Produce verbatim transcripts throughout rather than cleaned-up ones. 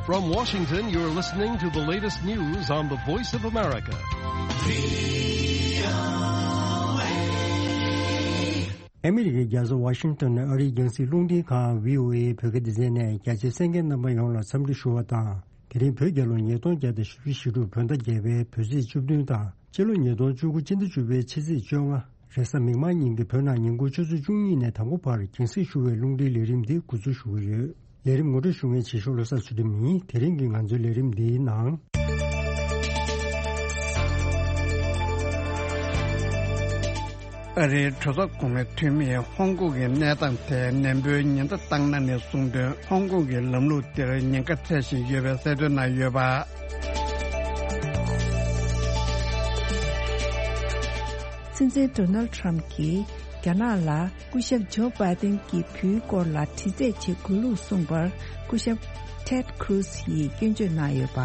From Washington, you're listening to the latest news on the Voice of America. ཨ་མི་རི་ཀའི་རྒྱལ་ས་ཝ་ཤིང་ཏོན་ནས་ཨ་རིའི་རྒྱང་སྲིང་རླུང་འཕྲིན་ཁང་བྷི་ཨོ་ཨེ་བོད་སྐད་སྡེ་ཚན་ནས་རྒྱ་ཆེའི་གསན་མཁན་རྣམ་པ་ཡོངས་ལ་འཚམས་འདྲི་ཞུ་བ་དང་། དེ་རིང་བོད་རྒྱལ་ལོ་ཉིས་སྟོང་བརྒྱ་དང་བཞི་བཅུ་ཞེ་དྲུག་བོད་ཟླ་བརྒྱད་པའི་བོད་ཚེས་བཅུ་བདུན་དང་། སྤྱི་ལོ་ཉིས་སྟོང་བཅུ་དགུ་སྤྱི་ཟླ་བཅུ་པའི་ཕྱི་ཚེས་བཅོ་ལྔ། རེས་གཟའ་མིག་དམར་ཉིན་གྱི་བོད་ནང་ཉིན་གུང་ཆུ་ཚོད་བཅུ་གཉིས་ནས་དང་པོ་བར་རྒྱང་སྲིང་ཞུ་བའི་རླུང་འཕྲིན་ལས་རིམ་འདི་འགོ་འཛུགས་ཞུ་གི་ཡོད། ལས་རིམ་ངོ་སྤྲོད་ཞུ་མཁན་བྱེད་ཤོག་བློ་བཟང་ཚུལ་ཁྲིམས་ཡིན། དེ་རིང་གི་ང་ཚོའི་ལས་རིམ་འདིའི་ནང་། ཨ་རིའི་གྲོས་ཚོགས་གོང་མའི་འཐུས་མིས་ཧོང་ཀོང་གི་གནས་སྟངས་ཐད་ནན་པོའི་ཉེན་བརྡ་བཏང་གནང་ནས་གསུངས་དོན། ཧོང་ཀོང་གི་ལམ་ལུགས་འདིར་ཉེན་ཁ་འཕྲད་བཞིན་ཡོད་པའི་གསལ་སྟོན་གནང་ཡོད་པ། སྲིད་འཛིན་ཌོ་ནལ་ཊམ་གྱིས་རྒྱ་ནག་ལ་སྐུ་ཞབས་ཇོ་བྷའི་ཏིན་གྱི་བུའི་སྐོར་ལ་དྲི་རྩད་བྱེད་དགོས་ལུགས་གསུངས་པར། སྐུ་ཞབས་ཊེཌ་ཁུ་རུ་སི་ཡིས་སྐྱོན་བརྗོད་གནང་ཡོད་པ།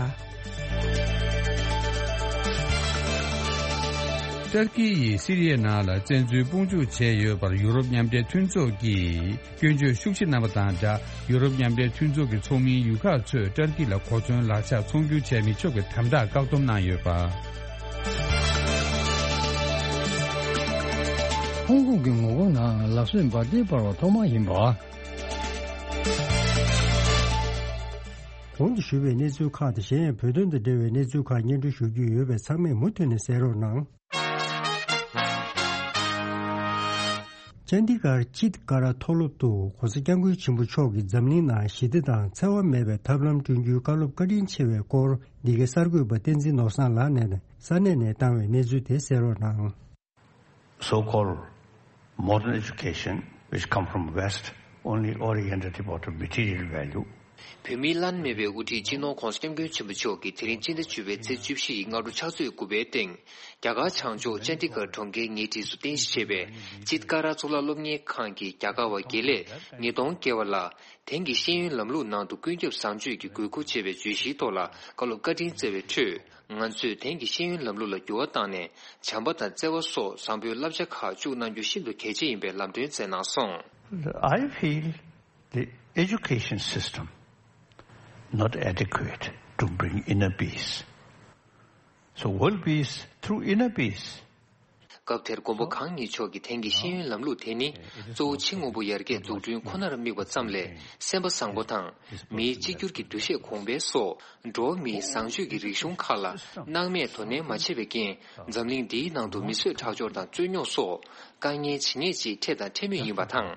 ཏར་ཀི་ཡིས་སི་རི་ཡའི་ནང་ལ་བཙན་འཛུལ་དཔུང་འཇུག་བྱས་ཡོད་པར་ཡུ་རོབ་མཉམ་འབྲེལ་མཐུན་ཚོགས་ཀྱིས་སྐྱོན་བརྗོད་ཤུགས་ཆེ་གནང་བ་དང་སྦྲགས། ཡུ་རོབ་མཉམ་འབྲེལ་མཐུན་ཚོགས་ཀྱི་ཚོགས་མིའི་ཡུལ་ཁག་ཚོས་ཏར་ཀི་ལ་གོ་མཚོན་ལག་ཆ་ཚོང་སྒྱུར་བྱས་མི་ཆོག་པའི་དམ་དྲག་བཀག་སྡོམ་གནང་ཡོད་པ། ཧོང་ཀོང་གི་ངོ་རྒོལ་ནང་ལག་བཟོས་འབར་མདེལ་སྤར་བ་ཐོག་མ་ཡིན་པ། གོང་དུ་ཞུས་པའི་གནས་ཚུལ་ཁག་དང་། གཞན་ཡང་བོད་དོན་དང་འབྲེལ་བའི་གནས་ཚུལ་ཁག་སྙན་སྒྲོན་ཞུ་རྒྱུ་ཡོད་པས། ཚང་མས་མུ་མཐུད་ནས་གསན་རོགས་གནང་། ཅན་ཌི་གར་ཅིད་ཀ་ར་མཐོ་སློབ་ཏུ་༧གོང་ས་༧སྐྱབས་མགོན་ཆེན་པོ་མཆོག་གིས་འཛམ་གླིང་ནང་ཞི་བདེ་དང་འཚེ་བ་མེད་པའི་ཐབས་ལམ་བསྐྲུན་རྒྱུའི་བཀའ་སློབ་བཀའ་དྲིན་ཆེ་བའི་སྐོར། འདི་གའི་གསར་འགོད་པ་བསྟན་འཛིན་ནོར་བཟང་ལགས་ནས་ས་གནས་ནས་བཏང་བའི་གནས་ཚུལ་དེ་གསན་རོགས་གནང་། So-called modern education, which come from West, only oriented about material value. བོད་མིའི་བླ་ན་མེད་པའི་དབུ་ཁྲིད་སྤྱི་ནོར་༧གོང་ས་༧སྐྱབས་མགོན་ཆེན་པོ་མཆོག་གིས་དེ་རིང་སྤྱི་ཟླ་བཅུ་པའི་ཚེས་བཅུ་བཞི་ཡི་སྔ་དྲོ་ཕྱག་ཚོད་དགུ་པའི་སྟེང་། རྒྱ་གར་བྱང་ཕྱོགས་ཅན་ཌི་གར་གྲོང་ཁྱེར་ཉེ་འཁྲིས་སུ་རྟེན་གཞི་བྱས་པའི་ཅིད་ཀ་ར་གཙུག་ལག་སློབ་གཉེར་ཁང་གི་རྒྱ་གར་བ་དགེ་ལས་ཉིས་སྟོང་བརྒལ་བ་ལ། དེང་གི་ཤེས་ཡོན་ལམ་ལུགས་ནང་དུ་ཀུན་ཁྱབ་བཟང་སྤྱོད་ཀྱི་དགོས་མཁོ་ཅེས་པའི་བརྗོད་གཞིའི་ཐོག་ལ་བཀའ་སློབ་བཀའ་དྲིན་སྩལ་བའི་ཁྲོད། ང་ཚོས་དེང་གི་ཤེས་ཡོན་ལམ་ལུགས་ལ་འགྱུར་བ་བཏང་ནས། བྱམས་པ་དང་བརྩེ་བ་སོགས་བཟང་པོའི་བསླབ་བྱ་ཁག་བཅུག་གནང་རྒྱུ་ཤིན་ཏུ་གལ་ཆེ་ཡིན་པའི་ལམ་སྟོན་སྩལ་གནང་སོང་། I feel the education system not adequate to bring inner peace. So world peace through inner peace. སྐབས་དེར་མགོན་པོ་གང་ཉིད་མཆོག་གིས་དེང་གི་ཤེས་ཡོན་ལམ་ལུགས་དེ་ནི་གཙོ་བོ་ཕྱི་དངོས་པོ་ཡར་རྒྱས་འཛུགས་སྐྲུན་ཁོ་ནར་དམིགས་པ་ཙམ་ལས། སེམས་པ་བཟང་པོ་དང་མིའི་གཅིག་གྱུར་གྱི་འདུ་ཤེས་གོང་འཕེལ་སོགས་འགྲོ་བ་མིའི་བཟང་སྤྱོད་ཀྱི་རིག་གཞུང་ཁག་ལ་སྣང་མེད་དོ་ནན་མ་བྱས་པའི་རྐྱེན། འཛམ་གླིང་འདིའི་ནང་དུ་མི་གསོད་ཁྲག་སྦྱོར་དང་རྩོད་རྙོག་སོགས་དཀའ་ངལ་ཇི་སྙེད་ཅིག་འཕྲད་དང་འཕྲད་མུས་ཡིན་པ་དང་།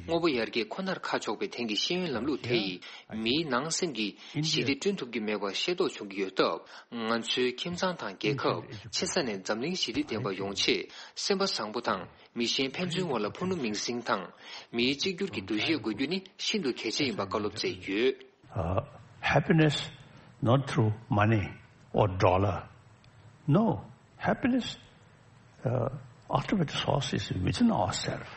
དངོས་པོ་ཡར་རྒྱས་ཁོ་ནར་ཁ་ཕྱོགས་པའི་དེང་གི་ཤེས་ཡོན་ལམ་ལུགས་དེ་ཡིས་མིའི་ནང་སེམས་ཀྱི་ཞི་བདེ་བསྐྲུན་ཐུབ་ཀྱི་མེད་པ་ཤེས་རྟོགས་བྱུང་གི་ཡོད་སྟབས། ང་ཚོའི་ཁྱིམ་ཚང་དང་རྒྱལ་ཁབ། ཆེ་ས་ནས་འཛམ་གླིང་ཞི་བདེ་ལྡན་པ་ཡོང་ཆེད། སེམས་པ་བཟང་པོ་དང་མི་གཞན་ཕན་ཚུན་བར་ལ་ཕུ་ནུ་མིང་སྲིང་དང་། མིའི་གཅིག་གྱུར་གྱི་འདུ་ཤེས་དགོས་རྒྱུ་ནི་ཤིན་ཏུ་གལ་ཆེ་ཡིན་པ་བཀའ་སློབ་སྩལ་ཡོད། Uh, happiness not through money or dollar. No, happiness, uh, ultimate source is within ourselves.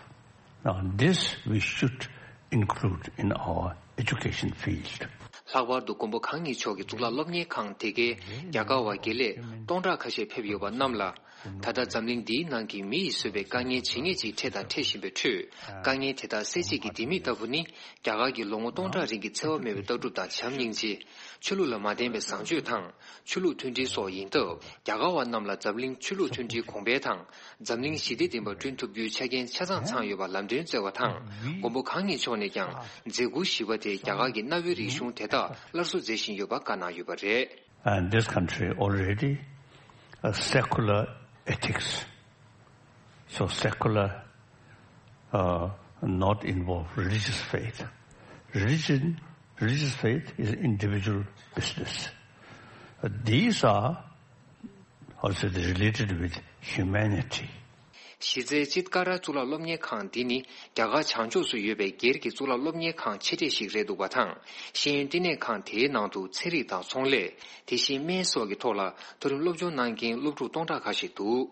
Now, this we should include in our education field. ལྷག་པར་དུ་མགོན་པོ་གང་ཉིད་མཆོག་གི་གཙུག་ལག་སློབ་གཉེར་ཁང་དེ་གའི་རྒྱ་གར་བ་དགེ་ལས་སྟོང་ཕྲག་ཁ་ཤས་ཕེབས་ཡོད་པ་རྣམས་ལ། ད་ལྟ་འཛམ་གླིང་འདིའི་ནང་གི་མི་ཡིས་བཟོས་པའི་དཀའ་ངལ་ཇི་སྙེད་ཅིག་འཕྲད་དང་འཕྲད་བཞིན་པའི་ཁྲོད། དཀའ་ངལ་དེ་དག་སེལ་བྱེད་ཀྱི་ལྡེ་མིག་ལྟ་བུ་ནི། རྒྱ་གར་གྱི་ལོ་ངོ་སྟོང་ཕྲག་རིང་གི་འཚེ་བ་མེད་པའི་ལྟ་གྲུབ་དང་བྱམས་སྙིང་རྗེ། ཆོས་ལུགས་ལ་མ་བརྟེན་པའི་བཟང་སྤྱོད་དང་། ཆོས་ལུགས་མཐུན་སྒྲིལ་སོགས་ཡིན་སྟབས། རྒྱ་གར་བ་རྣམས་ལ་འཛམ་གླིང་ཆོས་ལུགས་མཐུན་སྒྲིལ་གོང་འཕེལ་དང་། འཛམ་གླིང་ཞི་བདེ་ལྡན་པ་བསྐྲུན་ཐུབ་རྒྱུའི་ཆ་རྐྱེན་ཆ་ཚང་ཚང་ཡོད་པ་ལམ་སྟོན་སྩལ་བ་དང་། མགོན་པོ་གང་ཉིད་མཆོག་ནས་ཀྱང་། མཛད་ཁུར་བཞི་པ་དེ་རྒྱ་གར་གྱི་གནའ་བོའི་རིག་གཞུང་དེ་དག་སླར་གསོ་མཛད་བཞིན་ཡོད་པ་བཀའ་གནང་ཡོད་པ་རེད། And this country already a secular ethics. So secular, uh, not involve religious faith. Religion, religious faith is individual business. Uh, these are also related with humanity. གཞི་རྩའི་ཅིད་ཀ་ར་གཙུག་ལག་སློབ་གཉེར་ཁང་འདི་ནི་རྒྱ་གར་བྱང་ཕྱོགས་སུ་ཡོད་པའི་སྒེར་གྱི་གཙུག་ལག་སློབ་གཉེར་ཁང་ཆེ་གྲས་ཤིག་རེད་འདུག་པ་དང་། ཤེས་ཡོན་བསྟི་གནས་ཁང་དེའི་ནང་དུ་ཚན་རིག་དང་ཚོང་ལས། དེ་བཞིན་སྨན་སོགས་ཀྱི་ཐོག་ལ་མཐོ་རིམ་སློབ་སྦྱོང་གནང་མཁན་སློབ་ཕྲུག་སྟོང་ཕྲག་ཁ་ཤས་འདུག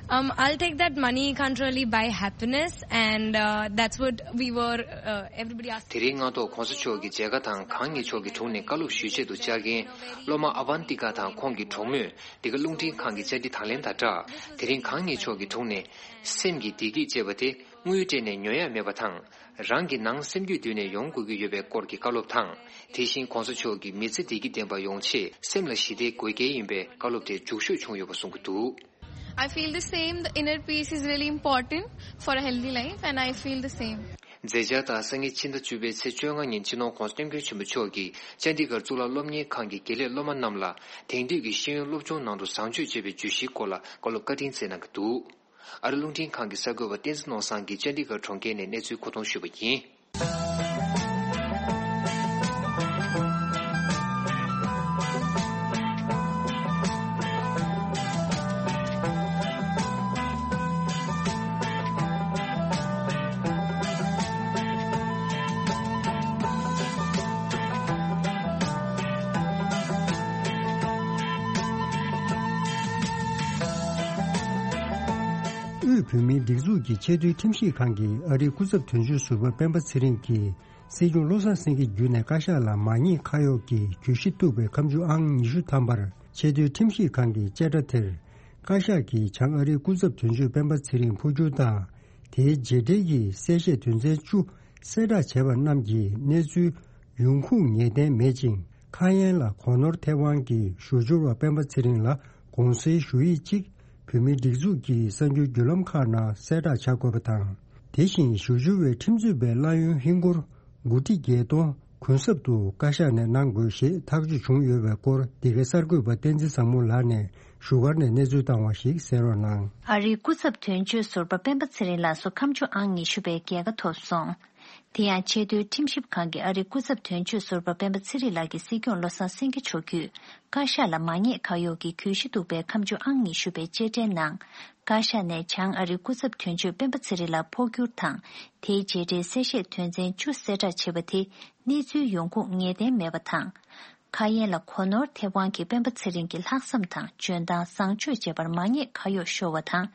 Um, I'll take that money can't really buy happiness, and uh, that's what we were, uh, everybody asked. དེ་རིང་སྔ་ཐོག་༧གོང་ས་མཆོག་གི་མཇལ་ཁ་དང་གང་ཉིད་མཆོག་གི་དྲུང་ནས་བཀའ་སློབ་ཞུ་ཆེད་དུ་བཅར་མཁན་སློབ་མ་ཨ་བན་ཏི་ཀ་དང་ཁོང་གི་གྲོགས་མོས། འདི་ག་རླུང་འཕྲིན་ཁང་གི་བཅར་འདྲི་དང་ལེན་དང་སྦྲགས། དེ་རིང་གང་ཉིད་མཆོག་གི་དྲུང་ནས་སེམས་ཀྱི་བདེ་སྐྱིད་ཅེས་པ་དེ་ དངུལ་སྤྲད་ནས་ཉོ་ཡ་མེད་པ་དང་། རང་གི་ནང་སེམས་རྒྱུད་བསྡུས་ནས་ཡོང་དགོས་ཀྱི་ཡོད་པའི་སྐོར་གྱི་བཀའ་སློབ་དང་། དེ་བཞིན་༸གོང་ས་མཆོག་གིས་མི་ཚེ་བདེ་སྐྱིད་ལྡན་པ་ཡོང་ཆེད་སེམས་ལ་ཞི་བདེ་དགོས་གལ་ཡིན་པའི་བཀའ་སློབ་དེ་མཇུག་ཤོས་བྱུང་ཡོད་པ་གསུང་གི་འདུག། I feel the same. The inner peace is really important for a healthy life, and I feel the same. མཛད་འཆར་ལྟར་སང་ཉིན་ཕྱི་ཟླ་བཅུ་པའི་ཚེས་བཅོ་ལྔ་ཉིན་སྤྱི་ནོར་༸གོང་ས་༸སྐྱབས་མགོན་ཆེན་པོ་མཆོག་གིས་ཅན་ཌི་གྷར་གཙུག་ལག་སློབ་གཉེར་ཁང་གི་དགེ་ལས་སློབ་མ་རྣམས་ལ་དེང་དུས་ཀྱི་ཤེས་ཡོན་སློབ་སྦྱོང་ནང་དུ་བཟང་སྤྱོད་ཅེས་པའི་བརྗོད་གཞིའི་སྐོར་ལ་བཀའ་སློབ་བཀའ་དྲིན་སྩལ་གནང་གི་འདུག། ཨ་རི་རླུང་འཕྲིན་ཁང་གི་གསར་འགོད་པ་བསྟན་འཛིན་ནོར་བཟང་གིས་ཅན་ཌི་གྷར་གྲོང་ཁྱེར་ནས་གནས་ཚུལ་མཁོ་གཏོང་ཞུས་པ་ཡིན། དབུས་བོད་མིའི་སྒྲིག་འཛུགས་ཀྱི་ཆེས་མཐོའི་ཁྲིམས་ཞིབ་ཁང་གིས་ཨ་རིའི་སྐུ་ཚབ་དོན་གཅོད་ཟུར་པ་སྤེན་པ་ཚེ་རིང་གིས། སྲིད་སྐྱོང་བློ་བཟང་སེང་གེ་བརྒྱུད་ནས་བཀའ་ཤག་ལ་མ་ཉེས་ཁ་གཡོགས་ཀྱི་གྱོད་གཞི་གཏུགས་པའི་ཁ་མཆུ་ཨང་ཉི་ཤུ་ཐམ་པར་ཆེས་མཐོའི་ཁྲིམས་ཞིབ་ཁང་གི་བཅད་ཁྲ་དེར། བཀའ་ཤག་གིས་བྱང་ཨ་རིའི་སྐུ་ཚབ་དོན་གཅོད་སྤེན་པ་ཚེ་རིང་འཕོ་འགྱུར་དང་། དེའི་རྗེས་འབྲེལ་གྱི་གསལ་བཤད་དོན་ཚན་བཅུ་གསལ་བསྒྲགས་བྱས་པ་རྣམས་ཀྱི་གནས་ཚུལ་ཡོང་ཁུངས་ངེས་གཏན་མེད་ཅིང་། ཁ་ཡན་ལ་གོ་ནོར་ཐེབས་དབང་གིས་ཞུ་སྦྱོར་བ་སྤེན་པ་ཚེ་རིང་ལ་དགོངས་སེལ་ཞུ་ཡིག་ཅིག་བོད་མིའི་སྒྲིག་འཛུགས་ཀྱི་གསར་འགྱུར་བརྒྱུད་ལམ་ཁག་ནང་གསལ་བསྒྲགས་བྱ་དགོས་པ་དང་། དེ་བཞིན་ཞུ་སྦྱོར་བའི་ཁྲིམས་རྩོད་པའི་གླ་ཡོན་ཧིན་སྒོར་དགུ་ཁྲི་བརྒྱད་སྟོང་གུན་གསབ་ཏུ་བཀའ་ཤག་ནས་གནང་དགོས་ཞེས་ཐག་གཅོད་བྱུང་ཡོད་པའི་སྐོར་འདི་གའི་གསར་འགོད་པ་བསྟན་འཛིན་བཟང་མོ་ལགས་ནས་བཞུགས་སྒར་ནས་གནས་ཚུལ་བཏང་བ་ཞིག་གསན་རོགས་གནང་། ཨ་རིའི་སྐུ་ཚབ་དོན་གཅོད་ཟུར་པ་སྤེན་པ་ཚེ་རིང་ལགས་སུ་ཁ་མཆུ་ཨང་ཉི་ཤུ་པའི་རྒྱལ་ཁ་ཐོབ་སོང་། དེ་ཡང་ཆེས་མཐོའི་ཁྲིམས་ཞིབ་ཁང་གིས་ཨ་རིའི་སྐུ་ཚབ་དོན་གཅོད་ཟུར་པ་སྤེན་པ་ཚེ་རིང་ལགས་ཀྱིས་སྲིད་སྐྱོང་བློ་བཟང་སེང་གེ་མཆོག་བརྒྱུད། བཀའ་ཤག་ལ་མ་ཉེས་ཁ་གཡོགས་ཀྱི་གྱོད་གཞི་གཏུགས་པའི་ཁ་མཆུ་ཨང་ཉི་ཤུ་པའི་བཅད་ཁྲའི་ནང་། བཀའ་ཤག་ནས་བྱང་ཨ་རིའི་སྐུ་ཚབ་དོན་གཅོད་སྤེན་པ་ཚེ་རིང་ལ་འཕོ་འགྱུར་དང་། དེའི་རྗེས་འབྲེལ་གསལ་བཤད་དོན་ཚན་བཅུ་གསལ་བསྒྲགས་བྱས་པ་དེ་གནས་ཚུལ་ཡོང་ཁུངས་ངེས་གཏན་མེད་པ་དང་། ཁ་ཡན་ལ་གོ་ནོར་ཐེབས་དབང་གིས་སྤེན་པ་ཚེ་རིང་གི་ལྷག་བསམ་དང་འཇོན་ཐང་བཟང་སྤྱོད་བྱས་པར་མ་ཉེས་ཁ་གཡོགས་ཤོར་བ་དང་།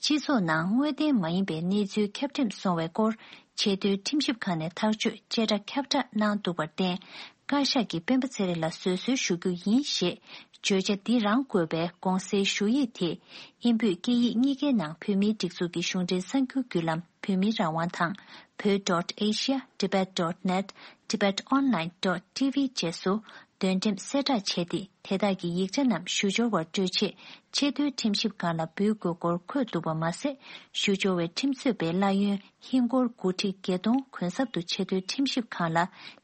སྤྱི་ཚོགས་ནང་དངོས་བདེན་མ་ཡིན་པའི་གནས་ཚུལ་ཁྱབ་འགྲེམས་སོང་བའི་སྐོར། ཆེས་མཐོའི་ཁྲིམས་ཞིབ་ཁང་ནས་ཐག་གཅོད་བཅད་ཁྲ་ཁྱབ་བསྒྲགས་གནང་འདུག་པར་བརྟེན། བཀའ་ཤག་གིས་སྤེན་པ་ཚེ་རིང་ལ་བཟོད་གསོལ་ཞུ་རྒྱུ་ཡིན་ཞེས། བརྗོད་བྱ་འདི་རང་བཀོད་པའི་དགོངས་སེལ་ཞུ་ཡིག་དེ། དབྱིན་བོད་སྐད་ཡིག་གཉིས་ཀའི་ནང་བོད་མིའི་སྒྲིག་འཛུགས་ཀྱི་གཞུང་འབྲེལ་གསར་འགྱུར་བརྒྱུད་ལམ་བོད་མིའི་རང་དབང་དང་། བོད་dot asia, tibet dot net, tibet online dot tv བཅས་སུ་འདོན་འགྲེམས་གསལ་བསྒྲགས་བྱས་ཏེ། དེ་དག་གི་ཡིག་ཆ་རྣམས་ཞུ་སྦྱོར་བར་སྤྲོད་ཆེད་ཆེས་མཐོའི་ཁྲིམས་ཞིབ་ཁང་ལ་འབུལ་དགོས་སྐོར་འཁོད་འདུག་པ་མ་ཟད། ཞུ་སྦྱོར་བའི་ཁྲིམས་རྩོད་པའི་གླ་ཡོན་ཧིན་སྒོར་དགུ་ཁྲི་བརྒྱད་སྟོང་གུན་གསབ་ཏུ་ཆེས་མཐོའི་ཁྲིམས་ཞིབ་ཁང་ལ་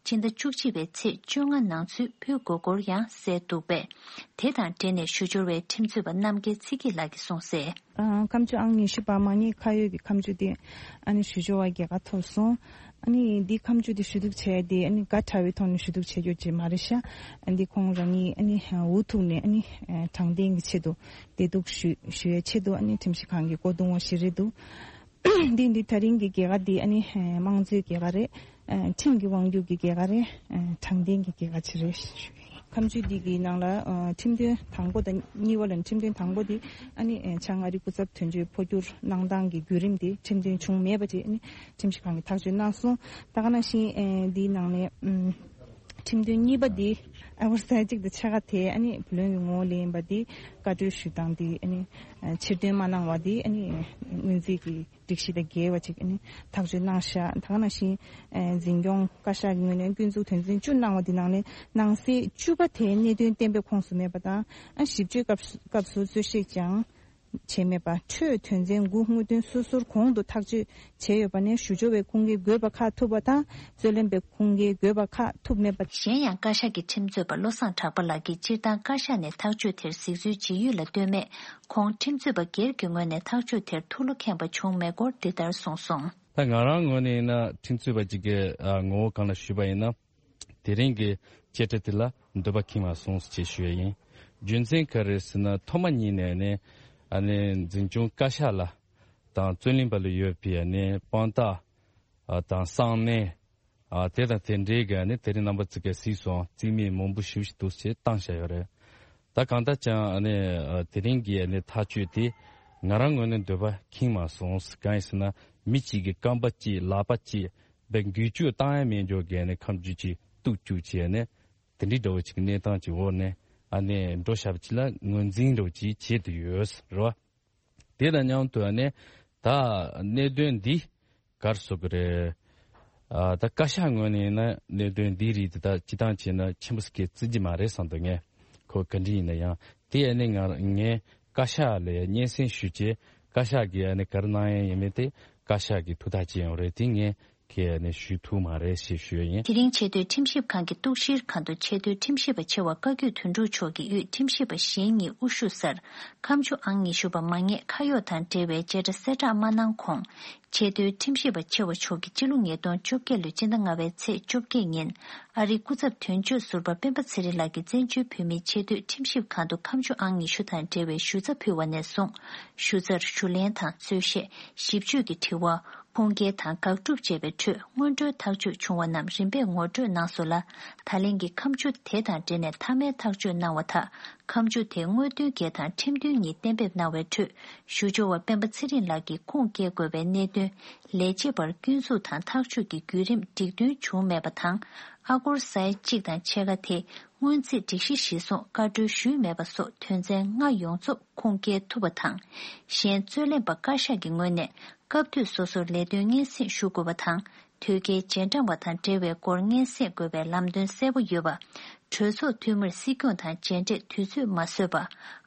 སྤྱི་ཟླ་བཅུ་གཅིག་པའི་ཚེས་བཅོ་ལྔ་ནང་ཚུད་འབུལ་དགོས་སྐོར་ཡང་གསལ་འདུག་པས། དེ་དང་འབྲེལ་ནས་ཞུ་སྦྱོར་བའི་ཁྲིམས་རྩོད་པ་རྣམ་རྒྱལ་ཚེ་སྐྱིད་ལགས་ཀྱིས་གསུངས་གསལ། ཨ། ཁ་མཆུ་ཨང་ཉི་ཤུ་པ་མ་ཉེས་ཁ་གཡོགས་ཀྱི་ཁ་མཆུ་དེ་ཨ་ནི་ཞུ་སྦྱོར་བ་རྒྱལ་ཁ་ཐོབ་སོང་། ཨ་ནི་འདི་ཁ་མཆུ་དེ་ཞུ་གཏུག་བྱས་དེ་ཨ་ནི་དགའ་དྲགས་པའི་ཐོག་ནས་ཞུ་གཏུག་བྱས་རྒྱུ་ཅིག་མ་རེད་ཤག། ཨ་འདི་ཁོང་རང་ཉིད་ཨ་ནི་འུ་ཐུག་ནས་ཨ་ནི་དྲང་བདེན་གྱི་ཆེད་དུ་བདེ་སྡུག་ཞུ་ཞུ་བའི་ཆེད་དུ་ཨ་ནི་ཁྲིམས་ཞིབ་ཁང་གི་སྒོ་རྡུང་བ་ཞིག་རེད་འདུག། འདི་འདི་ད་རིང་གི་རྒྱལ་ཁ་འདི་ཨ་ནི་དམངས་གཙོའི་རྒྱལ་ཁ་རེད། ཁྲིམས་ཀྱི་དབང་སྒྱུར་གྱི་རྒྱལ་ཁ་རེད། དྲང་བདེན་གྱི་རྒྱལ་ཁ་ཅིག་རེད། ཁ་མཆུ་འདི་གི་ནང་ལ་ཁྲིམས་དོན་དང་པོ་དང་གཉིས་པ་ལ་ཁྲིམས་དོན་དང་པོ་འདི་ཨ་ནི་བྱང་ཨ་རི་སྐུ་ཚབ་དོན་གཅོད་འཕོ་འགྱུར་གནང་སྟངས་ཀྱི་བརྒྱུད་རིམ་དེ་ཁྲིམས་དོན་བྱུང་མེད་པ་ཅིག་ཨ་ནི་ཁྲིམས་ཞིབ་ཁང་གིས་ཐག་གཅོད་གནང་སོང་། ད་ག་ནང་བཞིན་འདིའི་ནང་ནས་ཁྲིམས་དོན་གཉིས་པ་འདི་ཨ་བར་ས་གཅིག་ཏུ་ཕྱེད་ཀ་དེ་ཨ་ནི་བུ་ལོན་གྱི་ངོ་བོ་ལེན་པ་འདི་བཀའ་འཁྲོལ་ཞུ་སྟངས་འདི་ཨ་ནི་ཕྱིར་འདོན་མ་གནང་བ་འདི་ཨ་ནི་སྔོན་རྩིས་ཀྱི་སྒྲིག་གཞི་དང་འགལ་བ་ཅིག་ཨ་ནི་ཐག་གཅོད་གནང་ཤག། ད་ག་ནང་བཞིན་འཛིན་སྐྱོང་བཀའ་ཤག་གི་ངོས་ནས་སྐྱོན་འཛུགས་དོན་ཚན་བཅུ་གནང་བ་འདི་ནང་ནས་ནང་གསེས་བཅུ་པ་དེ་གནད་དོན་གཏན་འབེབས་ཁོངས་སུ་མེད་པ་དང་ཨ་ཞིབ་དཔྱོད་སྐབས་སུ་སྐབས་སུ་རྩོད་བཤེར་ཀྱང་བྱས་མེད་པ། འཕྲོས་དོན་ཚན་དགུ་དངོས་དོན་སོ་སོར་གོང་དུ་ཐག་གཅོད་བྱས་ཡོད་པ་ནས་ཞུ་སྦྱོར་བའི་ཁུངས་སྐྱེལ་དགོས་པ་ཁག་ཐུབ་པ་དང་རྩོད་ལེན་པའི་ཁུངས་སྐྱེལ་དགོས་པ་ཁག་ཐུབ་མེད་པ། གཞན་ཡང་བཀའ་ཤག་གི་ཁྲིམས་རྩོད་པ་བློ་བཟང་གྲགས་པ་ལགས་ཀྱིས་སྤྱིར་བཏང་བཀའ་ཤག་ནས་ཐག་གཅོད་དེར་གཟིགས་ཚུལ་ཇི་ཡོད་ལ་ལྟོས་མེད། ཁོང་ཁྲིམས་རྩོད་པ་སྒེར་གྱི་ངོས་ནས་ཐག་གཅོད་དེར་ཐུགས་བློ་ཁེངས་པ་བྱུང་མེད་སྐོར་འདི་ལྟར་གསུངས་སོང་། ད་ང་རང་ངོས་ནས་ཡིན་ན་ཁྲིམས་རྩོད་པ་གཅིག་གི་ངོ་བོ་སྒང་ལ་ཞུས་པ་ཡིན་ན། དེ་རིང་གི་བཅད་ཁྲ་དེ་ལ་འདོད་པ་ཁེངས་མ་སོང་ཞེས་ཞུ་ཡ་ཡིན། རྒྱུ་མཚན་ག་རེ་ཟེར་ན་ཐོག་མ་ཉིད་ནས་ནི་ཨ་ནི་འཛིན་སྐྱོང་བཀའ་ཤག་ལ་དང་རྩོད་ལེན་པ་ལ་ཡོད་པའི་ཨ་ནི་དཔང་རྟགས་དང་གསང་གནས། ཨ་དེ་དང་དེ་འདྲའི་གི་ཨ་ནི་དེ་རིང་རྣམ་པ་ཚོ་གིས་གཟིགས་སོང་རྩིས་མེད་མང་པོ་ཞེ་པོ་ཞིག་འདུག་ཅེས་བཏང་བཞག་ཡོད་རེད། ད་གང་ལྟར་ཀྱང་ཨ་ནི་ཨ་དེ་རིང་གི་ཨ་ནི་ཐག་གཅོད་དེ་ང་རང་ངོས་ནས་འདོད་པ་ཁེངས་མ་སོང་། གང་ཡིན་ཟེར་ན་མི་གཅིག་གི་རྐང་པ་གཅིག་ལག་པ་གཅིག་བའི་འགུལ་སྐྱོད་བཏང་ཡ་མེད་འཇོག་གི་ཨ་ནི་ཁ་མཆུ་གཅིག་གཏུག་བཅུག་བྱས་ནས་དེ་འདྲའི་འདྲ་བོ་ཅིག་གནས་སྟངས་ཀྱི་འོག་ནས་ཨ་ནི་འགྲོ་བཞག་པ་ཅིག་ལ་ངོས་འཛིན་འདྲ་བོ་ཅིག་བྱེད་དུ་ཡོད་རེད་བ། དེ་དང་མཉམ་དུ་ཨ་ནི་ད་གནད་དོན་འདི་ ག་རེ་ཟེར་དགོས་རེད། ཨ་ད་བཀའ་ཤག་ངོས་ནས་ཡིན་ན་གནད་དོན་འདིའི་རིགས་དེ་དག་སྤྱི་བཏང་བྱས་ན་ཆེན་པོ་ཞིག་བརྩི་གི་མ་རེད་བསམ་འདུག་ངས་ཁོ་བཀའ་འདྲི་ཡིན་ན་ཡང་དེ་ཡང་ནི་ང་ངས་བཀའ་ཤག་ལ་སྙན་སེང་ཞུས་རྗེས་བཀའ་ཤག་གིས་ཡང་ནི་ག་རེ་གནང་ཡ་ཡིན་མིན་དེ་བཀའ་ཤག་གིས་ཐུགས་ཐག་བཅད་ཡོང་རེད། དེ་ངས་ཁས་ནས་ཞུ་ཐུབ་མ་རེད་ཞེས་ཞུས་ཡིན། དེ་རིང་ཆེས་མཐོའི་ཁྲིམས་ཞིབ་ཁང་གི་གཏུག་བཤེར་ཁང་དུ་ཆེས་མཐོའི་ཁྲིམས་ཞིབ་པ་ཆེ་བ་བཀའ་བརྒྱུད་དོན་གྲུབ་མཆོག་གིས་དབུས་ཁྲིམས་ཞིབ་པ་གཞན་གཉིས་དབུ་བཞུགས་སར་ཁ་མཆུ་ཨང་ཉི་ཤུ་པ་མ་ངེས་ཁ་གཡོག་དང་འབྲེལ་བའི་བྱེ་བྲག་གསལ་བསྒྲགས་མ་གནང་གོང་། ཆེས་མཐོའི་ཁྲིམས་ཞིབ་པ་ཆེ་བ་མཆོག་གིས་ཕྱི་ལོ་ཉིས་སྟོང་བཅོ་བརྒྱད་ལོའི་སྤྱི་ཟླ་ལྔ་པའི་ཚེས་བཅོ་བརྒྱད་ཉིན་ཨ་རིའི་སྐུ་ཚབ་དོན་གཅོད་ཟུར་པ་སྤེན་པ་ཚེ་རིང་ལགས་ཀྱིས་བཙན་བྱོལ་བོད་མིའི་ཆེས་མཐོའི་ཁྲིམས་ཞིབ་ཁང་དུ་ཁ་མཆུ་ཨང་ཉི་ཤུ་དང་འབྲེལ་བའི་ཞུ་རྩ་ཕུལ་བ་ནས་བཟུང་ཞུ་རྩར་ཞུ་ལན་དང་རྩོད་གཞས་ཞིབ་དཔྱོད་ཀྱི་དྲི་བ། ཁུངས་སྐྱེལ་དང་དགག་སྒྲུབ་བཅས་པའི་ཁྲོད་སྔོན་འགྲོའི་ཐག་གཅོད་བྱུང་བ་རྣམས་རིམ་པས་ངོ་སྤྲོད་གནང་སོང་ལ། ད་ལན་གྱི་ཁ་མཆུ་དེ་དང་འབྲེལ་ནས་མཐའ་མའི་ཐག་གཅོད་གནང་བ་དག་ཁ་མཆུ་དེ་དངོས་དོན་བརྒྱད་དང་ཁྲིམས་མཐུན་གཉིས་གཏན་འབེབས་གནང་བའི་ཁྲོད་ཞུ་སྦྱོར་བ་སྤེན་པ་ཚེ་རིང་ལགས་ཀྱིས་ཁུངས་སྐྱེལ་དགོས་པའི་གནད་དོན་ལས་བྱེད་པར་སྐྱོན་འཛུགས་དང་ཐག་གཅོད་ཀྱི་བརྒྱུད་རིམ་འགྲིག་མཐུན་བྱུང་མེད་པ་དང་། ཨ་སྒོར་ས་ཡ་གཅིག་དང་ཕྱེད་ཀ་དེ་སྔོན་རྩིས་སྒྲིག་གཞི་གཞིར་བཟུང་བཀའ་འཁྲོལ་ཞུས་མེད་པ་སོགས་དོན་ཚན་ལྔ་ཡོངས་རྫོགས་ཁུངས་སྐྱེལ་ཐུབ་པ་དང་། གཞན་རྩོད་ལེན་པ་བཀའ་ཤག་གི་ངོས་ནས་སྐབས་དུས་སོ་སོར་ལས་དོན་སྙན་སེང་ཞུ་དགོས་པ་དང་། དོལ་རྒྱལ་རྗེས་འབྲང་བ་དང་འབྲེལ་བའི་སྐོར་སྙན་སེང་དགོས་པའི་ལམ་སྟོན་གསལ་པོ་ཡོད་པ། གྲོས་ཚོགས་འཐུས་མིར་སྲིད་སྐྱོང་དང་མཇལ་འཕྲད་དུས་ཚོད་མ་བཟོས་པ།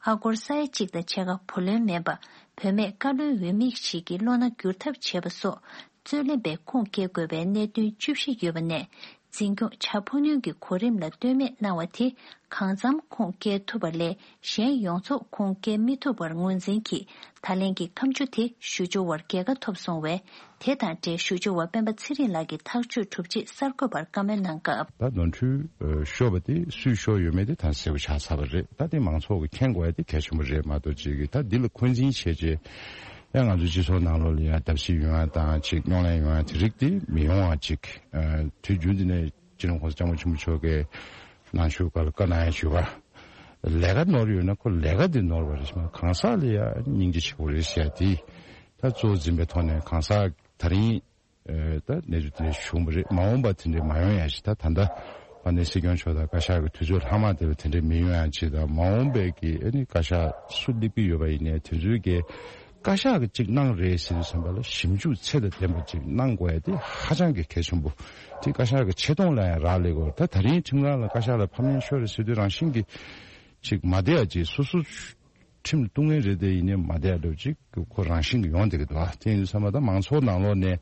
ཨ་སྒོར་ས་ཡ་གཅིག་དང་ཕྱེད་ཀ་བུ་ལོན་མིན་པ། བུད་མེད་བཀའ་བློན་འོས་མི་ཞིག་གི་བློ་སྣ་བསྒྱུར་ཐབས་བྱས་པ་སོགས་རྩོད་ལེན་པས་ཁུངས་སྐྱེལ་དགོས་པའི་གནད་དོན་བཅུ་བཞི་ཡོད་པ་ནས། འཛིན་སྐྱོང་བྱ་འཕོ་སྣོན་གྱི་གོ་རིམ་ལ་ལྟོས་མེད་གནང་བ་དེ་གང་འཚམ་ཁུངས་སྐྱེལ་ཐུབ་པ་ལས་གཞན་ཡོངས་རྫོགས་ཁུངས་སྐྱེལ་མི་ཐུབ་པར་ངོས་འཛིན་གྱིས། ད་ལན་གྱི་ཁ་མཆུ་དེ་ཞུ་སྦྱོར་བར་རྒྱལ་ཁ་ཐོབ་སོང་བས། དེ་དང་འབྲེལ་ཞུ་སྦྱོར་བ་སྤེན་པ་ཚེ་རིང་ལགས་ཀྱིས་ཐག་གཅོད་གྲུབ་རྗེས་གསར་འགོད་པར་བཀའ་མོལ་གནང་སྐབས། ད་ནོར་འཁྲུལ་ཤོར་བ་དེ་སུས་ཤོར་ཡོད་མེད་དེ་ད་གསལ་པོ་ཆགས་ཚར་བ་རེད། ད་དེ་མང་ཚོགས་ཀྱིས་མཁྱེན་དགོས་ཡ་དེ་གལ་ཆེན་པོ་རེད་མ་གཏོགས་ཅིག་གིས་ད་འདི་ལ་འཁོན་འཛིན་བྱས་རྗེས། ཡང་ང་ཚོའི་སྤྱི་ཚོགས་ནང་ལོགས་ལ་ཡང་བརྡབ་གསིག་ཡོང་ཡ་དང་ཅིག་རྙོག་གླེང་ཡོང་ཡ་དེ་རིགས་དེ་མི་ཡོང་བ་ཅིག་ཨ་དུས་རྒྱུན་དུ་ནས་སྤྱི་ནོར་༸གོང་ས་༸སྐྱབས་མགོན་ཆེན་པོ་མཆོག་གིས་ནང་ཆོས་སྒང་ལ་བཀའ་གནང་ཡ་བྱུས་པ། ལས་ཀ་ནོར་ཡོད་ན་ཁོ་ལས་ཀ་དེ་ནོར་བ་རེད། གང་ཟག་ལ་ཡ་སྙིང་རྗེ་ཆེ་བོ་རེད་ཟེར་ཡ་དེ་ད་གཙོ་བོ་འཛིན་པའི་ཐོག་ནས་གང་ཟག་དེ་རིང་ཨ་ད་གནས་ཚུལ་དེ་འདྲ་བྱུང་བ་རེད། མ་འོངས་པ་དེ་འདྲ་མ་ཡོང་ཡ་ཞིག་ད་ད་ལྟ་ཕ་ནས་སྲིད་སྐྱོང་མཆོག་དང་བཀའ་ཤག་གི་དུས་ཚོད་ལྷག་མ་དེ་ལ་དེ་འདྲ་མི་ཡོང་ཡ་ཅིག་དང་། མ་འོངས་པའི་གི་ཨ་ནི་བཀའ་ཤག་སུ་སླེབས་ཀྱི་ཡོད་པ་ཡིན་ནའི་དེ་ཚོའི་གི་བཀའ་ཤག་གི་ཅིག་གནང་རེད་ཟེར་དུས་ཙམ་པ་ལ་ཞིབ་འཇུག་ཚད་དང་ལྡན་པ་ཅིག་གནང་དགོས་ཡ་དེ་ཧ་ཅང་གི་གལ་ཆེན་པོ། དེ་བཀའ་ཤག་གི་ཆེ་མཐོང་ལ་ཡང་རག་ལས་དགོས། ད་ད་རིང་ཁྲིམས་ཁང་ལ་བཀའ་ཤག་ལ་ཕབ་ལེན་ཤོར་རེད་ཟེར་དུས་རང་བཞིན་གྱི་ཅིག་མ་བདེ་ཡ་ཅིག་སོ་སོ་ཁྲིམས་ལ་གཏུག་མཁན་རེད་དེ་ཡིན་ནའི་མ་བདེ་ཡ་འདྲ་བོ་ཅིག་ཁོ་རང་བཞིན་གྱི་ཡོང་བསྡད་ཀྱི་འདུག་ཨ་དེ་ཡིན་དུས་ཙམ་པ་ད་མང་ཚོགས་ནང་ལོགས་ནས་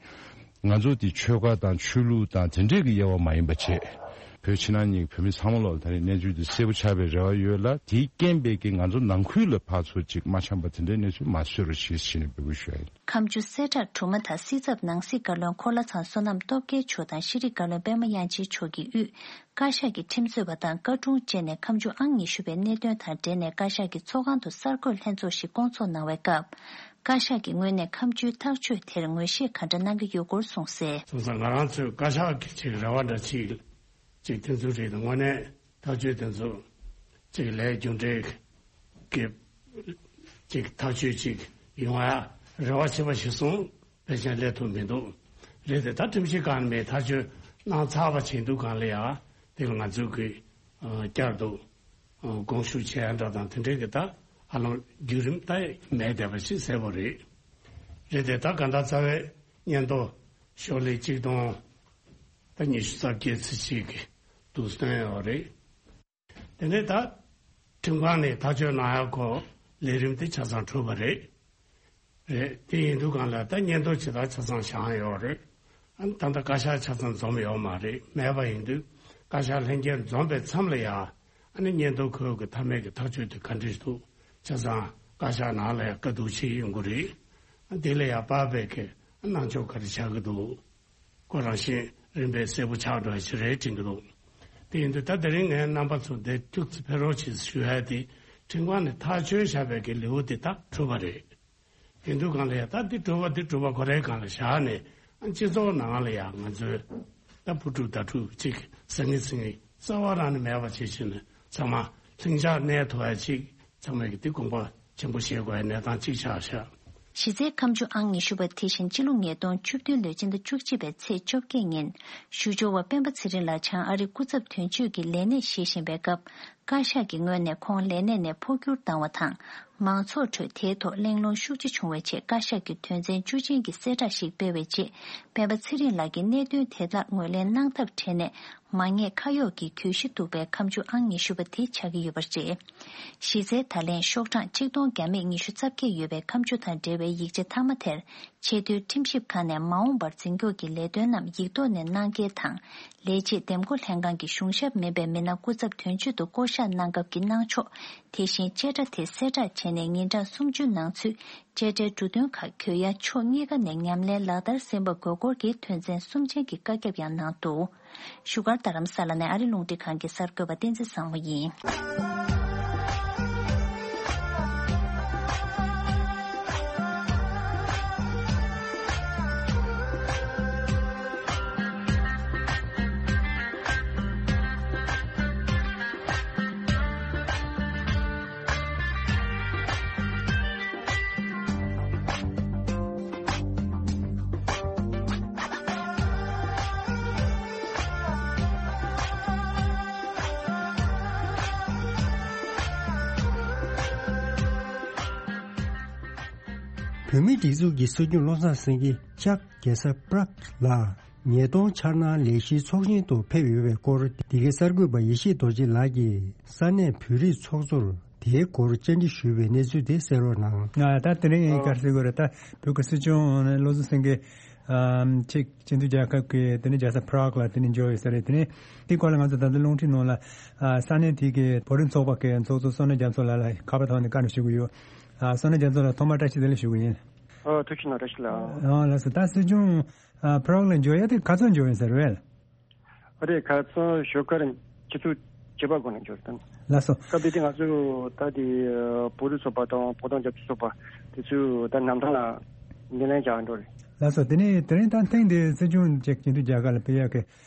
ང་ཚོ་དེ་ཆོལ་ཁ་དང་ཆོས་ལུགས་དང་དེ་འདྲས་ཀྱི་དབྱེ་བ་མ་ཡིན་པ་བྱས། བོད་ཕྱི་ནང་གཉིས་ཀྱི་བོད་མི་ཚང་མ་ལོག་ལ་ད་རེས་གནས་ཚུལ་འདི་གསལ་པོ་ཆགས་པའི་རེ་བ་ཡོད་ལ། དེའི་རྐྱེན་པས་ཀྱི་ང་ཚོ་ནང་ཁུལ་ལ་ཕར་ཚུར་ཅིག་མ་འཆམ་པ་དེ་འདྲའི་གནས་ཚུལ་མ་བཟོས་རོགས་ཞེས་ཞུས་ནས་འབོད་སྐུལ་ཞུ་ཡ་ཡིན། ཁ་མཆུ་གསལ་བསྒྲགས་གྲུབ་མ་ཐག་སྲིད་ཚབ་ནང་སྲིད་བཀའ་བློན་འཁོར་ལྷ་ཚང་བསོད་ནམས་སྟོབས་རྒྱལ་མཆོག་དང་ཤེས་རིག་བཀའ་བློན་པད་མ་དབྱངས་ཅན་མཆོག་གིས་དབུས་བཀའ་ཤག་གི་ཁྲིམས་རྩོད་པ་དང་བཀའ་དྲུང་བཅས་ནས་ཁ་མཆུ་ཨང་ཉི་ཤུ་པའི་གནད་དོན་དང་འབྲེལ་ནས་བཀའ་ཤག་གི་ཚོགས་ཁང་དུ་གསར་འགོད་ལྷན་ཚོགས་ཤིག་བསྐོང་ཚོགས་གནང་བའི་སྐབས། བཀའ་ཤག་གི་ངོས་ནས་ཁ་མཆུའི་ཐག་གཅོད་དེར་ངོས་བཞེས་ག་འདྲ་གནང་གི་ཡོད་སྐོར་གསུངས་གསལ། སོང་ཙང་ང་རང་ཚོས་བཀའ་ཤག་གི་ཅིག་རེ་བ་འདྲ་ཅིག་ཅིག་དེ་ཚོ་རེད། དངོས་གནས་ཐག་གཅོད་དེ་ཚོ་ཅིག་ལས་རྒྱུ་འབྲས་ཀྱི་ཅིག་ཐག་གཅོད་ཅིག་ཡོང་ཡ་རེ་བ་བྱེད་པ་ཞིག་སོང་། ཕལ་ཆེར་སླེབས་ཐུབ་མི་འདུག་རེད་དེ་ད་ཁྲིམས་ཞིབ་ཁང་ནས་ཐག་གཅོད་གནང་ཚར་བ་བྱས་འདུག་གང་ལ་ཡ་དེ་ལ་ང་ཚོས་གི་བསྐྱར་དུ་དགོངས་ཞུ་བྱས་ཡ་འདྲ་དང་དེ་འདྲའི་གི་ད་ཧ་ལམ་བརྒྱུད་རིམ་ད་མེད་བསྡད་པ་ཞིག་གསལ་པོ་རེད། རེད་དེ་ད་གང་ལྟར་རྩ་བའི་སྙན་ཐོ་ཤོག་ལྷེ་གཅིག་སྟོང་ད་ཉི་ཤུ་རྩ་བརྒྱད་ཚེས་གཅིག་གི་འདུག་སྟོན་ཡོད་རེད། དེ་ནས་ད་ཁྲིམས་ཁང་ནས་ཐག་གཅོད་གནང་ཡག་གོ་ལས་རིམ་དེ་ཆ་ཚང་གྲུབ་པ་རེད། རེད། དེ་ཡིན་དུས་གང་ལ་ད་སྙན་ཐོ་ཇི་ལྟར་ཆ་ཚང་བཞག་ཡོད་རེད། ཨ་ནི་ད་ལྟ་བཀའ་ཤག་ཆ་ཚང་འཛོམས་ཡོད་མ་རེད། མེད་པ་ཡིན་དུས་བཀའ་ཤག་ལྷན་རྒྱས་འཛོམས་པའི་མཚམས་ལ་ཡ་ཨ་ནི་སྙན་ཐོ་ཁོས་གི་མཐའ་མའི་གི་ཐག་གཅོད་དེ་ག་འདྲ་ཞིག་འདུག་ཆ་ཚང་བཀའ་ཤག་ནང་ལ་ཡ་བཀའ་བསྡུར་བྱེད་ཡོང་གི་རེད། ཨ་དེ་ལ་ཡ་དཔག་པའི་གི་གནང་ཕྱོགས་ག་རེ་ཆགས་ཀྱི་འདུག་ཁོ་རང་བཞིན་རིམ་པས་གསལ་པོ་ཆགས་འགྲོ་ཡ་ཞིག་རེད་དྲན་གྱི་འདུག་དེ་ཡིན་དུས་ད་དེ་རིང་ངས་རྣམ་པ་ཚོ་འདིར་ཐུགས་ཚེ་ཕེབས་རོགས་བྱེད་ཞུ་ཡ་དེ་ཁྲིམས་ཁང་ནས་ཐག་གཅོད་བཞག་པའི་གི་ལེའུ་དེ་ད་གྲུབ་པ་རེད། དེ་དུས་གང་ལ་ཡ་ད་འདི་གྲུབ་པ་འདི་གྲུབ་པ་ཁོ་རའི་སྒང་ལ་བཞག་ནས་ཨ་སྤྱི་ཚོགས་ནང་ལ་ཡ་ང་ཚོའི་ད་ཕུ་ཕྲུག་ད་ཕྲུག་ཅིག་ཟང་ངེ་ཟིང་ངེ་རྩ་བ་རང་ནས་མེད་པ་བྱེད་བཞིན་ནས་ཚང་མ་ལྷིང་འཇགས་གནས་ཐུབ་ཡ་ཅིག་ཚང་མས་གི་འདི་དགོངས་པ་ཆེན་པོ་བཞེས་དགོས་ཡ་གནས་སྟངས་ཅིག་ཆགས་ཤག་གཞི་རྩའི་ཁ་མཆུ་ཨང་ཉི་ཤུ་པ་དེ་བཞིན་སྤྱི་ལོ་ཉིས་སྟོང་བཅུ་བདུན་ལོའི་སྤྱི་ཟླ་བཅུ་གཅིག་པའི་ཚེས་བཅོ་བརྒྱད་ཉིན་ཞུ་སྦྱོར་བ་སྤེན་པ་ཚེ་རིང་ལགས་བྱང་ཨ་རིའི་སྐུ་ཚབ་དོན་གཅོད་ཀྱི་ལས་གནས་བཞེས་བཞིན་པའི་སྐབས། བཀའ་ཤག་གི་ངོས་ནས་ཁོང་ལས་གནས་ནས་འཕོ་འགྱུར་བཏང་བ་དང་། མང་ཚོགས་ཁྲོད་དེའི་ཐོག་གླེང་སློང་ཤུགས་ཆེ་བྱུང་བའི་རྗེས། བཀའ་ཤག་གིས་དོན་ཚན་བཅུ་ཅན་གྱི་གསལ་བསྒྲགས་ཤིག་སྤེལ་བའི་རྗེས། སྤེན་པ་ཚེ་རིང་ལགས་ཀྱིས་གནད་དོན་དེ་དག་ངོས་ལེན་གནང་ཐབས་བྲལ་ནས། མ་ཉེས་ཁ་གཡོགས་ཀྱི་གྱོད་གཞི་འདུག་པའི་ཁ་མཆུ་ཨང་ཉི་ཤུ་པ་དེ་ཆགས་ཀྱི་ཡོད་པ་རེད། གཞི་རྩའི་ད་ལན་ཤོག་གྲངས་གཅིག་སྟོང་བརྒྱ་མེད་ཉི་ཤུ་རྩ་བརྒྱད་ཡོད་པའི་ཁ་མཆུ་དང་འབྲེལ་བའི་ཡིག་ཆ་མཐའ་མ་དེར། ཆེས་མཐོའི་ཁྲིམས་ཞིབ་ཁང་ནས་མ་འོངས་པར་འཛིན་སྐྱོང་གི་ལས་དོན་རྣམས་ཡིག་ཐོག་ནས་གནང་གལ་དང་། ལས་བྱེད་འདེམས་བསྐོ་ལྷན་ཁང་གི་གཞུང་ཞབས་མིན་པའི་མི་སྣ་སྐུ་ཚབ་དོན་གཅོད་དུ་བསྐོ་གཞག་གནང་སྐབས་ཀྱི་གནང་ཕྱོགས། དེ་བཞིན་བཅད་ཁྲ་དེ་གསལ་བསྒྲགས་བྱས་ནས་ཉིན་གྲངས་སུམ་ཅུ་ནང་ཚུད་བཅད་ཁྲའི་འབྲུ་དོན་ཁག་གྱོད་ཡ་ཕྱོགས་གཉིས་ཀ་ནས་ཉམས་ལེན་ལག་བསྟར་ཟིན་པ་དགོས་སྐོར་གྱི་དོན་ཚན་གསུམ་ཅན་གྱི་བཀའ་ཁྱབ་ཡང་གནང་འདུག་བཞུགས་སྒར་རྡ་རམ་ས་ལ་ནས་ཨ་རི་རླུང་འཕྲིན་ཁང་གི་གསར་འགོད་པ་བསྟན་འཛིན་བཟང་མོ་ཡིན། བོད་མིའི་སྒྲིག་འཛུགས་ཀྱི་སྲིད་སྐྱོང་བློ་བཟང་སེང་གེ་ལྕགས་རྒྱལ་ས་པྲག་ལ་ཉིས་སྟོང་འཆར་སྣང་ལས་གཞིའི་ཚོགས་ཆེན་དུ་ཕེབས་ཡོད་པའི་སྐོར། འདི་གའི་གསར་འགོད་པ་ཡེ་ཤེས་རྡོ་རྗེ་ལགས་ཀྱིས་ས་གནས་བོད་རིགས་ཚོགས་གཙོར་དེའི་སྐོར་བཅར་འདྲི་ཞུས་པའི་གནས་ཚུལ་དེ་གསན་རོགས་གནང་། ང་ད་དེ་རིང་ཨ་ག་རེ་ཟེར་དགོས་རེད། ད་བོད་ཀྱི་སྲིད་སྐྱོང་བློ་བཟང་སེང་གེ་ཨམ་ཅིག་སྤྱི་མཐུན་རྒྱལ་ཁབ་ཀྱི་དེ་ནས་རྒྱལ་ས་པྲག་ལ་དེ་ནས་འབྱོར་ཡོད་ས་རེད། དེ་ནས་དེའི་སྐོར་ལ་ང་ཚོ་ད་ལྟ་རླུང་འཕྲིན་ནང་ལ་ཨ་ས་གནས་དེ་གའི་བོད་རིགས་ཚོགས་པ་གི་ཚོགས་གཙོ་བསོད་ནམས་རྒྱ་མཚོ་ལགས་ལ་ཁ་པར་ཐོག་ནས་བཀའ་འདྲི་ཞུ་གི་ཡོད། ཨ་བསོད་ནམས་རྒྱ་མཚོ་ལགས་ཐོག་མར་བཀྲ་ཤིས་བདེ་ལེགས་ཞུ་གི་ཡིན། ཨ་ཐུགས་རྗེ་གནང་། བཀྲ་ཤིས་ལགས། ཨ་ལགས་སོ། ད་སྲིད་སྐྱོང་ཨ་པྲག་ལ་འབྱོར་ཡ་དེ་ག་ཚོད་འབྱོར་ཡིན་ཟེར་བས། ཨ་རེད། ཁ་སང་ཞོགས་ཀ་རིང་ཆུ་ཚོད་བཅུ་པ་གོང་ནས་འབྱོར་དང་། ལགས་སོ། སྐབས་དེ་དུས་ང་ཚོ་ད་དེ་བོད་རིགས་ཚོགས་པ་དང་བོད་དོན་རྒྱབ་སྐྱོར་ཚོགས་པ་དེ་ཚོས་ད་གནམ་ཐང་ལ་འགན་ལེན་བྱ་འགྲོ་རེད། ལགས་སོ། དེ་ནས་དེ་རིང་ད་ཐེངས་འདིའི་སྲིད་སྐྱོང་ཅིག་སྤྱི་མཐུན་རྒྱལ་ཁབ་ལ་ཕེབས་ཡག་གི་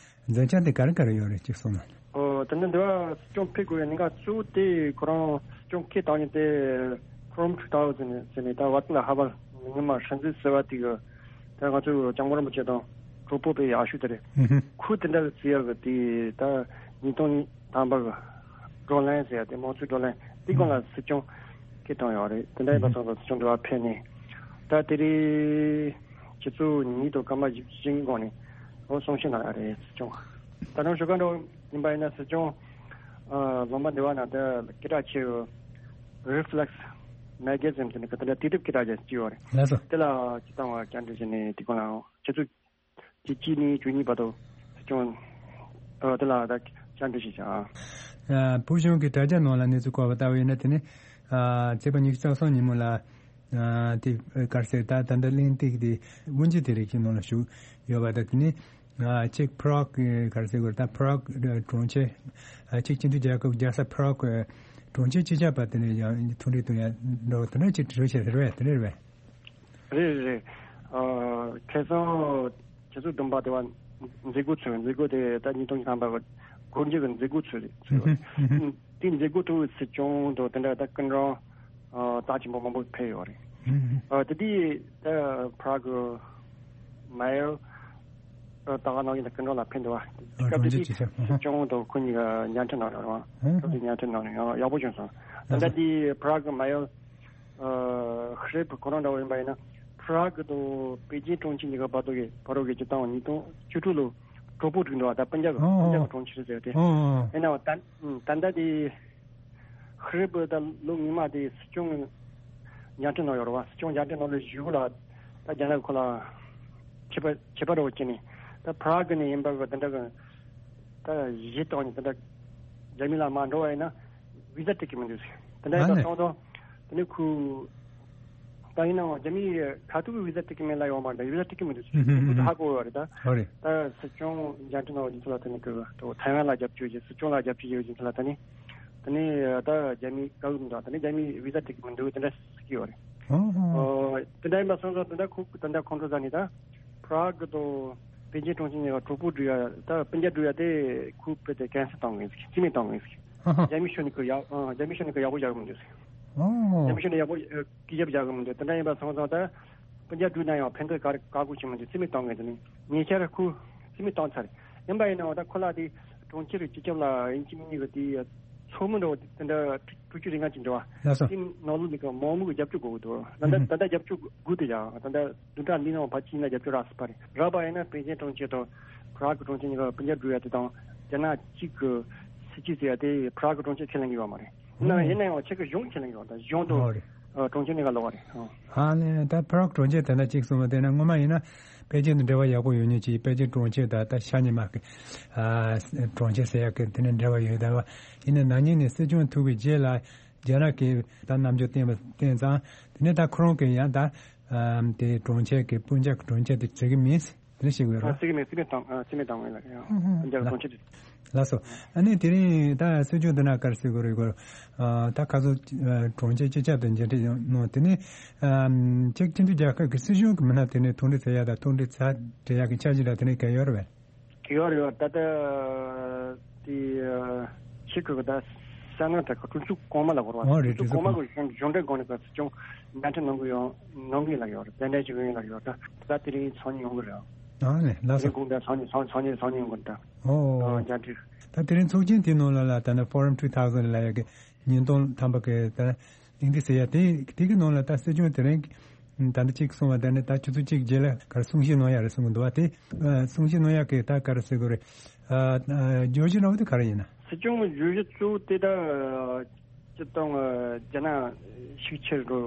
མཛད་འཆར་དེ་ག་རེ་ག་རེ་ཡོད་རེད་ཅིག་གསུངས་ན། ཨོ་དེ་ནི་འདི་བ་སྲིད་སྐྱོང་ཕེབས་དགོས་པའི་གནད་འགག་གཙོ་བོ་དེ་ཁོ་རང་སྲིད་སྐྱོང་སྐད་བཏང་ཡོད་དེ་ཁྲོམ་ཁྲུ་ཏའོ་ཟེར་ནས་ཟེར་ནས་ད་ཝ་ཏི་ལ་ཧ་བལ་ངོ་མ་སྲིད་འཛིན་ཟེར་བ་དེ་གི་ད་ང་ཚོ་སྐྱབས་མགོན་རིན་པོ་ཆེ་དང་གྲོགས་པོ་པའི་ཡག་ཤོས་དེ་རེད། ཁུ་དེ་འདྲ་བརྩི་ཡག་གི་དེ་ད་ཉིས་སྟོང་ཐམ་པ་གི་བགྲོ་གླེང་ཟེར་ཡག་དེ་དམངས་གཙོའི་བགྲོ་གླེང་དེ་སྒང་ལ་སྲིད་སྐྱོང་སྐད་བཏང་ཡོད་རེད། དེ་འདྲ་ཡིན་པ་སོང་ཙང་སྲིད་སྐྱོང་འདི་བ་ཕེབས་ནས་ད་དེ་རིང་ཆུ་ཚོད་ཉིས་དང་སྐར་མ་བཞི་བཅུ་ཞེ་གཉིས་གོང་ནས་འོ་གསུང་བཤད་གནང་ཡག་རེད་སྲིད་སྐྱོང་། ད་དུང་ཞོགས་ཀ་འགྲོ་ཡིན་པ་ཡིན་ན་སྲིད་སྐྱོང་ཨ་ལུང་པ་འདི་བ་ན་ད་སྐད་གྲགས་ཆེ་བའི་Reflex Magazine་ཟེར་ནས་གི་དེ་འདྲ་དུས་དེབ་སྐད་གྲགས་ཅན་ཅིག་ཡོད་རེད། ལགས་སོ། དེ་ལ་ཅིག་བཏང་བ་བཅར་འདྲི་བྱས་ནས་དེ་གོང་ལ་ཆུ་ཚོད་བཅུ་གཅིག་ནས་བཅུ་གཉིས་བར་དུ་སྲིད་སྐྱོང་ཨ་དེ་ལ་ད་བཅར་འདྲི་ཞིག་བྱ། ཨ་བོད་གཞུང་གི་དྲ་རྒྱ་ནང་ལ་གནས་ཚུལ་བཀོད་པ་ལྟ་བུ་ཡིན་ན་དེ་ནི་ཨ་ཚེས་པ་ཉི་ཤུ་རྩ་གསུམ་ཉིན་མོ་ལ་ཨ་དེ་ག་རེ་ཟེར་ད་ད་ལྟ་གླེང་སྟེགས་དེ་དབུ་འབྱེད་དེ་རིགས་ཀྱི་ནང་ལ་ཞུགས་ཡོད་པ་དང་དེ་ནི། ཨ་གཅིག་Prague་གི་ག་རེ་ཟེར་དགོས་རེད། ད་Prague་གྲོང་ཁྱེར་ཨ་གཅིག་སྤྱི་མཐུན་རྒྱལ་ཁབ་རྒྱལ་ས་Prague་གྲོང་ཁྱེར་སྤྱི་ཁྱབ་པ་དེ་ནས་ཡང་ཐུགས་འདྲི་གཏོང་ཡ་འགྲོ་དེ་འདྲ་ཅིག་གྲོས་བྱས་ཟེར་བས་དེ་རེད་བས། རེད་རེད། ཨ་ཁ་སང་ཆུ་ཚོད་བདུན་པ་དེ་བ་མཛད་སྒོ་ཚུགས། མཛད་སྒོ་དེ་ད་ཉིས་སྟོང་ཉི་ཤུ་ཐམ་པ་གི་སྒོ་འབྱེད་ཀྱི་མཛད་སྒོ་ཚུགས་རེད་ཚུགས་རེད། དེ་མཛད་སྒོ་ཐོག་སྲིད་སྐྱོང་དང་དེ་འདྲ་ད་སྐུ་མགྲོན་ཨ་རྩ་ཆེན་པོ་མང་པོ་ཕེབས་ཡོད་རེད། ཨ་དེ་དུས་ད་Prague་གི་Mayor་ཨ་ད་ག་ནང་བཞིན་དུ་སྐུ་མགྲོན་ལ་ཕེབས་འདུག་བ། ཨ་སྐབས་དེ་དུས་སྲིད་སྐྱོང་དང་ཁོ་གཉིས་ཀ་མཇལ་འཕྲད་གནང་ཡོད་རེད་བ། སྐབས་དེ་མཇལ་འཕྲད་གནང་ནས་ཡང་ཡག་པོ་བྱུང་སོང་། ད་ལྟ་དེ་Prague་གི་Mayor་ཨ་Hrib་ཁོ་རང་འདྲ་བོ་ཡིན་པ་ཡིན་ན་Prague་དང་པེ་ཅིན་གྲོང་ཁྱེར་གཉིས་ཀ་བར་དུ་གི་བར་དུ་གི་སྤྱི་བཏང་ཉིས་སྟོང་བཅུ་དྲུག་ལོ་གྲོགས་པོ་བསྒྲིགས་འདུག་བ། ད་སྤུན་ཀྱག་གི་ཨོ་སྤུན་ཀྱག་གི་གྲོང་ཁྱེར་ཟེར་ཏེ། ཨོ་ཨོ། ཡིན་ནའང་ད་ད་ལྟ་དེ་Hrib་ད་ལོ་སྔོན་མ་དེ་སྲིད་སྐྱོང་མཇལ་འཕྲད་གནང་ཡོད་རེད་བ། སྲིད་སྐྱོང་མཇལ་འཕྲད་གནང་ལོ་གཞུག་ལ་ད་རྒྱ་ནག་གི་ཁོ་ལ་ཆད་པ་ཆད་པ་འདྲ་བོ་བྱས་ནས་ད་Prague་ནས་ཡིན་པ་གི་དེ་འདྲ་གི་ད་གཞི་བཏང་ནས་དེ་འདྲ་རྒྱ་མི་ལ་མར་འགྲོ་བ་ཡིན་ན་བི་ཟ་སྤྲད་ཀྱི་མི་འདུག་ཟེར། དེ་འདྲ་ཡིན་པ་སོང་ཙང་དེ་ནས་ཁོས་ད་ཡིན་ནའང་རྒྱ་མིའི་ཁ་ཐུག་གི་བི་ཟ་སྤྲད་ཀྱི་མེད་ལབ་ཡོད་མ་རེད། ད་བི་ཟ་སྤྲད་ཀྱི་མི་འདུག་ཟེར། ཧུམ་ཧུམ་ཧུམ། ཁོས་ཧ་གོ་ཡོད་རེད་ད། ཨོ་རེད། ད་སྲིད་སྐྱོང་མཇལ་འཕྲད་གནང་བ་དེ་ཚོ་ལ་ད་ནི་གི་ཐའེ་ཝན་ལ་རྒྱབ་སྐྱོར་བྱེད། སྲིད་སྐྱོང་ལ་རྒྱབ་སྐྱོར་བྱེད་པ་དེ་ཚོ་ལ་ད་ནི་ད་ནི་ད་རྒྱ་མིའི་བཀའ་འགུག་མི་འདུག་ད་ནི་རྒྱ་མིའི་བི་ཟ་སྤྲད་ཀྱི་མི་འདུག་དེ་འདྲ་ཟེར་གྱི་ཡོད་རེད། ཨོ་ཧོ། ཨོ་དེ་འདྲ་ཡིན་པ་སོང་ཙང་དེ་འདྲ་ཁོ་དེ་འདྲ་ཁོང་ཁྲོ་ཟ་ནས་ད་Prague་དང་པེ་ཅིན་གྲོང་ཁྱེར་གཉིས་ཀ་གྲོགས་པོ་སྒྲིག་ཡ་ད་སྤུན་ཀྱག་སྒྲིག་ཡ་དེ་ཁོས་དཔེ་དེ་cancel་བཏང་ངེས་ཟེར། རྩིས་མེད་བཏང་ངེས་ཟེར། ཨ་ཧ། རྒྱ་མི་ཤོད་ནས་ཁོས་ཡག་ཨ་རྒྱ་མི་ཤོད་ནས་ཁོས་ཡག་པོ་བཞག་གི་མི་འདུག་ཟེར། ཨོ། རྒྱ་མི་ཤོད་ནས་ཡག་པོ་ཨ་སྐད་ཆ་བཞག་གི་མི་འདུག་དེ་འདྲ་ཡིན་པ་སོང་ཙང་ད་སྤུན་ཀྱག་སྒྲིག་ན་ཡང་ཕན་ཐོགས་ག་རེ་བཀག་འགོག་བྱེད་མི་འདུག་རྩིས་མེད་བཏང་ངེས་དེ་ནི་ཉེ་ཆར་ཁོས་རྩིས་མེད་བཏང་ཚར། ཡིན་པ་ཡིན་ནའང་ད་ཁོ་ལ་དེ་གྲོང་ཁྱེར་སྤྱི་ཁྱབ་ལ་ཡིན་གཅིག་མིན་གཉིས་ཀྱི་དེ་ ཚོགས་མི་འདྲ་བོ་དེ་འདྲ་དྲུག་ཅུ་རེ་ལྔ་ཅིག་འདྲ་བ། ལགས་སོ། དེ་ནང་ལོགས་ནས་ཀྱི་མང་མོས་ཀྱི་རྒྱབ་སྐྱོར་དགོས་ཀྱི་འདུག་ད་ལྟ་ཨུ་ཧུ། ད་ལྟ་རྒྱབ་སྐྱོར་དགོས་དེ་ཡང་ད་ལྟ་བདུན་ཕྲག་འདིའི་ནང་ཕལ་ཆེར་ན་རྒྱབ་སྐྱོར་རག་སྲིད་པ་རེད། རག་པ་ཡིན་ན་པེ་ཅིན་གྲོང་ཁྱེར་དང་པ་རག་གི་གྲོང་ཁྱེར་གཉིས་ཀ་པུ་ཇ་སྒྲུབ་ཡ་དེ་དང་རྒྱ་ནག་གཅིག་གི་སྲིད་ཇུས་ཟེར་ཡ་དེ་པ་རག་གི་གྲོང་ཁྱེར་ཁས་ལེན་གྱི་ཡོད་མ་རེད། ཡིན་ནའང་ཨོ། ཡིན་ན་ཡང་ཕྱི་གི་གཞུང་ཁས་ལེན་གྱི་ཡོད། ད་གཞུང་དུ་ཨོ་རེད། ཨ། གྲོང་ཁྱེར་གཉིས་ཀ་ལོག་པ་རེད། ཨ། ཨ་ནི་ད་པ་རག་གྲོང་ཁྱེར་དེ་འདྲ་གཅིག་གསུངས་པ་དེ་ན་སྔོན་མ་ཡིན་ན་པེ་ཅིན་དང་འབྲེལ་བ་ཡག་པོ་ཡོད་མཁན་གྱི་པེ་ཅིན་གྲོང་ཁྱེར་དང་ད་ཤ་ཉེ་མ་གི། ཨ། གྲོང་ཁྱེར་ཟེར་ཡག་གི་དེ་ནས་འབྲེལ་བ་ཡོད། ད་བ་ཡིན་ན་ན་ནིང་ནས་སྲིད་སྐྱོང་ཐུག་པའི་རྗེས་ལ་རྒྱ་ནག་གིས་ད་རྣམ་འགྱུར་བསྟན་པ་བསྟན་ཙང་དེ་ནས་ད་ཁོ་རང་གིས་ཡང་ད་དེ་གྲོང་ཁྱེར་གྱི་སྤུན་ཀྱག་གི་གྲོང་ཁྱེར་དེ་བརྩི་གི་མིན། དེ་ནས་ཤེས་དགོས་ར། ཨ། བརྩི་གི་མེད། བརྩི་མེད་བཏང་། ཨ། བརྩི་མེད་བཏང་ངེས་ལ་ཡང་ཨུ་ཧུ། ཨ། རྒྱ་ལ། གྲོང་ཁྱེར་དེ། ལགས་སོ། ཨ་ནི་དེ་རིང་ད་སྲིད་སྐྱོང་འདི་ན་ག་རེ་ཟེར་དགོས་རེད་གོ། ཨ། ད་ཁ་སང་ཨ་གྲོང་ཁྱེར་སྤྱི་ཁྱབ་དང་མཇལ་འཕྲད་ཡོང་གནང་། དེ་ནས་ཨ་ཅེཀ་སྤྱི་མཐུན་རྒྱལ་ཁབ་ཀྱི་སྲིད་གཞུང་གི་མི་སྣ་དེ་ནས་ཐུག་འཕྲད་བྱེད་ཡ་དང་ཐུག་འཕྲད་བྱ་འབྲེལ་ཡག་གི་འཆར་གཞི་ལ་དེ་ནས་གལ་ཡོད་རེད་པས། གལ་ཡོད་རེད། ད་ལྟ་དེ་ཨ་ཕྱི་གི་ད་གསང་སྔགས་དང་གྲོས་ཚོགས་གོང་མ་ལ་གོ་ར། ཨོ་རེད། གྲོས་ཚོགས་གོང་མ་གི་གཞུང་གཞུང་འབྲེལ་སྒོ་ནས་ག་སྲིད་སྐྱོང་མཇལ་འཕྲད་གནང་གི་ཡོང་གནང་གི་ལ་ཡོད་རེད། གདན་འདྲེན་ཞུ་གི་ཡིན་ལ་ཡོད་རེད། ད་དེ་རིང་ཚོགས་མི་ཡོང་གི་རེད། ཨ་ནི་ལགས་སོ། དེ་རིང་དགོང་དག་ཚོགས་མི་ཚོགས་ཚོགས་མི་ཚོགས་མི་ཡོང་གི་རེད། ད་ཨོ། ཨ། མཇལ་འཕྲད། ད་དེ་རིང་ཚོགས་ཆེན་དེའི་ནང་ལ་ལ་ད་ནི་Forum two thousand ལ་ཡ་གི་ཉིས་སྟོང་ཐམ་པ་གི་ད་གླེང་སྟེགས་ཟེར་ཡ་དེ་དེ་གི་ནང་ལ་ད་སྲིད་སྐྱོང་དེ་རིང་ད་ནི་གཅིག་གསུངས་པ་ད་ནི་ད་ཆུ་ཚོད་གཅིག་རྗེས་ལ་ག་རེ་གསུང་བཤད་གནང་ཡ་རེད་གསུང་གི་འདུག་བ། དེ་ཨ་གསུང་བཤད་གནང་ཡ་གི་ད་ག་རེ་ཟེར་དགོས་རེད། ཨ་ཨ་བརྗོད་གཞི་འདྲ་བོ་དེ་ག་རེ་ཡིན་ན། སྲིད་སྐྱོང་གི་བརྗོད་གཞི་གཙོ་བོ་དེ་ད་སྤྱིར་བཏང་རྒྱ་ནག་ཤུགས་ཆེར་འགྲོ་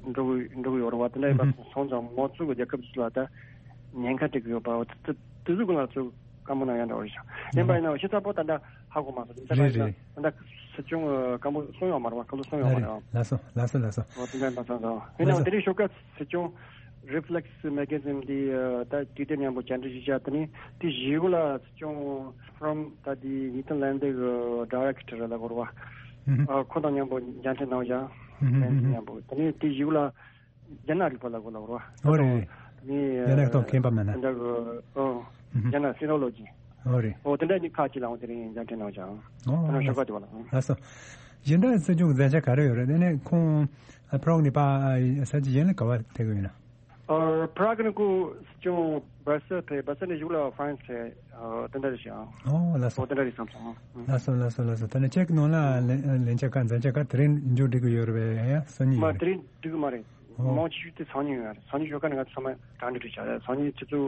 འགྲོ་གི་འགྲོ་གི་ཡོད་རེད་བ། དེ་འདྲ་ཡིན་པ་སོང་ཙང་མང་གཙོ་གི་རྒྱལ་ཁབ་ཚོ་ལ་ད་ཉེན་ཁ་སྤྲད་གི་ཡོད་པ། འོ་དེ་དེ་ཚོ་གི་ང་ཚོ་བཀའ་མོལ་གནང་ཡ་འདྲ་བོ་རེད་ཤག་ཡིན་པ་ཡིན་ན་ཤེས་ཚ་པོ་ད་ལྟ་ཧ་གོ་མ་སོང་། དེ་ལྟ་རེད་ཡིན་ན་རེད། ད་ལྟ་སྲིད་སྐྱོང་གི་བཀའ་མོལ་གསུང་ཡོད་མ་རེད་བ། བཀའ་སློབ་གསུང་ཡོད་མ་རེད་བ། ལགས་སོ་ལགས་སོ་ལགས་སོ། འོ་དེ་འདྲ་ཡིན་པ་སོང་ཙང་ཡིན་ནའང་དེ་རིང་ཞོགས་ཀ་སྲིད་སྐྱོང་Reflex Magazine འདི་ད་དུས་དེབ་མཉམ་པོ་བཅར་འདྲི་ཞིག་བྱས། དེ་ནས་དེ་བཞི་གུ་ལ་སྲིད་སྐྱོང་From ད་དེ་ཉིས་སྟོང་ལན་འདི་གི་Director ལ་གོ་ར་བ། ཨ་ཁོ་དང་མཉམ་པོ་མཇལ་འཕྲད་གནང་བཞག་ཨུ་ཧུ། ཨུ་ཧུ། མཉམ་པོ་དེ་ནས་དེ་བཞི་གུ་ལ་རྒྱ་ནག་རིག་པ་ལ་གོ་ལ་གོ་ར་བ། ཨོ་རེད་རེད། དེ་ནས་རྒྱ་ནག་ཐོག་མཁས་པ་མིན་ན། ད་གི་ཨོ་ཨུ་ཧུ། རྒྱ་ནག་Sinology། ཨོ་རེད། ཨོ་དེ་འདྲ་ནི་ཁག་ཅིག་ལའང་དེ་རིང་མཇལ་འཕྲད་གནང་བཞག་ཨོ་ད་ནང་ཞོགས་པ་དེ་བ་ལ། ལགས་སོ། གཞན་དག་སྲིད་སྐྱོང་གི་མཛད་འཆར་ག་རེ་ཡོད་རེད། དེ་ནས་ཁོང་ཨ་པ་རོག་ནས་ཕར་ས་ཆ་གཞན་ལ་ག་པར་ཕེབས་ཀྱི་ཡོད་ན། ཨ་པ་རག་ནས་ཁོ་སྲིད་སྐྱོང་བར་སེལ་ཕེབས། བར་སེལ་ནས་གཞུག་ལ་ཧྥ་རན་སི་ཕེབས། ཨ་དེ་འདྲ་རེད་ཤག་ཨོ་ལགས་སོ། ཨོ་དེ་འདྲ་རེད་བསམ་སོང་། ལགས་སོ་ལགས་སོ་ལགས་སོ། ད་ནི་ཁྱེད་ཀྱི་ནང་ལ་ལན་ལན་ཆ་ག་མཛད་འཆར་ག་དེ་རིང་མཇུག་སྒྲིལ་གྱི་ཡོད་རེད་པས། ཡ་སང་ཉིན་མ་ཡིན་དེ་རིང་སྒྲིལ་གྱི་མ་རེད། ཨོ། མང་ཆེ་ཤོས་དེ་སང་ཉིན་ཡོད་རེད། སང་ཉིན་ཞོགས་ཀ་ནས་ང་ཚོ་ཚང་མ་གྲ་སྒྲིག་བྱས། སང་ཉིན་ཆུ་ཚོད་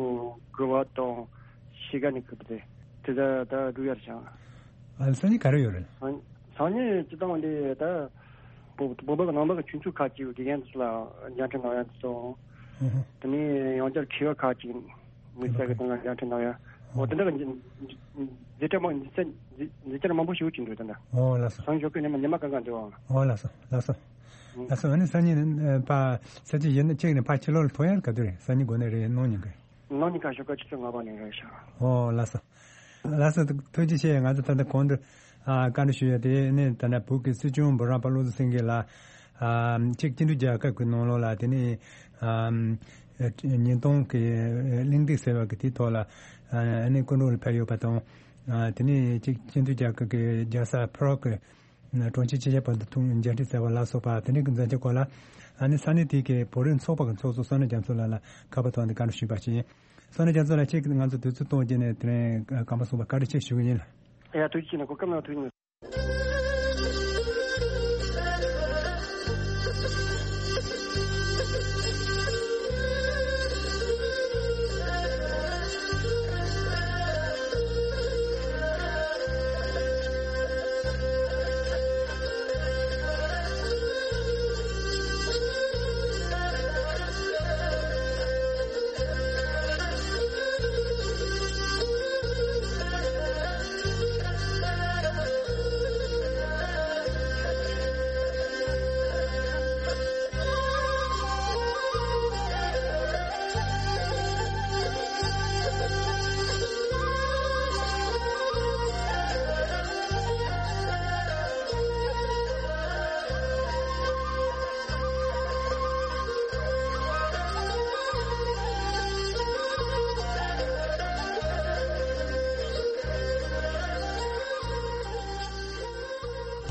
དགུ་པ་དང་ཕྱེད་ཀ་ནས་ཁུར་དེ་དེ་ད་ད་སྒྲུབ་ཡ་རེད་ཤག་ཨ་སང་ཉིན་ག་རེ་ཡོད་རེད། སང་སང་ཉིན་སྤྱི་བཏང་འདི་ད་བོད་བོད་པ་གི་ནང་པ་གི་ཆོས་ཚོགས་ཁག་ཅིག་དགེ་རྒན་ཚོ་ལ་མཇལ་འཕྲད་གནང་ཡ་དེ་ཚོ། ཨུ་ཧུ། དེ་ནས་ཡང་བསྐྱར་མཁས་པ་ཁག་ཅིག་དམིགས་བསལ་གྱི་སྟེང་ལ་མཇལ་འཕྲད་གནང་ཡ། འོ་དེ་འདྲ་གི་མཛད་འཕྲིན་མང་མཛད་འཕྲིན་མཛད་འཕྲིན་མང་པོ་ཞིག་ཡོད་ཀྱི་འདུག་ད་ལྟ། འོ་ལགས་སོ། སང་ཞོགས་ཀྱི་ཉི་མ་ཉི་མ་གང་ག་འདུག་ཨང་། འོ་ལགས་སོ་ལགས་སོ། ཨང་། ལགས་སོ། ཨ་ནི་སང་ཉིན་ཨ་ཕ་ས་ཆ་གཞན་ན་གཅིག་ནས་ཕ་ཕྱི་ལོགས་ལ་ཐོན་ཡ་ག་དུས་རེད། སང་ཉིན་དགོང་ནས་རེད། གནངས་ཉིན་གི། གནངས་ཉིན་ཁ་ཞོགས་ཀ་ཆུ་ཚོད་ལྔ་པ་ནས་རེད་ཤག་འོ་ལགས་སོ། ལགས་སོ། ཐུགས་རྗེ་ཆེ། ང་ཚོ་ད་ལྟ་གོང་དུ་ཨ་བཀའ་འདྲི་ཞུ་ཡ་དེ་ནི་ད་ལྟ་བོད་ཀྱི་སྲིད་སྐྱོང་འབུམ་རམས་པ་བློ་བཟང་སེང་གེ་ལགས་ཨ་ཅེཀ་སྤྱི་མཐུན་རྒྱལ་ཁབ་ཀྱི་ནང་ལོགས་ལ་དེ་ནི་ཨ་ཉིས་སྟོང་གི་གླེང་སྟེགས་ཟེར་བ་གི་དེའི་ཐོག་ལ་ཨ་ནི་སྐུ་མགྲོན་ལ་ཕེབས་ཡོད་པ་དང་། ཨ་དེ་ནི་ཅེཀ་སྤྱི་མཐུན་རྒྱལ་ཁབ་ཀྱི་རྒྱལ་ས་པ་རོག་གི་གྲོང་ཁྱེར་སྤྱི་ཁྱབ་བར་དུ་ཐུག་མཇལ་འཕྲད་ཟེར་བ་ལ་སོགས་པ་དེ་འདྲའི་གི་མཛད་འཆར་སྐོར་ལ་ཨ་ནི་ས་གནས་དེ་གའི་བོད་རིགས་ཚོགས་པ་གི་ཚོགས་གཙོ་བསོད་ནམས་རྒྱ་མཚོ་ལགས་ལ་ཁ་པར་ཐོག་ནས་བཀའ་འདྲི་ཞུས་པ་ཞིག་ཡིན། བསོད་ནམས་རྒྱ་མཚོ་ལགས། ཁྱེད་ཀྱིས་ང་ཚོ་དུས་ཚོད་གཏོང་རྒྱུ་ནས་དེ་རིང་སྐར་མ་གསུམ་པ་བཀའ་དྲིན་ཆེ་ཞུ་གི་ཡིན། ཡ་ཐུགས་རྗེ་ཆེ་གནང་། གོ་སྐབས་གནང་། ཐུགས་རྗེ་གནང་།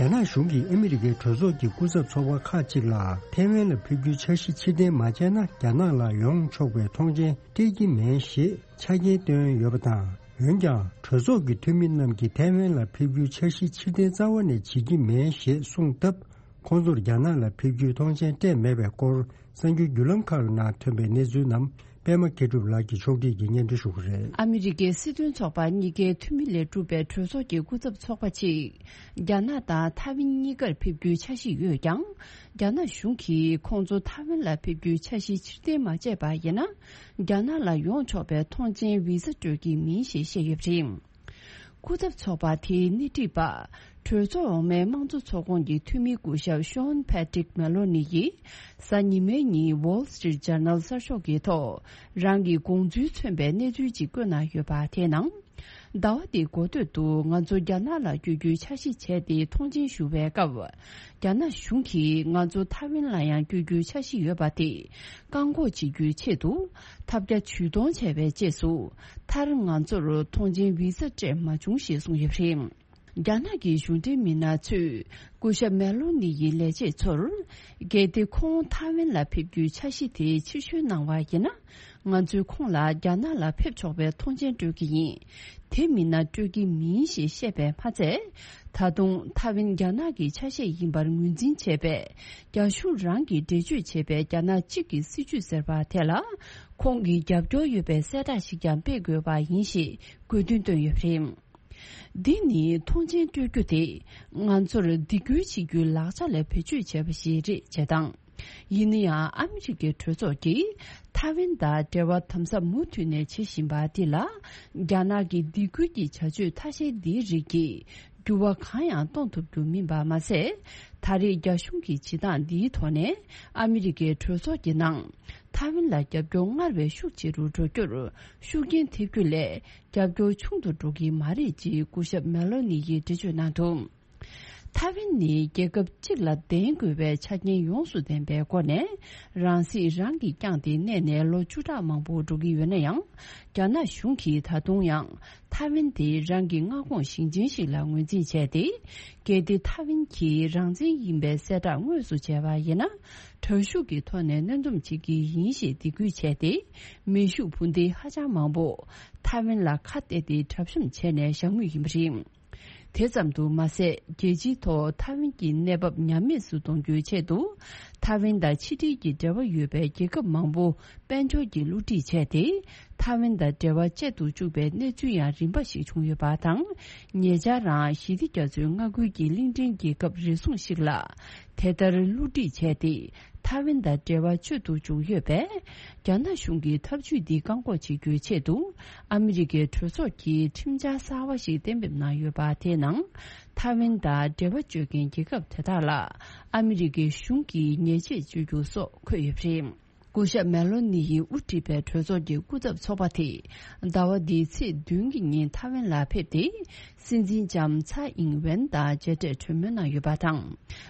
རྒྱ་ནག་གཞུང་གིས་ཨ་མི་རི་ཀའི་གྲོས་ཚོགས་ཀྱི་སྐུ་ཚབ་ཚོགས་པ་ཁག་ཅིག་ལ་ཐའེ་ཝན་ལ་ཕེབས་རྒྱུའི་འཆར་གཞི་ཕྱིར་འཐེན་མ་བྱས་ན་རྒྱ་ནག་ལ་ཡོང་ཆོག་པའི་ཐོངས་མཆན་སྤྲད་ཀྱི་མེད་ཞེས་ཆ་རྐྱེན་བཏོན་ཡོད་པ་དང་། འོན་ཀྱང་གྲོས་ཚོགས་ཀྱི་འཐུས་མི་རྣམས་ཀྱིས་ཐའེ་ཝན་ལ་ཕེབས་རྒྱུའི་འཆར་གཞི་ཕྱིར་འཐེན་རྩ་བ་ནས་བྱེད་ཀྱི་མེད་ཞེས་གསུངས་སྟབས། ཁོང་ཚོར་རྒྱ་ནག་ལ་ཕེབས་རྒྱུའི་ཐོངས་མཆན་སྤྲད་མེད་པའི་སྐོར་གསར་འགྱུར་བརྒྱུད་ལམ་ཁག་ནང་ཐོན་པའི་གནས་ཚུལ་རྣམས་པད་མ་མཁས་གྲུབ་ལགས་ཀྱིས་ཕྱོགས་སྒྲིག་གིས་སྙན་སྒྲོན་ཞུ་གི་རེད། ཨ་མི་རི་ཀའི་སྲིད་དོན་ཚོགས་པ་གཉིས་ཀའི་འཐུས་མི་ལས་གྲུབ་པའི་གྲོས་ཚོགས་ཀྱི་སྐུ་ཚབ་ཚོགས་པ་གཅིག་རྒྱ་ནག་དང་ཐའེ་ཝན་གཉིས་ཀར་ཕེབས་རྒྱུའི་འཆར་གཞི་ཡོད་ཀྱང་། རྒྱ་ནག་གཞུང་གིས་ཁོང་ཚོ་ཐའེ་ཝན་ལ་ཕེབས་རྒྱུའི་འཆར་གཞི་ཕྱིར་འཐེན་མ་བྱས་པ་ཡིན་ན། རྒྱ་ནག་ལ་ཡོང་ཆོག་པའི་ཐོངས་མཆན་བི་ཟ་སྤྲོད་ཀྱི་མིན་ཞེས་བཤད་ཡོད་པ་རེད། སྐུ་ཚབ་ཚོགས་པ་དེའི་སྣེ་ཁྲིད་པ། གྲོས་ཚོགས་འོག་མའི་དམངས་གཙོ་ཚོགས་ཁོངས་ཀྱི་འཐུས་མི་སྐུ་ཞབས་ཤོན་ཕེ་ཏྲིག་མེ་ལོ་ནི་ཡིས། གཟའ་ཉི་མའི་ཉིན་Wall Street Journal་གསར་ཤོག་གི་ཐོག་རང་གི་དགོངས་ཚུལ་མཚོན་པའི་གནས་ཚུལ་ཅིག་བཀོད་གནང་ཡོད་པ་དེའི་ནང་། ཟླ་བ་འདིའི་འགོ་སྟོད་དུ་ང་ཚོ་རྒྱ་ནག་ལ་བསྐྱོད་རྒྱུའི་འཆར་གཞི་བྱས་ཏེ་ཐོངས་མཆན་ཞུ་བའི་སྐབས། རྒྱ་ནག་གཞུང་གིས་ང་ཚོ་ཐའེ་ཝན་ལ་ཡང་བསྐྱོད་རྒྱུའི་འཆར་གཞི་ཡོད་པ་དེ་བཀག་འགོག་བྱེད་རྒྱུའི་ཆེད་དུ་ཐབས་བརྒྱ་ཇུས་སྟོང་བྱས་པའི་རྗེས་སུ། མཐར་ང་ཚོར་ཐོངས་མཆན་བི་ཟ་སྤྲད་མ་བྱུང་ཞེས་གསུངས་ཡོད་པ་རེད། རྒྱ་ནག་གི་གཞུང་འབྲེལ་མི་སྣ་ཚོས་སྐུ་ཞབས་མེ་ལོ་ནི་ཡི་ལས་བྱེད་ཚོར། གལ་ཏེ་ཁོང་ཐའེ་ཝན་ལ་ཕེབས་རྒྱུའི་འཆར་གཞི་དེ་ཕྱིར་བཤོལ་གནང་བ་ཡིན་ན། ང་ཚོས་ཁོང་ལ་རྒྱ་ནག་ལ་ཕེབས་ཆོག་པའི་ཐོངས་མཆན་སྤྲོད་ཀྱི་ཡིན། དེ་མིན་ན་སྤྲོད་ཀྱི་མིན་ཞེས་བཤད་པས་མ་ཚད། ད་དུང་ཐའེ་ཝན་རྒྱ་ནག་གི་ཆ་ཤས་ཡིན་པར་ངོས་འཛིན་བྱས་པས། རྒྱ་གཞུང་རང་གིས་འགྲེལ་བརྗོད་བྱས་པའི་རྒྱ་ནག་གཅིག་གི་སྲིད་ཇུས་ཟེར་བ་དེ་ལ། ཁོང་གི་རྒྱབ་སྐྱོར་ཡོད་པའི་གསལ་བསྒྲགས་ཤིག་ཀྱང་སྤེལ་དགོས་པ་ཡིན་ཞེས་དགོས་འདུན་བཏོན་ཡོད་པ་རེད། འདི་ནི་ཐོངས་མཆན་སྤྲོད་རྒྱུ་དེ་ང་ཚོར་སྡིགས་སྐུལ་བྱེད་རྒྱུའི་ལག་ཆ་ལ་བེད་སྤྱོད་བྱས་པ་ཞིག་རེད་ཅེས་དང་། ཡིན་ན་ཡང་ཨ་མི་རི་ཀའི་གྲོས་ཚོགས་ཀྱིས་ཐའེ་ཝན་དང་འབྲེལ་བ་དམ་ཟབ་མུ་མཐུད་ནས་བྱེད་བཞིན་པ་འདི་ལ། རྒྱ་ནག་གི་སྡིགས་སྐུལ་གྱི་བྱ་སྤྱོད་ཐ་ཤལ་འདིའི་རིགས་ཀྱིས་འགྱུར་བ་གང་ཡང་གཏོང་ཐུབ་རྒྱུ་མིན་པ་མ་ཟད། ད་རེས་རྒྱ་གཞུང་གི་བྱེད་སྟངས་འདིའི་ཐོག་ནས་ཨ་མི་རི་ཀའི་གྲོས་ཚོགས་ཀྱི་ནང་ཐའེ་ཝན་ལ་རྒྱབ་སྐྱོར་སྔར་བས་ཤུགས་ཆེ་རུ་འགྲོ་རྒྱུར་ཤུགས་རྐྱེན་ཐེབས་རྒྱུ་ལས། རྒྱབ་སྐྱོར་ཆུང་དུ་འགྲོ་གི་མ་རེད་ཅེས་སྐུ་ཞབས་མེ་ལོ་ནི་ཡིས་འགྲེལ་བརྗོད་གནང་འདུག་ཐའེ་ཝན་ནི་རྒྱལ་ཁབ་གཅིག་ལ་ལྡན་དགོས་པའི་ཆ་རྐྱེན་ཡོངས་སུ་ལྡན་པའི་སྒོ་ནས། རང་སྲིད་རང་གིས་བསྐྱངས་ཏེ་གནས་ནས་ལོ་བཅུ་ཕྲག་མང་པོ་འགྲོ་གི་ཡོད་ན་ཡང་། རྒྱ་ནག་གཞུང་གིས་ད་དུང་ཡང་ཐའེ་ཝན་དེ་རང་གི་མངའ་ཁོངས་ཞིང་ཆེན་ཞིག་ལ་ངོས་འཛིན་བྱས་ཏེ། གལ་ཏེ་ཐའེ་ཝན་གྱིས་རང་བཙན་ཡིན་པའི་གསལ་བསྒྲགས་དངོས་སུ་བྱས་པ་ཡིན་ན། དྲག་ཤུགས་ཀྱི་ཐོག་ནས་གནོན་སྡོམ་བྱེད་ཀྱི་ཡིན་ཞེས་སྡིགས་སྐུལ་བྱས་ཏེ། མེ་ཤུགས་འཕུར་མདེལ་ཧ་ཅང་མང་པོ་ཐའེ་ཝན་ལ་ཁ་གཏད་དེ་གྲབས་གཤོམ་བྱས་ནས་བཞག་མུས་ཡིན་པ་རེད། དེ་ཙམ་དུ་མ་ཟད། རྒྱལ་སྤྱིའི་ཐོག་ཐའེ་ཝན་གྱི་གནས་བབ་ཉམས་དམས་སུ་གཏོང་རྒྱུའི་ཆེད་དུ། ཐའེ་ཝན་དང་ཕྱི་འབྲེལ་གྱི་འབྲེལ་བ་ཡོད་པའི་རྒྱལ་ཁབ་མང་པོ་དཔལ་འབྱོར་གྱི་བསླུ་བྲིད་བྱས་ཏེ། ཐའེ་ཝན་དང་འབྲེལ་བ་བཅད་དུ་བཅུག་པའི་གནས་ཚུལ་ཡང་རིམ་པ་ཞིག་བྱུང་ཡོད་པ་དང་། ཉེ་ཆར་རང་ཞི་བདེ་རྒྱ་མཚོའི་མངའ་ཁུལ་གྱི་གླིང་ཕྲན་རྒྱལ་ཁབ་རེ་ཟུང་ཞིག་ལ་དེ་ལྟར་བསླུ་བྲིད་བྱས་ཏེ། ཐའེ་ཝན་དང་འབྲེལ་བ་གཅོད་དུ་བཅུག་ཡོད་པས། རྒྱ་ནག་གཞུང་གི་ཐབས་ཇུས་འདི་བཀག་འགོག་བྱེད་རྒྱུའི་ཆེད་དུ། ཨ་མི་རི་ཀའི་གྲོས་ཚོགས་ཀྱིས་ཁྲིམས་འཆར་གསར་བ་ཞིག་གཏན་འབེབས་གནང་ཡོད་པ་དེའི་ནང་། ཐའེ་ཝན་དང་འབྲེལ་བ་གཅོད་མཁན་རྒྱལ་ཁབ་དེ་དག་ལ་ཨ་མི་རི་ཀའི་གཞུང་གིས་ཉེས་ཆད་གཅོད་རྒྱུ་སོགས་འཁོད་ཡོད་པ་རེད། སྐུ་ཞབས་མེ་ལོ་ནི་ཡིས་དབུ་ཁྲིད་པའི་གྲོས་ཚོགས་ཀྱི་སྐུ་ཚབ་ཚོགས་པ་དེས་ཟླ་བ་འདིའི་ཚེས་བདུན་གྱི་ཉིན་ཐའེ་ཝན་ལ་ཕེབས་ཏེ། སྲིད་འཛིན་ལྕམ་ཚའེ་ཨིང་ཝེན་དང་མཇལ་འཕྲད་གྲོས་མོལ་གནང་ཡོད་པ་དང་།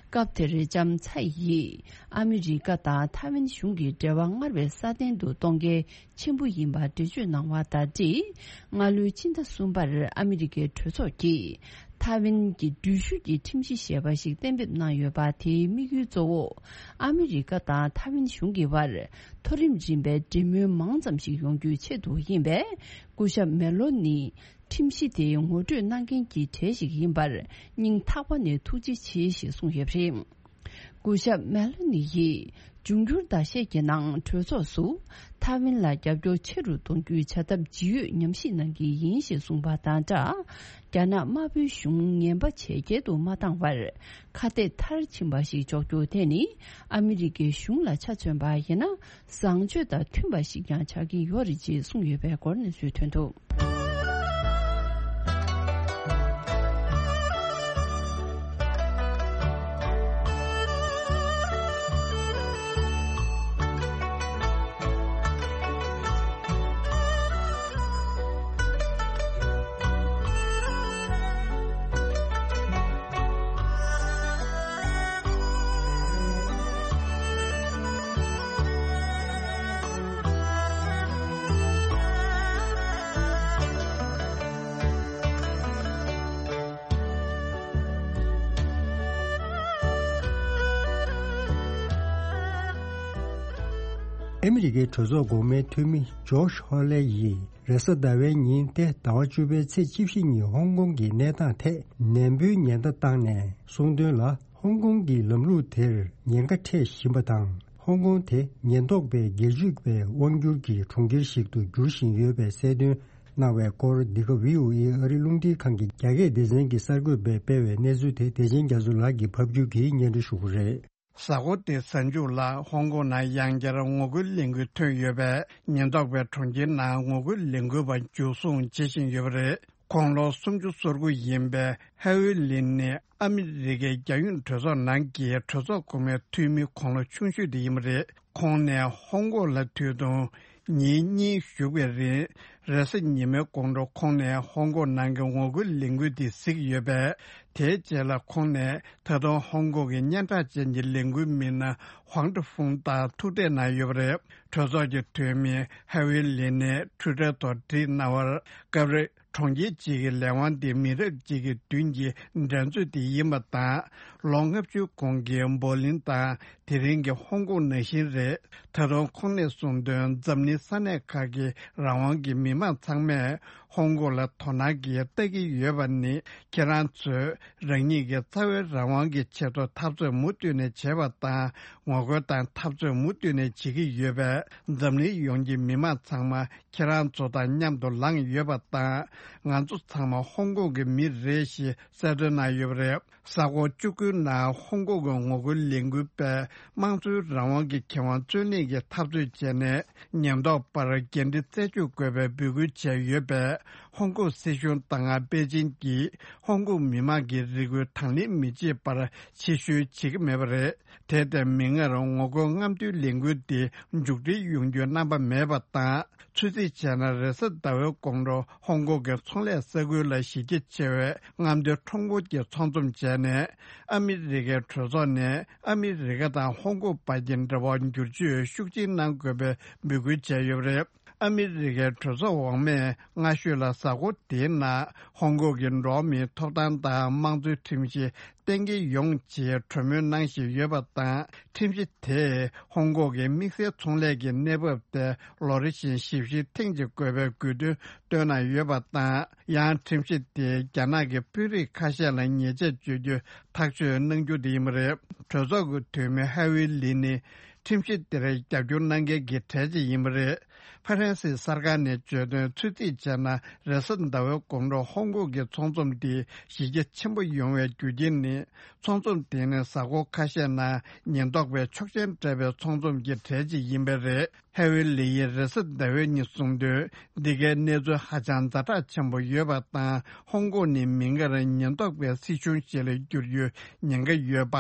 སྐབས་དེར་ལྕམ་ཚའེ་ཡིས་ཨ་མི་རི་ཀ་དང་ཐའེ་ཝན་གཞུང་གི་འབྲེལ་བ་སྔར་བས་སྲ་བརྟན་དུ་གཏོང་གལ་ཆེན་པོ་ཡིན་པར་འགྲེལ་བརྗོད་གནང་བ་དང་འབྲེལ། སྔ་ལོའི་ཕྱི་ཟླ་གསུམ་པར་ཨ་མི་རི་ཀའི་གྲོས་ཚོགས་ཀྱིས་ཐའེ་ཝན་གྱི་འགྲུལ་བཞུད་ཀྱི་ཁྲིམས་གཞི་ཞེས་པ་ཞིག་གཏན་འབེབས་གནང་ཡོད་པ། དེའི་དམིགས་ཡུལ་གཙོ་བོ་ཨ་མི་རི་ཀ་དང་ཐའེ་ཝན་གཞུང་གི་བར་མཐོ་རིམ་རིམ་པའི་འབྲེལ་མོལ་མང་ཙམ་ཞིག་ཡོང་རྒྱུའི་ཆེད་དུ་ཡིན་པས། སྐུ་ཞབས་མེ་ལོ་ནི་ཁྲིམས་གཞི་དེ་ངོ་སྤྲོད་གནང་མཁན་གྱི་གྲས་ཤིག་ཡིན་པར་སྙིང་ཐག་པ་ནས་ཐུགས་རྗེ་ཆེ་ཞེས་གསུངས་ཡོད་པ་རེད། སྐུ་ཞབས་མེ་ལོ་ནི་ཡིས་འབྱུང་འགྱུར་ཟླ་ཤས་ཀྱི་ནང་གྲོས་ཚོགས་སུ་ཐའེ་ཝན་ལ་རྒྱབ་སྐྱོར་ཆེ་རུ་གཏོང་རྒྱུའི་བྱ་ཐབས་ཇི་ཡོད་ཉམས་ཞིབ་གནང་གི་ཡིན་ཞེས་གསུངས་པ་དང་སྦྲགས། རྒྱ་ནག་དམར་པོའི་གཞུང་ངན་པ་ཇེ་རྒྱལ་དུ་མ་བཏང་བར་ཁ་གཏད་མཐར་ཕྱིན་པ་ཞིག་འཇོག་རྒྱུ་དེ་ནི་ཨ་མི་རི་ཀའི་གཞུང་ལ་ཆ་མཚོན་པ་ཡིན་ན། བཟང་སྤྱོད་དང་མཐུན་པ་ཞིག་ཀྱང་ཆགས་ཀྱི་ཡོད་རེད་ཅེས་གསུངས་ཡོད་པའི་སྐོར་གནས་ཚུལ་ཐོན་འདུག་ཨ་མི་རི་ཀའི་གྲོས་ཚོགས་འགོ་མའི་འཐུས་མི་ཇོ་ཤི་ཧོ་ལེ་ཡིས། རེས་གཟའ་ཟླ་བའི་ཉིན་ཏེ་ཟླ་བ་བཅུ་པའི་ཚེས་བཅུ་བཞི་ཉིན་ཧོང་ཀོང་གི་གནས་སྟངས་ཐད་ནན་པོའི་ཉེན་བརྡ་བཏང་ནས་གསུངས་དོན་ལ། ཧོང་ཀོང་གི་ལམ་ལུགས་དེར་ཉེན་ཁ་འཕྲད་བཞིན་པ་དང་། ཧོང་ཀོང་དེ་ཉེན་རྟོག་པའི་སྒེར་གཅོད་པའི་དབང་སྒྱུར་གྱི་གྲོང་ཁྱེར་ཞིག་ཏུ་འགྱུར་བཞིན་ཡོད་པའི་གསལ་སྟོན་གནང་བའི་སྐོར། འདི་ག་བྷི་ཨོ་ཨེ་ཨ་རི་རླུང་འཕྲིན་ཁང་གི་རྒྱ་སྐད་སྡེ་ཚན་གྱིས་གསར་འགོད་པས་སྤེལ་བའི་གནས་ཚུལ་དེ་བདེ་ཆེན་རྒྱ་མཚོ་ལགས་ཀྱིས་ཕབ་སྒྱུར་གྱིས་སྙན་སྒྲོན་ཞུ་གི་རེད། གཟའ་འཁོར་འདིའི་གཟའ་མཇུག་ལ་ཧོང་ཀོང་ནང་ཡང་བསྐྱར་ངོ་རྒོལ་ལས་འགུལ་ཐོན་ཡོད་པས། ཉེན་རྟོག་པས་གྲོང་ཁྱེར་ནང་ངོ་རྒོལ་ལས་འགུལ་བ་འཇུ་བཟུང་བྱེད་བཞིན་ཡོད་པ་རེད། དགུང་ལོ་སུམ་ཅུ་སོ་དགུ་ཡིན་པའི་ཧ་ཝི་ལིན་ནི་ཨ་མི་རི་ཀའི་རྒྱལ་ཡོངས་གྲོས་ཚོགས་ནང་གི་གྲོས་ཚོགས་གོང་མའི་འཐུས་མི་དགུང་ལོ་ཆུང་ཤོས་དེ་ཡིན་པ་རེད། ཁོང་ནས་ཧོང་ཀོང་ལ་དུས་ཐུང་ཉིན་གཉིས་བཞུགས་པའི་རིང་། རེས་གཟའ་ཉི་མའི་དགོང་དྲོ་ཁོང་ནས་ཧོང་ཀོང་ནང་གི་ངོ་རྒོལ་ལས་འགུལ་དེ་གཟིགས་ཡོད་པས། དེའི་རྗེས་ལ་ཁོང་ནས་ད་དུང་ཧོང་ཀོང་གི་སྙན་གྲགས་ཅན་གྱི་ལས་འགུལ་མི་སྣ་ཧུང་ཀྲི་ཧྥུང་དང་ཐུག་འཕྲད་གནང་ཡོད་པ་རེད། གྲོས་ཚོགས་ཀྱི་འཐུས་མི་ཧ་ཝི་ལིན་ནས་ཊུའི་ཊར་ཐོག་བྲིས་གནང་བར། སྐབས་རེ་གྲོང་ཁྱེར་གཅིག་གི་ལས་དབང་དེ་མི་རབས་གཅིག་གི་མདུན་གྱི་འགྲན་རྩོད་དེ་ཡིན་པ་དང་། ལོ་ལྔ་བཅུ་གོང་གི་འབོ་ལིན་དང་དེ་རིང་གི་ཧོང་ཀོང་ནང་བཞིན་རེད། ད་དུང་ཁོང་ནས་གསུངས་དོན། འཛམ་གླིང་ས་གནས་ཁག་གི་རང་དབང་གི་མི་མང་ཚང་མས་ཧོང་ཀོང་ལ་དོ་སྣང་གིས་ལྟ་གི་ཡོད་པ་ནི། ཁྱེད་རང་ཚོས་རང་ཉིད་ཀྱི་རྩ་བའི་རང་དབང་གི་ཆེད་དུ་འཐབ་རྩོད་མུ་མཐུད་ནས་བྱས་པ་དང་། ངོ་རྒོལ་དང་འཐབ་རྩོད་མུ་མཐུད་ནས་བྱེད་ཀྱི་ཡོད་པས། འཛམ་གླིང་ཡོངས་ཀྱི་མི་མང་ཚང་མ་ཁྱེད་རང་ཚོ་དང་མཉམ་དུ་ལངས་ཡོད་པ་དང་། ང་ཚོ་ཚང་མ་ཧོང་ཀོང་གི་མི་རེད་ཞེས་གསལ་སྟོན་གནང་ཡོད་པ་རེད། གཟའ་འཁོར་བཅུ་དགུའི་ནང་ཧོང་ཀོང་གི་ངོ་རྒོལ་ལས་འགུལ་པས་དམངས་གཙོའི་རང་དབང་གི་ཁེ་དབང་རྩོད་ལེན་གྱི་འཐབ་རྩོད་བྱས་ནས། ཉེན་རྟོག་པར་འགན་འཁྲི་རྩད་གཅོད་དགོས་པའི་འབོད་སྐུལ་བྱས་ཡོད་པས། ཧོང་ཀོང་སྲིད་གཞུང་དང་པེ་ཅིང་གིས་ཧོང་ཀོང་མི་མང་གི་རེ་སྐུལ་དང་ལེན་མི་བྱེད་པར་ཕྱིར་བཤོལ་བྱེད་ཀྱི་མེད་པ་རེད། དེ་ལྟར་མིག་སྔར་ངོ་རྒོལ་རྔམ་སྟོན་ལས་འགུལ་འདི་མཇུག་སྒྲིལ་ཡོང་རྒྱུའི་རྣམ་པ་མེད་པ་དང་། ཚོད་རྩིས་བྱས་ན། རེས་གཟའ་ཟླ་བའི་དགོང་དྲོ་ཧོང་ཀོང་གི་ཚོང་ལས་ས་ཁུལ་ལ་གཞི་རྒྱ་ཆེ་བའི་རྔམ་སྟོན་ཁྲོམ་སྐོར་གྱི་ཚོགས་འཛོམས་བྱས་ནས། ཨ་མི་རི་ཀའི་གྲོས་ཚོགས་ནས་ཨ་མི་རི་ཀ་དང་ཧོང་ཀོང་བར་གྱི་འབྲེལ་བ་བསྒྱུར་བཅོས་ཤུགས་ཆེན་གནང་དགོས་པའི་འབོད་སྐུལ་བྱས་ཡོད་པ་རེད། ཨ་མི་རི་ཀའི་གྲོས་ཚོགས་འོག་མས་སྔ་ཤོས་ལ་གཟའ་འཁོར་དེའི་ནང་ཧོང་ཀོང་གི་འགྲོ་བ་མིའི་ཐོབ་ཐང་དང་དམངས་གཙོའི་ཁྲིམས་གཞི་གཏན་འཁེལ་ཡོང་ཆེད་གྲོས་མོལ་གནང་བཞིན་ཡོད་པ་དང་། ཁྲིམས་གཞི་དེས་ཧོང་ཀོང་གི་དམིགས་བསལ་ཚོང་ལས་ཀྱི་གནས་བབ་དེ་ལོ་རེ་བཞིན་ཞིབ་བཤེར་ཐེངས་གཅིག་དགོས་པའི་དགོས་འདུན་བཏོན་གནང་ཡོད་པ་དང་། ཡང་ཁྲིམས་གཞི་དེས་རྒྱ་ནག་གི་དཔོན་རིགས་ཁ་ཤས་ལ་ཉེས་ཆད་གཅོད་རྒྱུ་ཐག་གཅོད་གནང་རྒྱུ་དེ་ཡིན་པ་རེད། གྲོས་ཚོགས་ཀྱི་འཐུས་མི་ཧ་ཝི་ལི་ནི་ཁྲིམས་གཞི་དེར་རྒྱབ་སྐྱོར་གནང་མཁན་གྱི་གྲས་ཅིག་ཡིན་པ་རེད། ཧྥ་རན་སིའི་གསར་ཁང་ནས་བརྗོད་དོན། ཚོད་རྩིས་བྱས་ན། རེས་གཟའ་ཟླ་བའི་དགོང་དྲོ་ཧོང་ཀོང་གི་ཚོགས་འཛོམས་འདི་གཞི་རྒྱ་ཆེན་པོ་ཡོང་བའི་རྒྱུ་རྐྱེན་ནི། ཚོགས་འཛོམས་དེ་ནི་གཟའ་འཁོར་ཁ་ཤས་ནང་ཉེན་རྟོག་པས་ཆོག་མཆན་སྤྲད་པའི་ཚོགས་འཛོམས་ཀྱི་གྲས་ཅིག་ཡིན་པས་རེད། ཧེ་ཝེ་ལི་ཡིས་རེས་གཟའ་ཟླ་བའི་ཉིན་གསུངས་དོན། འདི་གའི་གནས་ཚུལ་ཧ་ཅང་ཛ་དྲག་ཆེན་པོ་ཡོད་པ་དང་། ཧོང་ཀོང་ནི་མིག་སྔར་ཉེན་རྟོག་པའི་སྲིད་གཞུང་ཞིག་ལ་འགྱུར་རྒྱུའི་ཉེན་ཁ་ཡོད་པ།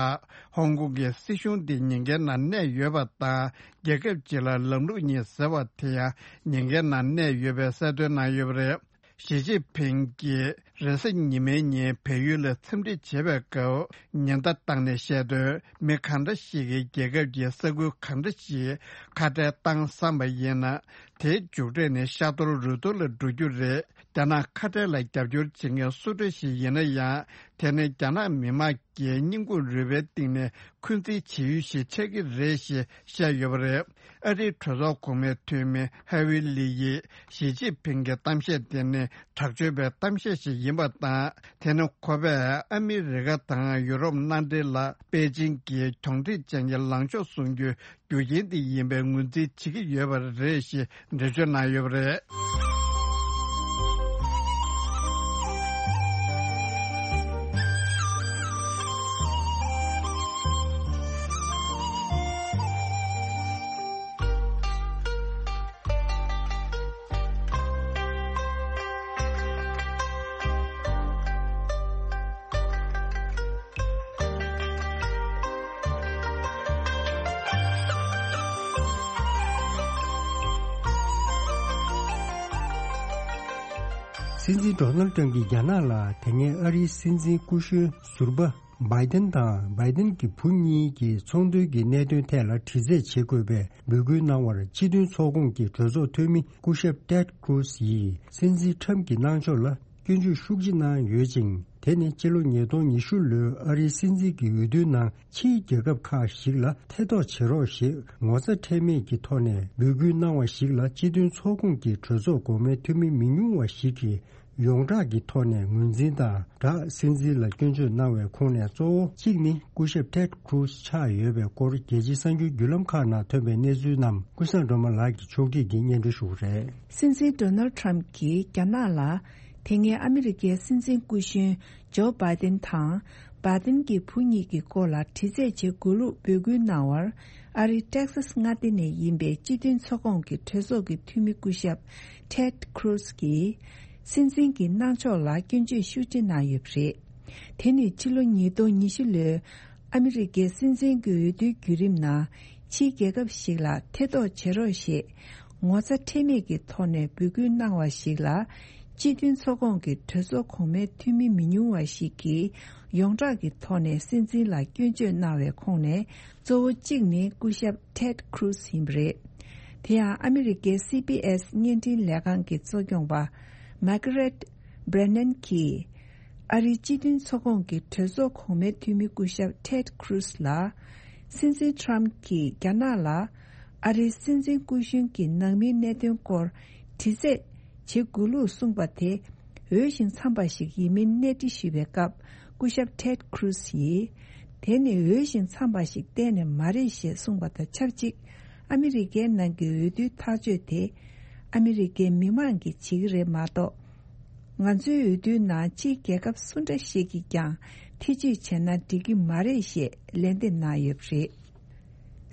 ཧོང་ཀོང་གི་སྲིད་གཞུང་འདི་ཉེན་ཁའི་ནང་གནས་ཡོད་པ་དང་། རྒྱལ་ཁབ་ཅིག་ལ་ལམ་ལུགས་གཉིས་ཟེར་བ་དེ་ཡང་ཉེན་ཁའི་ནང་གནས་ཡོད་པའི་གསལ་སྟོན་གནང་ཡོད་པ་རེད། ཞི་ཅིན་ཕིང་གིས་རེས་གཟའ་ཉི་མའི་ཉིན་བལ་ཡུལ་ལ་འཚམས་འདྲི་བྱེད་པའི་སྐབས་ཉེན་བརྡ་བཏང་ནས་བཤད་དོན། མི་གང་འདྲ་ཞིག་གིས་རྒྱལ་ཁབ་ཀྱི་ས་ཁུལ་གང་འདྲ་ཞིག་ཁ་བྲལ་བཏང་བསམ་པ་ཡིན་ན། དེའི་མཇུག་འབྲས་ནི་ཤ་གཏོར་རུ་གཏོར་ལ་འགྲོ་རྒྱུ་རེད། རྒྱ་ནག་ཁ་བྲལ་ལ་རྒྱབ་སྐྱོར་བྱེད་མཁན་སུ་འདྲ་ཞིག་ཡིན་ན་ཡང་། དེ་ནི་རྒྱ་ནག་མི་དམངས་ཀྱི་སྙིང་ཁུང་རུས་པའི་གཏིང་ནས་འཁོན་འཛིན་བྱེད་ཡུལ་ཞིག་ཆགས་ཀྱི་རེད་ཞེས་བཤད་ཡོད་པ་རེད། ཨ་རིའི་གྲོས་ཚོགས་གོང་མའི་འཐུས་མི་ཧ་ཝི་ལི་ཡིས་ཞི་ཅིན་ཕིང་གི་གཏམ་བཤད་དེ་ནི་དྲག་སྤྱོད་པའི་གཏམ་བཤད་ཞིག་ཡིན་པ་དང་། དེ་ནི་ཁོ་པས་ཨ་མི་རི་ཀ་དང་ཡུ་རོབ་མནའ་འབྲེལ་ལ་པེ་ཅིང་གིས་གྱོང་འཕྲད་ཅན་གྱི་ལངས་ཕྱོགས་བཟུང་རྒྱུའི་རྒྱུ་རྐྱེན་དེ་ཡིན་པའི་ངོས་འཛིན་བྱེད་ཀྱི་ཡོད་པ་རེད་ཞེས་འགྲེལ་བརྗོད་གནང་ཡོད་པ་རེད། སྲིད་འཛིན་ཌོ་ནལ་ཏྲམ་གྱིས་རྒྱ་ནག་ལ་དེ་སྔའི་ཨ་རིའི་སྲིད་འཛིན་སྐུ་གཞོན་ཟུར་པ་བྷའི་ཏན་དང་བྷའི་ཏན་གྱི་བུ་གཉིས་ཀྱི་ཚོང་དོན་གྱི་གནད་དོན་ཐད་ལ་དྲི་རྩད་བྱེད་དགོས་པའི་འབོད་སྐུལ་གནང་བར། སྤྱི་མཐུན་ཚོགས་ཁོངས་ཀྱི་གྲོས་ཚོགས་འཐུས་མི་སྐུ་ཞབས་ཏེད་ཀྲུ་ཛི་ཡིས་སྲིད་འཛིན་ཁྲམ་གྱི་གནང་ཕྱོགས་ལ་སྐྱོན་བརྗོད་ཤུགས་ཆེ་གནང་ཡོད་ཅིང་། དེ་ནི་སྤྱི་ལོ་ཉིས་སྟོང་ཉི་ཤུ་ལོའི་ཨ་རིའི་སྲིད་འཛིན་གྱི་འོས་བསྡུའི་ནང་ཕྱིའི་རྒྱལ་ཁབ་ཁག་ཞིག་ལ་ཐེ་གཏོགས་བྱེད་རོགས་ཞེས་ངོ་ཚ་ཁྲེལ་མེད་ཀྱི་ཐོག་ནས་འབོད་སྐུལ་གནང་བ་ཞིག་ལ་སྤྱི་མཐུན་ཚོགས་ཁོངས་ཀྱི་གྲོས་ཚོགས་གོང་མའི་འཐུས་མི་མི་ཉུང་བ་ཞིག་གིས་ཡོངས་གྲགས་ཀྱི་ཐོག་ནས་ངོས་འཛིན་དང་སྦྲགས་སྲིད་འཛིན་ལ་སྐྱོན་བརྗོད་གནང་བའི་ཁོངས་ནས་གཙོ་བོ་གཅིག་ནི་སྐུ་ཞབས་Ted Cruz ཆགས་ཡོད་པའི་སྐོར་རྒྱལ་སྤྱིའི་གསར་འགྱུར་བརྒྱུད་ལམ་ཁག་ནང་ཐོན་པའི་གནས་ཚུལ་རྣམས་ཀུན་བཟང་སྒྲོལ་མ་ལགས་ཀྱིས་ཕྱོགས་སྒྲིག་གིས་སྙན་སྒྲོན་ཞུ་གི་རེད། སྲིད་འཛིན་Donald Trump གྱིས་རྒྱ་ནག་ལ་དེ་སྔའི་ཨ་མི་རི་ཀའི་སྲིད་འཛིན་སྐུ་གཞོན་ཇོ་བྷའི་ཏིན་དང་། བྷའི་ཏིན་གྱི་བུ་གཉིས་ཀྱི་སྐོར་ལ་དྲི་རྩད་བྱེད་དགོས་ལུགས་འབོད་སྐུལ་གནང་བར། ཨ་རིའི་ཏེག་སཱས་མངའ་སྡེ་ནས་ཡིན་པའི་སྤྱི་མཐུན་ཚོགས་ཁོངས་ཀྱི་གྲོས་ཚོགས་ཀྱི་འཐུས་མི་སྐུ་ཞབས་Ted Cruz གྱིས། སྲིད་འཛིན་གྱི་གནང་ཕྱོགས་ལ་སྐྱོན་བརྗོད་ཤུགས་ཆེ་གནང་ཡོད་པ་རེད། དེ་ནི་ཕྱི་ལོ་ཉིས་སྟོང་ཉི་ཤུ་ལོའི་ཨ་མི་རི་ཀའི་སྲིད་འཛིན་གྱི་འོས་བསྡུའི་བརྒྱུད་རིམ་ནང་ཕྱིའི་རྒྱལ་ཁབ་ཞིག་ལ་ཐེ་གཏོགས་བྱེད་རོགས་ཞེས་ངོ་ཚ་ཁྲེལ་མེད་ཀྱི་ཐོག་ནས་འབོད་སྐུལ་གནང་བ་ཞིག་ལ། སྤྱི་མཐུན་ཚོགས་ཁོངས་ཀྱི་གྲོས་ཚོགས་གོང་མའི་འཐུས་མི་མི་ཉུང་བ་ཞིག་གིས་ཡོངས་གྲགས་ཀྱི་ཐོག་ནས་སྲིད་འཛིན་ལ་སྐྱོན་བརྗོད་གནང་བའི་ཁོངས་ནས་གཙོ་བོ་གཅིག་ནི་སྐུ་ཞབས་Ted Cruz ཡིན་པ་རེད། དེ་ཡང་ཨ་མི་རི་ཀའི་སི་བི་ཨེས་བརྙན་འཕྲིན་ལས་ཁང་གི་གཙོ་སྐྱོང་པ་Margaret Brennan གྱིས། ཨ་རིའི་སྤྱི་མཐུན་ཚོགས་ཁོངས་ཀྱི་གྲོས་ཚོགས་གོང་མའི་འཐུས་མི་སྐུ་ཞབས་Ted Cruz ལ། སྲིད་འཛིན་Trump གྱིས་རྒྱ་ནག་ལ། ཨ་རིའི་སྲིད་འཛིན་སྐུ་གཞོན་གྱི་ནང་མིའི་གནད་དོན་སྐོར་དྲི་རྩད་བྱེད་དགོས་ལུགས་གསུངས་པ་དེ། འོས་ཤིང་འཚམས་པ་ཞིག་ཡིན་མིན་གནས་འདྲི་ཞུས་པའི་སྐབས། སྐུ་ཞབས་Ted Cruz ཡིས། དེ་ནི་འོས་ཤིང་འཚམས་པ་ཞིག་གཏན་ནས་མ་རེད་ཞེས་གསུངས་པ་དང་ཆབས་ཅིག་ཨ་མི་རི་ཀའི་ནང་གི་འོས་བསྡུའི་ཐག་གཅོད་དེ། ཨ་མི་རི་ཀའི་མི་མང་གིས་བྱེད་ཀྱི་རེད་མ་གཏོགས། ང་ཚོའི་འོས་བསྡུའི་ནང་ཕྱིའི་རྒྱལ་ཁབ་སུ་འདྲ་ཞིག་གིས་ཀྱང་ཐེ་བྱུས་བྱས་ན་འགྲིག་གི་མ་རེད་ཞེས་ལན་འདེབས་གནང་ཡོད་པ་རེད།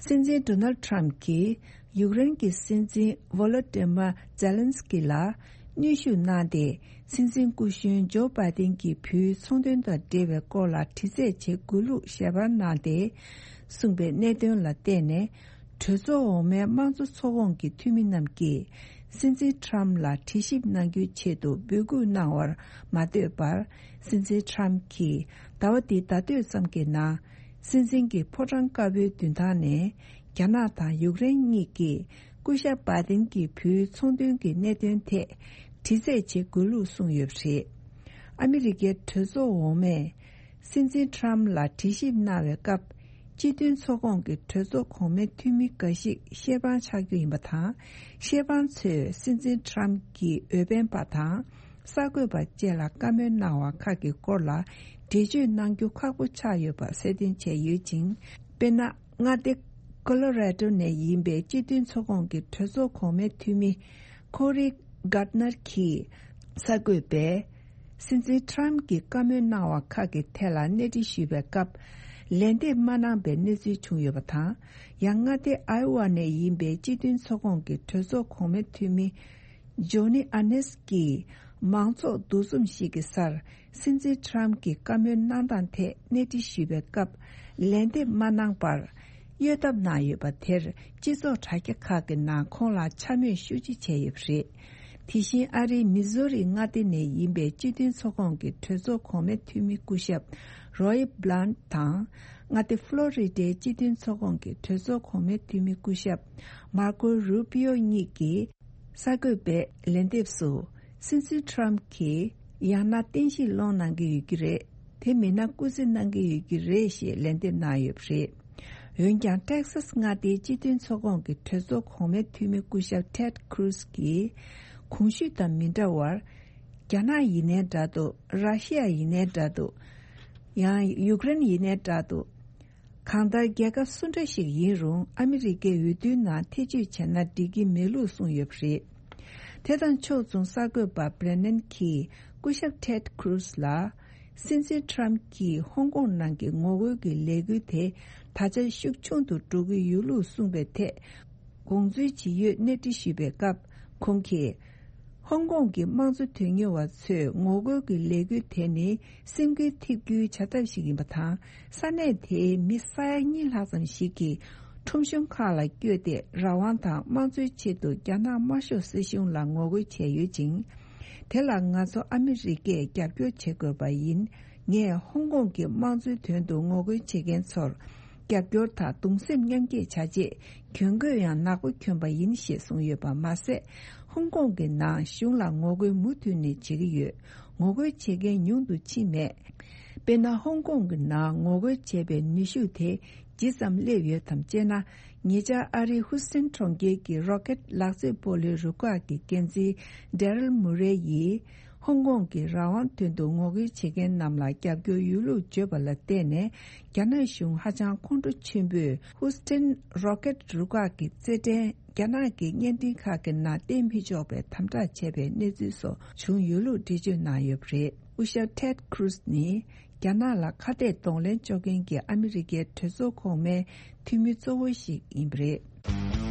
སྲིད་འཛིན་Donald Trump གྱིས་ཡུཀ་རེན་གྱི་སྲིད་འཛིན་Volodymyr Zelensky ལ་གནོན་ཤུགས་གནང་སྟེ། སྲིད་འཛིན་སྐུ་གཞོན་ཇོ་བྷའི་ཏིན་གྱི་བུའི་ཚོང་དོན་དང་འབྲེལ་བའི་སྐོར་ལ་དྲི་རྩད་བྱེད་དགོས་ལུགས་ཞལ་པར་གནང་སྟེ། གསུངས་པའི་གནད་དོན་ལ་བརྟེན་ནས། གྲོས་ཚོགས་འོག་མའི་དམངས་གཙོ་ཚོགས་ཁོངས་ཀྱི་འཐུས་མི་རྣམས་ཀྱིས། སྲིད་འཛིན་Trump ལ་དྲི་ཞིབ་གནང་རྒྱུའི་ཆེད་དུ་འབོད་སྐུལ་གནང་བར་མ་ལྟོས་པར། སྲིད་འཛིན་Trump གྱིས་ཟླ་བ་འདིའི་ཟླ་སྟོད་ཙམ་གྱི་ནང་། སྲིད་འཛིན་གྱི་ཕོ་བྲང་དཀར་པོའི་མདུན་ཐང་ནས། རྒྱ་ནག་དང་ཡུཀ་རེན་གཉིས་ཀྱིས། སྐུ་ཞབས་བྷའི་ཏིན་གྱི་བུའི་ཚོང་དོན་གྱི་གནད་དོན་ཐད། དྲི་རྩད་བྱེད་དགོས་ལུགས་གསུངས་ཡོད་པ་རེད། ཨ་མི་རི་ཀའི་གྲོས་ཚོགས་འོག་མས། སྲིད་འཛིན་Trump ལ་དྲི་ཞིབ་གནང་བའི་སྐབས། སྤྱི་མཐུན་ཚོགས་ཁོངས་ཀྱི་གྲོས་ཚོགས་གོང་མའི་འཐུས་མི་འགའ་ཞིག་ཤེས་དཔང་ཆགས་རྒྱུ་ཡིན་པ་དང་། ཤེས་དཔང་ཚོས་སྲིད་འཛིན་Trump གྱི་འོས་འཕེན་པ་དང་། གསར་འགོད་པ་བཅས་ལ་བཀའ་མོལ་གནང་བ་ཁག་གི་སྐོར་ལ་འགྲེལ་བརྗོད་གནང་རྒྱུ་ཁག་པོ་ཆགས་ཡོད་པ་གསལ་སྟོན་བྱས་ཡོད་ཅིང་། དཔེར་ན། མངའ་སྡེ་Colorado ནས་ཡིན་པའི་སྤྱི་མཐུན་ཚོགས་ཁོངས་ཀྱི་གྲོས་ཚོགས་གོང་མའི་འཐུས་མི་Cory Gardner གྱིས་གསར་འགོད་པས། སྲིད་འཛིན་Trump གྱིས་བཀའ་མོལ་གནང་བ་ཁག་གི་ཐད་ལ་གནས་འདྲི་ཞུས་པའི་སྐབས། ལན་འདེབས་མ་གནང་པའི་གནས་ཚུལ་བྱུང་ཡོད་པ་དང་། ཡང་མངའ་སྡེ་Iowa ནས་ཡིན་པའི་སྤྱི་མཐུན་ཚོགས་ཁོངས་ཀྱི་གྲོས་ཚོགས་གོང་མའི་འཐུས་མི་Johnny Ernst གྱིས་མང་ཚོགས་འདུ་འཛོམས་ཤིག་གི་སར། སྲིད་འཛིན་Trump གྱི་བཀའ་མོལ་གནང་སྟངས་ཐད་གནས་འདྲི་ཞུས་པའི་སྐབས། ལན་འདེབས་མ་གནང་པར། གཡོལ་ཐབས་གནང་ཡོད་པ་དེར། སྤྱི་ཚོགས་དྲ་རྒྱ་ཁག་གི་ནང་ཁོང་ལ་འཕྱ་སྨོད་ཤུགས་ཆེ་བྱས་ཡོད་པ་རེད། དེ་བཞིན་ཨ་རིའི་མི་ཟོ་རི་མངའ་སྡེ་ནས་ཡིན་པའི་སྤྱི་མཐུན་ཚོགས་ཁོངས་ཀྱི་གྲོས་ཚོགས་གོང་མའི་འཐུས་མི་སྐུ་ཞབས་Roy Blunt དང་། མངའ་སྡེ་Florida སྤྱི་མཐུན་ཚོགས་ཁོངས་ཀྱི་གྲོས་ཚོགས་གོང་མའི་འཐུས་མི་སྐུ་ཞབས་Marco Rubio གཉིས་ཀྱིས། གསར་འགོད་པའི་ལན་འདེབས་སུ། སྲིད་འཛིན་Trump གྱིས་ཡང་ན་རྟེན་གཞི་སློང་གནང་གི་ཡོད་ཀྱི་རེད། དེ་མིན་ན་སྐུ་རྩེད་གནང་གི་ཡོད་ཀྱི་རེད་ཞེས་ལན་འདེབས་གནང་ཡོད་པ་རེད། འོན་ཀྱང་Texas མངའ་སྡེའི་སྤྱི་མཐུན་ཚོགས་ཁོངས་ཀྱི་གྲོས་ཚོགས་གོང་མའི་འཐུས་མི་སྐུ་ཞབས་Ted Cruz གྱིས། གོང་ཞུས་དང་མི་འདྲ་བར། རྒྱ་ནག་ཡིན་ནའི་འདྲ་འདུག་ར་ཤི་ཡ་ཡིན་ནའི་འདྲ་འདུག་ཡང་ཡུཀ་རེན་ཡིན་ནའི་འདྲ་འདུག་གང་ལྟར་རྒྱལ་ཁབ་སུ་འདྲ་ཞིག་ཡིན་རུང་ཨ་མི་རི་ཀའི་འོས་བསྡུའི་ནང་ཐེ་བྱུས་བྱས་ན་འགྲིག་གི་མེད་ལུགས་གསུངས་ཡོད་པ་རེད། དེ་དང་ཕྱོགས་མཚུངས་གསར་འགོད་པ་Brennan གྱིས་སྐུ་ཞབས་Ted Cruz ལ། སྲིད་འཛིན་Trump གྱིས་ཧོང་ཀོང་ནང་གི་ངོ་རྒོལ་གྱི་ལས་འགུལ་དེ་ད་ཆ་ཤུགས་ཆུང་དུ་འགྲོ་གི་ཡོད་ལུགས་གསུངས་པའི་ཐད། དགོངས་ཚུལ་ཇི་ཡོད་གནས་འདྲི་ཞུས་པའི་སྐབས་ཁོང་གིས། ཧོང་ཀོང་གི་དམངས་གཙོ་དོན་གཉེར་བ་ཚོས་ངོ་རྒོལ་གྱི་ལས་འགུལ་དེ་ནི་སེམས་འགུལ་ཐེབས་རྒྱུའི་བྱ་ཐབས་ཤིག་ཡིན་པ་དང་། ས་གནས་དེའི་མི་ས་ཡ་གཉིས་ལྷག་ཙམ་ཞིག་གིས་ཁྲོམ་གཞུང་ཁག་ལ་བསྐྱོད་དེ་རང་དབང་དང་དམངས་གཙོའི་ཆེད་དུ་རྒྱ་ནག་དམར་ཤོག་སྲིད་གཞུང་ལ་ངོ་རྒོལ་བྱས་ཡོད་ཅིང་། དེ་ལ་ང་ཚོ་ཨ་མི་རི་ཀས་རྒྱབ་སྐྱོར་བྱེད་དགོས་པ་ཡིན། ངས་ཧོང་ཀོང་གི་དམངས་གཙོའི་དོན་དུ་ངོ་རྒོལ་བྱེད་མཁན་ཚོར། རྒྱབ་སྐྱོར་དང་གདུང་སེམས་མཉམ་སྐྱེད་བྱ་ཆེད་གྱོན་གོས་ཡང་ནག་པོ་གྱོན་པ་ཡིན་ཞེས་གསུངས་ཡོད་པ་མ་ཟད། ཧོང་ཀོང་གི་ནང་གཞུང་ལ་ངོ་རྒོལ་མུ་མཐུད་ནས་བྱེད་ཀྱི་ཡོད། ངོ་རྒོལ་བྱེད་མཁན་ཉུང་དུ་ཕྱིན་མེད། དཔེར་ན། ཧོང་ཀོང་གི་ནང་ངོ་རྒོལ་བྱས་པའི་ནུས་ཤུགས་དེ་ཇི་ཙམ་སླེབས་ཡོད་དམ་ཅེ་ན། ཉེ་ཆར་ཨ་རིའི་ཧུ་སི་ཐན་གྲོང་ཁྱེར་གྱི་རོ་ཀེད་ལག་རྩེད་སྤོ་ལོའི་རུ་ཁག་གི་འགན་འཛིན་ཌེ་རལ་མུ་རེ་ཡིས། ཧོང་ཀོང་གི་རང་དབང་དོན་དུ་ངོ་རྒོལ་བྱེད་མཁན་རྣམས་ལ་རྒྱབ་སྐྱོར་ཡོད་ལུགས་བརྗོད་པ་ལ་བརྟེན་ནས། རྒྱ་ནག་གཞུང་ཧ་ཅང་ཁོང་ཁྲོ་ཆེན་པོས་ཧུ་སི་ཐན་རོ་ཀེད་རུ་ཁག་གི་རྩེད་འགྲན། རྒྱ་ནག་གི་བརྙན་འཕྲིན་ཁག་གི་ནང་བསྟན་མི་ཆོག་པའི་དམ་དྲག་བྱས་པའི་གནས་ཚུལ་སོགས་བྱུང་ཡོད་ལུགས་འགྲེལ་བརྗོད་གནང་ཡོད་པ་རེད། སྐུ་ཞབས་ཊེད་ཁུ་རུ་སི་ནི། རྒྱ་ནག་ལ་ཁ་གཏད་གདོང་ལེན་གཅོག་མཁན་གྱི་ཨ་མི་རི་ཀའི་གྲོས་ཚོགས་གོང་མའི་འཐུས་མི་གཙོ་བོ་ཞིག་ཡིན་པ་རེད།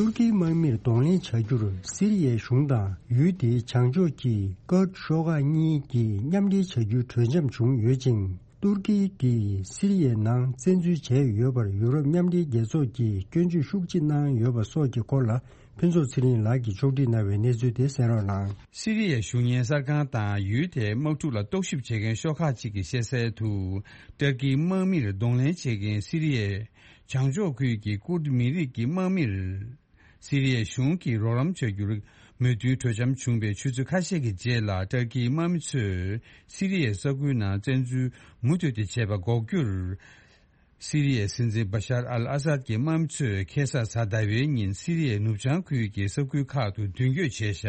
ཏུར་ཀིའི་དམག་མིར་གདོང་ལེན་བྱ་རྒྱུར་སི་རི་ཡའི་གཞུང་དང་ཡུལ་དེའི་བྱང་ཕྱོགས་ཀྱི་ཀུར་ཤོག་ཁག་གཉིས་ཀྱིས་མཉམ་འབྲེལ་བྱ་རྒྱུའི་གྲོས་འཆམ་བྱུང་ཡོད་ཅིང་། ཏུར་ཀི་གིས་སི་རི་ཡའི་ནང་བཙན་འཛུལ་བྱས་ཡོད་པར་ཡུ་རོབ་མཉམ་འབྲེལ་རྒྱལ་ཚོགས་ཀྱིས་སྐྱོན་བརྗོད་ཤུགས་ཆེ་གནང་ཡོད་པ་སོགས་ཀྱི་སྐོར་ལ། ཕུན་ཚོགས་ཚེ་རིང་ལགས་ཀྱིས་ཕྱོགས་སྒྲིག་གནང་བའི་གནས་ཚུལ་དེ་གསན་རོགས་གནང་། སི་རི་ཡའི་གཞུང་གཉེར་གསར་ཁང་དང་ཡུལ་དེའི་དམག་འཁྲུག་ལ་རྟོག་ཞིབ་བྱེད་མཁན་ཤོག་ཁག་ཅིག་གིས་བཤད་གསལ་དུ། ཏུར་ཀིའི་དམག་མིར་གདོང་ལེན་བྱེད་མཁན་སི་རི་ཡའི་བྱང་ཕྱོགས་ཁུལ་གྱི་ཀུར་མི་རིགས་ཀྱི་དམག་མིར། སི་རི་ཡའི་གཞུང་གིས་རོགས་རམ་བྱ་རྒྱུར་མོས་མཐུན་གྲོས་འཆམ་བྱུང་བའི་ཆུ་ཚོད་ཁ་ཤས་ཀྱི་རྗེས་ལ་ཏུར་ཀིའི་དམག་མི་ཚོས་སི་རི་ཡའི་ས་ཁུལ་ནང་བཙན་འཛུལ་མུ་མཐུད་དེ་བྱས་པ་འགོག་རྒྱུར། སི་རི་ཡའི་སྲིད་འཛིན་བ་ཤར་ཨལ་ཨ་སཱད་ཀྱི་དམག་མི་ཚོས་ཁ་སང་གཟའ་ཟླ་བའི་ཉིན་སི་རི་ཡའི་ནུབ་བྱང་ཁུལ་གྱི་ས་ཁུལ་ཁག་ཏུ་མདུན་སྐྱོད་བྱས་བཞག་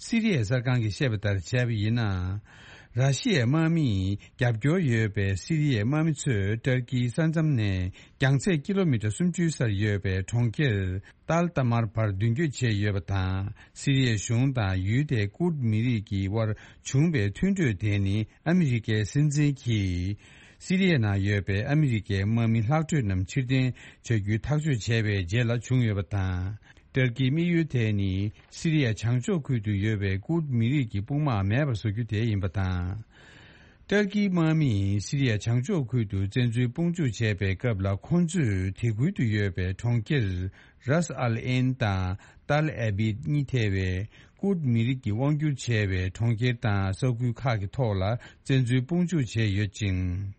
སི་རི་ཡའི་གསར་ཁང་གིས་བཤད་པ་ལྟར་བྱས་པ་ཡིན་ན། ར་ཤི་ཡའི་དམག་མིས་རྒྱབ་སྐྱོར་ཡོད་པའི་སི་རི་ཡའི་དམག་མི་ཚོས་ཏུར་ཀིའི་ས་མཚམས་ནས་རྒྱང་ཚད་ཀི་ལོ་མི་ཊར་སུམ་ཅུའི་སར་ཡོད་པའི་གྲོང་ཁྱེར་ཏཱལ་ཏཱ་མར་བར་མདུན་སྐྱོད་བྱས་ཡོད་པ་དང་། སི་རི་ཡའི་གཞུང་དང་ཡུལ་དེའི་ཀུར་མི་རིགས་ཀྱི་དབར་བྱུང་བའི་མཐུན་གྲོས་དེ་ནི་ཨ་མི་རི་ཀའི་སྲིད་འཛིན་གྱིས། སི་རི་ཡའི་ནང་ཡོད་པའི་ཨ་མི་རི་ཀའི་དམག་མི་ལྷག་འཕྲོས་རྣམས་ཕྱིར་འཐེན་བྱ་རྒྱུའི་ཐག་གཅོད་བྱས་པའི་རྗེས་ལ་བྱུང་ཡོད་པ་དང་། ཏུར་ཀིའི་དམིགས་ཡུལ་དེ་ནི་སི་རི་ཡ་བྱང་ཕྱོགས་ཁུལ་དུ་ཡོད་པའི་ཀུར་མི་རིགས་ཀྱི་དཔུང་དམག་མེད་པར་བཟོ་རྒྱུ་དེ་ཡིན་པ་དང་། ཏུར་ཀིའི་དམག་མིས་སི་རི་ཡ་བྱང་ཕྱོགས་ཁུལ་དུ་བཙན་འཛུལ་དཔུང་འཇུག་བྱས་པའི་སྐབས་ལ། ཁོང་ཚོས་དེ་ཁུལ་དུ་ཡོད་པའི་གྲོང་ཁྱེར་རཱས་ཨལ་ཨེན་དང་ཏཱལ་ཨེ་བིད་གཉིས་ཐེ་བའི་ཀུར་མི་རིགས་ཀྱིས་དབང་བསྒྱུར་བྱས་པའི་གྲོང་ཁྱེར་དང་ས་ཁུལ་ཁག་གི་ཐོག་ལ་བཙན་འཛུལ་དཔུང་འཇུག་བྱས་ཡོད་ཅིང་།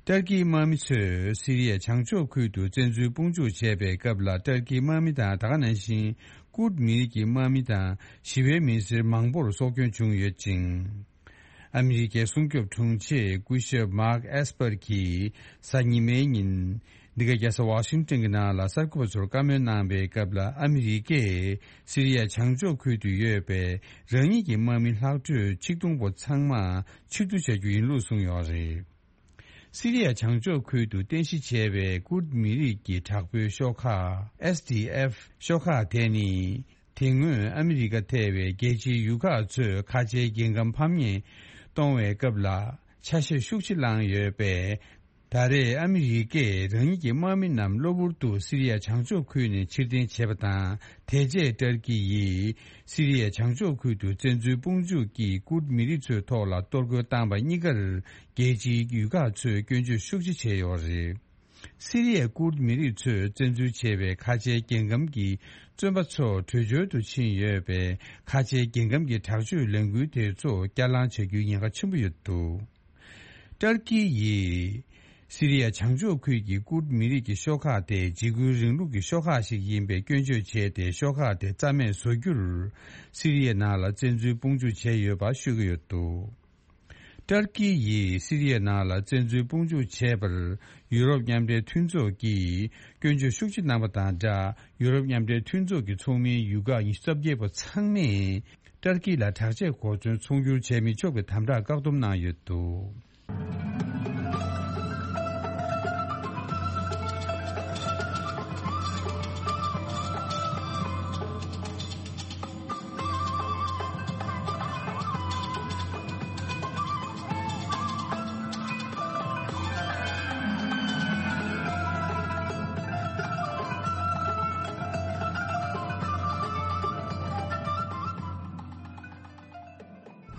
ཏུར་ཀིའི་དམག་མི་ཚོས་སི་རི་ཡའི་བྱང་ཕྱོགས་ཁུལ་དུ་བཙན་འཛུལ་དཔུང་འཇུག་བྱས་པའི་སྐབས་ལ། ཏུར་ཀིའི་དམག་མི་དང་། ད་ག་ནང་བཞིན་ཀུར་མི་རིགས་ཀྱི་དམག་མི་དང་ཞི་བའི་མི་སེར་མང་པོར་སྲོག་སྐྱོན་བྱུང་ཡོད་ཅིང་། ཨ་མི་རི་ཀའི་སྲུང་སྐྱོབ་དྲུང་ཆེ་སྐུ་ཞབས་མཱག་ཨེས་པར་གྱིས་གཟའ་ཉི་མའི་ཉིན། འདི་ག་རྒྱལ་ས་ཝ་ཤིང་ཏོན་གྱི་ནང་ལ་གསར་འགོད་པ་ཚོར་བཀའ་མོལ་གནང་བའི་སྐབས་ལ། ཨ་མི་རི་ཀས་སི་རི་ཡ་བྱང་ཕྱོགས་ཁུལ་དུ་ཡོད་པའི་རང་ཉིད་ཀྱི་དམག་མི་ལྷག་འཕྲོས་ཆིག་སྟོང་པོ་ཚང་མ་ཕྱིར་བསྡུ་བྱ་རྒྱུ་ཡིན་ལུགས་གསུངས་ཡོད་རེད། སི་རི་ཡ་བྱང་ཕྱོགས་ཁུལ་དུ་རྟེན་གཞི་བྱས་པའི་ཀུར་མི་རིགས་ཀྱི་དྲག་པོའི་ཤོག་ཁག་ཨེས་ཌི་ཨེཕ་ཤོག་ཁག་དེ་ནི། དེ་སྔོན་ཨ་མི་རི་ཀ་ཐེ་བའི་རྒྱལ་སྤྱིའི་ཡུལ་ཁག་ཚོས་ཁ་ཆེའི་རྒྱལ་ཁམས་ཕམ་ཉེས་གཏོང་བའི་སྐབས་ལ་ཆ་ཤས་ཤུགས་ཆེ་བླངས་ཡོད་པས། ད་རེས་ཨ་མི་རི་ཀས་རང་ཉིད་ཀྱི་དམག་མི་རྣམས་གློ་བུར་དུ་སི་རི་ཡ་བྱང་ཕྱོགས་ཁུལ་ནས་ཕྱིར་འཐེན་བྱས་པ་དང་། དེ་རྗེས་ཏུར་ཀི་ཡིས་སི་རི་ཡ་བྱང་ཕྱོགས་ཁུལ་དུ་བཙན་འཛུལ་དཔུང་འཇུག་གིས་ཀུར་མི་རིགས་ཚོའི་ཐོག་ལ་གཏོར་རྒོལ་བཏང་བ་གཉིས་ཀར་རྒྱལ་སྤྱིའི་ཡུལ་ཁག་ཚོས་སྐྱོན་བརྗོད་ཤུགས་ཆེ་བྱས་ཡོད་རེད། སི་རི་ཡའི་ཀུར་མི་རིགས་ཚོས་བཙན་འཛུལ་བྱས་པའི་ཁ་ཆེའི་རྒྱལ་ཁམས་ཀྱི་བཙོན་པ་ཚོ་བྲོས་བྱོལ་དུ་ཕྱིན་ཡོད་པས། ཁ་ཆེའི་རྒྱལ་ཁམས་ཀྱི་དྲག་སྤྱོད་ལས་འགུལ་དེ་ཚོ་བསྐྱར་ལངས་བྱ་རྒྱུའི་ཉེན་ཁ་ཆེན་པོ་ཡོད་འདུག་ཏུར་ཀི་ཡིས་སི་རི་ཡ་བྱང་ཕྱོགས་ཁུལ་གྱི་ཀུར་མི་རིགས་ཀྱི་ཤོག་ཁག་དེ་འཇིགས་སྐུལ་རིང་ལུགས་ཀྱི་ཤོག་ཁག་ཞིག་ཡིན་པའི་སྐྱོན་བརྗོད་བྱས་ཏེ། ཤོག་ཁག་དེ་རྩ་མེད་བཟོ་རྒྱུར་སི་རི་ཡའི་ནང་ལ་བཙན་འཛུལ་དཔུང་འཇུག་བྱས་ཡོད་པ་ཤོད་ཀྱི་ཡོད་འདུག་ཏུར་ཀི་ཡིས་སི་རི་ཡའི་ནང་ལ་བཙན་འཛུལ་དཔུང་འཇུག་བྱས་པར་ཡུ་རོབ་མཉམ་འབྲེལ་མཐུན་ཚོགས་ཀྱིས་སྐྱོན་བརྗོད་ཤུགས་ཆེ་གནང་བ་དང་སྦྲགས། ཡུ་རོབ་མཉམ་འབྲེལ་མཐུན་ཚོགས་ཀྱི་ཚོགས་མིའི་ཡུལ་ཁག་ཉི་ཤུ་རྩ་བརྒྱད་པོ་ཚང་མས་ཏུར་ཀི་ལ་དྲག་ཆས་གོ་མཚོན་ཚོང་སྒྱུར་བྱས་མི་ཆོག་པའི་དམ་དྲག་བཀག་སྡོམ་གནང་ཡོད་འདུག་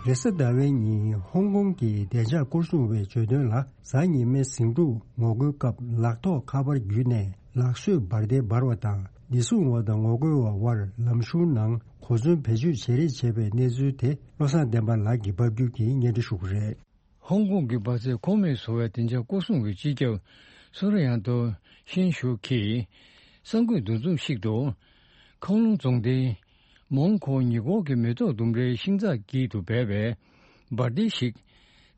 རེས་གཟའ་ཟླ་བའི་ཉིན་ཧོང་ཀོང་གི་བདེ་འཇགས་སྐོར་སྲུང་བས་བརྗོད་དོན་ལ། གཟའ་ཉི་མའི་ཟིང་འཁྲུག་ངོ་རྒོལ་སྐབས་ལག་ཐོགས་ཁ་པར་བརྒྱུད་ནས་ལག་གསོས་འབར་མདེལ་འབར་བ་དང་། བདེ་སྲུང་བ་དང་ངོ་རྒོལ་བ་དབར་ལམ་གཞུང་ནང་གོ་མཚོན་བེད་སྤྱོད་བྱེད་རེས་བྱས་པའི་གནས་ཚུལ་དེ། བློ་བཟང་བསྟན་པ་ལགས་ཀྱིས་ཕབ་སྒྱུར་གྱིས་སྙན་སྒྲོན་ཞུ་གི་རེད། ཧོང་ཀོང་གི་འབར་རྫས་ཁོངས་མེད་བཟོ་བའི་བདེ་འཇགས་སྐོར་སྲུང་གི་སྤྱི་ཁྱབ་སུ་ར་ཡང་ཏོ་ཤིན་ཞུ་གིས་གསར་འགོད་འདུ་འཛོམས་ཤིག་ཏུ། ཁང་ལུང་རྫོང་སྡེའི་མོང་ཁོ་ཉེ་འཁོར་གྱི་མེ་ཏོག་ལྡུམ་རའི་ཤིང་ཚགས་དཀྱིལ་དུ་སྦས་པའི་འབར་མདེལ་ཞིག་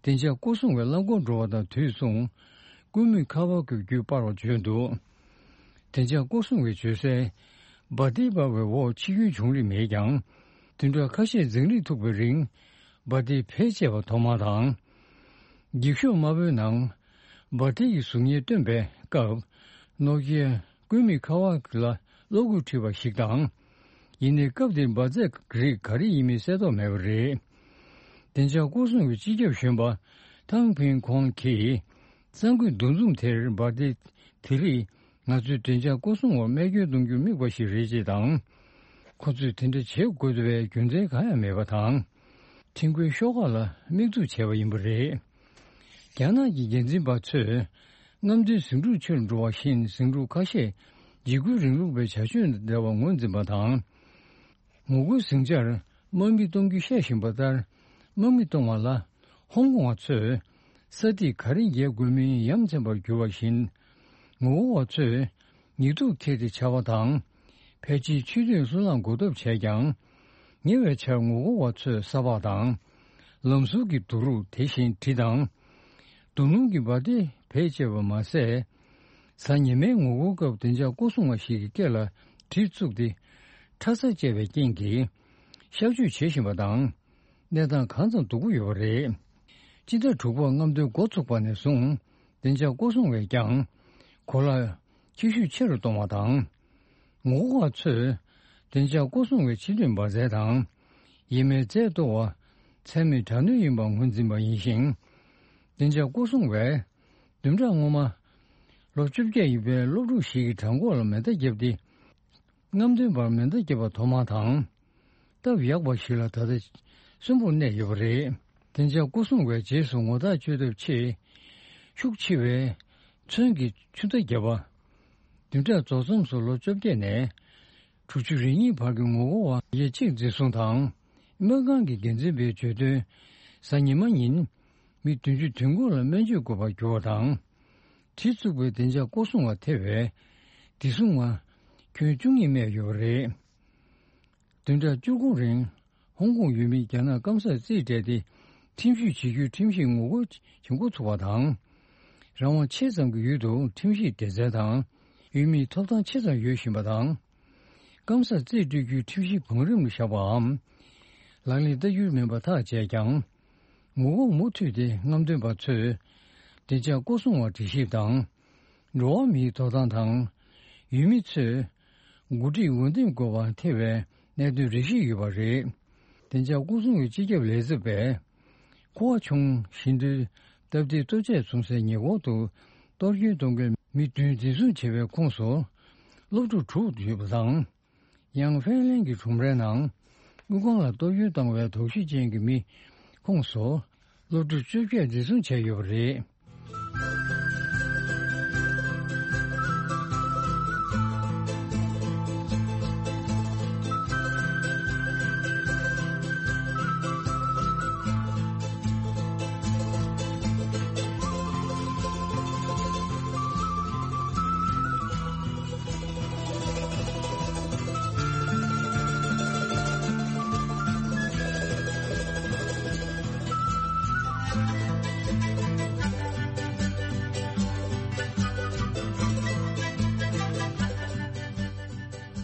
བདེ་འཇགས་སྐོར་སྲུང་བས་རླངས་འཁོར་འགྲོ་བ་དང་དུས་མཚུངས་སྐུད་མེད་ཁ་པར་གྱི་བརྒྱུད་སྤར་བ་བརྗོད་འདུག། བདེ་འཇགས་སྐོར་སྲུང་བས་བརྗོད་གསལ། འབར་མདེལ་འབར་བའི་འོག་འཆི་སྐྱོན་བྱུང་རིགས་མེད་ཀྱང་། བདུན་ཕྲག་ཁ་ཤས་འཛིང་རེས་ཐུག་པའི་རིང་འབར་མདེལ་བེད་སྤྱད་པ་ཐོག་མ་དང་། འགྱིག་ཤོག་དམར་པོའི་ནང་འབར་མདེལ་གྱི་གཟུགས་བརྙན་བཏོན་པའི་སྐབས། ནོ་ཀི་ཡ་སྐུད་མེད་ཁ་པར་ལ་གློག་སྐུད་འཁྲིལ་བ་ཞིག་དང་། ཡིན་ནའི་སྐབས་དེར་འབར་རྫས་རིགས་ག་རེ་ཡིན་མིན་གསལ་རྟོགས་མེད་པ་རེད། བདེ་འཇགས་སྐོར་སྲུང་གི་སྤྱི་ཁྱབ་གཞོན་པ་ཐང་ཕིན་ཁོང་གིས། གསར་འགོད་འདུ་འཛོམས་དེར་འབར་མདེལ་དེ་རིགས་ང་ཚོའི་བདེ་འཇགས་སྐོར་སྲུང་འོག་རྨས་སྐྱོན་གཏོང་རྒྱུར་དམིགས་པ་ཞིག་རེད་ཅེས་དང་། ཁོ་ཚོས་དེ་འདྲ་བྱེད་དགོས་པའི་རྒྱུ་མཚན་གང་ཡང་མེད་པ་དང་། ཁྲིམས་འགལ་ཤོག་ཁག་ལ་དམིགས་འཛུགས་བྱས་པ་ཡིན་པ་རེད། རྒྱ་ནག་གི་འགན་འཛིན་པ་ཚོས་རྔམ་སྟོན་ཟིང་འཁྲུག་ཆེ་རུ་འགྲོ་བ་བཞིན་ཟིང་འཁྲུག་ཁ་ཤས་འཇིགས་སྐུལ་རིང་ལུགས་པའི་བྱ་སྤྱོད་དང་འབྲེལ་བར་ངོས་འཛིན་པ་དང་། ངོ་རྒོལ་ཟིང་ཆར་དམག་མི་གཏོང་རྒྱུ་བཤད་བཞིན་པ་ལྟར། དམག་མི་གཏོང་བ་ལ་ཧོང་ཀོང་བ་ཚོས་ས་ཐིག་ག་རེ་འགེལ་དགོས་མིན་ཡ་མཚན་པར་གྱུར་བ་བཞིན། ངོ་རྒོལ་བ་ཚོས་ཉེས་འཛུགས་ཁྱེར་ཏེ་བྱ་བ་དང་། ཕལ་ཆེར་ཆུ་ཚོད་སུ་ལའང་འགོག་ཐབས་བྱས་ཀྱང་། ཉེ་བའི་ཆར་ངོ་རྒོལ་བ་ཚོས་ས་ཕག་དང་། ལམ་ཟུར་གྱི་རྡོ་རུག་དེ་བཞིན་གྲི་དང་། རྡོ་སྣུམ་གྱི་འབར་མདེལ་བེད་སྤྱད་པ་མ་ཟད། གཟའ་ཉི་མའི་ངོ་རྒོལ་སྐབས་བདེ་འཇགས་སྐོར་སྲུང་བ་ཞིག་གི་སྐེ་ལ་གྲི་བཙུགས་ཏེ། ཁྲ་ས་བཅད་པའི་རྐྱེན་གྱིས་གཤག་བཅོས་བྱེད་བཞིན་པ་དང་། གནས་སྟངས་གང་ཙམ་སྡུག་པོ་ཡོད་པ་རེད། སྤྱི་ཟླ་དྲུག་པར་རྔམ་སྟོན་འགོ་ཚུགས་པ་ནས་བཟུང་བདེ་འཇགས་སྐོར་སྲུང་བས་ཀྱང་གོ་ལ་ཁྱད་ཤུགས་ཆེ་རུ་གཏོང་བ་དང་། ངོ་རྒོལ་བ་ཚོས་བདེ་འཇགས་སྐོར་སྲུང་བའི་ཕྱི་སྡོད་འབར་རྫས་དང་། ཡིན་མིན་རྫས་གཏོར་བ་ཚད་མེད་དྲག་གནོན་ཡིན་པར་ངོས་འཛིན་པ་ཡིན་ཞིང་། བདེ་འཇགས་སྐོར་སྲུང་བས་བདུན་ཕྲག་སྔོན་མ་ལོ་བཅོ་བརྒྱད་ཡིན་པའི་སློབ་ཕྲུག་ཞིག་གི་བྲང་ཁོག་ལ་མེ་མདའ་བརྒྱབ་སྟེ། རྔམ་སྟོན་པར་མེ་མདའ་བརྒྱབ་པ་ཐོག་མ་དང་། སྟབས་ཡག་པ་ཞིག་ལ་ད་ལྟ་གསོན་པོར་གནས་ཡོད་པ་རེད། བདེ་འཇགས་སྐོར་སྲུང་བས་རྗེས་སུ་ངོ་རྟགས་བཅོས་ཐབས་ཆེད། ཤུགས་ཆེ་བའི་ཚོན་གྱི་ཆུ་མདའ་བརྒྱབ་པ། བདུན་ཕྲག་རྫོགས་མཚམས་སུ་ལོ་བཅོ་བརྒྱད་ནས་དྲུག་ཅུ་རེ་གཉིས་བར་གྱི་ངོ་རྒོལ་བ་ཡ་གཅིག་འཛིན་བཟུང་དང་། སྨན་ཁང་གི་འགན་འཛིན་པས་བརྗོད་དོན། གཟའ་ཉི་མ་ཉིན་མི་བདུན་ཅུ་དོན་དགུ་ལ་སྨན་བཅོས་དགོས་པར་གྱུར་བ་དང་། གྲི་བཙུགས་པའི་བདེ་འཇགས་སྐོར་སྲུང་བ་ཐེ་བའི་བདེ་སྲུང་བ་ཁྱོན་བཅུ་གཉིས་རྨས་ཡོད་པ་རེད། བདུན་ཕྲག་བཅུ་དགུ་རིང་ཧོང་ཀོང་ཡུལ་མིས་རྒྱ་ནག་སྐམ་སར་རྩིས་སྤྲད་དེ་ཁྲིམས་གཞི་བྱེད་རྒྱུའི་ཁྲིམས་གཞི་ངོ་རྒོལ་བྱེད་འགོ་ཚུགས་པ་དང་། རང་དབང་ཆེ་ཙམ་གྱི་ཡུལ་དུ་ཁྲིམས་གཞི་སྡེ་ཚན་དང་ཡུལ་མིའི་ཐོབ་ཐང་ཆེ་ཙམ་ཡོད་བཞིན་པ་དང་། སྐམ་སར་རྩིས་སྤྲོད་རྒྱུའི་ཁྲིམས་གཞི་བང་རིམ་ལ་བཞག་པའམ། ལག་ལེན་བསྟར་རྒྱུ་མིན་པ་ཐག་བཅད་ཀྱང་། ངོ་རྒོལ་མུ་མཐུད་དེ་རྔམ་སྟོན་པ་ཚོས་བདེ་འཇགས་སྐོར་སྲུང་བར་དྲི་ཞིབ་དང་། འགྲོ་བ་མིའི་ཐོབ་ཐང་དང་། ཡུལ་མི་ཚོས་འགོ་ཁྲིད་འོས་འདེམས་དགོས་པར་ཐེ་བའི་གནད་དོན་རེ་ཞིག་ཡོད་པ་རེད། བདེ་འཇགས་སྐོར་སྲུང་གི་སྤྱི་ཁྱབ་ལས་ཚབ་པས། ཀོ་ཝ་ཆུང་ཞིང་འདུལ་སྟབས་བདེའི་ལྟོ་ཆས་བཙོང་སའི་ཉེ་འཁོར་དུ་གཏོར་སྐྱོན་གཏོང་མཁན་མི་བདུན་འཛིན་བཟུང་བྱས་པའི་ཁོངས་སུ་སློབ་ཕྲུག་དྲུག་ཡོད་པ་དང་། ཡང་ཧྥེན་ལན་གྱི་ཁྲོམ་རའི་ནང་དངུལ་ཁང་ལ་གཏོར་སྐྱོན་བཏང་བའི་དོགས་གཞི་ཅན་གྱི་མི་ཁོངས་སུ་སློབ་ཕྲུག་བཅོ་བརྒྱད་འཛིན་བཟུང་བྱས་ཡོད་པ་རེད།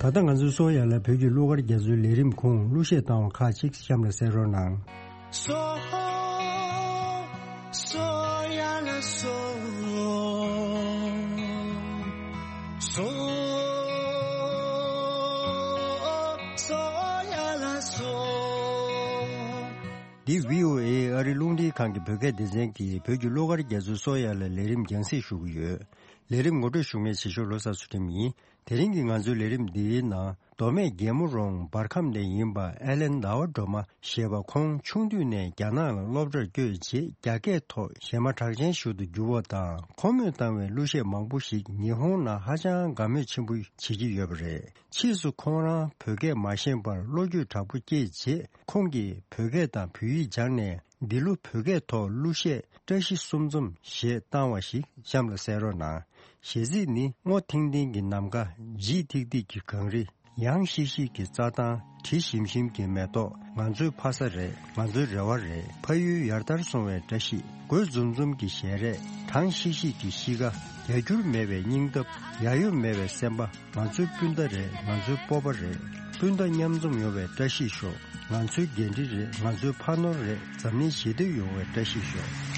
ད་ལྟ་ང་ཚོའི་སོ་ཡ་ལ་བོད་ཀྱི་གླུ་གར་རྒྱ་མཚོའི་ལས་རིམ་ཁོངས་གླུ་གཞས་བཏང་བ་ཁག་ཅིག་གཤམ་ལ་གསན་རོགས་གནང་། སོ། སོ་ཡ་ལ་སོ། སོ། སོ་ཡ་ལ་སོ། འདི་བྷི་ཨོ་ཨེ་ཨ་རི་རླུང་འཕྲིན་ཁང་གི་བོད་སྐད་སྡེ་ཚན་གྱིས་བོད་ཀྱི་གླུ་གར་རྒྱ་མཚོའི་སོ་ཡ་ལ་ལས་རིམ་རྒྱང་སྲིང་ཞུ་གི་ཡོད། ལས་རིམ་ངོ་སྤྲོད་ཞུ་མཁན་བྱེད་ཤོག་ལོ་གསར་ཚུལ་ཁྲིམས་ཡིན། དེ་རིང་གི་ང་ཚོའི་ལས་རིམ་འདིའི་ནང་མདོ་སྨད་རྒྱལ་མོ་རོང་འབར་ཁམས་ནས་ཡིན་པ་ཨེ་ལན་ཟླ་བ་སྒྲོལ་མ་ཞེས་པ། ཁོང་ཆུང་དུས་ནས་རྒྱ་ནག་ལ་སློབ་གྲྭར་བསྐྱོད་རྗེས། རྒྱ་སྐད་ཐོག་གཞས་མ་གྲགས་ཅན་ཞིག་ཏུ་གྱུར་བ་དང་། ཁོ་མོས་བཏང་བའི་གླུ་གཞས་མང་པོ་ཞིག་ཉི་ཧོང་ནང་ཧ་ཅང་དགའ་མོས་ཆེན་པོ་བྱེད་ཀྱི་ཡོད་པ་རེད། ཕྱིས་སུ་ཁོང་རང་བོད་སྐད་མ་ཤེས་པར་བློ་འགྱོད་དྲག་པོ་སྐྱེས་རྗེས། ཁོང་གིས་བོད་སྐད་དང་བོད་ཡིག་སྦྱངས་ནས། འདི་ལོ་བོད་སྐད་ཐོག་གླུ་གཞས་བཀྲ་ཤིས་གསུམ་འཛོམས་ཞེས་བཏང་བ་ཞིག་གཤམ་ལ་གསན་རོགས་གནང་། གཞས་ཚིག་ནི། སྔོ་ཐིང་ཐིང་གི་ནམ་མཁའ། ལྗིད་ཐིག་ཐིག་གི་གངས་རི། ཡང་ཤིག་ཤིག་གི་རྩྭ་ཐང་། དྲི་ཞིམ་ཞིམ་གྱི་མེ་ཏོག་ང་ཚོའི་ཕ་ས་རེད། ང་ཚོའི་རེ་བ་རེད། ཕ་ཡུལ་ཡར་དར་སོང་བའི་བཀྲ་ཤིས། རྒོད་འཛུམ་འཛུམ་གྱི་ཞལ་རས། གྲང་ཤིག་ཤིག་གི་གཤིས་ཀ་ཡ་འགྱུར་མེད་པའི་སྙིང་སྟོབས། ཡ་ཡོ་མེད་པའི་སེམས་པ། ང་ཚོའི་སྤུན་ཟླ་རེད། ང་ཚོའི་སྤོབས་པ་རེད། སྤུན་ཟླ་མཉམ་འཛོམས་ཡོང་བའི་བཀྲ་ཤིས་ཤོག་ང་ཚོའི་འགན་འཁྲི་རེད། ང་ཚོའི་ཕ་ནོར་རེད། འཛམ་གླིང་ཞི་བདེ་ཡོང་བའི་བཀྲ་ཤིས་ཤོག་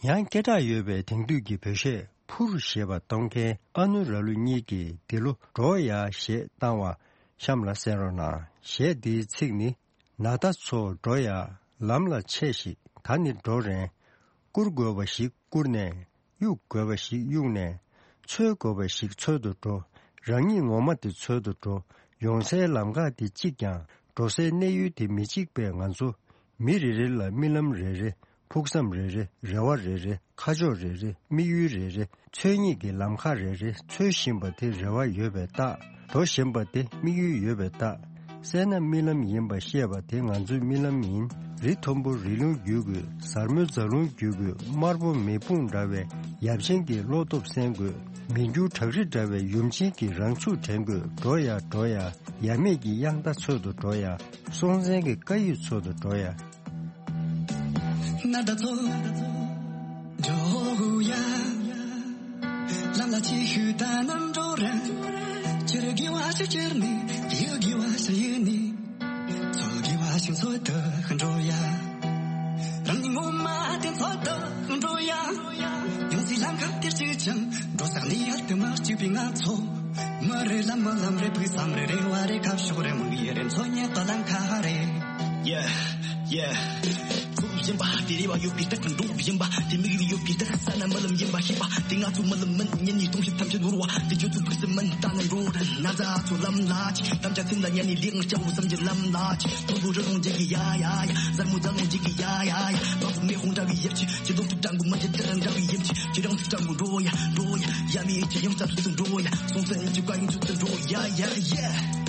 ཡང་སྐད་གྲགས་ཡོད་པའི་དེང་དུས་ཀྱི་བོད་གཞས་ཕུར་ཞེས་པ་གཏོང་མཁན་ཨ་ནུ་ར་ལུ་གཉིས་ཀྱིས་འདི་ལོ་འགྲོ་ཡ་ཞེས་བཏང་བ་གཤམ་ལ་གསན་རོགས་གནང་། གཞས་འདིའི་ཚིག་ནི། ན་ད་ཚོ་འགྲོ་ཡ། ལམ་ལ་ཆས་ཤིག་ད་ནི་འགྲོ་རན། བཀུར་དགོས་པ་ཞིག་བཀུར་ནས། གཡུག་དགོས་པ་ཞིག་གཡུག་ནས། འཚོལ་དགོས་པ་ཞིག་འཚོལ་དུ་འགྲོ། རང་ཉིད་ངོ་མ་དེ་འཚོལ་དུ་འགྲོ། ཡོང་སའི་ལམ་ཁ་དེ་གཅིག་ཀྱང་འགྲོ་སའི་གནས་ཡུལ་དེ་མི་གཅིག་པས་ང་ཚོ་མི་རེ་རེ་ལ་རྨི་ལམ་རེ་རེ། ཕུགས་བསམ་རེ་རེ། རེ་བ་རེ་རེ། ཁ་ཕྱོགས་རེ་རེ། དམིགས་ཡུལ་རེ་རེ། འཚོལ་སྙེག་གི་ལམ་ཁ་རེ་རེ། འཚོལ་བཞིན་པ་དེ་རེ་བ་ཡོད་པའི་རྟགས། འགྲོ་བཞིན་པ་དེ་དམིགས་ཡུལ་ཡོད་པའི་རྟགས། བསལ་ན་རྨི་ལམ་ཡིན་པ་ཤེས་པ་དེ་ང་ཚོའི་རྨི་ལམ་ཡིན། རི་མཐོན་པོ་རི་ལུང་བརྒྱུད་དགོས། གཟར་མོའི་རྫ་ལུང་བརྒྱུད་དགོས། དམར་པོ་མེ་དཔུང་འདྲ་བའི་ཡབ་ཆེན་གྱི་བློ་སྟོབས་གསན་དགོས། མི་འགྱུར་བྲག་རི་འདྲ་བའི་ཡུམ་ཆེན་གྱི་རང་ཚུགས་དྲན་དགོས། འགྲོ་ཡ་འགྲོ་ཡ། ཡ་མེད་ཀྱི་དབྱངས་རྟ་འཚོལ་དུ་འགྲོ་ཡ། སྲོང་བཙན་གྱི་བཀའ་ཡིག་འཚོལ་དུ་འགྲོ་ཡ། ན་ད་ཚོ་འགྲོ་ཡ། ལམ་ལ་ཆས་ཤིག་ཕྱི་ཕྱིར་ནས་ཡིད་དགེ་བ་ཞིག་ཡིན་ནས། ཚོད་དགེ་བ་ཞིག་ཚོད་དུ་འགྲོ་ཡ། རང་ཉིད་ངོ་མ་དེ་ཚོད་དུ་འགྲོ་ཡ། ཡོང་སའི་ལམ་ཁ་དེར་གཅིག་ཀྱང་འགྲོ་ས་ནས་ཡར་དུ་མ་གཅིག་པའི་ང་ཚོ། མི་རེ་ལ་མི་ལམ་རེ་བུ་བསམ་རེ་རེ་བ་རེ་ཁ་ཕྱོགས་རེ་མི་ཡི་རེ་མཚོ་ཉེ་ཏོ་ལམ་ཁ་རེ། Yeah, yeah. ཚོགས་ཡིན་པ་དེ་རེ་བ་ཡོད་པའི་རྟགས་འགྲོ་ཡིན་པ་དེ་མིག་རེ་ཡོད་པའི་རྟགས་ས་ན་མི་ལམ་ཡིན་པ་ཤེས་པ་དེ་ང་ཚོ་མི་ལམ་མིན་ཉིན་ནས་སྟོང་ཞིག་ཐམས་ཅད་ནོར་བ་དེ་ཁྱོད་ཚོ་ཕུགས་སུ་མིན་ལྟ་ན་འགྲོ་རན་ན་ཚ་ཚོ་ལམ་ལ་ཅི་དམ་བཅའ་ཚིམ་ལ་ཉན་ནས་ལེགས་སྐྱ་བོ་བསམ་གྱི་ལམ་ལ་ཅི་མཐོན་པོ་རི་ལུང་འཇིག་གི་ཡ་ཡ་ཡ་གཟར་མོ་རྫ་ལུང་འཇིག་གི་ཡ་ཡ་ཡ་མ་བུ་མེ་ཧོང་འདྲ་བའི་ཡིབ་ཅི་ཅི་ལུང་དུ་ཀྲང་གུ་མ་ཅི་ཏི་ར་འདྲ་བའི་ཡིབ་ཅི་ཅི་རང་དུ་ཀྲང་གུ་འགྲོ་ཡ་འགྲོ་ཡ་ཡ་མི་ཡིན་ཅི་ཡང་རྩ་ཚུལ་དུ་འགྲོ་ཡ་སོང་ཚན་ཡིན་ཅི་བཀའ་ཡིན་ཚུལ་དུ་འགྲོ་ཡ་ཡ་ཡ།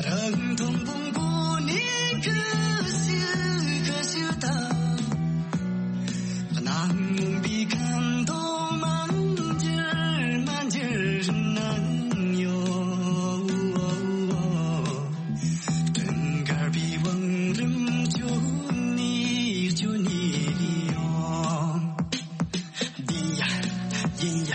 རང་མཐོང་དཔུང་པོ་ནས་ཁ་ཤི་ཁ་ཤི་དང་། གནང་མུན་པའི་ཁམས་དུ་མ་འགྱུར་མ་འགྱུར་སྣང་ཡོད། དུང་དཀར་པའི་བང་རིམ་ཁྱོད་ནི་ཁྱོད་ནི་ཡོད། ཡིན་ཡ། ཡིན་ཡ།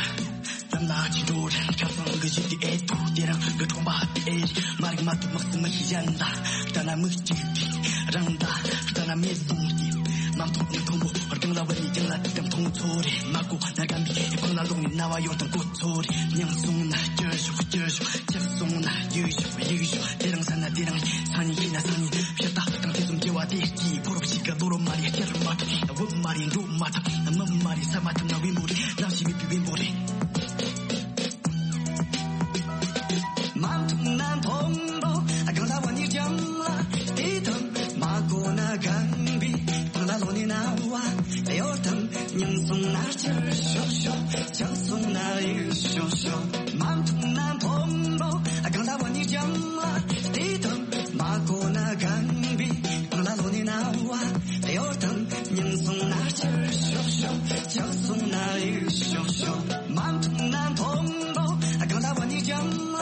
ལམ་ལ་ཅི་འགྲོ་རེད། ཁ་སང་གི་གཞི་དེ་ཨེ་ཐུག་དེ་རིང་གི་ཁྲོམ་པ་དེ་ཨེ་རེད། མ་རིག་མ་ཐུག་མི་སྲིད་མི་ཤེས་གཞན་ལ། ལྟ་ན་མི་གཅིག་དེ་རང་ད། ལྟ་ན་མེད་སོང་སྟེ། མ་མཐོང་མི་མཐོང་བོ་རྒྱང་ལ་བ་ནི་རྒྱང་ལ་དེ་ཙམ་མཐོང་ཚོ་རེད། མ་གོ་ན་རྒན་པའི་ཕང་ལ་ལོག་ནས་ན་བ་ཡོད་དང་གོ་ཚོ་རེད། མྱང་སོང་ན་སྐྱུར་ཞོག་སྐྱུར་ཞོག་ཆགས་སོང་ན་ཡུག་ཞོག་ཡུག་ཞོག་དེ་རིང་ས་ན་དེ་རིང་སང་ཉིན་ཤི་ན་སང་ཉིན་ཕྱིར་ད་དང་དེ་ཙམ་སྐྱེ་བ་དེ་སྐྱིད་ཕོ་རབ་ཞིག་ག་ལོ་རོ་མ་རེད་སྐྱེར་མ་ཐུབ་བུ་མ་རེད་འགྲོ་མ་ཐུབ་མི་མ་རེད་ས་མ་ཐུབ་ན་བེམ་པོ་རེད་ནམ་ཞིག་མི་བུ་བེམ་པོ་རེད། མ་མཐོང་ན་མཐོང་རོགས་གང་ལ་བ་ནི་ཀྱང་ལ་དེ་དང་མ་གོ་ན་གང་བི་གང་ལ་ལོ་ནི་ན་བ་ཡོད་དང་། མྱང་སོང་ན་སྐྱུར་ཤོག་ཤོག་ཆགས་སོང་ན་ཡུག་ཤོག་ཤོག་མ་མཐོང་ན་མཐོང་རོགས་གང་ལ་བ་ནི་ཀྱང་ལ་དེ་དང་མ་གོ་ན་གང་བི་གང་ལ་ལོ་ནི་ན་བ་ཡོད་དང་། མྱང་སོང་ན་སྐྱུར་ཤོག་ཤོག་ཆགས་སོང་ན་ཡུག་ཤོག་ཤོག་མ་མཐོང་ན་མཐོང་རོགས་གང་ལ་བ་ནི་ཀྱང་ལ་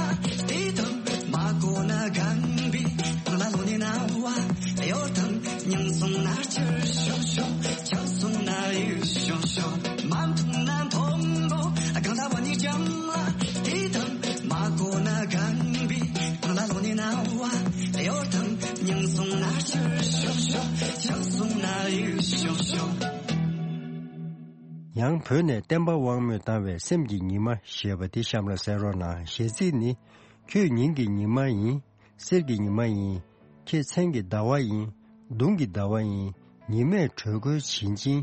དེ་དང་མ་གོ་ན་གང་བི་གང་ལ་ལོ་ནི་ན་བ་ཡོད་དང་། མྱང་སོང་ན་སྐྱུར་ཤོག་ཤོག་ཆགས་སོང་ན་ཡུག་ཤོག་ཤོག་མ་མཐོང་ན་མཐོང་རོགས་གང་ལ་བ་ནི་ཀྱང་ལ་དེ་དང་མ་གོ་ན་གང་བི་གང་ལ་ལོ་ནི་ན་བ་ཡོད་དང་། མྱང་སོང་ན་སྐྱུར་ཤོག་ཤོག་ཆགས་སོང་ན་ཡུག་ཤོག་ཤོག་ཡང་བོད་ནས་བསྟན་པ་དབང་མོས་བཏང་བའི་སེམས་ཀྱི་ཉི་མ་ཞེས་པ་འདི་གཤམ་ལ་གསན་རོགས་གནང་། གཞས་ཚིག་ནི། ཁྱོད་ཉིན་གྱི་ཉི་མ་ཡིན། གསེར་གྱི་ཉི་མ་ཡིན། ཁྱེད་མཚན་གྱི་ཟླ་བ་ཡིན། མདུང་གི་ཟླ་བ་ཡིན། ཉི་མས་དྲོད་ཁོལ་བྱིན་ཅིང་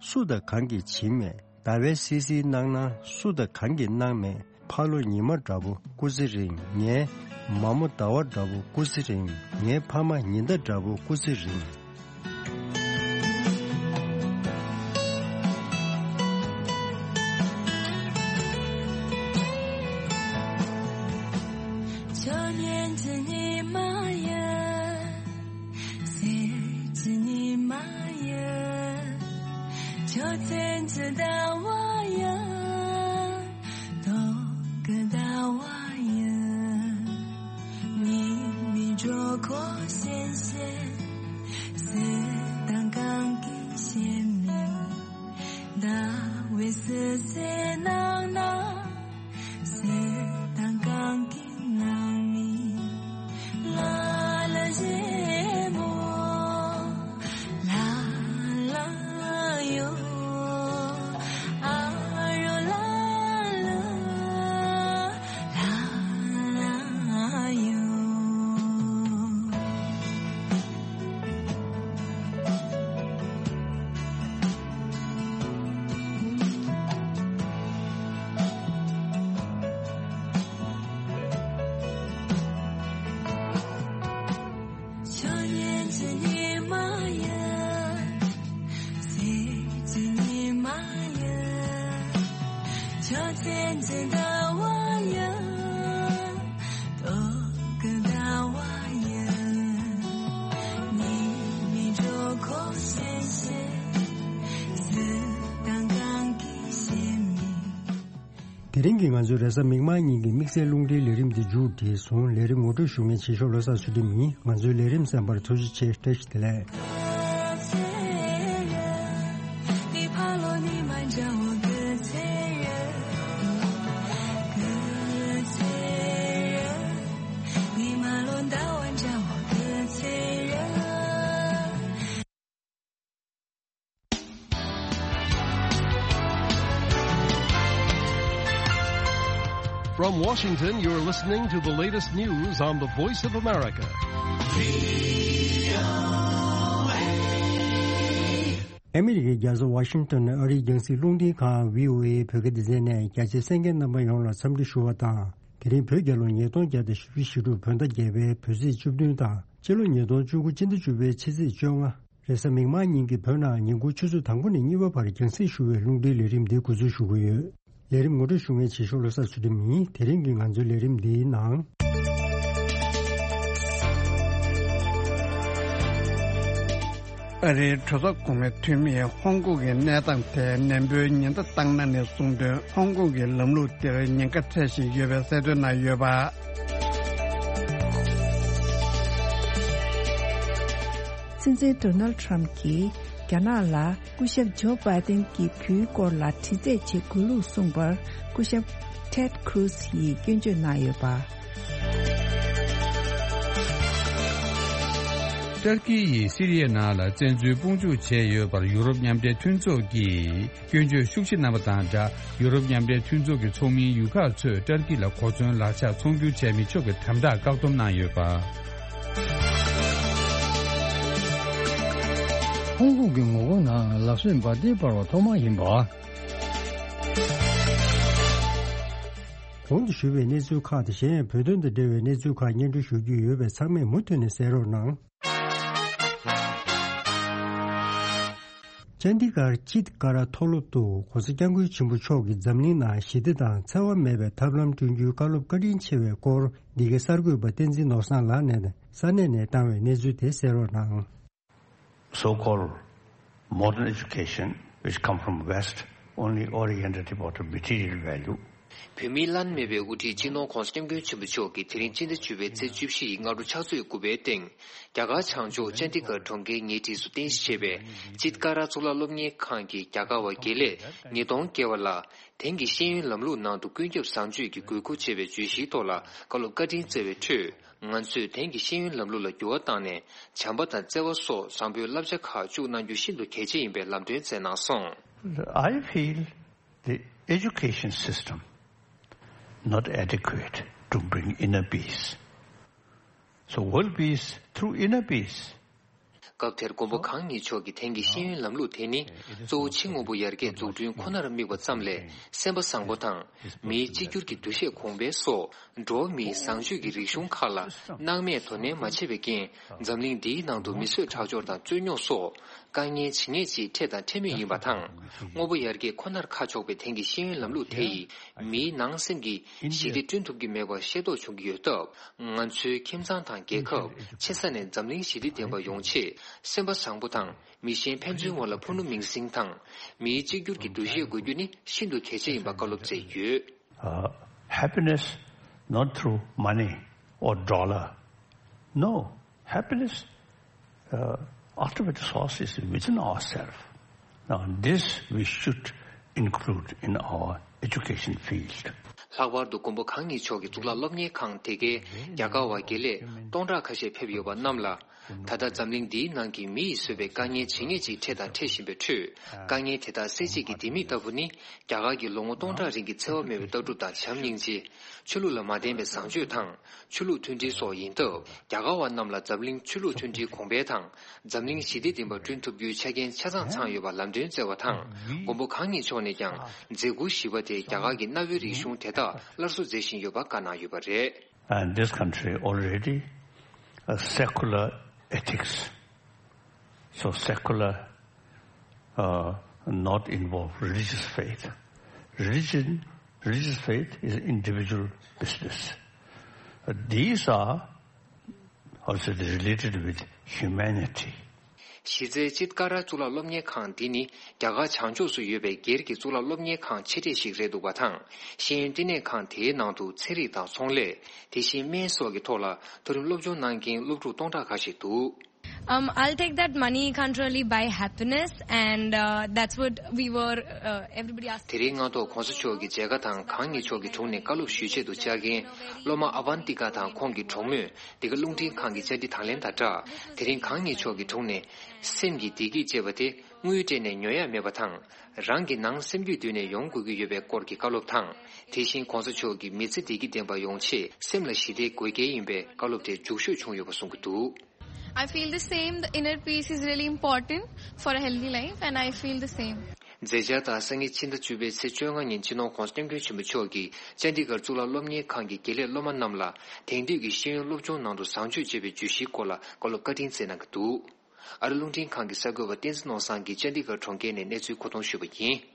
སུ་དང་གང་གིས་བྱིན་མེད། ཟླ་བས་བསིལ་བསིལ་གནང་ན་སུ་དང་གང་གིས་གནང་མེད། ཕ་ལོ་ཉི་མ་འདྲ་པོ་སྐུ་ཚེ་རིང་། ངའི་མ་མོ་ཟླ་བ་འདྲ་པོ་སྐུ་ཚེ་རིང་། ངའི་ཕ་མ་ཉི་ཟླ་འདྲ་པོ་སྐུ་ཚེ་རིང་། ཁྱོད་ཉིན་གྱི་ཉི་མ་ཡིན། གསེར་གྱི་ཉི་མ་ཡིན། ཁྱོད་མཚན་གྱི་ཟླ་བ་ཡིན། སྟོན་གྱི་ཟླ་བ་ཡིན། ཉི་མའི་འགྲོ་ཁོ་ཤེས་ཤེས། སུ་དང་གང་གིས་ཤེས་མིན། ཟླ་བས་སུ་སེ་ནང་ན། སུ་དང་གང་གིས་གནང་མིན། ལ་ལ་ཞེ་མོ། ལ་ལ་ཡོ། ཨ་རོ་ལ་ལ། ལ་ལ་ཡོ། ཁྱོད་ཉིན་གྱི་ཉི་མ་ཡིན། གསེར་གྱི་ཉི་མ་ཡིན། ཁྱོད་མཚན་གྱི་ཟླ་བ་ཡིན། དེ་རིང་གི་ང་ཚོའི་རེས་གཟའ་མིག་དམར་ཉིན་གྱི་དམིགས་བསལ་རླུང་འཕྲིན་ལས་རིམ་འདི་མཇུག་བསྒྲིལ་སོང་། ལས་རིམ་ངོ་སྤྲོད་ཞུ་མཁན་བྱེད་ཤོག་བློ་བཟང་ཚུལ་ཁྲིམས་ཡིན། ང་ཚོའི་ལས་རིམ་གསན་པར་ཐུགས་རྗེ་ཆེ། བཀྲ་ཤིས་བདེ་ལེགས། From Washington, you're listening to the latest news on the Voice of America. ཨ་མི་རི་ཀའི་རྒྱལ་ས་ཝ་ཤིང་ཏོན་ནས་ཨ་རིའི་རྒྱང་སྲིང་རླུང་འཕྲིན་ཁང་བྷི་ཨོ་ཨེ་བོད་སྐད་སྡེ་ཚན་ནས་རྒྱ་ཆེའི་གསན་མཁན་རྣམ་པ་ཡོངས་ལ་འཚམས་འདྲི་ཞུ་བ་དང་། དེ་རིང་བོད་རྒྱལ་ལོ་ཉིས་སྟོང་བརྒྱ་དང་བཞི་བཅུ་ཞེ་དྲུག་བོད་ཟླ་བརྒྱད་པའི་བོད་ཚེས་བཅུ་བདུན་དང་། སྤྱི་ལོ་ཉིས་སྟོང་བཅུ་དགུ་སྤྱི་ཟླ་བཅུ་པའི་ཕྱི་ཚེས་བཅོ་ལྔ། རེས་གཟའ་མིག་དམར་ཉིན་གྱི་བོད་ནང་ཉིན་གུང་ཆུ་ཚོད་དང་པོ་ནས་གཉིས་པ་བར་རྒྱང་སྲིང་ཞུ་བའི་རླུང་འཕྲིན་ལས་རིམ་འདི་འགོ་འཛུགས་ཞུ་གི་ཡོད། ལས་རིམ་ངོ་སྤྲོད་ཞུ་མཁན་བྱེད་ཤོག་བློ་བཟང་ཚུལ་ཁྲིམས་ཡིན། དེ་རིང་གི་ང་ཚོའི་ལས་རིམ་འདིའི་ནང་། ཨ་རིའི་གྲོས་ཚོགས་གོང་མའི་འཐུས་མིས་ཧོང་ཀོང་གི་གནས་སྟངས་ཐད་ནན་པོའི་ཉེན་བརྡ་བཏང་གནང་ནས་གསུངས་དོན། ཧོང་ཀོང་གི་ལམ་ལུགས་འདིར་ཉེན་ཁ་འཕྲད་བཞིན་ཡོད་པའི་གསལ་སྟོན་གནང་ཡོད་པ། སྲིད་འཛིན་ཌོ་ནལ་ཊམ་གྱིས་རྒྱ་ནག་ལ་སྐུ་ཞབས་ཇོ་བྷའི་ཏིན་གྱི་བུའི་སྐོར་ལ་དྲི་རྩད་བྱེད་དགོས་ལུགས་གསུངས་པར། སྐུ་ཞབས་ཊེཌ་ཁུ་རུ་སི་ཡིས་སྐྱོན་བརྗོད་གནང་ཡོད་པ། ཏུར་ཀི་ཡིས་སི་རི་ཡའི་ནང་ལ་བཙན་འཛུལ་དཔུང་འཇུག་བྱས་ཡོད་པར་ཡུ་རོབ་མཉམ་འབྲེལ་མཐུན་ཚོགས་ཀྱིས། སྐྱོན་བརྗོད་ཤུགས་ཆེ་གནང་བ་དང་སྦྲགས། ཡུ་རོབ་མཉམ་འབྲེལ་མཐུན་ཚོགས་ཀྱི་ཚོགས་མིའི་ཡུལ་ཁག་ཚོས་ཏུར་ཀི་ལ་གོ་མཚོན་ལག་ཆ་ཚོང་སྒྱུར་བྱས་མི་ཆོག་པའི་དམ་དྲག་བཀག་སྡོམ་གནང་ཡོད་པ། ཧོང་ཀོང་གི་ངོ་རྒོལ་ནང་ལག་བསོད་འབར་མདེལ་སྤར་བ་ཐོག་མ་ཡིན་པ། གོང་དུ་ཞུས་པའི་གནས་ཚུལ་ཁག་དང་གཞན་ཡང་བོད་དོན་དང་འབྲེལ་བའི་གནས་ཚུལ་ཁག་སྙན་སྒྲོན་ཞུ་རྒྱུ་ཡོད་པས་ཚང་མས་མུ་མཐུད་ནས་གསན་རོགས་གནང་། ཅན་ཌི་གྷར་ཅིད་ཀ་ར་མཐོ་སློབ་ཏུ་༧གོང་ས་༧སྐྱབས་མགོན་ཆེན་པོ་མཆོག་གིས་འཛམ་གླིང་ནང་ཞི་བདེ་དང་འཚེ་བ་མེད་པའི་ཐབས་ལམ་བསྐྲུན་རྒྱུའི་བཀའ་སློབ་བཀའ་དྲིན་ཆེ་བའི་སྐོར། འདི་གའི་གསར་འགོད་པ་བསྟན་འཛིན་ནོར་བཟང་ལགས་ནས་ས་གནས་ནས་བཏང་བའི་གནས་ཚུལ་དེ་གསན་རོགས་གནང་། So-called modern education, which come from West, only oriented about material value. བོད་མིའི་བླ་ན་མེད་པའི་དབུ་ཁྲིད་སྤྱི་ནོར་༧གོང་ས་༧སྐྱབས་མགོན་ཆེན་པོ་མཆོག་གིས་དེ་རིང་སྤྱི་ཟླ་བཅུ་པའི་ཚེས་བཅུ་བཞི་ཡི་སྔ་དྲོ་ཕྱག་ཚོད་དགུ་པའི་སྟེང་། རྒྱ་གར་བྱང་ཕྱོགས་ཅན་ཌི་གྷར་གྲོང་ཁྱེར་ཉེ་འཁྲིས་སུ་རྟེན་གཞི་བྱས་པའི་ཅིད་ཀ་ར་གཙུག་ལག་སློབ་གཉེར་ཁང་གི་རྒྱ་གར་བ་དགེ་ལས་ཉིས་སྟོང་བརྒལ་བ་ལ། དེང་གི་ཤེས་ཡོན་ལམ་ལུགས་ནང་དུ་ཀུན་ཁྱབ་བཟང་སྤྱོད་ཀྱི་དགོས་མཁོ་ཅེས་པའི་བརྗོད་གཞིའི་ཐོག་ལ་བཀའ་སློབ་བཀའ་དྲིན་སྩལ་བའི་ཁྲོད། ང་ཚོས་དེང་གི་ཤེས་ཡོན་ལམ་ལུགས་ལ་འགྱུར་བ་བཏང་ནས། བྱམས་པ་དང་བརྩེ་བ་སོགས་བཟང་པོའི་བསླབ་བྱ་ཁག་བཅུག་གནང་རྒྱུ་ཤིན་ཏུ་གལ་ཆེ་ཡིན་པའི་ལམ་སྟོན་སྩལ་གནང་སོང་། I feel the education system not adequate to bring inner peace. So world peace through inner peace. སྐབས་དེར་མགོན་པོ་གང་ཉིད་མཆོག་གིས་དེང་གི་ཤེས་ཡོན་ལམ་ལུགས་དེ་ནི་གཙོ་བོ་ཕྱི་དངོས་པོ་ཡར་རྒྱས་འཛུགས་སྐྲུན་ཁོ་ནར་དམིགས་པ་ཙམ་ལས། སེམས་པ་བཟང་པོ་དང་། མིའི་གཅིག་གྱུར་གྱི་འདུ་ཤེས་གོང་འཕེལ་སོགས། འགྲོ་བ་མིའི་བཟང་སྤྱོད་ཀྱི་རིག་གཞུང་ཁག་ལ་སྣང་མེད་དོ་ནན་མ་བྱས་པའི་རྐྱེན། འཛམ་གླིང་འདིའི་ནང་དུ་མི་གསོད་ཁྲག་སྦྱོར་དང་རྩོད་རྙོག་སོགས། དཀའ་ངལ་ཇི་སྙེད་ཅིག་འཕྲད་དང་འཕྲད་མུས་ཡིན་པ་དང་། དངོས་པོ་ཡར་རྒྱས་ཁོ་ནར་ཁ་ཕྱོགས་པའི་དེང་གི་ཤེས་ཡོན་ལམ་ལུགས་དེ་ཡིས། མིའི་ནང་སེམས་ཀྱི་ཞི་བདེ་བསྐྲུན་ཐུབ་ཀྱི་མེད་པ་ཤེས་རྟོགས་བྱུང་གི་ཡོད་སྟབས། ང་ཚོའི་ཁྱིམ་ཚང་དང་རྒྱལ་ཁབ། ཆེ་ས་ནས་འཛམ་གླིང་ཞི་བདེ་ལྡན་པ་ཡོང་ཆེད། སེམས་པ་བཟང་པོ་དང་། མི་གཞན་ཕན་ཚུན་དབར་ལ་ཕུ་ནུ་མིང་སྲིང་དང་། མིའི་གཅིག་གྱུར་གྱི་འདུ་ཤེས་དགོས་རྒྱུ་ནི་ཤིན་ཏུ་གལ་ཆེ་ཡིན་པ་བཀའ་སློབ་སྩལ་ཡོད། Uh, happiness not through money or dollar. No, happiness, uh, ultimate source is within ourselves. Now, this we should include in our education field. ལྷག་པར་དུ་མགོན་པོ་གང་ཉིད་མཆོག་གི་གཙུག་ལག་སློབ་གཉེར་ཁང་དེ་གའི་རྒྱ་གར་བ་དགེ་ལས་སྟོང་ཕྲག་ཁ་ཤས་ཕེབས་ཡོད་པ་རྣམས་ལ། ད་ལྟ་འཛམ་གླིང་འདིའི་ནང་གི་མི་ཡིས་བཟོས་པའི་དཀའ་ངལ་ཇི་སྙེད་ཅིག་འཕྲད་དང་འཕྲད་བཞིན་པའི་ཁྲོད། དཀའ་ངལ་དེ་དག་སེལ་བྱེད་ཀྱི་ལྡེ་མིག་ལྟ་བུ་ནི། རྒྱ་གར་གྱི་ལོ་ངོ་སྟོང་ཕྲག་རིང་གི་འཚེ་བ་མེད་པའི་ལྟ་གྲུབ་དང་བྱམས་སྙིང་རྗེ། ཆོས་ལུགས་ལ་མ་བརྟེན་པའི་བཟང་སྤྱོད་དང་། ཆོས་ལུགས་མཐུན་སྒྲིལ་སོགས་ཡིན་སྟབས། རྒྱ་གར་བ་རྣམས་ལ་འཛམ་གླིང་ཆོས་ལུགས་མཐུན་སྒྲིལ་གོང་འཕེལ་དང་། འཛམ་གླིང་ཞི་བདེ་ལྡན་པ་བསྐྲུན་ཐུབ་རྒྱུའི་ཆ་རྐྱེན་ཆ་ཚང་ཚང་ཡོད་པ་ལམ་སྟོན་སྩལ་བ་དང་། མགོན་པོ་གང་ཉིད་མཆོག་ནས་ཀྱང་། མཛད་ཁུར་བཞི་པ་དེ་རྒྱ་གར་གྱི་གནའ་བོའི་རིག་གཞུང་དེ་དག་སླར་གསོ་མཛད་བཞིན་ཡོད་པ་བཀའ་གནང་ཡོད་པ་རེད། And this country already a secular ethics. So secular, uh, not involve religious faith. Religion, religious faith is individual business. Uh, these are also related with humanity. གཞི་རྩའི་ཅིད་ཀ་ར་གཙུག་ལག་སློབ་གཉེར་ཁང་འདི་ནི་རྒྱ་གར་བྱང་ཕྱོགས་སུ་ཡོད་པའི་སྒེར་གྱི་གཙུག་ལག་སློབ་གཉེར་ཁང་ཆེ་གྲས་ཤིག་རེད་འདུག་པ་དང་། ཤེས་ཡོན་བསྟི་གནས་ཁང་དེའི་ནང་དུ་ཚན་རིག་དང་ཚོང་ལས། དེ་བཞིན་སྨན་སོགས་ཀྱི་ཐོག་ལ་མཐོ་རིམ་སློབ་སྦྱོང་གནང་མཁན་སློབ་ཕྲུག་སྟོང་ཕྲག་ཁ་ཤས་འདུག། Um, I'll take that money can't really buy happiness, and uh, that's what we were. Uh, everybody asked. དེ་རིང་སྔ་ཐོག་གོང་ས་མཆོག་གི་མཇལ་ཁ་དང་གང་ཉིད་མཆོག་གི་དྲུང་ནས་བཀའ་སློབ་ཞུས་ཆེད་དུ་བཅར་མཁན་སློབ་མ་ཨ་བན་ཏི་ཀ་དང་ཁོང་གི་གྲོགས་མོས། འདི་ག་རླུང་འཕྲིན་ཁང་གི་བཅར་འདྲི་དང་ལེན་དང་སྦྲགས། དེ་རིང་གང་ཉིད་མཆོག་གི་དྲུང་ནས། སེམས་ཀྱི་བདེ་སྐྱིད་ཅེས་པ་དེ་དངུལ་སྤྲད་ནས་ཉོ་ཡ་མེད་པ་དང་། རང་གི་ནང་སེམས་རྒྱུད་བསྡུས་ནས་ཡོང་དགོས་ཀྱི་ཡོད་པའི་སྐོར་གྱི་བཀའ་སློབ་དང་། དེ་བཞིན་གོང་ས་མཆོག་གིས་མི་ཚེ་བདེ་སྐྱིད་ལྡན་པ་ཡོང་ཆེད་སེམས་ལ་ཞི་བདེ་དགོས་གལ་ཡིན་པའི་བཀའ་སློབ་དེ་མཇུག་ཤོས་བྱུང་ཡོད་པ་གསུང་གི་འདུག། I feel the same. The inner peace is really important for a healthy life, and I feel the same. མཛད་འཆར་དང་སང་ཉིན་ཕྱི་ཟླ་བཅུ་པའི་ཚེས་བཅོ་ལྔ་ཉིན་སྤྱི་ནོར་༧གོང་ས་༧སྐྱབས་མགོན་ཆེན་པོ་མཆོག་གིས་ཅན་ཌི་གྷར་གཙུག་ལག་སློབ་གཉེར་ཁང་གི་དགེ་ལས་སློབ་མ་རྣམས་ལ་དེང་དུས་ཀྱི་ཤེས་ཡོན་སློབ་སྦྱོང་ནང་དུ་བཟང་སྤྱོད་ཅེས་པའི་བརྗོད་གཞིའི་སྐོར་ལ་བཀའ་སློབ་བཀའ་དྲིན་སྩལ་གནང་གི་འདུག། ཨ་རི་རླུང་འཕྲིན་ཁང་གི་གསར་འགོད་པ་བསྟན་འཛིན་ནོར་བཟང་གིས་ཅན་ཌི་གྷར་གྲོང་ཁྱེར་ནས་གནས་ཚུལ་མཁོ་གཏོང་ཞུས་པ་ཡིན།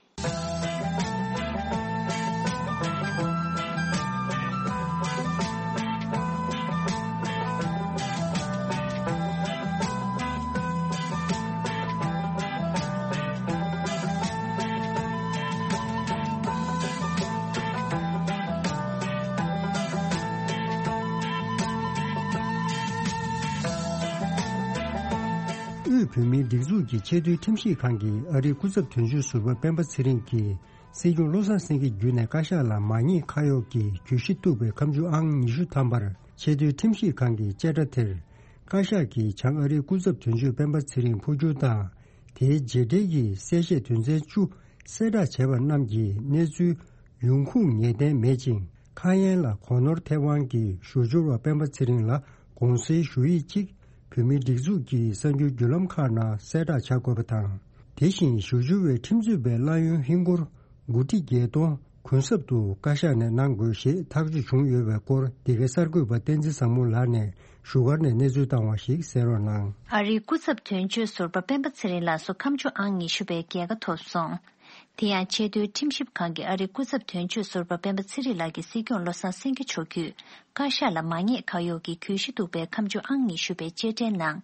དབུས་བོད་མིའི་སྒྲིག་འཛུགས་ཀྱི་ཆེས་མཐོའི་ཁྲིམས་ཞིབ་ཁང་གིས་ཨ་རིའི་སྐུ་ཚབ་དོན་གཅོད་ཟུར་པ་སྤེན་པ་ཚེ་རིང་གིས་སྲིད་སྐྱོང་བློ་བཟང་སེང་གེ་བརྒྱུད་ནས་བཀའ་ཤག་ལ་མ་ཉེས་ཁ་གཡོགས་ཀྱི་གྱོད་གཞི་གཏུགས་པའི་ཁ་མཆུ་ཨང་ཉི་ཤུ་ཐམ་པར་ཆེས་མཐོའི་ཁྲིམས་ཞིབ་ཁང་གི་བཅད་ཁྲ་དེར། བཀའ་ཤག་གིས་བྱང་ཨ་རིའི་སྐུ་ཚབ་དོན་གཅོད་སྤེན་པ་ཚེ་རིང་འཕོ་འགྱུར་དང་། དེའི་རྗེས་འབྲེལ་གྱི་གསལ་བཤད་དོན་ཚན་བཅུ་གསལ་བསྒྲགས་བྱས་པ་རྣམས་ཀྱི་གནས་ཚུལ་ཡོང་ཁུངས་ངེས་གཏན་མེད་ཅིང་། ཁ་ཡན་ལ་གོ་ནོར་ཐེབས་དབང་གིས་ཞུ་སྦྱོར་བ་སྤེན་པ་ཚེ་རིང་ལ་དགོངས་སེལ་ཞུ་ཡིག་ཅིག་བོད་མིའི་སྒྲིག་འཛུགས་ཀྱི་གསར་འགྱུར་བརྒྱུད་ལམ་ཁག་ནང་གསལ་བསྒྲགས་བྱ་དགོས་པ་དང་། དེ་བཞིན་ཞུ་སྦྱོར་བའི་ཁྲིམས་རྩོད་པའི་གླ་ཡོན་ཧིན་སྒོར་དགུ་ཁྲི་བརྒྱད་སྟོང་གུན་གསབ་ཏུ་བཀའ་ཤག་ནས་གནང་དགོས་ཞེས་ཐག་གཅོད་བྱུང་ཡོད་པའི་སྐོར། འདི་གའི་གསར་འགོད་པ་བསྟན་འཛིན་བཟང་མོ་ལགས་ནས་བཞུགས་སྒར་ནས་གནས་ཚུལ་བཏང་བ་ཞིག་གསན་རོགས་གནང་། ཨ་རིའི་སྐུ་ཚབ་དོན་གཅོད་ཟུར་པ་སྤེན་པ་ཚེ་རིང་ལགས་སུ་ཁ་མཆུ་ཨང་ཉི་ཤུ་པའི་རྒྱལ་ཁ་ཐོབ་སོང་། དེ་ཡང་ཆེས་མཐོའི་ཁྲིམས་ཞིབ་ཁང་གིས་ཨ་རིའི་སྐུ་ཚབ་དོན་གཅོད་ཟུར་པ་སྤེན་པ་ཚེ་རིང་ལགས་ཀྱི་སྲིད་སྐྱོང་བློ་བཟང་སེང་གེ་མཆོག་བརྒྱུད་བཀའ་ཤག་ལ་མ་ཉེས་ཁ་གཡོགས་ཀྱི་གྱོད་གཞི་གཏུགས་པའི་ཁ་མཆུ་ཨང་ཉི་ཤུ་པའི་བཅད་ཁྲའི་ནང་།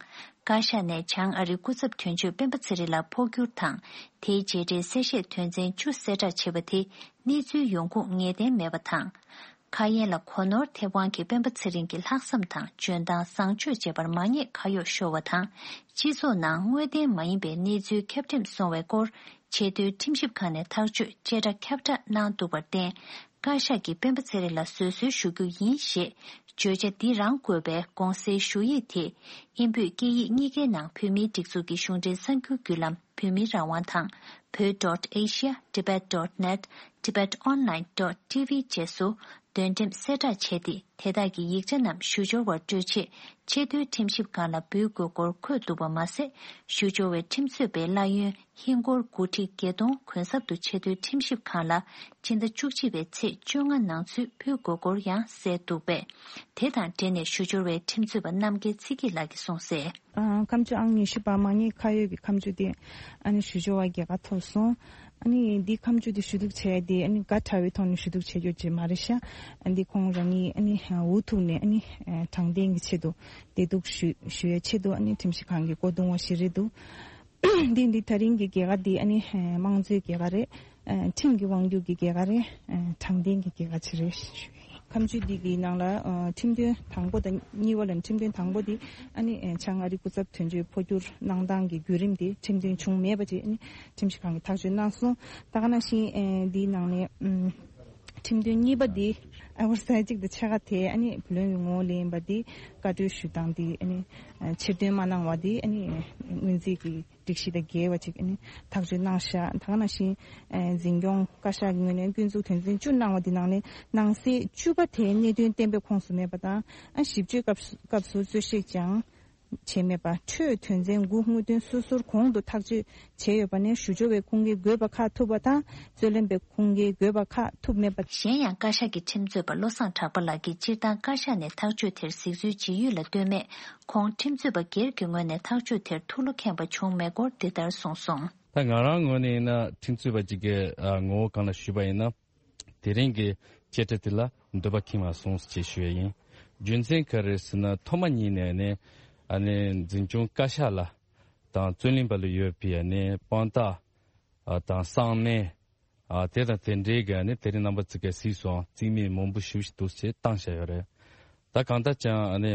བཀའ་ཤག་ནས་བྱང་ཨ་རིའི་སྐུ་ཚབ་དོན་གཅོད་སྤེན་པ་ཚེ་རིང་ལ་འཕོ་འགྱུར་དང་། དེའི་རྗེས་འབྲེལ་གསལ་བཤད་དོན་ཚན་བཅུ་གསལ་བསྒྲགས་བྱས་པ་དེ་གནས་ཚུལ་ཡོང་ཁུངས་ངེས་གཏན་མེད་པ་དང་། ཁ་ཡན་ལ་གོ་ནོར་ཐེབས་དབང་གིས་སྤེན་པ་ཚེ་རིང་གི་ལྷག་བསམ་དང་འཇོན་ཐང་བཟང་སྤྱོད་བཅས་པར་མ་ཉེས་ཁ་གཡོགས་ཤོར་བ་དང་། སྤྱི་ཚོགས་ནང་དངོས་བདེན་མ་ཡིན་པའི་གནས་ཚུལ་ཁྱབ་འགྲེམས་སོང་བའི་སྐོར། ཆེས་མཐོའི་ཁྲིམས་ཞིབ་ཁང་ནས་ཐག་གཅོད་བཅད་ཁྲ་ཁྱབ་བསྒྲགས་གནང་འདུག་པར་བརྟེན། བཀའ་ཤག་གིས་སྤེན་པ་ཚེ་རིང་ལ་བཟོད་གསོལ་ཞུ་རྒྱུ་ཡིན་ཞེས་བརྗོད་བྱ་འདི་རང་བཀོད་པའི་དགོངས་སེལ་ཞུ་ཡིག་དེ་དབྱིན་བོད་སྐད་ཡིག་གཉིས་ཀའི་ནང་བོད་མིའི་སྒྲིག་འཛུགས་ཀྱི་གཞུང་འབྲེལ་གསར་འགྱུར་བརྒྱུད་ལམ་བོད་མིའི་རང་དབང་དང་བོད་dot asia tibet dot net tibet online dot tv བཅས་སུ་འདོན་འགྲེམས་གསལ་བསྒྲགས་བྱས་ཏེ། དེ་དག་གི་ཡིག་ཆ་རྣམས་ཞུ་སྦྱོར་བར་སྤྲོད་ཆེད་ཆེས་མཐོའི་ཁྲིམས་ཞིབ་ཁང་ལ་འབུལ་དགོས་སྐོར་འཁོད་འདུག་པ་མ་ཟད། ཞུ་སྦྱོར་བའི་ཁྲིམས་རྩོད་པའི་གླ་ཡོན་ཧིན་སྒོར་དགུ་ཁྲི་བརྒྱད་སྟོང་གུན་གསབ་ཏུ་ཆེས་མཐོའི་ཁྲིམས་ཞིབ་ཁང་ལ་ཕྱི་ཟླ་བཅུ་གཅིག་པའི་ཚེས་བཅོ་ལྔ་ནང་ཚུད་ཕུལ་དགོས་སྐོར་ཡང་གསལ་འདུག་པས། དེ་དང་འབྲེལ་ནས་ཞུ་སྦྱོར་བའི་ཁྲིམས་རྩོད་པ་རྣམ་རྒྱལ་ཚེ་སྐྱིད་ལགས་ཀྱིས་གསུངས་གསལ། ཨ། ཁ་མཆུ་ཨང་ཉི་ཤུ་པ་མ་ཉེས་ཁ་གཡོགས་ཀྱི་ཁ་མཆུ་དེ་ཨ་ནི་ཞུ་སྦྱོར་བ་རྒྱལ་ཁ་ཐོབ་སོང་། ཨ་ནི་འདི་ཁ་མཆུ་དེ་ཞུ་གཏུག་བྱས་ཏེ་ཨ་ནི་དགའ་དྲགས་པའི་ཐོག་ནས་ཞུ་གཏུག་བྱས་ཡོད་ཅེས་མ་རེད་ཤག། ཨ་འདི་ཁོང་རང་ཉིད་ཨ་ནི་འུ་ཐུག་ནས་ཨ་ནི་དྲང་བདེན་གྱི་ཆེད་དུ་བདེ་སྡུག་ཞུ་ཞུ་ཡའི་ཆེད་དུ་ཨ་ནི་ཁྲིམས་ཞིབ་ཁང་གི་སྐུ་གདུང་བ་ཞིག་རེད་འདུག། འདི་འདི་ད་རིང་གི་རྒྱལ་ཁ་འདི་ཨ་ནི་དམངས་གཙོའི་རྒྱལ་ཁ་རེད། ཁྲིམས་ཀྱི་དབང་སྒྱུར་གྱི་རྒྱལ་ཁ་རེད། དྲང་བདེན་གྱི་རྒྱལ་ཁ་ཅིག་རེད། ཁ་མཆུ་འདི་གི་ནང་ལ་ཁྲིམས་དོན་དང་པོ་དང་གཉིས་པ་ལ་ཁྲིམས་དོན་དང་པོ་འདི་ཨ་ནི་བྱང་ཨ་རི་སྐུ་ཚབ་དོན་གཅོད་འཕོ་འགྱུར་གནང་སྟངས་ཀྱི་བརྒྱུད་རིམ་དེ་ཁྲིམས་དོན་བྱུང་མེད་པ་ཅིག་ཨ་ནི་ཁྲིམས་ཞིབ་ཁང་གིས་ཐག་གཅོད་གནང་སོང་། ད་ག་ནང་བཞིན་འདིའི་ནང་ནས་ཁྲིམས་དོན་གཉིས་པ་འདི་ཨ་བར་ས་གཅིག་དང་ཕྱེད་ཀ་དེ་ཨ་ནི་བུ་ལོན་གྱི་ངོ་བོ་ལེན་པ་འདི་བཀའ་འཁྲོལ་ཞུ་སྟངས་འདི་ཨ་ནི་ཕྱིར་འདོན་མ་གནང་བ་འདི་ཨ་ནི་སྔོན་རྩིས་ཀྱི་སྒྲིག་གཞི་དང་འགལ་བ་ཅིག་ཨ་ནི་ཐག་གཅོད་གནང་ཤག། ད་ག་ནང་བཞིན་འཛིན་སྐྱོང་བཀའ་ཤག་གི་ངོས་ནས་སྐྱོན་འཛུགས་དོན་ཚན་བཅུ་གནང་བ་འདི་ནང་ནས་ནང་གསེས་བཅུ་པ་དེ་གནད་དོན་གཏན་འབེབས་ཁོངས་སུ་མེད་པ་དང་། ཨ་ཞིབ་དཔྱོད་སྐབས་སུ་སྐབས་སུ་རྩོད་བཤེར་ཀྱང་བྱས་མེད་པ། འཕྲོས་དོན་ཚན་དགུ་དངོས་དོན་སོ་སོར་གོང་དུ་ཐག་གཅོད་བྱས་ཡོད་པ་ནས་ཞུ་སྦྱོར་བའི་ཁུངས་སྐྱེལ་དགོས་པ་ཁག་ཐུབ་པ་དང་། རྩོད་ལེན་པའི་ཁུངས་སྐྱེལ་དགོས་པ་ཁག་ཐུབ་མེད་པ། གཞན་ཡང་བཀའ་ཤག་གི་ཁྲིམས་རྩོད་པ་བློ་བཟང་གྲགས་པ་ལགས་ཀྱིས་སྤྱིར་བཏང་བཀའ་ཤག་ནས་ཐག་གཅོད་དེར་གཟིགས་ཚུལ་ཇི་ཡོད་ལ་ལྟོས་མེད། ཁོང་ཁྲིམས་རྩོད་པ་སྒེར་གྱི་ངོས་ནས་ཐག་གཅོད་དེར་ཐུགས་བློ་ཁེངས་པ་བྱུང་མེད་སྐོར་འདི་ལྟར་གསུངས་སོང་། ད་ང་རང་ངོས་ནས་ཡིན་ན་ཁྲིམས་རྩོད་པ་གཅིག་གི་ཨ་ངོ་བོ་སྒང་ལ་ཞུས་པ་ཡིན་ན། དེ་རིང་གི་བཅད་ཁྲ་དེ་ལ་འདོད་པ་ཁེངས་པ་སོང་ཞེས་ཞུ་ཡ་ཡིན། རྒྱུ་མཚན་ག་རེ་ཟེར་ན་ཐོག་མ་ཉིད་ནས་ནི་ཨ་ནི་འཛིན་སྐྱོང་བཀའ་ཤག་ལ་ དང་རྩོད་གླེང་པ་ལ་ཡོད་པའི་ནི་དཔང་རྟགས་དང་གསང་གནས། ཨ། དེ་དང་དེ་འདྲའི་གི་ནི་དེ་རིང་རྣམ་པ་ཚོ་གིས་གཟིགས་སོང་། རྩིས་མེད་མང་པོ་ཞེ་པོ་ཞིག་འདུག་ཅེས་བཏང་བཞག་ཡོད་རེད། ད་གང་ལྟར་ཀྱང་ནི་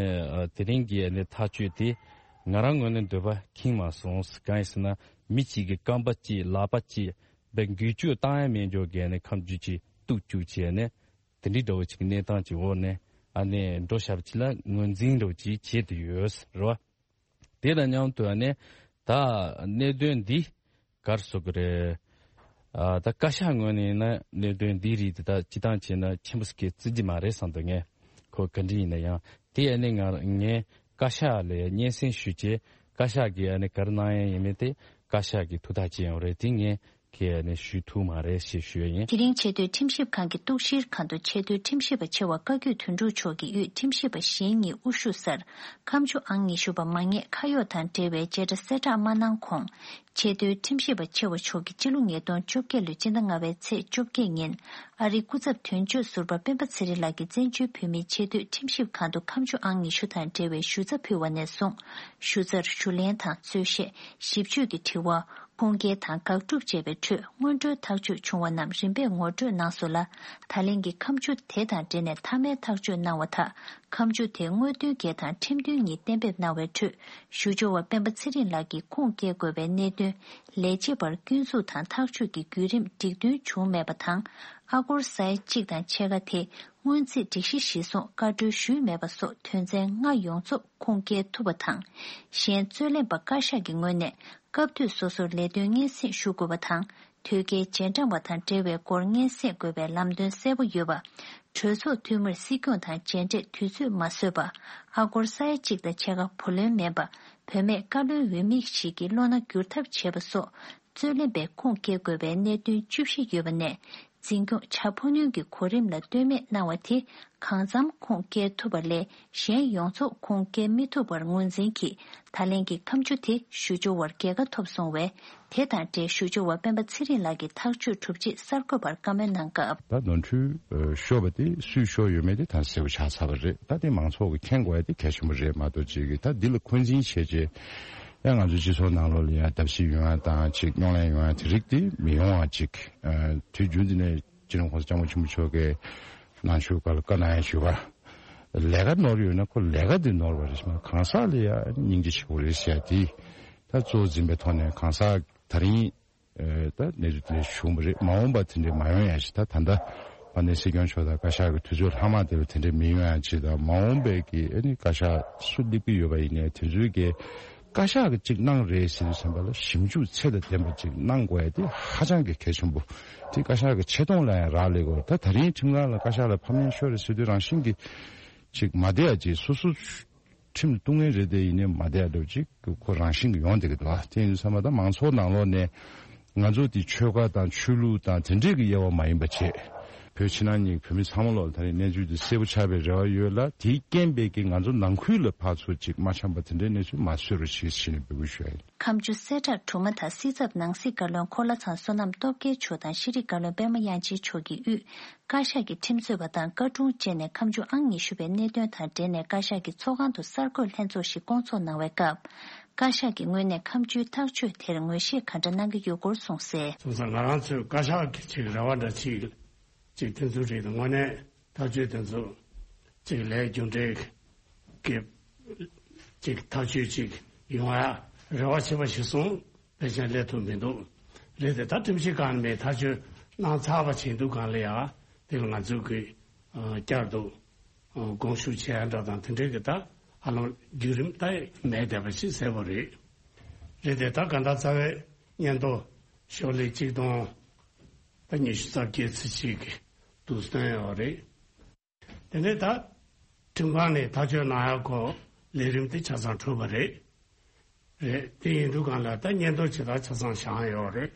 དེ་རིང་གི་ནི་ཐག་གཅོད་དེ་ང་རང་ངོས་ནས་འདོད་པ་ཁེངས་མ་སོང་། གང་ཡིན་ཟེར་ན། མི་གཅིག་གི་རྐང་པ་གཅིག་ལག་པ་གཅིག་བའི་འགུལ་སྐྱོད་བཏང་ཡ་མེད་འགྱོ་གི་ནི་ཁམས་རྒྱུད་ཅིག་གཏུག་བཅུག་བྱས་ནས། དེ་འདྲའི་འདྲ་བོ་ཅིག་གི་གནས་སྟངས་ཅིག་འོག་ནས་ཨ་ནི་འགྲོ་བཞག་པ་ཅིག་ལ་ངོས་འཛིན་འདྲ་བོ་ཅིག་བྱེད་དུ་ཡོད་རེད་བ། དེ་དང་མཉམ་དུ་ཨ་ནི་ད་གནད་དོན་འདི་ག་རེ་ཟེར་དགོས་རེད། ཨ། ད་བཀའ་ཤག་ངོས་ནས་ཡིན་ན་གནད་དོན་འདིའི་རིགས་དེ་དག་སྤྱི་བཏང་བྱས་ན་ཆེན་པོ་ཞིག་གིས་བརྩི་རྒྱུ་མ་རེད་བསམ་འདུག་ངས། ཁོ་ག་འདྲ་ཡིན་ན་ཡང་དེ་ཨ་ནི་ང་ངས་བཀའ་ཤག་ལ་སྙན་སེང་ཞུས་བྱས། བཀའ་ཤག་གིས་ཨ་ནི་ག་རེ་གནང་ཡ་ཡིན་མིན་དེ་བཀའ་ཤག་གིས་ཐུགས་ཐག་བཅད་ཡོང་རེད། དེ་ངས་ཁས་ནས་ཞུ་ཐུབ་མ་རེད་ཞེས་ཞུ་ཡ་ཡིན། དེ་རིང་ཆེས་མཐོའི་ཁྲིམས་ཞིབ་ཁང་གི་གཏུག་བཤེར་ཁང་དུ་ཆེས་མཐོའི་ཁྲིམས་ཞིབ་པ་ཆེ་བ་བཀའ་བརྒྱུད་དོན་གྲུབ་མཆོག་གིས་དབུས་ཁྲིམས་ཞིབ་པ་གཞན་གཉིས་དབུ་བཞུགས་སར། ཁ་མཆུ་ཨང་ཉི་ཤུ་པ་མ་ངེས་ཁ་གཡོག་དང་འབྲེལ་བའི་བྱེ་བྲག་གསལ་བསྒྲགས་མ་གནང་གོང་། ཆེས་མཐོའི་ཁྲིམས་ཞིབ་པ་ཆེ་བ་མཆོག་གིས་ཕྱི་ལོ་ཉིས་སྟོང་བཅོ་བརྒྱད་ལོའི་སྤྱི་ཟླ་ལྔ་པའི་ཚེས་བཅོ་བརྒྱད་ཉིན། ཨ་རིའི་སྐུ་ཚབ་དོན་གཅོད་ཟུར་པ་སྤེན་པ་ཚེ་རིང་ལགས་ཀྱིས་བཙན་བྱོལ་བོད་མིའི་ཆེས་མཐོའི་ཁྲིམས་ཞིབ་ཁང་དུ་ཁ་མཆུ་ཨང་ཉི་ཤུ་དང་འབྲེལ་བའི་ཞུ་རྩ་ཕུལ་བ་ནས་བཟུང་། ཞུ་རྩར་ཞུ་ལན་དང་རྩོད་གཞི། ཞིབ་དཔྱོད་ཀྱི་དྲི་བ། ཁུངས་སྐྱེལ་དང་དགག་སྒྲུབ་བཅས་པའི་ཁྲོད་སྔོན་འགྲོའི་ཐག་གཅོད་བྱུང་བ་རྣམས་རིམ་པས་ངོ་སྤྲོད་གནང་སོང་ལ། ད་ལན་གྱི་ཁ་མཆུ་དེ་དང་འབྲེལ་ནས་མཐའ་མའི་ཐག་གཅོད་གནང་བ་དག་ཁ་མཆུ་དེ་དངོས་དོན་བརྒྱད་དང་ཁྲིམས་དོན་གཉིས་གཏན་འབེབས་གནང་བའི་ཁྲོད། ཞུ་སྦྱོར་བ་སྤེན་པ་ཚེ་རིང་ལགས་ཀྱིས་ཁུངས་སྐྱེལ་དགོས་པའི་གནད་དོན། ལས་བྱེད་པར་སྐྱོན་འཛུགས་དང་ཐག་གཅོད་ཀྱི་བརྒྱུད་རིམ་འགྲིག་མཐུན་བྱུང་མེད་པ་དང་། ཨ་སྒོར་ས་ཡ་གཅིག་དང་ཕྱེད་ཀ་དེ། སྔོན་རྩིས་སྒྲིག་གཞི་གཞིར་བཟུང་བཀའ་འཁྲོལ་ཞུས་མེད་པ་སོགས་དོན་ཚན་ལྔ་ཡོངས་རྫོགས་ཁུངས་སྐྱེལ་ཐུབ་པ་དང་། གཞན་རྩོད་ལེན་པ་བཀའ་ཤག་གི་ངོས་ནས་སྐབས་དུས་སོ་སོར་ལས་དོན་སྙན་སེང་ཞུ་དགོས་པ་དང་། དོལ་རྒྱལ་རྗེས་འབྲང་བ་དང་འབྲེལ་བའི་སྐོར་སྙན་སེང་དགོས་པའི་ལམ་སྟོན་གསལ་པོ་ཡོད་པ། གྲོས་ཚོགས་འཐུས་མིར་སྲིད་སྐྱོང་དང་མཇལ་འཕྲད་དུས་ཚོད་མ་བཟོས་པ། ཨ་སྒོར་ས་ཡ་གཅིག་དང་ཕྱེད་ཀ་བུ་ལོན་མིན་པ། བུད་མེད་བཀའ་བློན་འོས་མི་ཞིག་གི་བློ་སྣ་བསྒྱུར་ཐབས་བྱས་པ་སོགས། རྩོད་ལེན་པས་ཁུངས་སྐྱེལ་དགོས་པའི་གནད་དོན་བཅུ་བཞི་ཡོད་པ་ནས། འཛིན་སྐྱོང་བྱ་འཕོ་སྣོན་གྱི་གོ་རིམ་ལ་ལྟོས་མེད་གནང་བ་དེ་གང་འཚམ་ཁུངས་སྐྱེལ་ཐུབ་པ་ལས་གཞན་ཡོངས་རྫོགས་ཁུངས་སྐྱེལ་མི་ཐུབ་པར་ངོས་འཛིན་གྱིས། ད་ལན་གྱི་ཁ་མཆུ་དེ་ཞུ་སྦྱོར་བར་རྒྱལ་ཁ་ཐོབ་སོང་བས། དེ་དང་འབྲེལ་ཞུ་སྦྱོར་བ་སྤེན་པ་ཚེ་རིང་ལགས་ཀྱིས་ཐག་གཅོད་གྲུབ་རྗེས་གསར་འགོད་པར་བཀའ་མོལ་གནང་སྐབས། ད་ནོར་འཁྲུལ་ཤོར་བ་དེ་སུས་ཤོར་ཡོད་མེད་དེ་ད་གསལ་པོ་ཆགས་ཚར་བ་རེད། ད་དེ་མང་ཚོགས་ཀྱིས་མཁྱེན་དགོས་ཡ་དེ་གལ་ཆེན་པོ་རེད་མ་གཏོགས། ཅིག་གིས་ད་འདི་ལ་འཁོན་འཛིན་བྱས་རྗེས། ཡང་ང་ཚོའི་སྤྱི་ཚོགས་ནང་ལོགས་ལ་ཡང་བརྡབ་གསིག་ཡོང་ཡ་དང་། ཅིག་རྙོག་གླེང་ཡོང་ཡ་དེ་རིགས་དེ་མི་ཡོང་བ་ཅིག་ཨ། དུས་རྒྱུན་དུ་ནས་སྤྱི་ནོར་༸གོང་ས་༸སྐྱབས་མགོན་ཆེན་པོ་མཆོག་གིས་ནང་ཆོས་སྒང་ལ་བཀའ་གནང་ཡ་ཞུས་པ། ལས་ཀ་ནོར་ཡོད་ན་ཁོ་ལས་ཀ་དེ་ནོར་བ་རེད། གང་ཟག་ལ་ཡང་སྙིང་རྗེ་ཆེ་བོ་རེད་ཟེར་ཡ་དེ། ད་གཙོ་བོ་འཛིན་པའི་ཐོག་ནས་གང་ཟག་ད་རིང་ཨ། ད་གནས་ཚུལ་དེ་འདྲ་བྱུང་བ་རེད། མ་འོངས་པ་དེ་འདྲ་མ་ཡོང་ཡ་ཞིག་ད་ད་ལྟ་དཔལ་ལྡན་སྲིད་སྐྱོང་མཆོག་དང་བཀའ་ཤག་གི་དུས་ཚོད་ལྷག་མ་དེ་ལ་དེ་འདྲ་མི་ཡོང་ཡ་ཅིག་དང་། མ་འོངས་པའི་གི་ཨ་ནི་བཀའ་ཤག་སུ་སླེབས་ཀྱི་ཡོད་པ་ཡིན་ནའི་དེ་ཚོའི་གི་བཀའ་ཤག་གིས་གཅིག་གནང་རེད་ཟེར་དུས་ཙམ་པ་ལ་ཞིབ་འཇུག་ཚད་དང་ལྡན་པ་ཅིག་གནང་དགོས་ཡ་དེ་ཧ་ཅང་གི་གལ་ཆེན་པོ། དེ་བཀའ་ཤག་གི་ཆེ་མཐོང་ལ་ཡང་རག་ལས་དགོས། ད་ད་རིང་ཁྲིམས་ཁང་ལ་བཀའ་ཤག་ལ་ཕམ་ཉེས་ཤོར་རེད་ཟེར་དུས་རང་བཞིན་གྱིས་ཅིག་མ་བསྡད་ཡ་ཅིག་སོ་སོ་ཁྲིམས་ལ་གཏུག་མཁན་རེད་དེ། ཡིན་ནའི་མ་བསྡད་ཡ་འདྲ་བོ་ཅིག་ཁོ་རང་བཞིན་གྱིས་ཡོང་བསྡད་ཀྱི་འདུག་ཨ། དེ་ཡིན་དུས་ཙམ་པ་ད་མང་ཚོགས་ནང་ལོགས་ནས་ང་ཚོ་དེ་ཆོལ་ཁ་དང་ཆོས་ལུགས་དང་དེ་འདྲས་ཀྱི་དབྱེ་བ་མ་ཡིན་པ་བྱས། བོད་ཕྱི་ནང་གཉིས་བོད་མི་ཚང་མ་ལོག་ལ་ད་རེས་གནས་ཚུལ་འདི་གསལ་པོ་ཆགས་པའི་རེ་བ་ཡོད་ལ། དེའི་རྐྱེན་པས་ཀྱི་ང་ཚོ་ནང་ཁུལ་ལ་ཕར་ཚུར་ཅིག་མ་འཆམ་པ་དེ་འདྲའི་གནས་ཚུལ་མ་བཟོས་རོགས་བྱེད་ཞེས་ནས་འབོད་སྐུལ་ཞུ་ཡ་ཡིན། ཁ་མཆུ་གསལ་བསྒྲགས་གྲུབ་མ་ཐག་སྲིད་ཚབ་ནང་སྲིད་བཀའ་བློན་འཁོར་ལྷ་ཚང་བསོད་ནམས་སྟོབས་རྒྱལ་མཆོག་དང་ཤེས་རིག་བཀའ་བློན་པད་མ་དབྱངས་ཅན་མཆོག་གིས་དབུས་བཀའ་ཤག་གི་ཁྲིམས་རྩོད་པ་དང་བཀའ་དྲུང་བཅས་ནས་ཁ་མཆུ་ཨང་ཉི་ཤུ་པའི་གནད་དོན་དང་འབྲེལ་ནས་བཀའ་ཤག་གི་ཚོགས་ཁང་དུ་གསར་འགོད་ལྷན་ཚོགས་ཤིག་བསྐོང་ཚོགས་གནང་བའི་སྐབས། བཀའ་ཤག་གི་ངོས་ནས་ཁ་མཆུའི་ཐག་གཅོད་དེར་ངོས་བཞེས་ག་འདྲ་གནང་གི་ཡོད་སྐོར་གསུངས་གསལ། སོང་ཙང་ང་རང་ཚོས་བཀའ་ཤག་གི་ཅིག་རེ་བ་འདྲ་ཅིག་ཅིག་དེ་ཚོ་རེད། དངོས་གནས་ཐག་གཅོད་དེ་ཚོ་ཅིག་ལས་རྒྱུ་འབྲས་ཀྱི་ཅིག་ཐག་གཅོད་ཅིག་ཡོང་ཡ་རེ་བ་བྱེད་པ་ཞིག་སོང་། ཕལ་ཆེར་སླེབས་ཐུབ་མི་འདུག་རེད་དེ། ད་ཁྲིམས་ཞིབ་ཁང་ནས་ཐག་གཅོད་གནང་ཚར་བ་བྱེད་འདུག་གང་ལ་ཡ། དེ་ལ་ང་ཚོས་ཀྱི་བསྐྱར་དུ་དགོངས་ཞུ་བྱེད་ཡ་འདྲ་དང་དེ་འདྲའི་གི་ད་ཧ་ལམ་བརྒྱུད་རིམ་ད་མེད་བསྡད་པ་ཞིག་གསལ་པོ་རེད། རེད་དེ། ད་ག་ད་རྩ་བའི་སྙན་ཐོ་ཤོག་ལྷེ་གཅིག་སྟོང་ད་ཉི་ཤུ་རྩ་བརྒྱད་ཙམ་ཞིག་གི་འདུག་སྟོན་ཡོད་རེད། དེ་ནས་ད་ཁྲིམས་ཁང་ནས་ཐག་གཅོད་གནང་ཡག་གོ་ལས་རིམ་དེ་ཆ་ཚང་གྲུབ་པ་རེད། རེད། དེ་ཡིན་དུས་གང་ལ་ད་སྙན་ཐོ་ཇི་ལྟར་ཆ་ཚང་བཞག་ཡོད་རེད།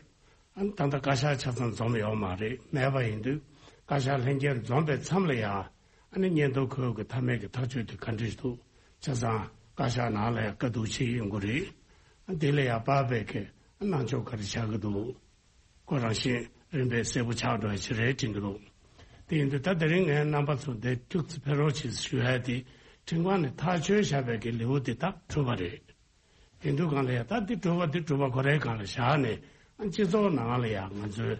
ཨ་ནི་ད་ལྟ་བཀའ་ཤག་ཆ་ཚང་འཛོམས་ཡོད་མ་རེད། མེད་པ་ཡིན་དུས་བཀའ་ཤག་ལྷན་རྒྱས་འཛོམས་པའི་མཚམས་ལ་ཡ། ཨ་ནི་སྙན་ཐོ་ཁོས་གི་མཐའ་མའི་གི་ཐག་གཅོད་དེ་ག་འདྲ་ཞིག་འདུག་ཆ་ཚང་བཀའ་ཤག་ནང་ལ་ཡ་བཀའ་བསྡུར་བྱེད་ཡོང་གི་རེད། ཨ་དེ་ལ་ཡ་དཔག་པའི་གི་གནང་ཕྱོགས་ག་རེ་བྱ་གི་འདུག་ཁོ་རང་བཞིན་རིམ་པས་གསལ་པོ་ཆགས་འགྲོ་ཡ་ཞིག་རེད་དྲན་གྱི་འདུག་དེ་ཡིན་དུས་ད་དེ་རིང་ངས་རྣམ་པ་ཚོ་འདིར་ཁྱུག་ཙམ་ཕེབས་རོགས་བྱེད་ཞུ་ཡ་དེ། ཁྲིམས་ཁང་ནས་ཐག་གཅོད་བཞག་པའི་གི་ལེའུ་དེ་ད་གྲུབ་པ་རེད། དེ་དུས་སྒང་ལ་ཡ་ད་འདི་གྲུབ་པ་འདི་གྲུབ་པ་ཁོ་རའི་སྒང་ལ་བཞག་ནས། ཨ་སྤྱི་ཚོགས་ནང་ལ་ཡ་ང་ཚོའི་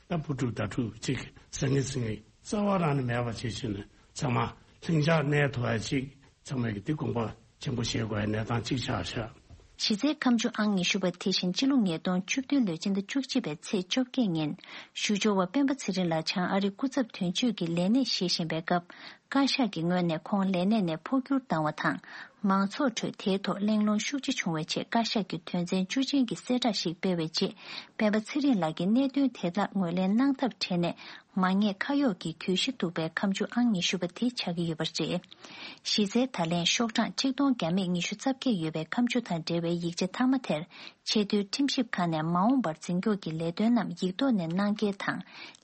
ད་བུ་ཕྲུག་ད་ཕྲུག་ཅིག་ཟང་ངེ་ཟིང་ངེ་རྩ་བ་རང་ནས་མེད་པ་བྱེད་ཕྱིན་ནས་ཚང་མ་ལྷིང་འཇགས་གནས་ཐུབ་ཡ་ཅིག་ཚང་མས་ཀྱི་འདི་དགོངས་པ་ཆེན་པོ་བཞེས་དགོས་ཡ་གནས་སྟངས་ཅིག་ཆགས་ཤག་གཞི་རྩའི་ཁ་མཆུ་ཨང་ཉི་ཤུ་པ་དེ་བཞིན་སྤྱི་ལོ་ཉིས་སྟོང་བཅུ་བདུན་ལོའི་སྤྱི་ཟླ་བཅུ་གཅིག་པའི་ཚེས་བཅོ་བརྒྱད་ཉིན། ཞུ་སྦྱོར་བ་སྤེན་པ་ཚེ་རིང་ལགས་བྱང་ཨ་རིའི་སྐུ་ཚབ་དོན་གཅོད་ཀྱི་ལས་གནས་བཞེས་བཞིན་པའི་སྐབས། བཀའ་ཤག་གི་ངོས་ནས་ཁོང་ལས་གནས་ནས་འཕོ་འགྱུར་བཏང་བ་དང་། མང་ཚོགས་ཁྲོད་དེའི་ཐོག་གླེང་སློང་ཤུགས་ཆེ་བྱུང་བའི་རྗེས། བཀའ་ཤག་གིས་དོན་ཚན་བཅུ་ཅན་གྱི་གསལ་བསྒྲགས་ཤིག་སྤེལ་བའི་རྗེས། སྤེན་པ་ཚེ་རིང་ལགས་ཀྱིས་གནད་དོན་དེ་དག་ངོས་ལེན་གནང་ཐབས་བྲལ་ནས། མ་ཉེས་ཁ་གཡོགས་ཀྱི་གྱོད་གཞི་འདུག་པའི་ཁ་མཆུ་ཨང་ཉི་ཤུ་པ་དེ་ཆགས་ཀྱི་ཡོད་པ་རེད། གཞི་རྩའི་ད་ལན་ཤོག་གྲངས་ཆིག་སྟོང་བརྒྱ་མེད་ཉི་ཤུ་རྩ་བརྒྱད་ཡོད་པའི་ཁ་མཆུ་དང་འབྲེལ་བའི་ཡིག་ཆ་མཐའ་མ་དེར། ཆེས་མཐོའི་ཁྲིམས་ཞིབ་ཁང་ནས་མ་འོངས་པར་འཛིན་སྐྱོང་གི་ལས་དོན་རྣམས་ཡིག་ཐོག་ནས་གནང་གལ་དང་།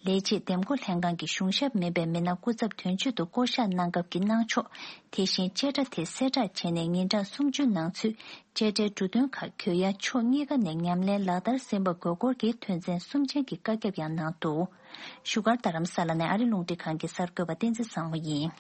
ལས་བྱེད་འདེམས་བསྐོ་ལྷན་ཁང་གི་གཞུང་ཞབས་མིན་པའི་མི་སྣ་སྐུ་ཚབ་དོན་གཅོད་དུ་བསྐོ་གཞག་གནང་སྐབས་ཀྱི་གནང་ཕྱོགས། དེ་བཞིན་བཅད་ཁྲ་དེ་གསལ་བསྒྲགས་བྱས་ནས་ཉིན་གྲངས་སུམ་ཅུ་ནང་ཚུད། བཅད་ཁྲའི་འབྲུ་དོན་ཁག་གྱོད་ཡ་ཕྱོགས་གཉིས་ཀ་ནས་ཉམས་ལེན་ལག་བསྟར་ཟིན་པ་དགོས་སྐོར་གྱི་དོན་ཚན་གསུམ་ཅན་གྱི་བཀའ་ཁྱབ་ཡང་གནང་འདུག་བཞུགས་སྒར་རྡ་རམ་ས་ལ་ནས་ཨ་རི་རླུང་འཕྲིན་ཁང་གི་གསར་འགོད་པ་བསྟན་འཛིན་བཟང་མོ་ཡིན།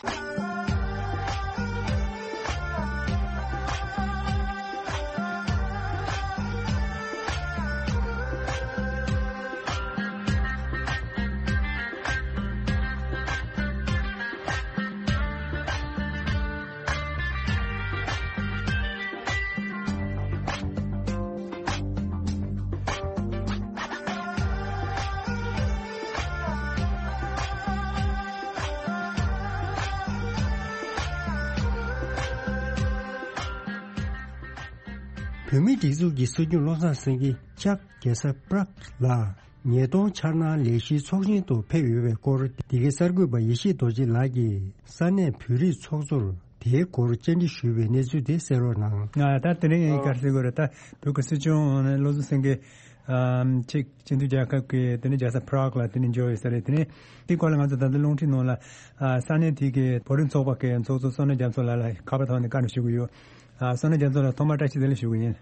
བོད་མིའི་སྒྲིག་འཛུགས་ཀྱི་སྲིད་སྐྱོང་བློ་བཟང་སེང་གེ་ལྕགས་རྒྱལ་ས་པྲག་ལ་ཉིས་སྟོང་འཆར་སྣང་ལས་གཞིའི་ཚོགས་ཆེན་དུ་ཕེབས་ཡོད་པའི་སྐོར། འདི་གའི་གསར་འགོད་པ་ཡེ་ཤེས་རྡོ་རྗེ་ལགས་ཀྱིས་ས་གནས་བོད་རིགས་ཚོགས་གཙོར་དེའི་སྐོར་བཅར་འདྲི་ཞུས་པའི་གནས་ཚུལ་དེ་གསན་རོགས་གནང་། ང་ད་དེ་རིང་ངས་ག་རེ་ཟེར་དགོས་རེད། ད་བོད་ཀྱི་སྲིད་སྐྱོང་བློ་བཟང་སེང་གེ་ཨམ་ཅིག་སྤྱི་མཐུན་རྒྱལ་ཁབ་ཀྱི་དེ་ནས་རྒྱལ་ས་པྲག་ལ་དེ་ནས་འབྱོར་ཡོད་ས་རེད། དེ་ནས་དེའི་སྐོར་ལ་ང་ཚོ་ད་ལྟ་རླུང་འཕྲིན་ནང་ལ་ཨ་ས་གནས་དེ་གའི་བོད་རིགས་ཚོགས་པ་གི་ཚོགས་གཙོ་བསོད་ནམས་རྒྱ་མཚོ་ལགས་ལ་ཁ་པར་ཐོག་ནས་བཀའ་འདྲི་ཞུ་གི་ཡོད། ཨ་བསོད་ནམས་རྒྱ་མཚོ་ལགས་ཐོག་མར་བཀྲ་ཤིས་བདེ་ལེགས་ཞུ་གི་ཡིན།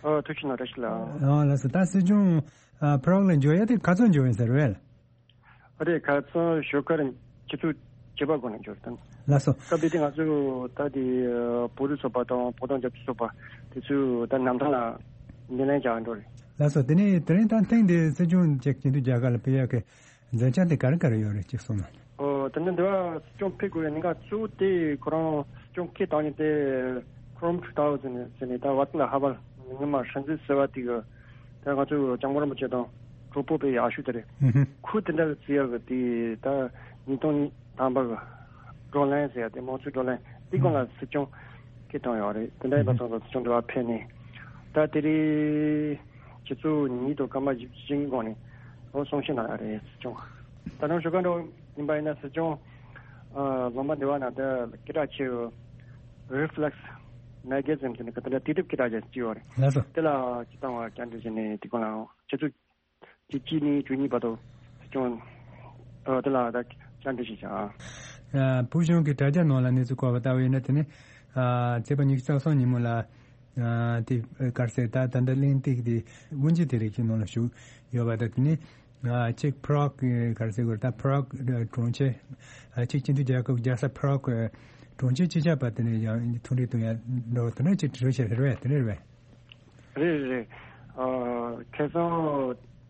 ཨ་ཐུགས་རྗེ་གནང་། བཀྲ་ཤིས་ལགས། ཨ་ལགས་སོ། ད་སྲིད་སྐྱོང་ཨ་པྲག་ལ་འབྱོར་ཡ་དེ་ག་ཚོད་འབྱོར་ཡིན་ཟེར་བས། ཨ་རེད། ཁ་སང་ཞོགས་ཀར་ཆུ་ཚོད་བཅུ་པ་འགོ་ནས་འབྱོར་དང་། ལགས་སོ། སྐབས་དེ་དུས་ང་ཚོ་ད་དེ་བོད་རིགས་ཚོགས་པ་དང་བོད་དོན་རྒྱབ་སྐྱོར་ཚོགས་པ་དེ་ཚོས་ད་གནམ་ཐང་ལ་སྣེ་ལེན་བྱ་འགྲོ་རེད། ལགས་སོ། དེ་ནས་དེ་རིང་ད་ཐེངས་འདིའི་སྲིད་སྐྱོང་ཅིག་སྤྱི་མཐུན་རྒྱལ་ཁབ་ལ་ཕེབས་ཡག་གི་མཛད་འཆར་དེ་ག་རེ་ག་རེ་ཡོད་རེད་ཅེས་གསུངས་ན། ཨོ། དེ་ནི་འདི་བ་སྲིད་སྐྱོང་ཕེབས་དགོས་ཡ་གནད་འགག་གཙོ་བོ་དེ་ཁོ་རང་སྲིད་སྐྱོང་ཁེ་བཏང་ཉིན་དེ་Chrome two thousand ཟེར་ནས་ད་བ་ཏི་ལ་ཧ་བར་ཉི་མ་སྲིད་འཛིན་ཟེར་བ་དེ་གི་ད་ང་ཚོའི་སྐྱབས་མགོན་རིན་པོ་ཆེ་དང་གྲོགས་པོ་པའི་ཡག་ཤོས་དེ་རེད། ཧུམ་ཧུམ། ཁོས་དེ་འདྲ་བརྩི་ཡག་གི་དེ་ད་ཉིས་སྟོང་ཉི་ཐམ་པ་གི་བགྲོ་གླེང་ཟེར་ཡ་དེ་དམངས་གཙོའི་བགྲོ་གླེང་དེ་སྒང་ལ་སྲིད་སྐྱོང་ཁེ་བཏང་ཡོད་རེད། དེ་འདྲ་ཡིན་པ་སོང་ཙང་སྲིད་སྐྱོང་འདི་བ་ཕེབས་ནས་ད་དེ་རིང་ཆུ་ཚོད་ཉིས་དང་སྐར་མ་བཞི་བཅུ་ཞེ་གཉིས་གོང་ནས་ཨོ་གསུང་བཤད་གནང་ཡ་རེད། སྲིད་སྐྱོང་ད་དུང་ཞོགས་ཀ་འགྲོ་ཡིན་པ་ཡིན་ན་སྲིད་སྐྱོང་ཨ་ལུང་པ་འདི་བ་ན་ད་སྐད་གྲགས་ཆེ་བའི་Reflex Magazine ཟེར་ནས་ག་དེ་འདྲ་དུས་དེབ་སྐད་གྲགས་ཅན་ཅིག་ཡོད་རེད། ལགས་སོ། དེ་ལ་སྤྱི་བཏང་བ་བཅར་འདྲི་བྱས་ནས་དེ་སྒང་ལ་ཆུ་ཚོད་བཅུ་གཅིག་ནས་བཅུ་གཉིས་བར་དུ་སྲིད་སྐྱོང་ཨ་དེ་ལ་ད་བཅར་འདྲི་ཞིག་བྱ། ཨ་བོད་གཞུང་གི་དྲ་རྒྱ་ནང་ལ་གནས་ཚུལ་བཀོད་པ་ལྟ་བུ་ཡིན་ན། དེ་ནི་ཨ་ཚེས་པ་ཉི་ཤུ་རྩ་གསུམ་ཉིན་མོ་ལ་ཨ་དེ་ག་རེ་ཟེར། ད་ད་ལྟ་གླེང་སྟེགས་དེ་དབུ་འབྱེད་དེ་རིགས་ཀྱི་ནང་ལ་ཞུགས་ཡོད་པ་དང་། དེ་ནི་ཨ་ཅིག་པྲག་གི་ག་རེ་ཟེར་དགོས་རེད། ད་པྲག་གྲོང་ཁྱེར་ཨ་ཅིག་སྤྱི་མཐུན་རྒྱལ་ཁབ་རྒྱལ་ས་པྲག་གི་གྲོང་ཁྱེར་སྤྱི་ཁྱབ་པ་དེ་ནས་ཡང་ཐུག་འཕྲད་གཏོང་ཡ་འགྲོ་དེ་འདྲ་ཅིག་གྲོས་བྱས་རེད་པས། དེ་འདྲ་རེད་པས། རེད་རེད། ཨ་ཁ་སང་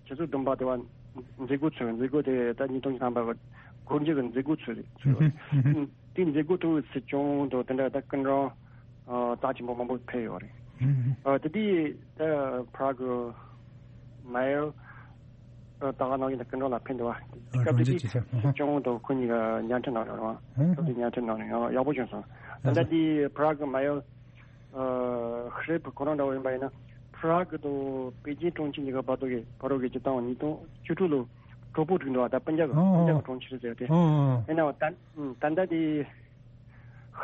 ཆུ་ཚོད་བདུན་པ་དེ་བ་མཛད་སྒོ་ཚོགས། མཛད་སྒོ་དེ་ད་ཉིས་སྟོང་ཉི་ཤུ་རྩ་གསུམ་པ་གི་སྒོ་འབྱེད་ཀྱི་མཛད་སྒོ་ཚོགས་རེད། ཚོགས་ཡོད་རེད། དེ་མཛད་སྒོ་ཐོག་སྲིད་སྐྱོང་དང་དེ་འདྲ་ད་སྐུ་མགྲོན་ཨ་རྩ་ཆེན་པོ་མང་པོ་ཕེབས་ཡོད་རེད། ཨ་དེ་དུས་ད་པྲག་གི་མེ་ཡར་ད་ག་ནང་བཞིན་ད་སྐུ་མགྲོན་ལ་ཕེབས་འདུག་བ། སྐབས་དེ་དུས་སྲིད་སྐྱོང་དང་ཁོ་གཉིས་ཀ་མཇལ་འཕྲད་གནང་ཡོད་རེད་བ། སྐབས་དེ་མཇལ་འཕྲད་གནང་ནས་ཡག་པོ་བྱུང་སོང་། ད་ལྟ་དེ་པྲག་གི་མེ་ཡར་ཨ་ཧྲིབ་ཁོ་རང་འདྲ་བོ་ཡིན་པ་ཡིན་ན། པྲག་དང་པེ་ཅིན་གྲོང་ཁྱེར་གཉིས་ཀ་བར་དུ་གི་བར་དུ་གི་སྤྱི་བཏང་ཉིས་སྟོང་བཅུ་དྲུག་ལོ་གྲོགས་པོ་བསྒྲིགས་འདུག་བ། ད་སྤུན་ཀྱག་ཨོ་ཨོ་སྤུན་ཀྱག་གྲོང་ཁྱེར་ཟེར་ཏེ། ཨོ་ཨོ། ཡིན་ནའང་ད་ད་ལྟ་དེ་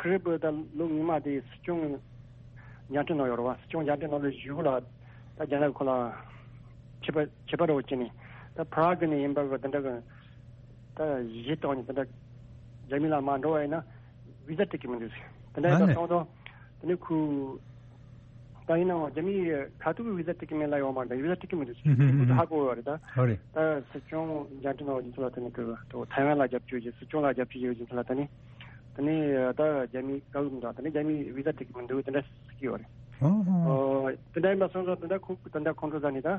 ཧྲིབ་ད་ལོ་སྔོན་མ་དེ་སྲིད་སྐྱོང་མཇལ་འཕྲད་གནང་ཡོད་རེད་བ། སྲིད་སྐྱོང་མཇལ་འཕྲད་གནང་ལོ་གཞུག་ལ་ད་རྒྱ་ནག་ཁོ་ལ་ཁྱད་པར་ཁྱད་པར་རོ་བྱས་ནས་ད་པྲག་ནས་ཡིན་པ་གི་དེ་འདྲ་གི་ད་གཞི་བཏང་ནས་དེ་འདྲ་རྒྱ་མི་ལ་མ་འགྲོ་བ་ཡིན་ན་བི་ཟ་སྤྲད་ཀྱི་མི་འདུག་ཟེར། དེ་འདྲ་ཡིན་པ་སོང་ཙང་དེ་ནས་ཁོ་ད་ཡིན་ནའང་རྒྱ་མིའི་ཁ་ཐུག་གི་བི་ཟ་སྤྲད་ཀྱི་མེད་ལ་ཡོང་མ་འདྲ། བི་ཟ་སྤྲད་ཀྱི་མི་འདུག་ཟེར། ཁོ་ཚོ་ཧ་གོ་བ་རེད་ད། ཨོ་རེད། ད་སྲིད་སྐྱོང་མཇལ་འཕྲད་གནང་བ་རྒྱུ་མཚན་ལ་དེ་ནས་ཁོ་ཐའེ་ཝན་ལ་རྒྱབ་སྐྱོར་བྱེད། སྲིད་སྐྱོང་ལ་རྒྱབ་སྐྱོར་བྱེད་པའི་རྒྱུ་མཚན་ལ་དེ་ནས་དེ་ནས་ད་རྒྱ་མིའི་བཀའ་འགུག་འདུག་དེ་ནས་རྒྱ་མིའི་བི་ཟ་སྤྲད་ཀྱི་མི་འདུག་དེ་འདྲ་ཟེར་གྱི་ཡོད་རེད། ཨོ་ཧོ། ཨོ་དེ་འདྲ་ཡིན་པ་སོང་ཙང་དེ་འདྲ་ཁོ་དེ་འདྲ་ཁོང་ཁྲོ་ཟ་ནས་ད་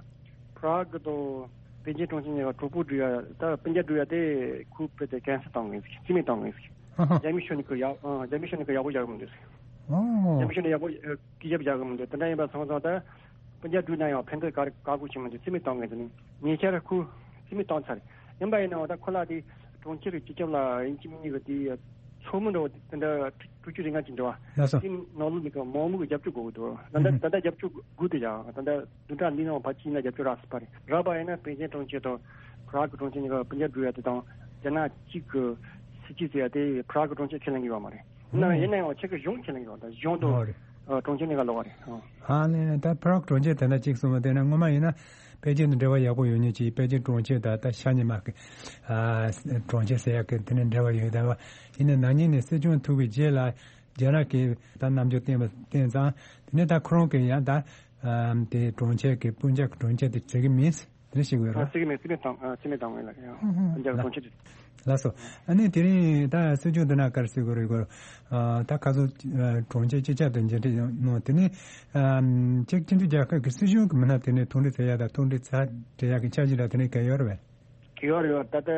པྲག་དང་པེ་ཅིན་གྲོང་ཁྱེར་གཉིས་ཀ་གྲོགས་པོ་འགྲོ་ཡ་ད་སྤུན་ཀྱག་འགྲོ་ཡ་དེ་ཁོ་དཔེ་དེ་ཀན་སེལ་བཏང་ངེས་ཟིག་རྩིས་མེད་བཏང་ངེས་ཟིག་ཨ་ཧ། རྒྱ་མི་ཤོ་ནི་ཁོ་ཡག་ཨ་རྒྱ་མི་ཤོ་ནི་ཁོ་ཡག་པོ་བཞག་གི་མི་འདུག་ཟིག་ཨོ། རྒྱ་མི་ཤོ་ནི་ཡག་པོ་ཨ་སྐད་ཆ་བཞག་གི་མི་འདུག་དེ་འདྲ་ཡིན་པ་སོང་ཙང་ད་སྤུན་ཀྱག་འགྲོ་ན་ཡང་ཕན་ཐོགས་ག་རེ་ག་གོ་ཆེ་མི་འདུག་རྩིས་མེད་བཏང་ངེས་ཟིག་ནི་ཉེ་ཆར་ཁོ་རྩིས་མེད་བཏང་ཚར་ཡིན་པ་ཡིན་ནའང་ད་ཁོ་ལ་དེ་གྲོང་ཁྱེར་གྱི་སྤྱི་ཁྱབ་ལ་ཡིན་གཅིག་མིན་གཉིས་ཀྱི་དེ་ཚོགས་མི་འདྲ་བོ་དེ་འདྲ་དྲུག་ཅུ་རེ་ལྔ་ཅིག་འདྲ་བ། ལགས་སོ། དེ་ནང་ལོགས་མི་གི་མང་མོས་ཀྱི་རྒྱབ་སྐྱོར་དགོས་ཀྱི་འདུག་ད་ལྟ་ད་ལྟ་རྒྱབ་སྐྱོར་དགོས་དེ་ཡང་ད་ལྟ་བདུན་ཕྲག་འདིའི་ནང་ཕལ་ཆེར་ཡིན་ན་རྒྱབ་སྐྱོར་རག་སྲིད་པ་རེད། རག་པ་ཡིན་ན་པེ་ཅིན་གྲོང་ཁྱེར་དང་པྲག་གི་གྲོང་ཁྱེར་གཉིས་ཀ་སྤུན་ཀྱག་འགྲོ་ཡ་དེ་དང་རྒྱ་ནག་གཅིག་གི་སྲིད་ཇུས་ཟེར་ཡ་དེ་པྲག་གི་གྲོང་ཁྱེར་ཁས་ལེན་གྱི་ཡོད་མ་རེད། ཡིན་ན་ཡིན་ན་ཡང་ཕྱི་གི་གཞུང་ཁས་ལེན་གྱི་ཡོད་ད་གཞུང་དང་ཨོ་རེད། ཨ་གྲོང་ཁྱེར་གཉིས་ཀ་ལོགས་པ་རེད། ཨོ། ཨ་ནི་ད་པྲག་གྲོང་ཁྱེར་དེ་འདྲ་གཅིག་གསུངས་པ་དེ་ནི་སྔོན་མ་ཡིན་ན་པེ་ཅིན་དང་འབྲེལ་བ་ཡག་པོ་ཡོད་མཁན་ཅིག་པེ་ཅིན་གྲོང་ཁྱེར་དང་ད་ཤ་ཉེ་མ་གི་ཨ་གྲོང་ཁྱེར་ཟེར་ཡག་གི་དེ་ནི་འབྲེལ་བ་ཡོད་ད་བ། ཡིན་ན་ན་ནིང་ནས་སྲིད་སྐྱོང་ཐུག་པའི་རྗེས་ལ་རྒྱ་ནག་གིས་ད་རྣམ་འགྱུར་བསྟན་པ་བསྟན་ཙང་དེ་ནས་ད་ཁོ་རང་གིས་ཡང་ད་ཨ་དེ་གྲོང་ཁྱེར་གི་སྤུན་ཀྱག་གི་གྲོང་ཁྱེར་དེ་བྱེད་ཀྱི་མིན། དེ་ཞིག་ཡོད་ར། རྩིས་མེད་རྩིས་མེད་བཏང་ཨ་རྩིས་མེད་བཏང་ངེས་ལ་ཡང་ཧུམ་ཧུམ་ཧུམ་རྒྱ་གར་གྲོང་ཁྱེར་དེ། ལགས་སོ། ཨ་ནི་དེ་རིང་ད་སྲིད་སྐྱོང་དེ་ན་ག་རེ་ཟེར་དགོས་རེད་གོ་ཨ་ད་ཁ་སང་ཨ་གྲོང་ཁྱེར་སྤྱི་ཁྱབ་དང་མཇལ་འཕྲད་གནང་དེ་ནི་ཨ་ཅིག་སྤྱི་མཐུན་རྒྱལ་ཁབ་ཀྱི་སྲིད་གཞུང་གི་མི་སྣ་དེ་ནས་མཐོང་གྲོལ་ཟེར་ཡ་དང་མཐོང་གྲོལ་ཚ་འབྲེལ་ཡག་གི་འཆར་གཞི་འདྲ་དེ་ནས་ག་ཡོད་རེད་པས། གི་ཡོད་རེད་ད་ལྟ་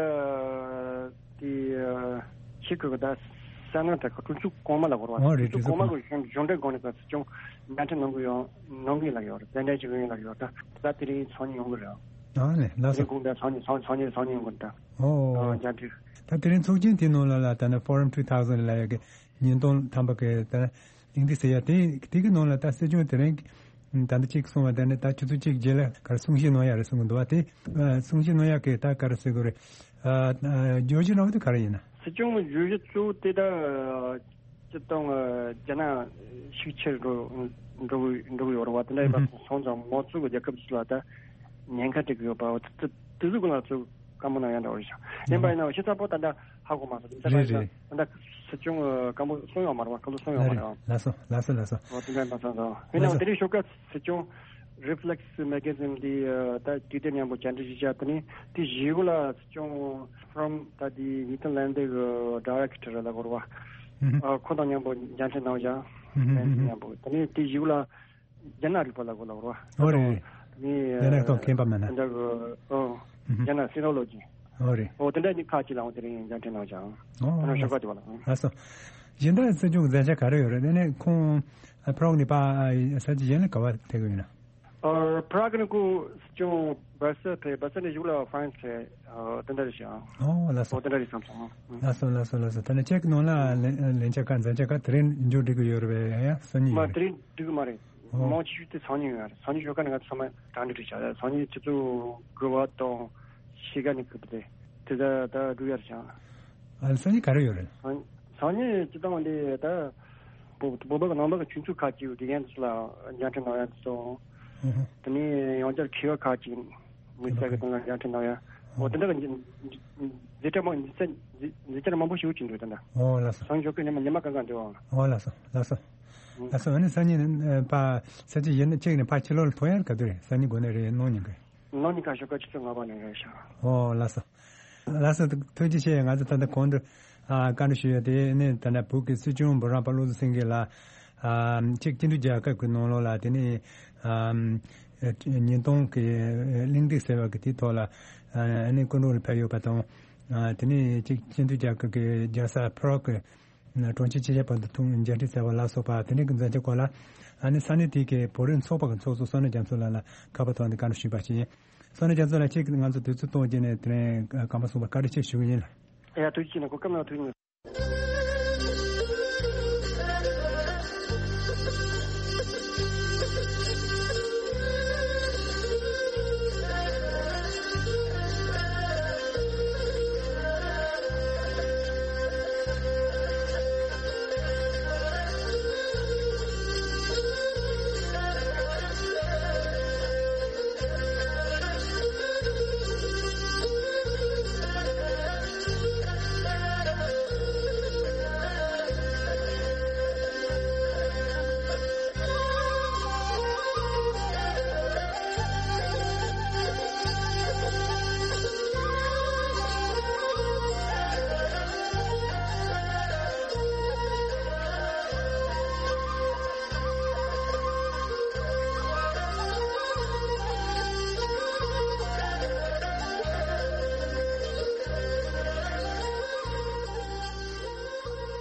དེ་ཨ་ཆེད་ཁུལ་གྱི་ད་ས་གནས་དེ་ག་གྲོང་ཚོ་གོང་མ་ལ་གོ་ར་བ། ཨོ་རེད། གྲོང་ཚོ་གྲོང་གོང་མ་ཚོ་གི་གཞུང་གཞུང་འབྲེལ་སྒོ་ནས་ག་སྲིད་སྐྱོང་མཇལ་འཕྲད་གནང་གི་ཡོད་གནང་གི་ལ་ཡོད་རེད། གདན་འདྲེན་བྱེད་ཀྱི་ཡོད་ལ་ཡོད་ད་ད་དེ་རིང་ཚོགས་མི་ཡོང་གི་རེད། ཨ་ནི་ལགས་སོ། དེ་དགོངས་དག་ཚོགས་མི་ཚོགས་ཚོགས་མི་ཚོགས་མི་ཡོང་གི་རེད་ད། ཨོ། ཨ་མཇལ་འཕྲད། ད་དེ་རིང་ཚོགས་ཆེན་དེའི་ནང་ལ་ལ་ད་ནི་Forum two thousand ལ་ཡ་གི་ཉིས་སྟོང་ཐམ་པ་གི་ད་གླེང་སྟེགས་ཟེར་ཡ་དེ་དེ་གི་ནང་ལ་ད་སྲིད་སྐྱོང་དེ་རིང་ད་ལྟ་གཅིག་གསུངས་པ་དེ་ནི་ད་ཆུ་ཚོད་གཅིག་རྗེས་ལ་ག་རེ་གསུང་བཤད་གནང་ཡ་རེད་གསུང་གི་འདུག་བ། དེ་ཨ་གསུང་བཤད་གནང་ཡ་གི་ད་ག་རེ་ཟེར་དགོས་རེད། ཨ་ཨ་བརྗོད་གཞི་རང་དེ་ག་རེ་ཡིན་ན། སྲིད་སྐྱོང་གི་བརྗོད་གཞི་གཙོ་བོ་དེ་ད་སྤྱིར་བཏང་རྒྱ་ནག་ཤུགས་ཆེར་འགྲོ་འགྲོ་གི་འགྲོ་གི་ཡོད་རེད་བ། དེ་འདྲ་ཡིན་པ་སོང་ཙང་མང་གཙོ་གི་རྒྱལ་ཁབ་ཅིག་ལ་ད་ཉེན་ཁ་འཕྲད་ཀྱི་ཡོད་པ་དེ་དེ་ཚོ་ཀུན་ལ་ཚོ་བཀའ་མོལ་གནང་ཡ་འདྲ་བོ་རེད་ཤག་ཡིན་པ་ཡིན་ན་ཤེས་ཚ་པོ་ད་ལྟ་ཧ་གོ་མ་སོང་། དེ་ལྟར་རེད་རེད། ད་ལྟ་སྲིད་སྐྱོང་གི་བཀའ་མོལ་གསུང་ཡོད་མ་རེད་བ། བཀའ་མོལ་གསུང་ཡོད་མ་རེད་བ། ལགས་སོ་ལགས་སོ་ལགས་སོ། འོ་དེ་འདྲ་ཡིན་པ་སོང་ཙང་ཡིན་ནའང་དེ་རིང་ཞོགས་ཀ་སྲིད་སྐྱོང་Reflex Magazine འདི་ད་དུས་དེབ་མཉམ་པོ་བཅར་འདྲི་ཞིག་བྱས། དེ་ནས་དེ་བཞི་གུ་ལ་སྲིད་སྐྱོང་From ད་དེ་ཉིས་སྟོང་ལན་འདི་གི་Director ལ་གོ་ར་བ། ཨ་ཁོ་དང་མཉམ་པོ་མཇལ་འཕྲད་གནང་བཞག་ལན་འདི་མཉམ་པོ་དེ་ནས་དེ་བཞི་གུ་ལ་རྒྱ་ནག་རིག་པ་ལ་གོ་ལ་གོ་ར་བ། ཨོ་རེད་རེད། ནི་རྒྱ་ནག་ཐོག་མཁས་པ་མེད་ན། ད་གི་ཨོ་རྒྱ་ནག་Sinology། ཨོ་རེད། ཨོ་དེ་འདྲ་ནི་ཁག་ཅིག་ལའང་དེ་རིང་མཇལ་འཕྲད་གནང་བཞག་ཨོ་ད་ནང་ལགས་ཞོགས་པ་དེ་བ་ལ། ལགས་སོ། གཞན་དག་སྲིད་སྐྱོང་གི་མཛད་འཆར་ག་རེ་ཡོད་རེད། དེ་ནས་ཁོང་ཨ་Prague ནས་ཕར་ས་ཆ་གཞན་ལ་ག་བ་ཕེབས་ཀྱི་ཡོད་ན། ཨ་Prague ནས་ཁོ་སྲིད་སྐྱོང་སྦར་སེལ་ཕེབས། སྦར་སེལ་ནས་གཞུག་ལ་France ཕེབས། ཨ་དེ་འདྲ་རེད་ཤག་ཨོ་ལགས་སོ། ཨོ་དེ་འདྲ་རེད་བསམ་སོང་། ལགས་སོ་ལགས་སོ་ལགས་སོ། ད་ནི་ཁྱེད་ཀྱི་ནང་ལ་ལན་ལན་ཆ་ཁ་མཛད་འཆར་ཁ་དེ་རིང་མཇུག་སྒྲིལ་གྱི་ཡོད་རེད་པས། ཡང་སང་ཉིན་མ་ཡོད་རེད། དེ་རིང་སྒྲིག་གི་མ་རེད། ཨོ། མང་ཆེ་ཤོས་དེ་སང་ཉིན་ཡོད་རེད། སང་ཉིན་ཞོགས་ཀ་ནས་ང་ཚོ་ཚང་མ་གྲ་སྒྲིག་བྱས་བཞག་སང་ཉིན་ཆུ་ཚོད་དགུ་པ་དང་ཕྱེད་ཀ་ནས་སྐབས་དེ་དེ་ད་ད་སྒྲུབ་ཡ་རེད་ཤག་ཨ་སང་ཉིན་ག་རེ་ཡོད་རེད། སང་སང་ཉིན་སྤྱི་བཏང་འདི་ད་བོད་བོད་པ་གི་ནང་པ་གི་ཆོས་ཚོགས་ཁག་ཅིག་ཡོད། དགེ་རྒན་ཚོ་ལ་མཇལ་འཕྲད་གནང་ཡ་དེ་ཚོ། ཨུ་ཧུ། དེ་ནས་ཡང་བསྐྱར་མཁས་པ་ཁག་ཅིག་མི་སེར་གི་སྟེང་ལ་མཇལ་འཕྲད་གནང་ཡ། འོ་དེ་འདྲ་གི་མཛད་འཕྲིན་མང་མཛད་འཕྲིན་མང་པོ་ཞིག་ཡོད་ཀྱི་འདུག་ད་ལྟ། ཨོ་ལགས་སོ། སང་ཞོགས་ཀྱི་ཉི་མ་ཉི་མ་གང་གང་འདུག་ཨང་། ཨོ་ལགས་སོ་ལགས་སོ། ཨུ། ལགས་སོ། ཨ་ནི་སང་ཉིན་ཨ་ཕ་ས་ཆ་གཞན་གཅིག་ནས་ཕ་ཕྱི་ལོགས་ལ་ཐོན་ཡ་ག་དུས་རེད། སང་ཉིན་དགོང་ནས་རེད། གནངས་ཉིན་གི། གནངས་ཉིན་ཁ་ཞོགས་ཀ་ཆུ་ཚོད་ལྔ་པ་ནས་རེད་ཤག་ཨོ་ལགས་སོ། ལགས་སོ། ཐུགས་རྗེ་ཆེ། ང་ཚོ་ད་ལྟ་གོང་དུ་ཨ་བཀའ་འདྲི་ཞུ་ཡ་དེ་ནི་ད་ལྟ་བོད་ཀྱི་སྲིད་སྐྱོང་འབུམ་རམས་པ་བློ་བཟང་སེང་གེ་ལ་ཨ་གཅིག་སྤྱི་མཐུན་རྒྱལ་ཁབ་ཀྱི་ནང་ལོགས་ལ་དེ་ནི་ཨ་ཉིས་སྟོང་གི་གླེང་སྟེགས་ཟེར་བ་གི་དེའི་ཐོག་ལ་ཨ་ནི་སྐུ་མགྲོན་ལ་ཕེབས་ཡོད་པ་དང་། ཨ་དེ་ནས་གཅིག་སྤྱི་མཐུན་རྒྱལ་ཁབ་ཀྱི་རྒྱལ་ས་Prague གི་གྲོང་ཁྱེར་སྤྱི་ཁྱབ་བར་དུ་ཐུག་མཇལ་འཕྲད་ཟེར་བ་ལ་སོགས་པ་དེ་འདྲའི་གི་མཛད་འཆར་སྐོར་ལ་ཨ་ནི་ས་གནས་དེ་གའི་བོད་རིགས་ཚོགས་པ་གི་ཚོགས་གཙོ་བསོད་ནམས་རྒྱ་མཚོ་ལགས་ལ་ཁ་པར་ཐོག་ནས་བཀའ་འདྲི་ཞུས་པ་ཞིག་ཡིན། བསོད་ནམས་རྒྱ་མཚོ་ལགས། ཁྱེད་ཀྱིས་ང་ཚོ་དུས་ཚོད་གཏོང་བྱས་ནས་དེ་རིང་སྐར་མ་གསུམ་པ་བཀའ་དྲིན་ཆེ་ཞུ་གི་ཡིན། ཡ་ཐུགས་རྗེ་ཆེ་གནང་། གོ་སྐབས་གནང་བ་ཐུགས་རྗེ་གནང་།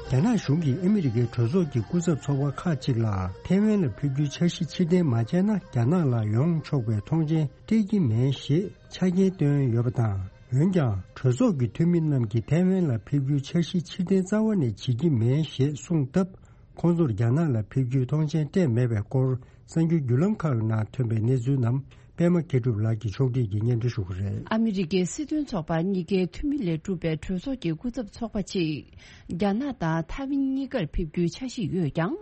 རྒྱ་ནག་གཞུང་གིས་ཨ་མི་རི་ཀའི་གྲོས་ཚོགས་ཀྱི་སྐུ་ཚབ་ཚོགས་པ་ཁག་ཅིག་ལ་ཐའེ་ཝན་ལ་ཕེབས་རྒྱུའི་འཆར་གཞི་ཕྱིར་འཐེན་མ་བྱས་ན། རྒྱ་ནག་ལ་ཡོང་ཆོག་པའི་ཐོངས་མཆན་སྤྲད་ཀྱི་མེད་ཞེས་ཆ་རྐྱེན་བཏོན་ཡོད་པ་དང་། འོན་ཀྱང་། གྲོས་ཚོགས་ཀྱི་འཐུས་མི་རྣམས་ཀྱིས་ཐའེ་ཝན་ལ་ཕེབས་རྒྱུའི་འཆར་གཞི་ཕྱིར་འཐེན་རྩ་བ་ནས་བྱེད་ཀྱི་མེད་ཞེས་གསུངས་སྟབས། ཁོང་ཚོར་རྒྱ་ནག་ལ་ཕེབས་རྒྱུའི་ཐོངས་མཆན་སྤྲད་མེད་པའི་སྐོར། གསར་འགྱུར་བརྒྱུད་ལམ་ཁག་ནང་ཐོན་པའི་གནས་ཚུལ་རྣམས། པད་མ་མཁས་གྲུབ་ལགས་ཀྱིས་ཕྱོགས་སྒྲིག་གིས་སྙན་སྒྲོན་ཞུ་གི་རེད། ཨ་མི་རི་ཀའི་སྲིད་དོན་ཚོགས་པ་གཉིས་ཀའི་འཐུས་མི་ལས་གྲུབ་པའི་གྲོས་ཚོགས་ཀྱི་སྐུ་ཚབ་ཚོགས་པ་གཅིག་རྒྱ་ནག་དང་ཐའེ་ཝན་གཉིས་ཀར་ཕེབས་རྒྱུའི་འཆར་གཞི་ཡོད་ཀྱང་།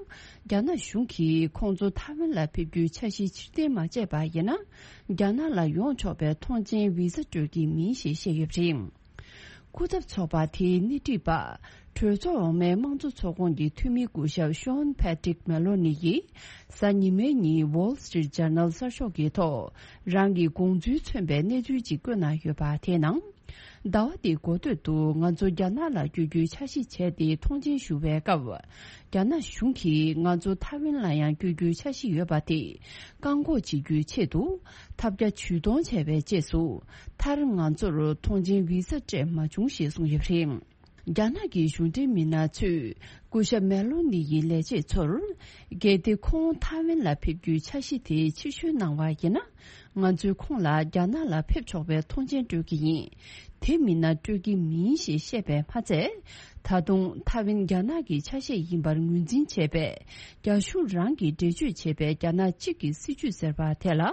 རྒྱ་ནག་གཞུང་གིས་ཁོང་ཚོ་ཐའེ་ཝན་ལ་ཕེབས་རྒྱུའི་འཆར་གཞི་ཕྱིར་འཐེན་མ་བྱས་པ་ཡིན་ན། རྒྱ་ནག་ལ་ཡོང་ཆོག་པའི་ཐོངས་མཆན་བི་ཟ་སྤྲོད་ཀྱི་མིན་ཞེས་བཤད་ཡོད་པ་རེད། སྐུ་ཚབ་ཚོགས་པ་དེའི་སྣེ་ཁྲིད་པ། གྲོས་ཚོགས་འོག་མའི་དམངས་གཙོ་ཚོགས་ཁོངས་ཀྱི་འཐུས་མི་སྐུ་ཞབས་ཤོན་ཕེ་ཏྲིག་མེ་ལོ་ནི་ཡིས། གཟའ་ཉི་མའི་ཉིན་Wall Street Journal གསར་ཤོག་གི་ཐོག་རང་གི་དགོངས་ཚུལ་མཚོན་པའི་གནས་ཚུལ་ཅིག་བཀོད་གནང་ཡོད་པ་དེའི་ནང་། ཟླ་བ་འདིའི་འགོ་སྟོད་དུ་ང་ཚོ་རྒྱ་ནག་ལ་བསྐྱོད་རྒྱུའི་འཆར་གཞི་བྱས་ཏེ་ཐོངས་མཆན་ཞུ་བའི་སྐབས། རྒྱ་ནག་གཞུང་གིས་ང་ཚོ་ཐའེ་ཝན་ལ་ཡང་བསྐྱོད་རྒྱུའི་འཆར་གཞི་ཡོད་པ་དེ་བཀག་འགོག་བྱེད་རྒྱུའི་ཆེད་དུ། ཐབས་བརྒྱ་ཇུས་སྟོང་བྱས་པའི་རྗེས་སུ། མཐར་ང་ཚོར་ཐོངས་མཆན་བི་ཟ་སྤྲད་མ་བྱུང་ཞེས་གསུངས་ཡོད་པ་རེད། རྒྱ་ནག་གི་གཞུང་འབྲེལ་མི་སྣ་ཚོས་སྐུ་ཞབས་མེ་ལོ་ནི་ཡི་ལས་བྱེད་ཚོར། གལ་ཏེ་ཁོང་ཐའེ་ཝན་ལ་ཕེབས་རྒྱུའི་འཆར་གཞི་དེ་ཕྱིར་བཤོལ་གནང་བ་ཡིན་ན། ང་ཚོས་ཁོང་ལ་རྒྱ་ནག་ལ་ཕེབས་ཆོག་པའི་ཐོངས་མཆན་སྤྲོད་ཀྱི་ཡིན། དེ་མིན་ན་སྤྲོད་ཀྱི་མིན་ཞེས་བཤད་པས་མ་ཚད། ད་དུང་ཐའེ་ཝན་རྒྱ་ནག་གི་ཆ་ཤས་ཡིན་པར་ངོས་འཛིན་བྱས་པས། རྒྱ་གཞུང་རང་གིས་འགྲེལ་བརྗོད་བྱས་པའི་རྒྱ་ནག་གཅིག་གི་སྲིད་ཇུས་ཟེར་བ་དེ་ལ།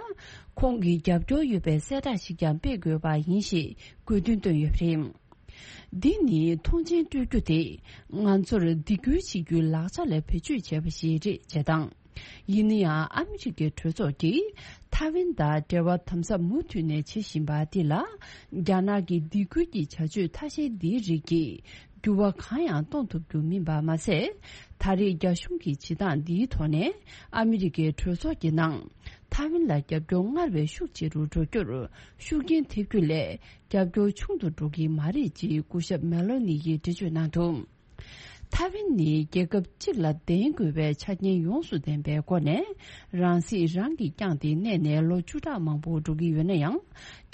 ཁོང་གི་རྒྱབ་སྐྱོར་ཡོད་པའི་གསལ་བསྒྲགས་ཤིག་ཀྱང་སྤེལ་དགོས་པ་ཡིན་ཞེས་དགོས་འདུན་བཏོན་ཡོད་པ་རེད། འདི་ནི་ཐོངས་མཆན་སྤྲོད་རྒྱུ་དེ་ང་ཚོར་སྡིགས་སྐུལ་བྱེད་རྒྱུའི་ལག་ཆ་ལ་བེད་སྤྱོད་བྱས་པ་ཞིག་རེད་ཅེས་དང་། ཡིན་ན་ཡང་ཨ་མི་རི་ཀའི་གྲོས་ཚོགས་ཀྱིས་ཐའེ་ཝན་དང་འབྲེལ་བ་དམ་ཟབ་མུ་མཐུད་ནས་བྱེད་བཞིན་པ་འདི་ལ། རྒྱ་ནག་གི་སྡིགས་སྐུལ་གྱི་བྱ་སྤྱོད་ཐ་ཤལ་འདིའི་རིགས་ཀྱིས་འགྱུར་བ་གང་ཡང་གཏོང་ཐུབ་རྒྱུ་མིན་པ་མ་ཟད། ད་རེས་རྒྱ་གཞུང་གི་བྱེད་སྟངས་འདིའི་ཐོག་ནས་ཨ་མི་རི་ཀའི་གྲོས་ཚོགས་ཀྱི་ནང་ཐའེ་ཝན་ལ་རྒྱབ་སྐྱོར་སྔར་བས་ཤུགས་ཆེ་རུ་འགྲོ་རྒྱུར་ཤུགས་རྐྱེན་ཐེབས་རྒྱུ་ལས། རྒྱབ་སྐྱོར་ཆུང་དུ་འགྲོ་གི་མ་རེད་ཅེས་སྐུ་ཞབས་མེ་ལོ་ནི་ཡིས་འགྲེལ་བརྗོད་གནང་འདུག་ཐའེ་ཝན་ནི་རྒྱལ་ཁབ་གཅིག་ལ་ལྡན་དགོས་པའི་ཆ་རྐྱེན་ཡོངས་སུ་ལྡན་པའི་སྒོ་ནས། རང་སྲིད་རང་གིས་བསྐྱངས་ཏེ་གནས་ནས་ལོ་བཅུ་ཕྲག་མང་པོ་འགྲོ་གི་ཡོད་ན་ཡང་།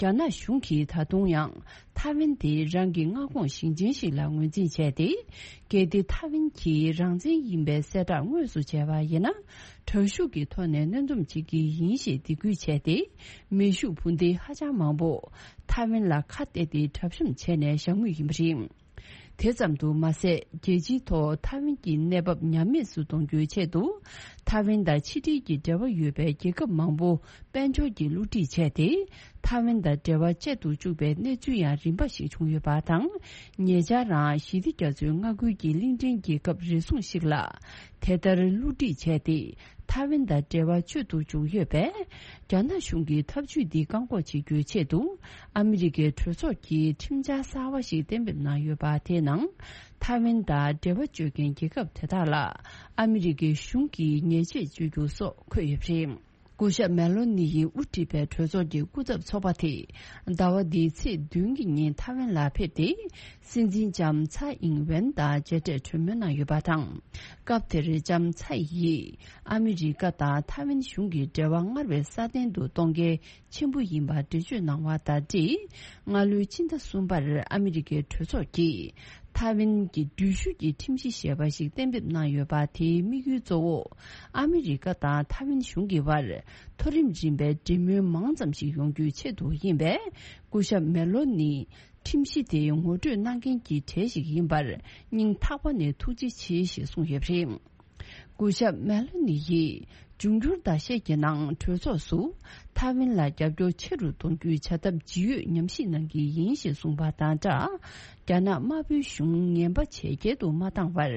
རྒྱ་ནག་གཞུང་གིས་ད་དུང་ཡང་ཐའེ་ཝན་དེ་རང་གི་མངའ་ཁོངས་ཞིང་ཆེན་ཞིག་ལ་ངོས་འཛིན་བྱས་ཏེ། གལ་ཏེ་ཐའེ་ཝན་གྱིས་རང་བཙན་ཡིན་པའི་གསལ་བསྒྲགས་དངོས་སུ་བྱས་པ་ཡིན་ན། དྲག་ཤུགས་ཀྱི་ཐོག་ནས་གནོན་སྡོམ་བྱེད་ཀྱི་ཡིན་ཞེས་སྡིགས་སྐུལ་བྱས་ཏེ། མེ་ཤུགས་འཕུར་མདེལ་ཧ་ཅང་མང་པོ་ཐའེ་ཝན་ལ་ཁ་གཏད་དེ་གྲབས་གཤོམ་བྱས་ནས་བཞག་མུས་ཡིན་པ་རེད། དེ་ཙམ་དུ་མ་ཟད། རྒྱལ་སྤྱིའི་ཐོག་ཐའེ་ཝན་གྱི་གནས་བབ་ཉམས་དམས་སུ་གཏོང་རྒྱུའི་ཆེད་དུ། ཐའེ་ཝན་དང་ཕྱི་འབྲེལ་གྱི་འབྲེལ་བ་ཡོད་པའི་རྒྱལ་ཁབ་མང་པོ་དཔལ་འབྱོར་གྱི་བསླུ་བྲིད་བྱས་ཏེ། ཐའེ་ཝན་དང་འབྲེལ་བ་བཅད་དུ་བཅུག་པའི་གནས་ཚུལ་ཡང་རིམ་པ་ཞིག་བྱུང་ཡོད་པ་དང་། ཉེ་ཆར་རང་ཞི་བདེ་རྒྱ་མཚོའི་མངའ་ཁུལ་གྱི་གླིང་ཕྲན་རྒྱལ་ཁབ་རེ་ཟུང་ཞིག་ལ། དེ་ལྟར་བསླུ་བྲིད་བྱས་ཏེ། ཐའེ་ཝན་དང་འབྲེལ་བ་གཅོད་དུ་བཅུག་ཡོད་པས། རྒྱ་ནག་གཞུང་གིས་ཐབས་ཇུས་འདི་བཀག་འགོག་བྱེད་རྒྱུའི་ཆེད་དུ། ཨ་མི་རི་ཀའི་གྲོས་ཚོགས་ཀྱིས་ཁྲིམས་འཆར་གསར་བ་ཞིག་གཏན་འབེབས་གནང་ཡོད་པ། དེའི་ནང་ཐའེ་ཝན་དང་འབྲེལ་བ་གཅོད་མཁན་རྒྱལ་ཁབ་དེ་དག་ལ། ཨ་མི་རི་ཀའི་གཞུང་གིས་ཉེས་ཆད་གཅོད་རྒྱུ་སོགས་འཁོད་ཡོད་པ་རེད། སྐུ་ཞབས་མེ་ལོ་ནི་ཡིས་དབུ་ཁྲིད་པའི་གྲོས་ཚོགས་ཀྱི་སྐུ་ཚབ་ཚོགས་པ་དེས། ཟླ་བ་འདིའི་ཚེས་བདུན་གྱི་ཉིན་ཐའེ་ཝན་ལ་ཕེབས་ཏེ། སྲིད་འཛིན་ལྕམ་ཚའེ་ཨིང་ཝེན་དང་མཇལ་འཕྲད་གྲོས་མོལ་གནང་ཡོད་པ་དང་། སྐབས་དེར་ལྕམ་ཚའེ་ཡིས། ཨ་མི་རི་ཀ་དང་ཐའེ་ཝན་གཞུང་གི་འབྲེལ་བ་སྔར་བས་སྲ་བརྟན་དུ་གཏོང་གལ་ཆེན་པོ་ཡིན་པར་འགྲེལ་བརྗོད་གནང་བ་དང་འབྲེལ། སྔ་ལོའི་ཕྱི་ཟླ་གསུམ་པར་ཨ་མི་རི་ཀའི་གྲོས་ཚོགས་ཀྱིས། ཐའེ་ཝན་གྱི་འགྲུལ་བཞུད་ཀྱི་ཁྲིམས་གཞི་ཞེས་པ་ཞིག་གཏན་འབེབས་གནང་ཡོད་པ། དེའི་དམིགས་ཡུལ་གཙོ་བོ། ཨ་མི་རི་ཀ་དང་ཐའེ་ཝན་གཞུང་གི་བར། མཐོ་རིམ་རིམ་པའི་འབྲེལ་མོལ་མང་ཙམ་ཞིག་ཡོང་རྒྱུའི་ཆེད་དུ་ཡིན་པས། སྐུ་ཞབས་མེ་ལོ་ནི། ཁྲིམས་གཞི་དེ་ངོ་སྤྲོད་གནང་མཁན་གྱི་གྲས་ཤིག་ཡིན་པར། སྙིང་ཐག་པ་ནས་ཐུགས་རྗེ་ཆེ་ཞེས་གསུངས་ཡོད་པ་རེད། སྐུ་ཞབས་མེ་ལོ་ནི་ཡིས། འབྱུང་འགྱུར་ཟླ་ཤས་ཀྱི་ནང་གྲོས་ཚོགས་སུ་ཐའེ་ཝན་ལ་རྒྱབ་སྐྱོར་ཆེ་རུ་གཏོང་རྒྱུའི་བྱ་ཐབས་ཇི་ཡོད་ཉམས་ཞིབ་གནང་གི་ཡིན་ཞེས་གསུངས་པ་དང་སྦྲགས། རྒྱ་ནག་དམར་པོའི་གཞུང་ངན་པ་ཇེ་རྒྱལ་དུ་མ་བཏང་བར་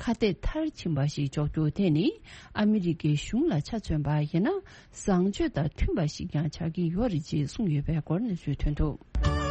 ཁ་གཏད་མཐར་ཕྱིན་པ་ཞིག་འཇོག་རྒྱུ་དེ་ནི་ཨ་མི་རི་ཀའི་གཞུང་ལ་ཆ་མཚོན་པ་ཡིན་ན། བཟང་སྤྱོད་དང་མཐུན་པ་ཞིག་ཀྱང་ཆགས་ཀྱི་ཡོད་རེད་ཅེས་གསུངས་ཡོད་པའི་སྐོར་གནས་ཚུལ་ཐོན་འདུག།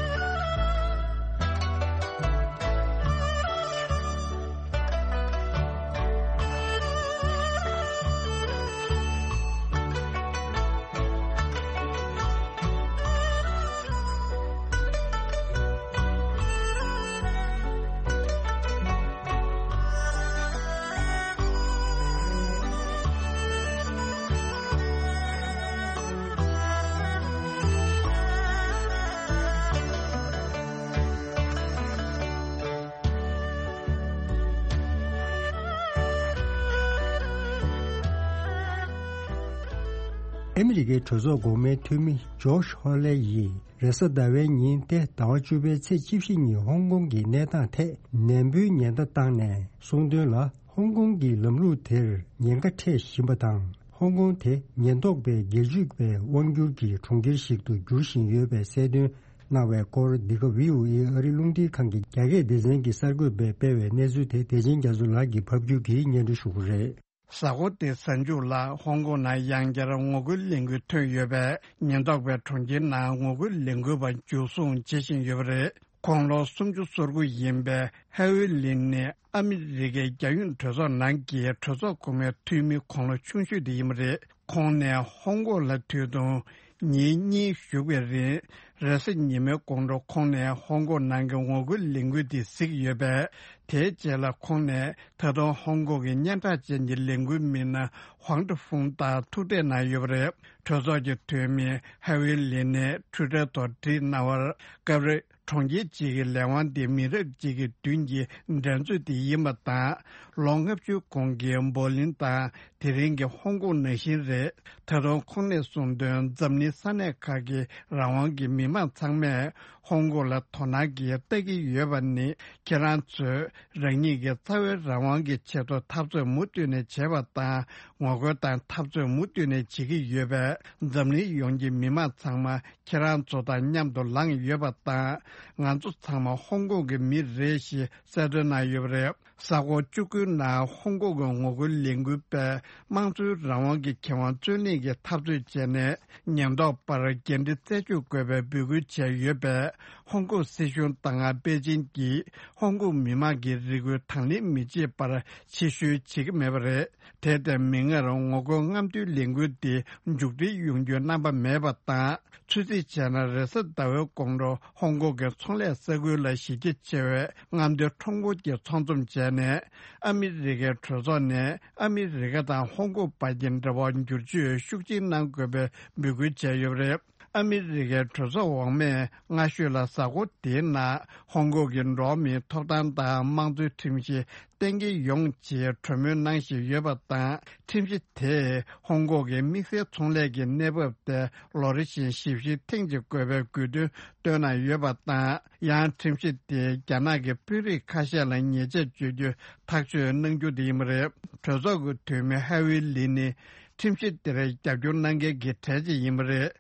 ཨ་མི་རི་ཀའི་གྲོས་ཚོགས་འགོ་དམངས་འཐུས་མི་ཇོ་ཤ་ཧོ་ལེ་ཡིས་རེས་གཟའ་ཟླ་བའི་ཉིན་ཏེ་ཟླ་བ་བཅུ་པའི་ཚེས་བཅུ་བཞི་ཉིན་ཧོང་ཀོང་གི་གནས་སྟངས་ཐད་ནན་པོའི་ཉེན་བརྡ་བཏང་ནས་གསུངས་དོན་ལ། ཧོང་ཀོང་གི་ལམ་ལུགས་དེར་ཉེན་ཁ་འཕྲད་བཞིན་པ་དང་། ཧོང་ཀོང་དེ་ཉེན་རྟོག་པའི་སྒེར་གཅོད་པའི་དབང་སྒྱུར་གྱི་གྲོང་ཁྱེར་ཞིག་ཏུ་འགྱུར་བཞིན་ཡོད་པའི་གསལ་སྟོན་གནང་བའི་སྐོར། འདི་ག་བྷི་ཨོ་ཨེ་ཨ་རིའི་རླུང་འཕྲིན་ཁང་གི་རྒྱ་སྐད་སྡེ་ཚན་གྱིས་གསར་འགོད་པས་སྤེལ་བའི་གནས་ཚུལ་དེ་བདེ་ཆེན་རྒྱ་མཚོ་ལགས་ཀྱིས་ཕབ་སྒྱུར་གྱིས་སྙན་སྒྲོན་ཞུ་གི་རེད། གཟའ་འཁོར་འདིའི་གཟའ་མཇུག་ལ་ཧོང་ཀོང་ནང་ཡང་བསྐྱར་ངོ་རྒོལ་ལས་འགུལ་ཐོན་ཡོད་པས། ཉེན་རྟོག་པས་གྲོང་ཁྱེར་ནང་ངོ་རྒོལ་ལས་འགུལ་བ་འཇུ་བཟུང་བྱེད་བཞིན་ཡོད་པ་རེད། དགུང་ལོ་སུམ་ཅུ་སོ་དགུ་ཡིན་པའི་ཧའེ་ཝེ་ལིན་ནི་ཨ་མི་རི་ཀའི་རྒྱལ་ཡོངས་གྲོས་ཚོགས་ནང་གི་གྲོས་ཚོགས་གོང་མའི་འཐུས་མི་དགུང་ལོ་ཆུང་ཤོས་དེ་ཡིན་པ་རེད། ཁོང་ནས་ཧོང་ཀོང་ལ་དུས་ཐུང་ཉིན་གཉིས་བཞུགས་པའི་རིང་། རེས་གཟའ་ཉི་མའི་དགོང་དྲོ་ཁོང་ནས་ཧོང་ཀོང་ནང་གི་ངོ་རྒོལ་ལས་འགུལ་དེ་གཟིགས་ཡོད་པས། དེའི་རྗེས་ལ་ཁོང་ནས་ད་དུང་ཧོང་ཀོང་གི་སྙན་གྲགས་ཅན་གྱི་ལས་འགུལ་མི་སྣ་ཧུང་ཀྲི་ཧྥུང་དང་ཐུག་འཕྲད་གནང་ཡོད་པ་རེད། གྲོས་ཚོགས་ཀྱི་འཐུས་མི་ཧའེ་ཝེ་ལིན་ནས་ཊུའི་ཊར་ཐོག་བྲིས་གནང་བར། སྐབས་རེ་གྲོང་ཁྱེར་གཅིག་གི་ལས་དབང་དེ་མི་རབས་གཅིག་གི་མདུན་གྱི་འགྲན་རྩོད་དེ་ཡིན་པ་དང་། ལོ་ལྔ་བཅུ་གོང་གི་འབོ་ལིན་དང་དེ་རིང་གི་ཧོང་ཀོང་ནང་བཞིན་རེད། ད་དུང་ཁོང་ནས་གསུངས་དོན། འཛམ་གླིང་ས་གནས་ཁག་གི་རང་དབང་གི་མི་མང་ཚང་མས་ཧོང་ཀོང་ལ་དོ་སྣང་གིས་ལྟ་གི་ཡོད་པ་ནི། ཁྱེད་རང་ཚོས་རང་ཉིད་ཀྱི་རྩ་བའི་རང་དབང་གི་ཆེད་དུ་འཐབ་རྩོད་མུ་མཐུད་ནས་བྱས་པ་དང་། ངོ་རྒོལ་དང་འཐབ་རྩོད་མུ་མཐུད་ནས་བྱེད་ཀྱི་ཡོད་པས། འཛམ་གླིང་ཡོངས་ཀྱི་མི་མང་ཚང་མ་ཁྱེད་རང་ཚོ་དང་མཉམ་དུ་ལངས་ཡོད་པ་དང་། ང་ཚོ་ཚང་མ་ཧོང་ཀོང་གི་མི་རེད་ཞེས་གསལ་སྟོན་གནང་ཡོད་པ་རེད། གཟའ་འཁོར་བཅུ་དགུའི་ནང་ཧོང་ཀོང་གི་ངོ་རྒོལ་ལས་འགུལ་པས་དམངས་གཙོའི་རང་དབང་གི་ཁེ་དབང་རྩོད་ལེན་གྱི་འཐབ་རྩོད་བྱས་ནས། ཉེན་རྟོག་པར་འགན་འཁྲི་རྩད་གཅོད་དགོས་པའི་འབོད་སྐུལ་བྱས་ཡོད་པས། ཧོང་ཀོང་སྲིད་གཞུང་དང་པེ་ཅིན་གྱིས་ཧོང་ཀོང་མི་མང་གི་རེ་སྐུལ་དང་ལེན་མི་བྱེད་པར་ཕྱིར་བཤོལ་བྱེད་ཀྱི་མེད་པ་རེད། དེ་ལྟར་མིག་སྔར་ངོ་རྒོལ་རྔམ་སྟོན་ལས་འགུལ་འདི་མཇུག་སྒྲིལ་ཡོང་རྒྱུའི་རྣམ་པ་མེད་པ་དང་། ཚོད་རྩིས་བྱས་ན། རེས་གཟའ་ཟླ་བའི་དགོང་དྲོ་ཧོང་ཀོང་གི་ཚོང་ལས་ས་ཁུལ་ལ་གཞི་རྒྱ་ཆེ་བའི་རྔམ་སྟོན་ཁྲོམ་སྐོར་གྱི་ཚོགས་འཛོམས་བྱས་ནས། ཨ་མི་རི་ཀའི་གྲོས་ཚོགས་ནས་ཨ་མི་རི་ཀ་དང་ཧོང་ཀོང་བར་གྱི་འབྲེལ་བ་འགྱུར་བཅོས་ཤུགས་ཆེན་གནང་དགོས་པའི་འབོད་སྐུལ་བྱས་ཡོད་པ་རེད། ཨ་མི་རི་ཀའི་གྲོས་ཚོགས་འོག་མས་སྔ་ཤོས་ལ་གཟའ་འཁོར་དེའི་ནང་ཧོང་ཀོང་གི་འགྲོ་བ་མིའི་ཐོབ་ཐང་དང་དམངས་གཙོའི་ཁྲིམས་གཞི་གཏན་འཁེལ་ཡོང་ཆེད་གྲོས་མོལ་གནང་བཞིན་ཡོད་པ་དང་། ཁྲིམས་གཞི་དེས་ཧོང་ཀོང་གི་དམིགས་བསལ་ཚོང་ལས་ཀྱི་གནས་བབ་དེ་ལོ་རེ་བཞིན་ཞིབ་བཤེར་ཐེངས་གཅིག་དགོས་པའི་དགོས་འདུན་བཏོན་གནང་ཡོད་པ་དང་། ཡང་ཁྲིམས་གཞི་དེས་རྒྱ་ནག་གི་དཔོན་རིགས་ཁ་ཤས་ལ་ཉེས་ཆད་གཅོད་རྒྱུ་ཐག་གཅོད་གནང་རྒྱུ་དེ་ཡིན་པ་རེད། གྲོས་ཚོགས་ཀྱི་འཐུས་མི་ཧ་ཝི་ལི་ནི། ཁྲིམས་གཞི་དེར་རྒྱབ་སྐྱོར་གནང་མཁན་གྱི་གྲས་གཅིག་ཡིན་པ་རེད།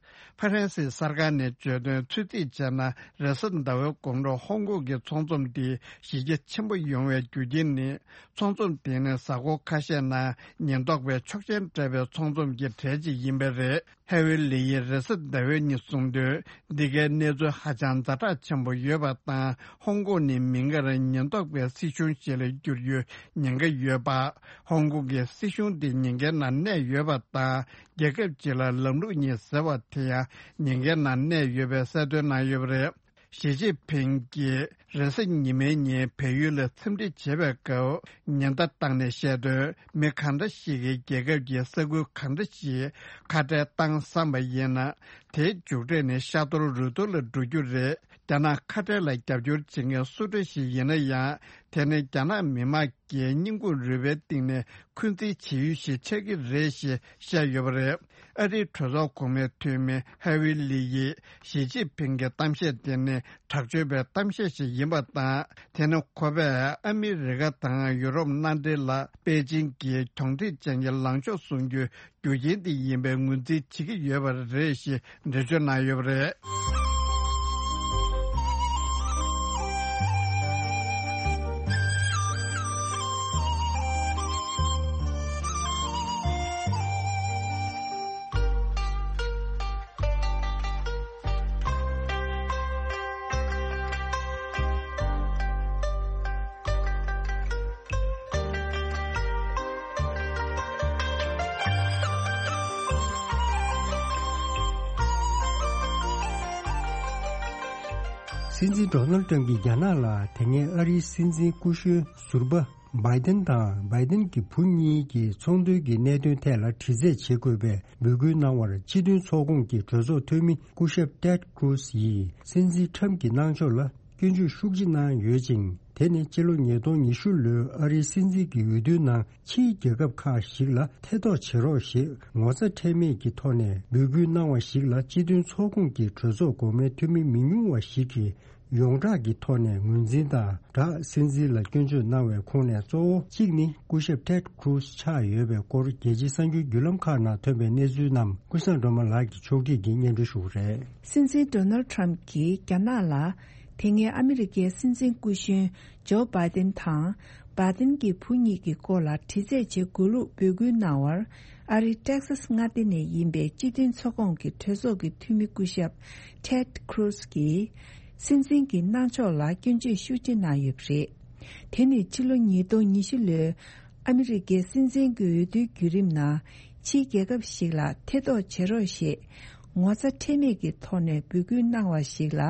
ཧྥ་རན་སིའི་གསར་ཁང་ནས་བརྗོད་དོན། ཚོད་རྩིས་བྱས་ན། རེས་གཟའ་ཟླ་བའི་དགོང་དྲོ་ཧོང་ཀོང་གི་ཚོགས་འཛོམས་འདི་གཞི་རྒྱ་ཆེན་པོ་ཡོང་བའི་རྒྱུ་རྐྱེན་ནི། ཚོགས་འཛོམས་དེ་ནི་གཟའ་འཁོར་ཁ་ཤས་ནང་ཉེན་རྟོག་པས་ཆོག་མཆན་སྤྲད་པའི་ཚོགས་འཛོམས་ཀྱི་གྲས་གཅིག་ཡིན་པས་རེད། ཧེ་ཝེ་ལི་ཡིས་རེས་གཟའ་ཟླ་བའི་ཉིན་གསུངས་དོན། འདི་གའི་གནས་ཚུལ་ཧ་ཅང་ཛ་དྲག་ཆེན་པོ་ཡོད་པ་དང་། ཧོང་ཀོང་ནི་མིག་སྔར་ཉེན་རྟོག་པའི་སྲིད་གཞུང་ཞིག་ལ་འགྱུར་རྒྱུའི་ཉེན་ཁ་ཡོད་པ། ཧོང་ཀོང་གི་སྲིད་གཞུང་དེ་ཉེན་ཁའི་ནང་གནས་ཡོད་པ་དང་། རྒྱལ་ཁབ་ཅིག་ལ་ལམ་ལུགས་གཉིས་ཟེར་བ་དེ་ཡང་ཉེན་ཁའི་ནང་གནས་ཡོད་པའི་གསལ་སྟོན་གནང་ཡོད་པ་རེད། ཞི་ཅིན་ཕིང་གིས་རེས་གཟའ་ཉི་མའི་ཉིན་བལ་ཡུལ་ལ་འཚམས་འདྲི་བྱེད་པའི་སྐབས་ཉེན་བརྡ་བཏང་ནས་བཤད་དོན། མི་གང་འདྲ་ཞིག་གིས་རྒྱལ་ཁབ་ཀྱི་ས་ཁུལ་གང་འདྲ་ཞིག་ཁ་བྲལ་བཏང་བསམ་པ་ཡིན་ན། དེའི་མཇུག་འབྲས་ནི་ཤ་གཏོར་རུས་གཏོར་ལ་འགྲོ་རྒྱུ་རེད། རྒྱ་ནག་ཁ་བྲལ་ལ་རྒྱབ་སྐྱོར་བྱེད་མཁན་སུ་འདྲ་ཞིག་ཡིན་ན་ཡང་། དེ་ནི་རྒྱ་ནག་མི་དམངས་ཀྱི་སྙིང་ཁུང་རུས་པའི་གཏིང་ནས་འཁོན་འཛིན་བྱེད་ཡུལ་ཞིག་ཆགས་ཀྱི་རེད་ཞེས་བཤད་ཡོད་པ་རེད། ཨ་རིའི་གྲོས་ཚོགས་གོང་མའི་འཐུས་མི་ཧེ་ཝི་ལི་ཡིས་ཞི་ཅིན་ཕིང་གི་གཏམ་བཤད་དེ་ནི་དྲག་སྤྱོད་པའི་གཏམ་བཤད་ཞིག་ཡིན་པ་དང་། དེ་ནི་ཁོ་པས་ཨ་མི་རི་ཀ་དང་ཡུ་རོབ་མནའ་འབྲེལ་ལ་པེ་ཅིང་གིས་གྱོང་འཕྲད་ཅན་གྱི་ལངས་ཕྱོགས་བཟུང་རྒྱུའི་རྒྱུ་རྐྱེན་དེ་ཡིན་པའི་ངོས་འཛིན་བྱེད་ཀྱི་ཡོད་པ་རེད་ཞེས་འགྲེལ་བརྗོད་གནང་ཡོད་པ་རེད། སྲིད་འཛིན་ཌོ་ནལ་ཊམ་གྱིས་རྒྱ་ནག་ལ་དེ་སྔའི་ཨ་རིའི་སྲིད་འཛིན་སྐུ་གཞོན་ཟུར་པ་བྷའི་ཏན་དང་བྷའི་ཏན་གྱི་བུ་གཉིས་ཀྱི་ཚོང་དོན་གྱི་གནད་དོན་ཐད་ལ་དྲི་རྩད་བྱེད་དགོས་པའི་འབོད་སྐུལ་གནང་བར་སྤྱི་མཐུན་ཚོགས་ཁོངས་ཀྱི་གྲོས་ཚོགས་འཐུས་མི་སྐུ་ཞབས་ཏེད་ཀྲུས་ཡིས་སྲིད་འཛིན་ཊམ་གྱི་གནང་ཕྱོགས་ལ་སྐྱོན་བརྗོད་ཤུགས་ཆེ་གནང་ཡོད་ཅིང་། དེ་ནི་ཕྱི་ལོ་ཉིས་སྟོང་ཉི་ཤུ་ལོའི་ཨ་རིའི་སྲིད་འཛིན་གྱི་འོས་བསྡུའི་ནང་ཕྱིའི་རྒྱལ་ཁབ་ཁག་ཞིག་ལ་ཐེ་གཏོགས་བྱེད་རོགས་ཞེས་ངོ་ཚ་ཁྲེལ་མེད་ཀྱི་ཐོག་ནས་འབོད་སྐུལ་གནང་བ་ཞིག་ལ་སྤྱི་མཐུན་ཚོགས་ཁོངས་ཀྱི་གྲོས་ཚོགས་གོང་མའི་འཐུས་མི་མི་ཉུང་བ་ཞིག་གིས་ཡོངས་གྲགས་ཀྱི་ཐོག་ནས་ངོས་འཛིན་དང་སྦྲགས་སྲིད་འཛིན་ལ་སྐྱོན་བརྗོད་གནང་བའི་ཁོངས་ནས་གཙོ་བོ་གཅིག་ནི་སྐུ་ཞབས་Ted Cruz ཆགས་ཡོད་པའི་སྐོར་རྒྱལ་སྤྱིའི་གསར་འགྱུར་བརྒྱུད་ལམ་ཁག་ནང་ཐོན་པའི་གནས་ཚུལ་རྣམས་ཀུན་བཟང་སྒྲོལ་མ་ལགས་ཀྱིས་ཕྱོགས་སྒྲིག་གིས་སྙན་སྒྲོན་ཞུ་གི་རེད། སྲིད་འཛིན་Donald Trump གྱིས་རྒྱ་ནག་ལ་དེ་སྔའི་ཨ་མི་རི་ཀའི་སྲིད་འཛིན་སྐུ་གཞོན་ཇོ་བྷའི་ཏིན་དང་། བྷའི་ཏིན་གྱི་བུ་གཉིས་ཀྱི་སྐོར་ལ་དྲི་རྩད་བྱེད་དགོས་ལུགས་འབོད་སྐུལ་གནང་བར། ཨ་རིའི་ཏེག་སཱས་མངའ་སྡེ་ནས་ཡིན་པའི་སྤྱི་མཐུན་ཚོགས་ཁོངས་ཀྱི་གྲོས་ཚོགས་ཀྱི་འཐུས་མི་སྐུ་ཞབས་Ted Cruz གྱིས། སྲིད་འཛིན་གྱི་གནང་ཕྱོགས་ལ་སྐྱོན་བརྗོད་ཤུགས་ཆེ་གནང་ཡོད་པ་རེད། དེ་ནི་ཕྱི་ལོ་ཉིས་སྟོང་ཉི་ཤུ་ལོའི་ཨ་མི་རི་ཀའི་སྲིད་འཛིན་གྱི་འོས་བསྡུའི་བརྒྱུད་རིམ་ནང་ཕྱིའི་རྒྱལ་ཁབ་ཞིག་ལ་ཐེ་གཏོགས་བྱེད་རོགས་ཞེས་ངོ་ཚ་ཁྲེལ་མེད་ཀྱི་ཐོག་ནས་འབོད་སྐུལ་གནང་བ་ཞིག་ལ།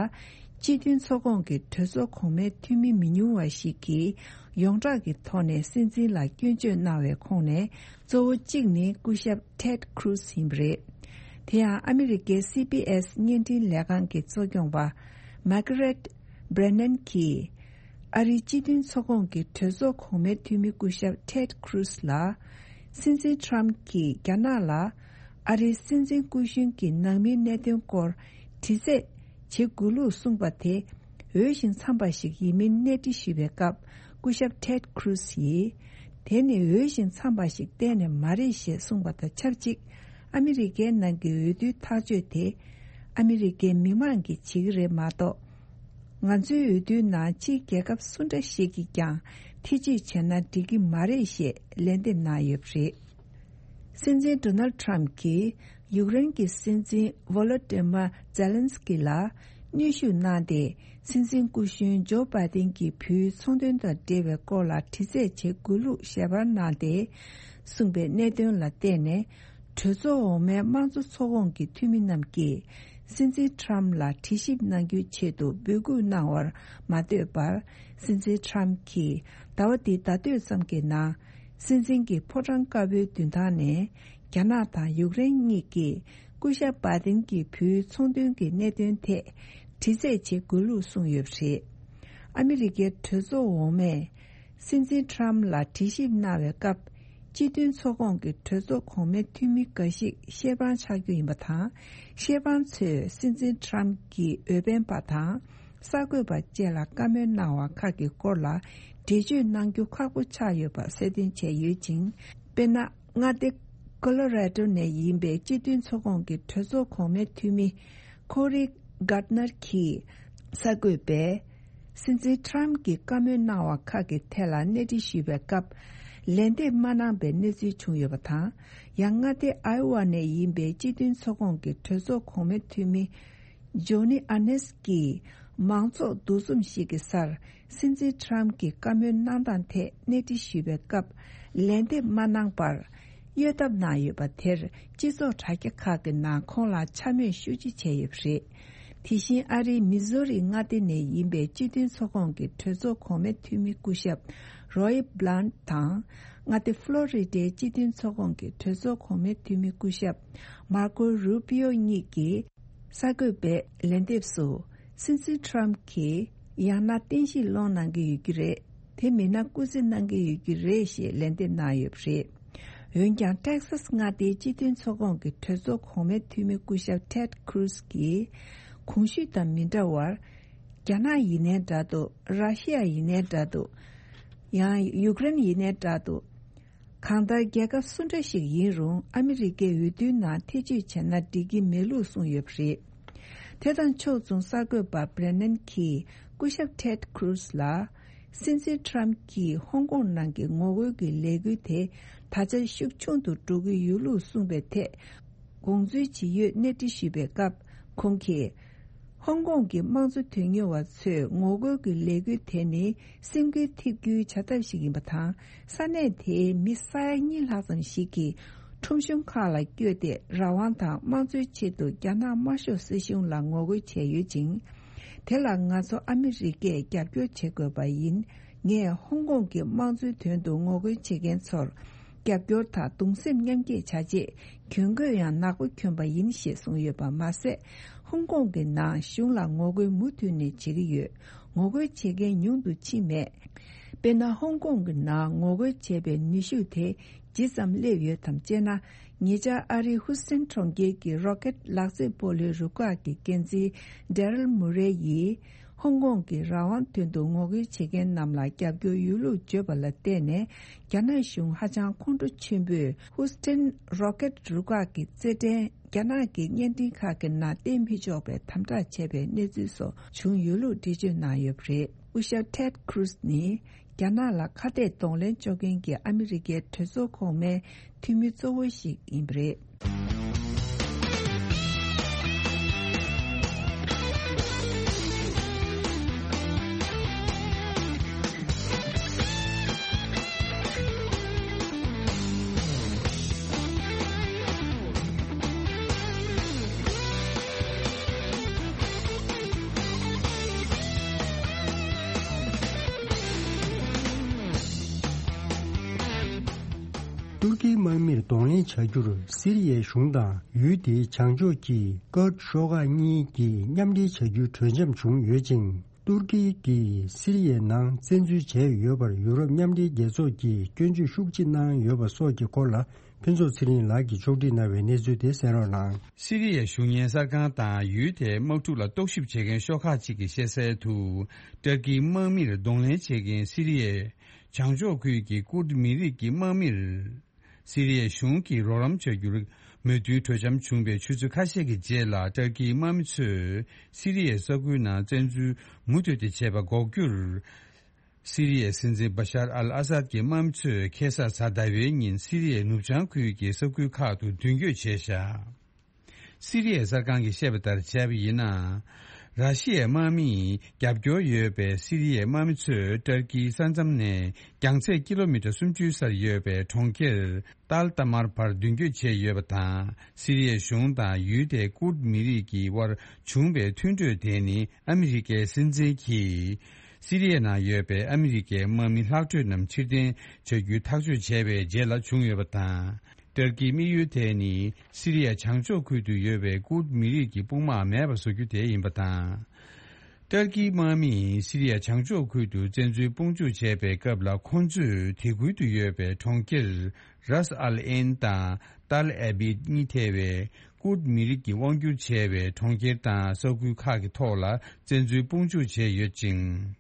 སྤྱི་མཐུན་ཚོགས་ཁོངས་ཀྱི་གྲོས་ཚོགས་གོང་མའི་འཐུས་མི་མི་ཉུང་བ་ཞིག་གིས་ཡོངས་གྲགས་ཀྱི་ཐོག་ནས་སྲིད་འཛིན་ལ་སྐྱོན་བརྗོད་གནང་བའི་ཁོངས་ནས་གཙོ་བོ་གཅིག་ནི་སྐུ་ཞབས་Ted Cruz ཡིན་པ་རེད། དེ་ཡང་ཨ་མི་རི་ཀའི་སི་བི་ཨེས་བརྙན་འཕྲིན་ལས་ཁང་གི་གཙོ་སྐྱོང་པ་Margaret Brennan གྱིས། ཨ་རིའི་སྤྱི་མཐུན་ཚོགས་ཁོངས་ཀྱི་གྲོས་ཚོགས་གོང་མའི་འཐུས་མི་སྐུ་ཞབས་Ted Cruz ལ། སྲིད་འཛིན་Trump གྱིས་རྒྱ་ནག་ལ། ཨ་རིའི་སྲིད་འཛིན་སྐུ་གཞོན་གྱི་ནང་མིའི་གནད་དོན་སྐོར་དྲི་རྩད་བྱེད་དགོས་ལུགས་གསུངས་པ་དེ། འོས་ཤིང་འཚམས་པ་ཞིག་ཡིན་མིན་གནས་འདྲི་ཞུས་པའི་སྐབས། སྐུ་ཞབས་Ted Cruz ཡིས། དེ་ནི་འོས་ཤིང་འཚམས་པ་ཞིག་གཏན་ནས་མ་རེད་ཞེས་གསུངས་པ་དང་ཆབས་ཅིག་ཨ་མི་རི་ཀའི་ནང་གི་འོས་བསྡུའི་ཐག་གཅོད་དེ། ཨ་མི་རི་ཀའི་མི་མང་གིས་བྱེད་ཀྱི་རེད་མ་གཏོགས། ང་ཚོའི་འོས་བསྡུའི་ནང་ཕྱིའི་རྒྱལ་ཁབ་སུ་འདྲ་ཞིག་གིས་ཀྱང་ཐེ་བྱུས་བྱས་ན་འགྲིག་གི་མ་རེད་ཞེས་ལན་འདེབས་གནང་ཡོད་པ་རེད། སྲིད་འཛིན་Donald Trump གྱིས་ཡུཀ་རེན་གྱི་སྲིད་འཛིན་Volodymyr Zelensky ལ་གནོན་ཤུགས་གནང་སྟེ། སྲིད་འཛིན་སྐུ་གཞོན་ཇོ་བྷའི་ཏིན་གྱི་བུའི་ཚོང་དོན་དང་འབྲེལ་བའི་སྐོར་ལ་དྲི་རྩད་བྱེད་དགོས་ལུགས་ཞལ་པར་གནང་སྟེ། གསུངས་པའི་གནད་དོན་ལ་བརྟེན་ནས། གྲོས་ཚོགས་འོག་མའི་དམངས་གཙོ་ཚོགས་ཁོངས་ཀྱི་འཐུས་མི་རྣམས་ཀྱིས། སྲིད་འཛིན་Trump ལ་དྲི་ཞིབ་གནང་རྒྱུའི་ཆེད་དུ་འབོད་སྐུལ་གནང་བར་མ་ལྟོས་པར། སྲིད་འཛིན་Trump གྱིས་ཟླ་བ་འདིའི་ཟླ་སྟོད་ཙམ་གྱི་ནང་། སྲིད་འཛིན་གྱི་ཕོ་བྲང་དཀར་པོའི་མདུན་ཐང་ནས། རྒྱ་ནག་དང་ཡུཀ་རེན་གཉིས་ཀྱིས་སྐུ་ཞབས་བྷའི་ཏིན་གྱི་བུའི་ཚོང་དོན་གྱི་གནད་དོན་ཐད་དྲི་རྩད་བྱེད་དགོས་ལུགས་གསུངས་ཡོད་པ་རེད། ཨ་མི་རི་ཀའི་གྲོས་ཚོགས་འོག་མས། སྲིད་འཛིན་Trump ལ་དྲི་ཞིབ་གནང་བའི་སྐབས། སྤྱི་མཐུན་ཚོགས་ཁོངས་ཀྱི་གྲོས་ཚོགས་གོང་མའི་འཐུས་མི་འགའ་ཞིག་ཤེས་དཔང་ཆགས་རྒྱུ་ཡིན་པ་དང་། ཤེས་དཔང་ཚོས་སྲིད་འཛིན་Trump གྱི་འོས་འཕེན་པ་དང་། གསར་འགོད་པ་བཅས་ལ་བཀའ་མོལ་གནང་བ་ཁག་གི་སྐོར་ལ་འགྲེལ་བརྗོད་གནང་རྒྱུ་ཁག་པོ་ཆགས་ཡོད་པ་གསལ་སྟོན་བྱས་ཡོད་ཅིང་། དཔེར་ན། མངའ་སྡེ་Colorado ནས་ཡིན་པའི་སྤྱི་མཐུན་ཚོགས་ཁོངས་ཀྱི་གྲོས་ཚོགས་གོང་མའི་འཐུས་མི་Cory Gardner གྱིས་གསར་འགོད་པས། སྲིད་འཛིན་Trump གྱིས་བཀའ་མོལ་གནང་བ་ཁག་གི་ཐད་ལ་གནས་འདྲི་ཞུས་པའི་སྐབས། ལན་འདེབས་མ་གནང་པའི་གནས་ཚུལ་བྱུང་ཡོད་པ་དང་། ཡང་མངའ་སྡེ་Iowa ནས་ཡིན་པའི་སྤྱི་མཐུན་ཚོགས་ཁོངས་ཀྱི་གྲོས་ཚོགས་གོང་མའི་འཐུས་མི་Johnny Ernst གྱིས་མང་ཚོགས་འདུ་འཛོམས་ཤིག་གི་སར། སྲིད་འཛིན་Trump གྱིས་བཀའ་མོལ་གནང་སྟངས་ཐད་གནས་འདྲི་ཞུས་པའི་སྐབས། ལན་འདེབས་མ་གནང་པར། གཡོལ་ཐབས་གནང་ཡོད་པ་དེར། སྤྱི་ཚོགས་དྲ་རྒྱ་ཁག་གི་ནང་ཁོང་ལ་འཕྱ་སྨོད་ཤུགས་ཆེ་བྱས་ཡོད་པ་རེད། དེ་བཞིན་ཨ་རིའི་མི་ཟོ་རི་མངའ་སྡེ་ནས་ཡིན་པའི་སྤྱི་མཐུན་ཚོགས་ཁོངས་ཀྱི་གྲོས་ཚོགས་གོང་མའི་འཐུས་མི་སྐུ་ཞབས་Roy Blunt དང་། མངའ་སྡེ་Florida སྤྱི་མཐུན་ཚོགས་ཁོངས་ཀྱི་གྲོས་ཚོགས་གོང་མའི་འཐུས་མི་སྐུ་ཞབས་Marco Rubio གཉིས་ཀྱིས། གསར་འགོད་པའི་ལན་འདེབས་སུ། སྲིད་འཛིན་Trump གྱིས་ཡང་ན་བསྟན་བཤིག་སློང་གནང་གི་ཡོད་ཀྱི་རེད། དེ་མིན་ན་སྐུ་རྩེད་གནང་གི་ཡོད་ཀྱི་རེད་ཞེས་ལན་འདེབས་གནང་ཡོད་པ་རེད། འོན་ཀྱང་Texas མངའ་སྡེའི་སྤྱི་མཐུན་ཚོགས་ཁོངས་ཀྱི་གྲོས་ཚོགས་གོང་མའི་འཐུས་མི་སྐུ་ཞབས་Ted Cruz གྱིས། གོང་ཞུས་དང་མི་འདྲ་བར། རྒྱ་ནག་ཡིན་ནའི་འདྲ་འདུག་ར་ཤི་ཡ་ཡིན་ནའི་འདྲ་འདུག་ཡང་ཡུཀ་རེན་ཡིན་ནའི་འདྲ་འདུག་གང་ལྟར་རྒྱལ་ཁབ་སུ་འདྲ་ཞིག་ཡིན་རུང་ཨ་མི་རི་ཀའི་འོས་བསྡུའི་ནང་ཐེ་བྱུས་བྱས་ན་འགྲིག་གི་མེད་ལུགས་གསུངས་ཡོད་པ་རེད། དེ་དང་ཕྱོགས་མཚུངས་གསར་འགོད་པ་Brennan གྱིས་སྐུ་ཞབས་Ted Cruz ལ། སྲིད་འཛིན་Trump གྱིས་ཧོང་ཀོང་ནང་གི་ངོ་རྒོལ་གྱི་ལས་འགུལ་དེ་ད་ཆ་ཤུགས་ཆུང་དུ་འགྲོ་གི་ཡོད་ལུགས་གསུངས་པའི་ཐད། དགོངས་ཚུལ་ཇི་ཡོད་གནས་འདྲི་ཞུས་པའི་སྐབས་ཁོང་གིས། ཧོང་ཀོང་གི་དམངས་གཙོ་དོན་གཉེར་བ་ཚོས་ངོ་རྒོལ་གྱི་ལས་འགུལ་དེ་ནི་སེམས་འགུལ་ཐེབས་རྒྱུའི་བྱ་ཐབས་ཤིག་ཡིན་པ་དང་། ས་གནས་དེའི་མི་ས་ཡ་གཉིས་ལྷག་ཙམ་ཞིག་གིས་ཁྲོམ་གཞུང་ཁག་ལ་བསྐྱོད་དེ་རང་དབང་དང་དམངས་གཙོའི་ཆེད་དུ་རྒྱ་ནག་དམར་ཤོག་སྲིད་གཞུང་ལ་ངོ་རྒོལ་བྱས་ཡོད་ཅིང་། དེ་ལ་ང་ཚོ་ཨ་མི་རི་ཀས་རྒྱབ་སྐྱོར་བྱེད་དགོས་པ་ཡིན། ངས་ཧོང་ཀོང་གི་དམངས་གཙོའི་དོན་དུ་ངོ་རྒོལ་བྱེད་མཁན་ཚོར། རྒྱབ་སྐྱོར་དང་གདུང་སེམས་མཉམ་སྐྱེད་བྱ་ཆེད་གྱོན་གོས་ཡང་ནག་པོ་གྱོན་པ་ཡིན་ཞེས་གསུངས་ཡོད་པ་མ་ཟད། ཧོང་ཀོང་གི་ནང་གཞུང་ལ་ངོ་རྒོལ་མུ་མཐུད་ནས་བྱེད་ཀྱི་ཡོད། ངོ་རྒོལ་བྱེད་མཁན་ཉུང་དུ་ཕྱིན་མེད། དཔེར་ན། ཧོང་ཀོང་གི་ནང་ངོ་རྒོལ་བྱས་པའི་ནུས་ཤུགས་དེ་ཇི་ཙམ་སླེབས་ཡོད་དམ་ཅེ་ན། ཉེ་ཆར་ཨ་རིའི་ཧུ་སི་ཐན་གྲོང་ཁྱེར་གྱི་རོ་ཀེད་ལག་རྩེད་སྤོ་ལོའི་རུ་ཁག་གི་འགན་འཛིན་ཌེ་རལ་མུ་རེ་ཡིས། ཧོང་ཀོང་གི་རང་དབང་དོན་དུ་ངོ་རྒོལ་བྱེད་མཁན་རྣམས་ལ་རྒྱབ་སྐྱོར་ཡོད་ལུགས་བརྗོད་པ་ལ་བརྟེན་ནས། རྒྱ་ནག་གཞུང་ཧ་ཅང་ཁོང་ཁྲོ་ཆེན་པོས་ཧུ་སི་ཐན་རོ་ཀེད་རུ་ཁག་གི་རྩེད་འགྲན། རྒྱ་ནག་གི་བརྙན་འཕྲིན་ཁག་གི་ནང་བསྟན་མི་ཆོག་པའི་དམ་དྲག་བྱས་པའི་གནས་ཚུལ་སོགས་བྱུང་ཡོད་ལུགས་འགྲེལ་བརྗོད་གནང་ཡོད་པ་རེད། སྐུ་ཞབས་ཊེད་ཁུ་རུ་སི་ནི་རྒྱ་ནག་ལ་ཁ་གཏད་གདོང་ལེན་གཅོག་མཁན་གྱི་ཨ་མི་རི་ཀའི་གྲོས་ཚོགས་གོང་མའི་འཐུས་མི་གཙོ་བོ་ཞིག་ཡིན་པ་རེད། ཏུར་ཀིའི་དམག་མིར་གདོང་ལེན་བྱ་རྒྱུར་སི་རི་ཡའི་གཞུང་དང་ཡུལ་དེའི་བྱང་ཕྱོགས་ཀྱི་ཀུར་ཤོག་ཁག་གཉིས་ཀྱིས་མཉམ་འབྲེལ་བྱ་རྒྱུའི་གྲོས་འཆམ་བྱུང་ཡོད་ཅིང་། ཏུར་ཀི་གིས་སི་རི་ཡའི་ནང་བཙན་འཛུལ་བྱས་ཡོད་པར་ཡུ་རོབ་མཉམ་འབྲེལ་རྒྱལ་ཚོགས་ཀྱིས་སྐྱོན་བརྗོད་ཤུགས་ཆེ་གནང་ཡོད་པ་སོགས་ཀྱི་སྐོར་ལ། ཕུན་ཚོགས་ཚེ་རིང་ལགས་ཀྱིས་ཕྱོགས་སྒྲིག་གནང་བའི་གནས་ཚུལ་དེ་གསན་རོགས་གནང་། སི་རི་ཡའི་གཞུང་གཉེར་གསར་ཁང་དང་ཡུལ་དེའི་དམག་འཁྲུག་ལ་རྟོག་ཞིབ་བྱེད་མཁན་ཤོག་ཁག་ཅིག་གིས་བཤད་གསལ་དུ། ཏུར་ཀིའི་དམག་མིར་གདོང་ལེན་བྱེད་མཁན་སི་རི་ཡའི་བྱང་ཕྱོགས་ཁུལ་གྱི་ཀུར་མི་རིགས་ཀྱི་དམག་མིར། སི་རི་ཡའི་གཞུང་གིས་རོགས་རམ་བྱ་རྒྱུར་མོས་མཐུན་གྲོས་འཆམ་བྱུང་བའི་ཆུ་ཚོད་ཁ་ཤས་ཀྱི་རྗེས་ལ། ཏུར་ཀིའི་དམག་མི་ཚོས་སི་རི་ཡའི་ས་ཁུལ་ནང་བཙན་འཛུལ་མུ་མཐུད་དེ་བྱས་པ་འགོག་རྒྱུར། སི་རི་ཡའི་སྲིད་འཛིན་བ་ཤར་ཨལ་ཨ་སཱད་ཀྱི་དམག་མི་ཚོས་ཁ་སང་གཟའ་ཟླ་བའི་ཉིན་སི་རི་ཡའི་ནུབ་བྱང་ཁུལ་གྱི་ས་ཁུལ་ཁག་ཏུ་མདུན་སྐྱོད་བྱས་བཞག་སི་རི་ཡའི་གསར་ཁང་གིས་བཤད་པ་ལྟར་བྱས་པ་ཡིན་ན། ར་ཤི་ཡའི་དམག་མིས་རྒྱབ་སྐྱོར་ཡོད་པའི་སི་རི་ཡའི་དམག་མི་ཚོས་ཏུར་ཀིའི་ས་མཚམས་ནས་རྒྱང་ཚད་ཀི་ལོ་མི་ཊར་སུམ་ཅུའི་སར་ཡོད་པའི་གྲོང་ཁྱེར་ཏཱལ་ཏཱ་མར་བར་མདུན་སྐྱོད་བྱས་ཡོད་པ་དང་། སི་རི་ཡའི་གཞུང་དང་ཡུལ་དེའི་ཀུར་མི་རིགས་ཀྱི་དབར་བྱུང་བའི་མཐུན་གྲོས་དེ་ནི་ཨ་མི་རི་ཀའི་སྲིད་འཛིན་གྱིས། སི་རི་ཡའི་ནང་ཡོད་པའི་ཨ་མི་རི་ཀའི་དམག་མི་ལྷག་འཕྲོས་རྣམས་ཕྱིར་འཐེན་བྱ་རྒྱུའི་ཐག་གཅོད་བྱས་པའི་རྗེས་ལ་བྱུང་ཡོད་པ་དང་། ཏུར་ཀིའི་དམིགས་ཡུལ་དེ་ནི་སི་རི་ཡའི་བྱང་ཕྱོགས་ཁུལ་དུ་ཡོད་པའི་ཀུར་མི་རིགས་ཀྱི་དཔུང་དམག་མེད་པར་བཟོ་རྒྱུ་དེ་ཡིན་པ་དང་། ཏུར་ཀིའི་དམག་མིས་སི་རི་ཡའི་བྱང་ཕྱོགས་ཁུལ་དུ་བཙན་འཛུལ་དཔུང་འཇུག་བྱས་པའི་སྐབས་ལ། ཁོང་ཚོས་དེ་ཁུལ་དུ་ཡོད་པའི་གྲོང་ཁྱེར་རཱས་ཨལ་ཨེན་དང་ཏཱལ་ཨེ་བིད་གཉིས་ཐེ་བའི་ཀུར་མི་རིགས་ཀྱིས་དབང་སྒྱུར་བྱས་པའི་གྲོང་ཁྱེར་དང་ས་ཁུལ་ཁག་གི་ཐོག་ལ་བཙན་འཛུལ་དཔུང་འཇུག་བྱས་ཡོད་ཅིང་།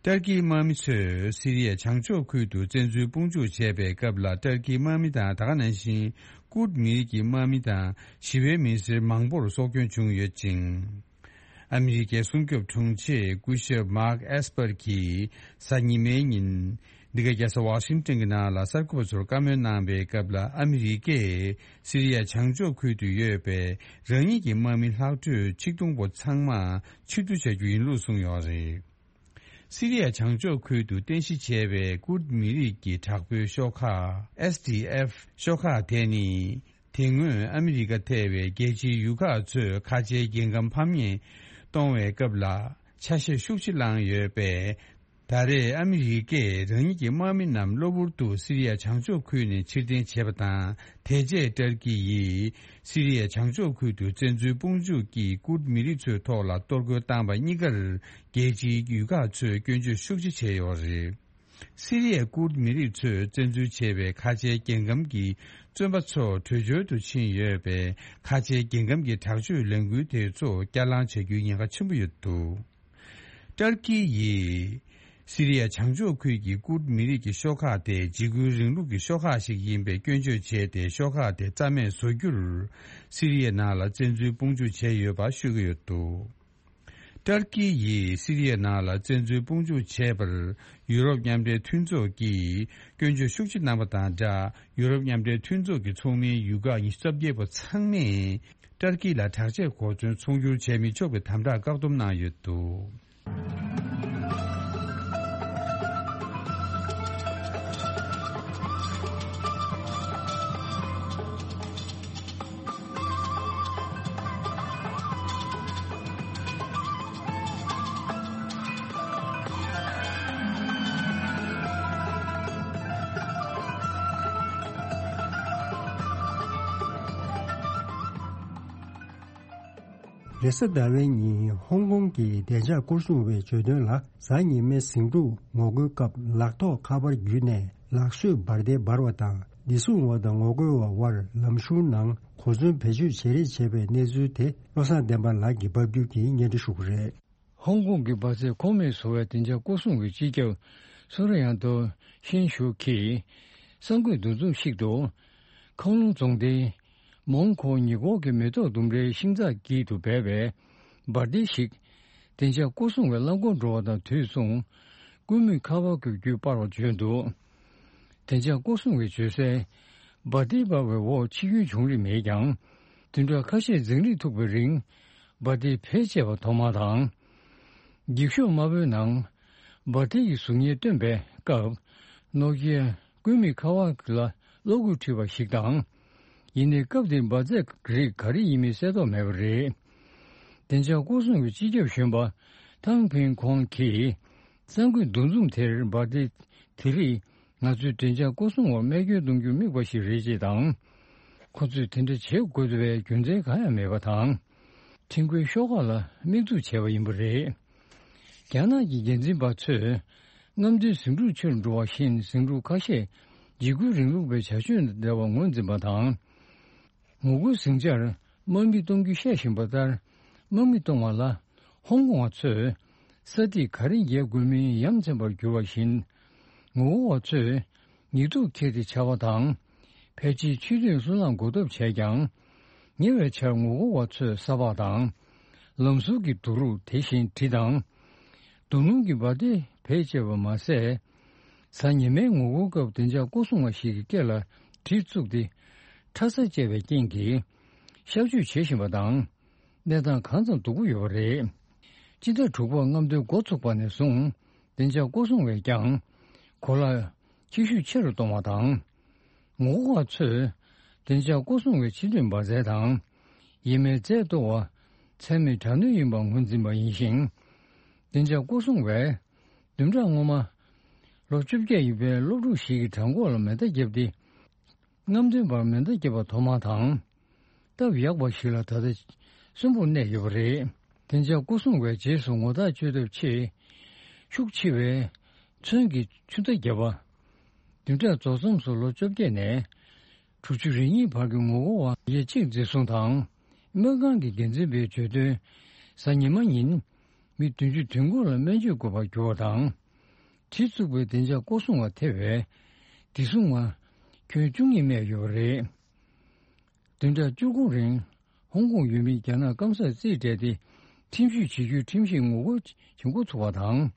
ཏུར་ཀིའི་དམག་མི་ཚོས་སི་རི་ཡའི་བྱང་ཕྱོགས་ཁུལ་དུ་བཙན་འཛུལ་དཔུང་འཇུག་བྱས་པའི་སྐབས་ལ། ཏུར་ཀིའི་དམག་མི་དང་། ད་ག་ནང་བཞིན་ཀུར་མི་རིགས་ཀྱི་དམག་མི་དང་ཞི་བའི་མི་སེར་མང་པོར་སྲོག་སྐྱོན་བྱུང་ཡོད་ཅིང་། ཨ་མི་རི་ཀའི་སྲུང་སྐྱོབ་དྲུང་ཆེ་སྐུ་ཞབས་མཱག་ཨེས་པར་གྱིས་གཟའ་ཉི་མའི་ཉིན། འདི་ག་རྒྱལ་ས་ཝ་ཤིང་ཏོན་གྱི་ནང་ལ་གསར་འགོད་པ་ཚོར་བཀའ་མོལ་གནང་བའི་སྐབས་ལ། ཨ་མི་རི་ཀས་སི་རི་ཡའི་བྱང་ཕྱོགས་ཁུལ་དུ་ཡོད་པའི་རང་ཉིད་ཀྱི་དམག་མི་ལྷག་འཕྲོས་ཆིག་སྟོང་པོ་ཚང་མ་ཕྱིར་བསྡུ་བྱ་རྒྱུ་ཡིན་ལུགས་གསུངས་ཡོད་རེད། སི་རི་ཡའི་བྱང་ཕྱོགས་ཁུལ་དུ་རྟེན་གཞི་བྱས་པའི་ཀུར་མི་རིགས་ཀྱི་དྲག་པོའི་ཤོག་ཁག་ཨེས་ཌི་ཨེཕ་ཤོག་ཁག་དེ་ནི། དེ་སྔོན་ཨ་མི་རི་ཀ་ཐེ་བའི་རྒྱལ་སྤྱིའི་ཡུལ་ཁག་ཚོས་ཁ་ཆེའི་རྒྱལ་ཁམས་ཕམ་ཉེས་གཏོང་བའི་སྐབས་ལ་ཆ་ཤས་ཤུགས་ཆེ་བླངས་ཡོད་པས། ད་རེས་ཨ་མི་རི་ཀས་རང་ཉིད་ཀྱི་དམག་མི་རྣམས་གློ་བུར་དུ་སི་རི་ཡ་བྱང་ཕྱོགས་ཁུལ་ནས་ཕྱིར་འཐེན་བྱས་པ་དང་། དེ་རྗེས་ཏུར་ཀི་ཡིས་སི་རི་ཡའི་བྱང་ཕྱོགས་ཁུལ་དུ་བཙན་འཛུལ་དཔུང་འཇུག་གིས་ཀུར་མི་རིགས་ཚོའི་ཐོག་ལ་གཏོར་རྒོལ་བཏང་བ་གཉིས་ཀར་རྒྱལ་སྤྱིའི་ཡུལ་ཁག་ཚོས་སྐྱོན་བརྗོད་ཤུགས་ཆེ་བྱས་ཡོད་རེད། སི་རི་ཡའི་ཀུར་མི་རིགས་ཚོས་བཙན་འཛུལ་བྱས་པའི་ཁ་ཆེའི་རྒྱལ་ཁམས་ཀྱི་བཙོན་པ་ཚོ་བྲོས་བྱོལ་དུ་ཕྱིན་ཡོད་པས། ཁ་ཆེའི་རྒྱལ་ཁམས་ཀྱི་དྲག་སྤྱོད་ལས་འགུལ་དེ་ཚོ་བསྐྱར་ལངས་བྱ་རྒྱུའི་ཉེན་ཁ་ཆེན་པོ་ཡོད་འདུག་ཏུར་ཀི་ཡིས་སི་རི་ཡ་བྱང་ཕྱོགས་ཁུལ་གྱི་ཀུར་མི་རིགས་ཀྱི་ཤོག་ཁག་དེ་འཇིགས་སྐུལ་རིང་ལུགས་ཀྱི་ཤོག་ཁག་ཞིག་ཡིན་པའི་སྐྱོན་བརྗོད་བྱས་ཏེ། ཤོག་ཁག་དེ་རྩ་མེད་བཟོ་རྒྱུར་སི་རི་ཡའི་ནང་ལ་བཙན་འཛུལ་དཔུང་འཇུག་བྱས་ཡོད་པ་ཤོད་ཀྱི་ཡོད་འདུག་ཏུར་ཀི་ཡིས་སི་རི་ཡའི་ནང་ལ་བཙན་འཛུལ་དཔུང་འཇུག་བྱས་པར་ཡུ་རོབ་མཉམ་འབྲེལ་མཐུན་ཚོགས་ཀྱིས་སྐྱོན་བརྗོད་ཤུགས་ཆེ་གནང་བ་དང་སྦྲགས། ཡུ་རོབ་མཉམ་འབྲེལ་མཐུན་ཚོགས་ཀྱི་ཚོགས་མིའི་ཡུལ་ཁག་ཉི་ཤུ་རྩ་བརྒྱད་པོ་ཚང་མས་ཏུར་ཀི་ལ་དྲག་ཆས་གོ་མཚོན་ཚོང་སྒྱུར་བྱས་མི་ཆོག་པའི་དམ་དྲག་བཀག་སྡོམ་གནང་ཡོད་འདུག་རེས་གཟའ་ཟླ་བའི་ཉིན་ཧོང་ཀོང་གི་བདེ་འཇགས་སྐོར་སྲུང་བས་བརྗོད་དོན་ལ། གཟའ་ཉི་མའི་ཟིང་འཁྲུག་ངོ་རྒོལ་སྐབས་ལག་ཐོགས་ཁ་པར་བརྒྱུད་ནས་ལག་གསོས་འབར་མདེལ་འབར་བ་དང་། བདེ་སྲུང་བ་དང་ངོ་རྒོལ་བ་དབར་ལམ་གཞུང་ནང་གོ་མཚོན་བེད་སྤྱོད་བྱེད་རེས་བྱས་པའི་གནས་ཚུལ་དེ་བློ་བཟང་བསྟན་པ་ལགས་ཀྱིས་ཕབ་སྒྱུར་གྱིས་སྙན་སྒྲོན་ཞུ་གི་རེད། ཧོང་ཀོང་གི་འབར་རྫས་ཁོངས་མེད་བཟོ་བའི་བདེ་འཇགས་སྐོར་སྲུང་གི་སྤྱི་ཁྱབ་སུ་ར་ཡང་ཏོ་ཤིན་ཞུ་གིས་གསར་འགོད་འདུ་འཛོམས་ཤིག་ཏུ། ཁང་ལུང་རྫོང་སྡེའི་མོང་ཁོ་ཉི་གོ་གི་མེ་ཏོག་ལྡུམ་རའི་ཤིང་ཚགས་དཀྱིལ་དུ་སྦས་པའི་འབར་མདེལ་ཞིག་བདེ་འཇགས་སྐོར་སྲུང་བས་རླངས་འཁོར་འགྲོ་བ་དང་དུས་མཚུངས་སྐུད་མེད་ཁ་པར་གྱི་བརྒྱུད་སྤར་བ་བརྗོད་འདུག། བདེ་འཇགས་སྐོར་སྲུང་བས་བརྗོད་གསལ། འབར་མདེལ་འབར་བའི་འོག་འཆི་སྐྱོན་བྱུང་རིགས་མེད་ཀྱང་། བདུན་ཕྲག་ཁ་ཤས་འཛིང་རེས་ཐུག་པའི་རིང་འབར་མདེལ་བེད་སྤྱད་པ་ཐོག་མ་དང་། འགྱིག་ཤོག་དམར་པོའི་ནང་འབར་མདེལ་གྱི་གཟུགས་བརྙན་བཏོན་པའི་སྐབས། ནོ་ཀི་ཡ་སྐུད་མེད་ཁ་པར་ལ་གློག་སྐུད་འཁྲུད་པ་ཞིག་དང་། ཡིན་ནའི་སྐབས་དེར་འབར་རྫས་རིགས་ག་རེ་ཡིན་མིན་གསལ་རྟོགས་མེད་པ་རེད། བདེ་འཇགས་སྐོར་སྲུང་གི་སྤྱི་ཁྱབ་གཞོན་པ་ཐང་ཕིན་ཁོང་གིས། གསར་འགོད་འདུ་འཛོམས་དེར་འབར་མདེལ་དེ་རིགས་ང་ཚོའི་བདེ་འཇགས་སྐོར་སྲུང་བར་རྨས་སྐྱོན་གཏོང་རྒྱུར་དམིགས་པ་ཞིག་རེད་ཅེས་དང་། ཁོ་ཚོས་དེ་འདྲ་བྱེད་དགོས་བའི་རྒྱུ་མཚན་གང་ཡང་མེད་པ་དང་། ཁྲིམས་འགལ་ཤོག་ཁག་ལ་དམིགས་འཛུགས་བྱས་པ་ཡིན་པ་རེད། རྒྱ་ནག་གི་འགན་འཛིན་པ་ཚོས་རྔམ་སྟོན་ཟིང་འཁྲུག་ཆེ་རུ་འགྲོ་བ་བཞིན་ཟིང་འཁྲུག་ཁ་ཤས་འཇིགས་སྐུལ་རིང་ལུགས་པའི་བྱ་སྤྱོད་འདྲ་བར་ངོས་འཛིན་པ་དང་། ངོ་རྒོལ་ཟིང་ཆར་དམག་མི་གཏོང་རྒྱུ་བཤད་བཞིན་པ་ལྟར། དམག་མི་གཏོང་བ་ལ་ཧོང་ཀོང་བ་ཚོས་ས་ཐིག་ག་རེ་འགེལ་དགོས་མིན་ཡ་མཚན་པར་གྱུར་བ་བཞིན། ངོ་རྒོལ་བ་ཚོས་ཉེས་འཛུགས་འཁྱེར་ཏེ་འཕྱར་བ་དང་། ཕལ་ཆེར་ཆུ་ཚོད་སུ་ལའང་འགོག་ཐབས་བྱས་ཀྱང་། ཉེ་བའི་ཆར་ངོ་རྒོལ་བ་ཚོས་ས་ཕག་དང་། ལམ་ཟུར་གྱི་དུག་རུག་དེ་བཞིན་གྲི་དང་། རྡོ་སྣུམ་གྱི་འབར་མདེལ་བེད་སྤྱད་པ་མ་ཟད། གཟའ་ཉི་མའི་ངོ་རྒོལ་སྐབས་བདེ་འཇགས་སྐོར་སྲུང་བ་ཞིག་གི་སྐེ་ལ་གྲི་བཙུགས་ཏེ། ཁྲ་ས་བཅད་པའི་རྐྱེན་གྱིས་གཤག་བཅོས་བྱེད་བཞིན་པ་དང་། གནས་སྟངས་གང་ཙམ་སྡུག་པོ་ཡོད་པ་རེད། སྤྱི་ཟླ་དྲུག་པར་རྔམ་སྟོན་འགོ་ཚུགས་པ་ནས་བཟུང་བདེ་འཇགས་སྐོར་སྲུང་བས་ཀྱང་གོ་ལ་ཁྱད་ཤུགས་ཆེ་རུ་གཏོང་བ་དང་། ངོ་རྒོལ་བ་ཚོས་བདེ་འཇགས་སྐོར་སྲུང་བའི་ཕྱི་སྡོད་འབར་རྫས་དང་། ཡས་མས་རྫས་གཏོར་བ་ཚད་མེད་དྲག་གནོན་ཡིན་པར་ངོས་འཛིན་པ་ཡིན་ཞིང་། བདེ་འཇགས་སྐོར་སྲུང་བས་བདུན་ཕྲག་སྔོན་མ་ལོ་བཅོ་བརྒྱད་ཡིན་པའི་སློབ་ཕྲུག་ཞིག་གི་བྲང་ཁོག་ལ་མེ་མདའ་བརྒྱབ་སྟེ། རྔམ་སྟོན་པར་མེ་མདའ་བརྒྱབ་པ་ཐོག་མ་དང་། སྟབས་ཡག་པ་ཞིག་ལ་ད་ལྟ་གསོན་པོར་གནས་ཡོད་པ་རེད། བདེ་འཇགས་སྐོར་སྲུང་བས་རྗེས་སུ་ངོ་རྟགས་བཅོས་ཐབས་ཆེད། ཤུགས་ཆེ་བའི་ཚོན་གྱི་ཆུ་མདའ་བརྒྱབ་པ། བདུན་ཕྲག་རྫོགས་མཚམས་སུ་ལོ་བཅོ་བརྒྱད་ནས་དྲུག་ཅུ་རེ་གཉིས་བར་གྱི་ངོ་རྒོལ་བ་ཡས་གཅིག་འཛིན་བཟུང་དང་། སྨན་ཁང་གི་འགན་འཛིན་པས་བརྗོད་དོན། གཟའ་ཉི་མ་ཉིན་མི་བདུན་ཅུ་དོན་དགུ་ལ་སྨན་བཅོས་དགོས་པར་གྱུར་བ་དང་། གྲི་བཙུགས་པའི་བདེ་འཇགས་སྐོར་སྲུང་བ་ཐེ་བའི་བདེ་སྲུང་བ་ཁྱོན་བཅུ་གཉིས་རྨས་ཡོད་པ་རེད། བདུན་ཕྲག་བཅུ་དགུ་རིང་ཧོང་ཀོང་ཡུལ་མིའི་རྒྱ་ནག་སྐམ་སར་རྩིས་སྤྲད་དེ་ཁྲིམས་གཞི་བྱེད་རྒྱུའི་ཁྲིམས་གཞི་ངོ་རྒོལ་བྱེད་འགོ་ཚུགས་པ་དང་།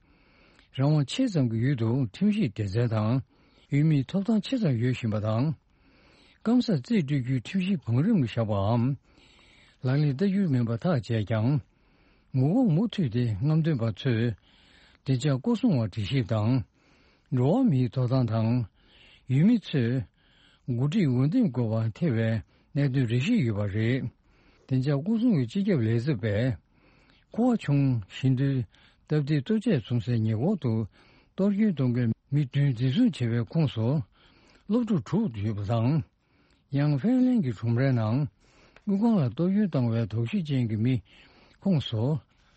རང་དབང་ཆེ་ཙམ་གྱི་ཡུལ་དུ་ཁྲིམས་གཞི་སྡེ་ཚན་དང་ཡུལ་མིའི་ཐོབ་ཐང་ཆེ་ཙམ་ཡོད་བཞིན་པ་དང་། སྐམ་སར་རྩིས་སྤྲོད་རྒྱུའི་ཁྲིམས་གཞི་བང་རིམ་ལ་བཞག་པའམ། ལག་ལེན་བསྟར་རྒྱུ་མིན་པ་ཐག་བཅད་ཀྱང་། ངོ་རྒོལ་མུ་མཐུད་དེ་རྔམ་སྟོན་པ་ཚོས་བདེ་འཇགས་སྐོར་སྲུང་བར་དྲི་ཞིབ་དང་། འགྲོ་བ་མིའི་ཐོབ་ཐང་དང་། ཡུལ་མི་ཚོས་འགོ་ཁྲིད་འོས་འདེམས་དགོས་པར་ཐེ་བའི་གནད་དོན་རེ་ཞིག་ཡོད་པ་རེད། བདེ་འཇགས་སྐོར་སྲུང་གི་སྤྱི་ཁྱབ་ལས་ཚབ་པས། ཁུ་བ་ཆུང་ཞི་འདུལ་སྟབས་བདེའི་ལྟོ་ཆས་བཙོང་སའི་ཉེ་འཁོར་དུ་གཏོར་སྐྱོན་གཏོང་མཁན་མི་བདུན་འཛིན་བཟུང་བྱས་པའི་ཁོངས་སུ་སློབ་ཕྲུག་དྲུག་ཡོད་པ་དང་། ཡང་ཧྥེན་ལན་གྱི་ཁྲོམ་རའི་ནང་དངུལ་ཁང་ལ་གཏོར་སྐྱོན་བཏང་བའི་དོགས་གཞི་ཅན་གྱི་མི་ཁོངས་སུ་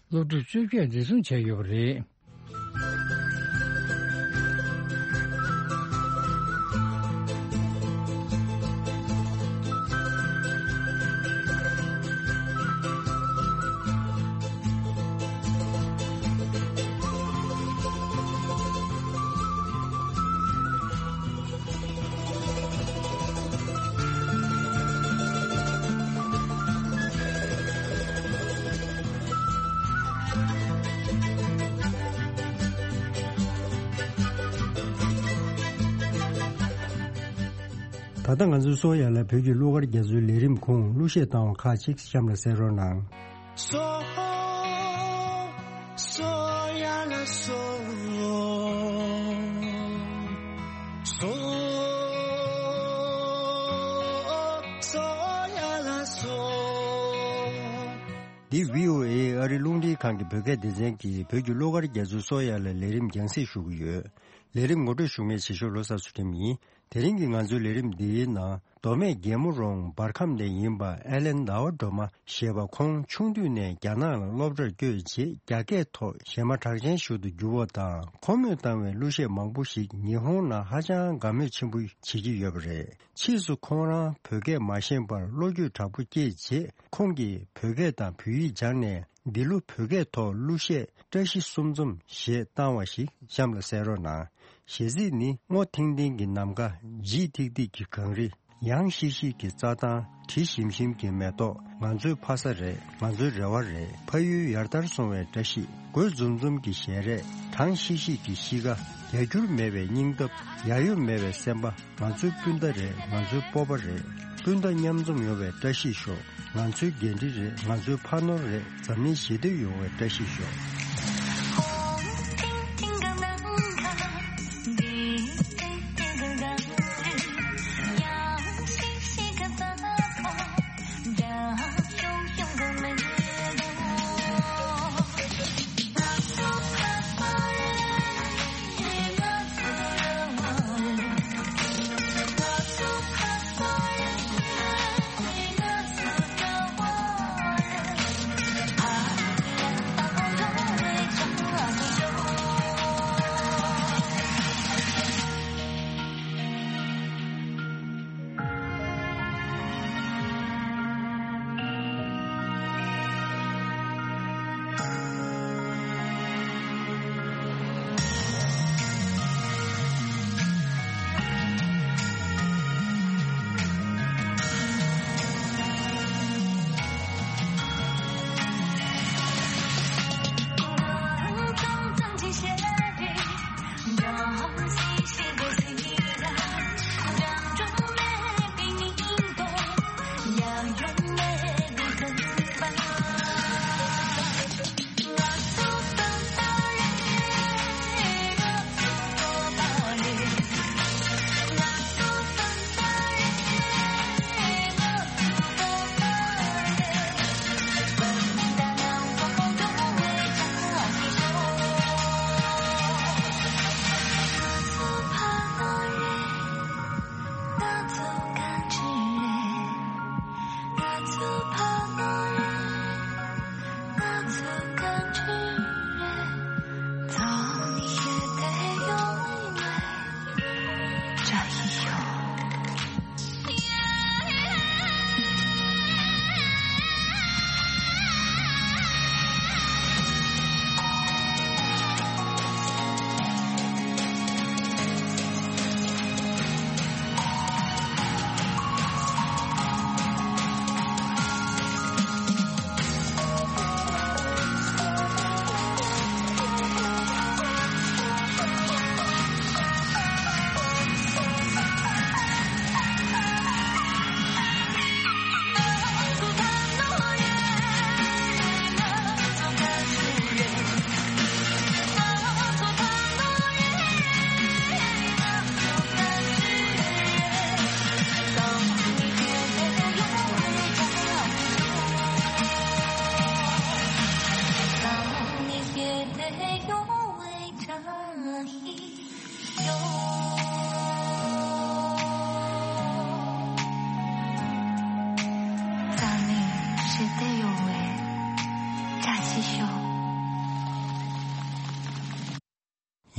སློབ་ཕྲུག་བཅོ་བརྒྱད་འཛིན་བཟུང་བྱས་ཡོད་པ་རེད། ད་ལྟ་ང་ཚོའི་སོ་ཡ་ལ་བོད་ཀྱི་གླུ་གར་རྒྱ་མཚོའི་ལས་རིམ་ཁུངས་གླུ་གཞས་བཏང་བ་ཁག་ཅིག་གཤམ་ལ་གསན་རོགས་གནང་། སོ། སོ་ཡ་ལ་སོ། སོ། སོ་ཡ་ལ་སོ། འདི་བྷི་ཨོ་ཨེ་ཨ་རི་རླུང་འཕྲིན་ཁང་གི་བོད་སྐད་སྡེ་ཚན་གྱིས་བོད་ཀྱི་གླུ་གར་རྒྱ་མཚོའི་སོ་ཡ་ལ་ལས་རིམ་རྒྱང་སྲིང་ཞུ་གི་ཡོད། ལས་རིམ་ངོ་སྤྲོད་ཞུ་མཁན་ཆེ་ཤོས་ལོ་གསར་ཚུལ་ཁྲིམས་ཡིན། དེ་རིང་གི་ང་ཚོའི་ལས་རིམ་འདིའི་ནང་། མདོ་སྨད་རྒྱལ་མོ་རོང་འབར་ཁམས་ནས་ཡིན་པ་ཨེ་ལན་ཟླ་བ་སྒྲོལ་མ་ཞེས་པ། ཁོང་ཆུང་དུས་ནས་རྒྱ་ནག་ལ་སློབ་གྲྭར་བསྐྱོད་རྗེས། རྒྱ་སྐད་ཐོག་གཞས་མ་གྲགས་ཅན་ཞིག་ཏུ་གྱུར་བ་དང་། ཁོ་མོས་བཏང་བའི་གླུ་གཞས་མང་པོ་ཞིག་ཉི་ཧོང་ནང་ཧ་ཅང་དགའ་མོས་ཆེན་པོ་བྱེད་ཀྱི་ཡོད་པ་རེད། ཕྱིས་སུ་ཁོང་རང་བོད་སྐད་མ་ཤེས་པར་བློ་འགྱོད་དྲག་པོ་སྐྱེས་རྗེས། ཁོང་གིས་བོད་སྐད་དང་བོད་ཡིག་སྦྱངས་ནས། འདི་ལོ་བོད་སྐད་ཐོག་གླུ་གཞས་བཀྲ་ཤིས་གསུམ་འཛོམས་ཞེས་བཏང་བ་ཞིག་གཤམ་ལ་གསན་རོགས་གནང་། གཞས་ཚིག་ནི། སྔོ་ཐིང་ཐིང་གི་ནམ་མཁའ། འཇིགས་ཐིག་ཐིག་གི་གངས་རི། ཡང་ཤིག་ཤིག་གི་རྩྭ་ཐང་། དྲི་ཞིམ་ཞིམ་གྱི་མེ་ཏོག་ང་ཚོའི་ཕ་ས་རེད། ང་ཚོའི་རེ་བ་རེད། ཕ་ཡུལ་ཡར་དར་སོང་བའི་བཀྲ་ཤིས། རྒོད་འཛུམ་འཛུམ་གྱི་ཞལ་རས། གྲང་ཤིག་ཤིག་གི་གཤིས་ཀ་རྒྱ་འགྱུར་མེད་པའི་སྙིང་སྟོབས། ཡ་ཡོ་མེད་པའི་སེམས་པ། ང་ཚོའི་སྤུན་ཟླ་རེད། ང་ཚོའི་སྤོབས་པ་རེད། སྤུན་ཟླ་མཉམ་འཛོམས་ཡོང་བའི་བཀྲ་ཤིས་ཤོག་ང་ཚོའི་འགན་འཁྲི་རེད། ང་ཚོའི་ཕ་ནོར་རེད། འཛམ་གླིང་ཞི་བདེ་ཡོང་བའི་བཀྲ་ཤིས་ཤོག་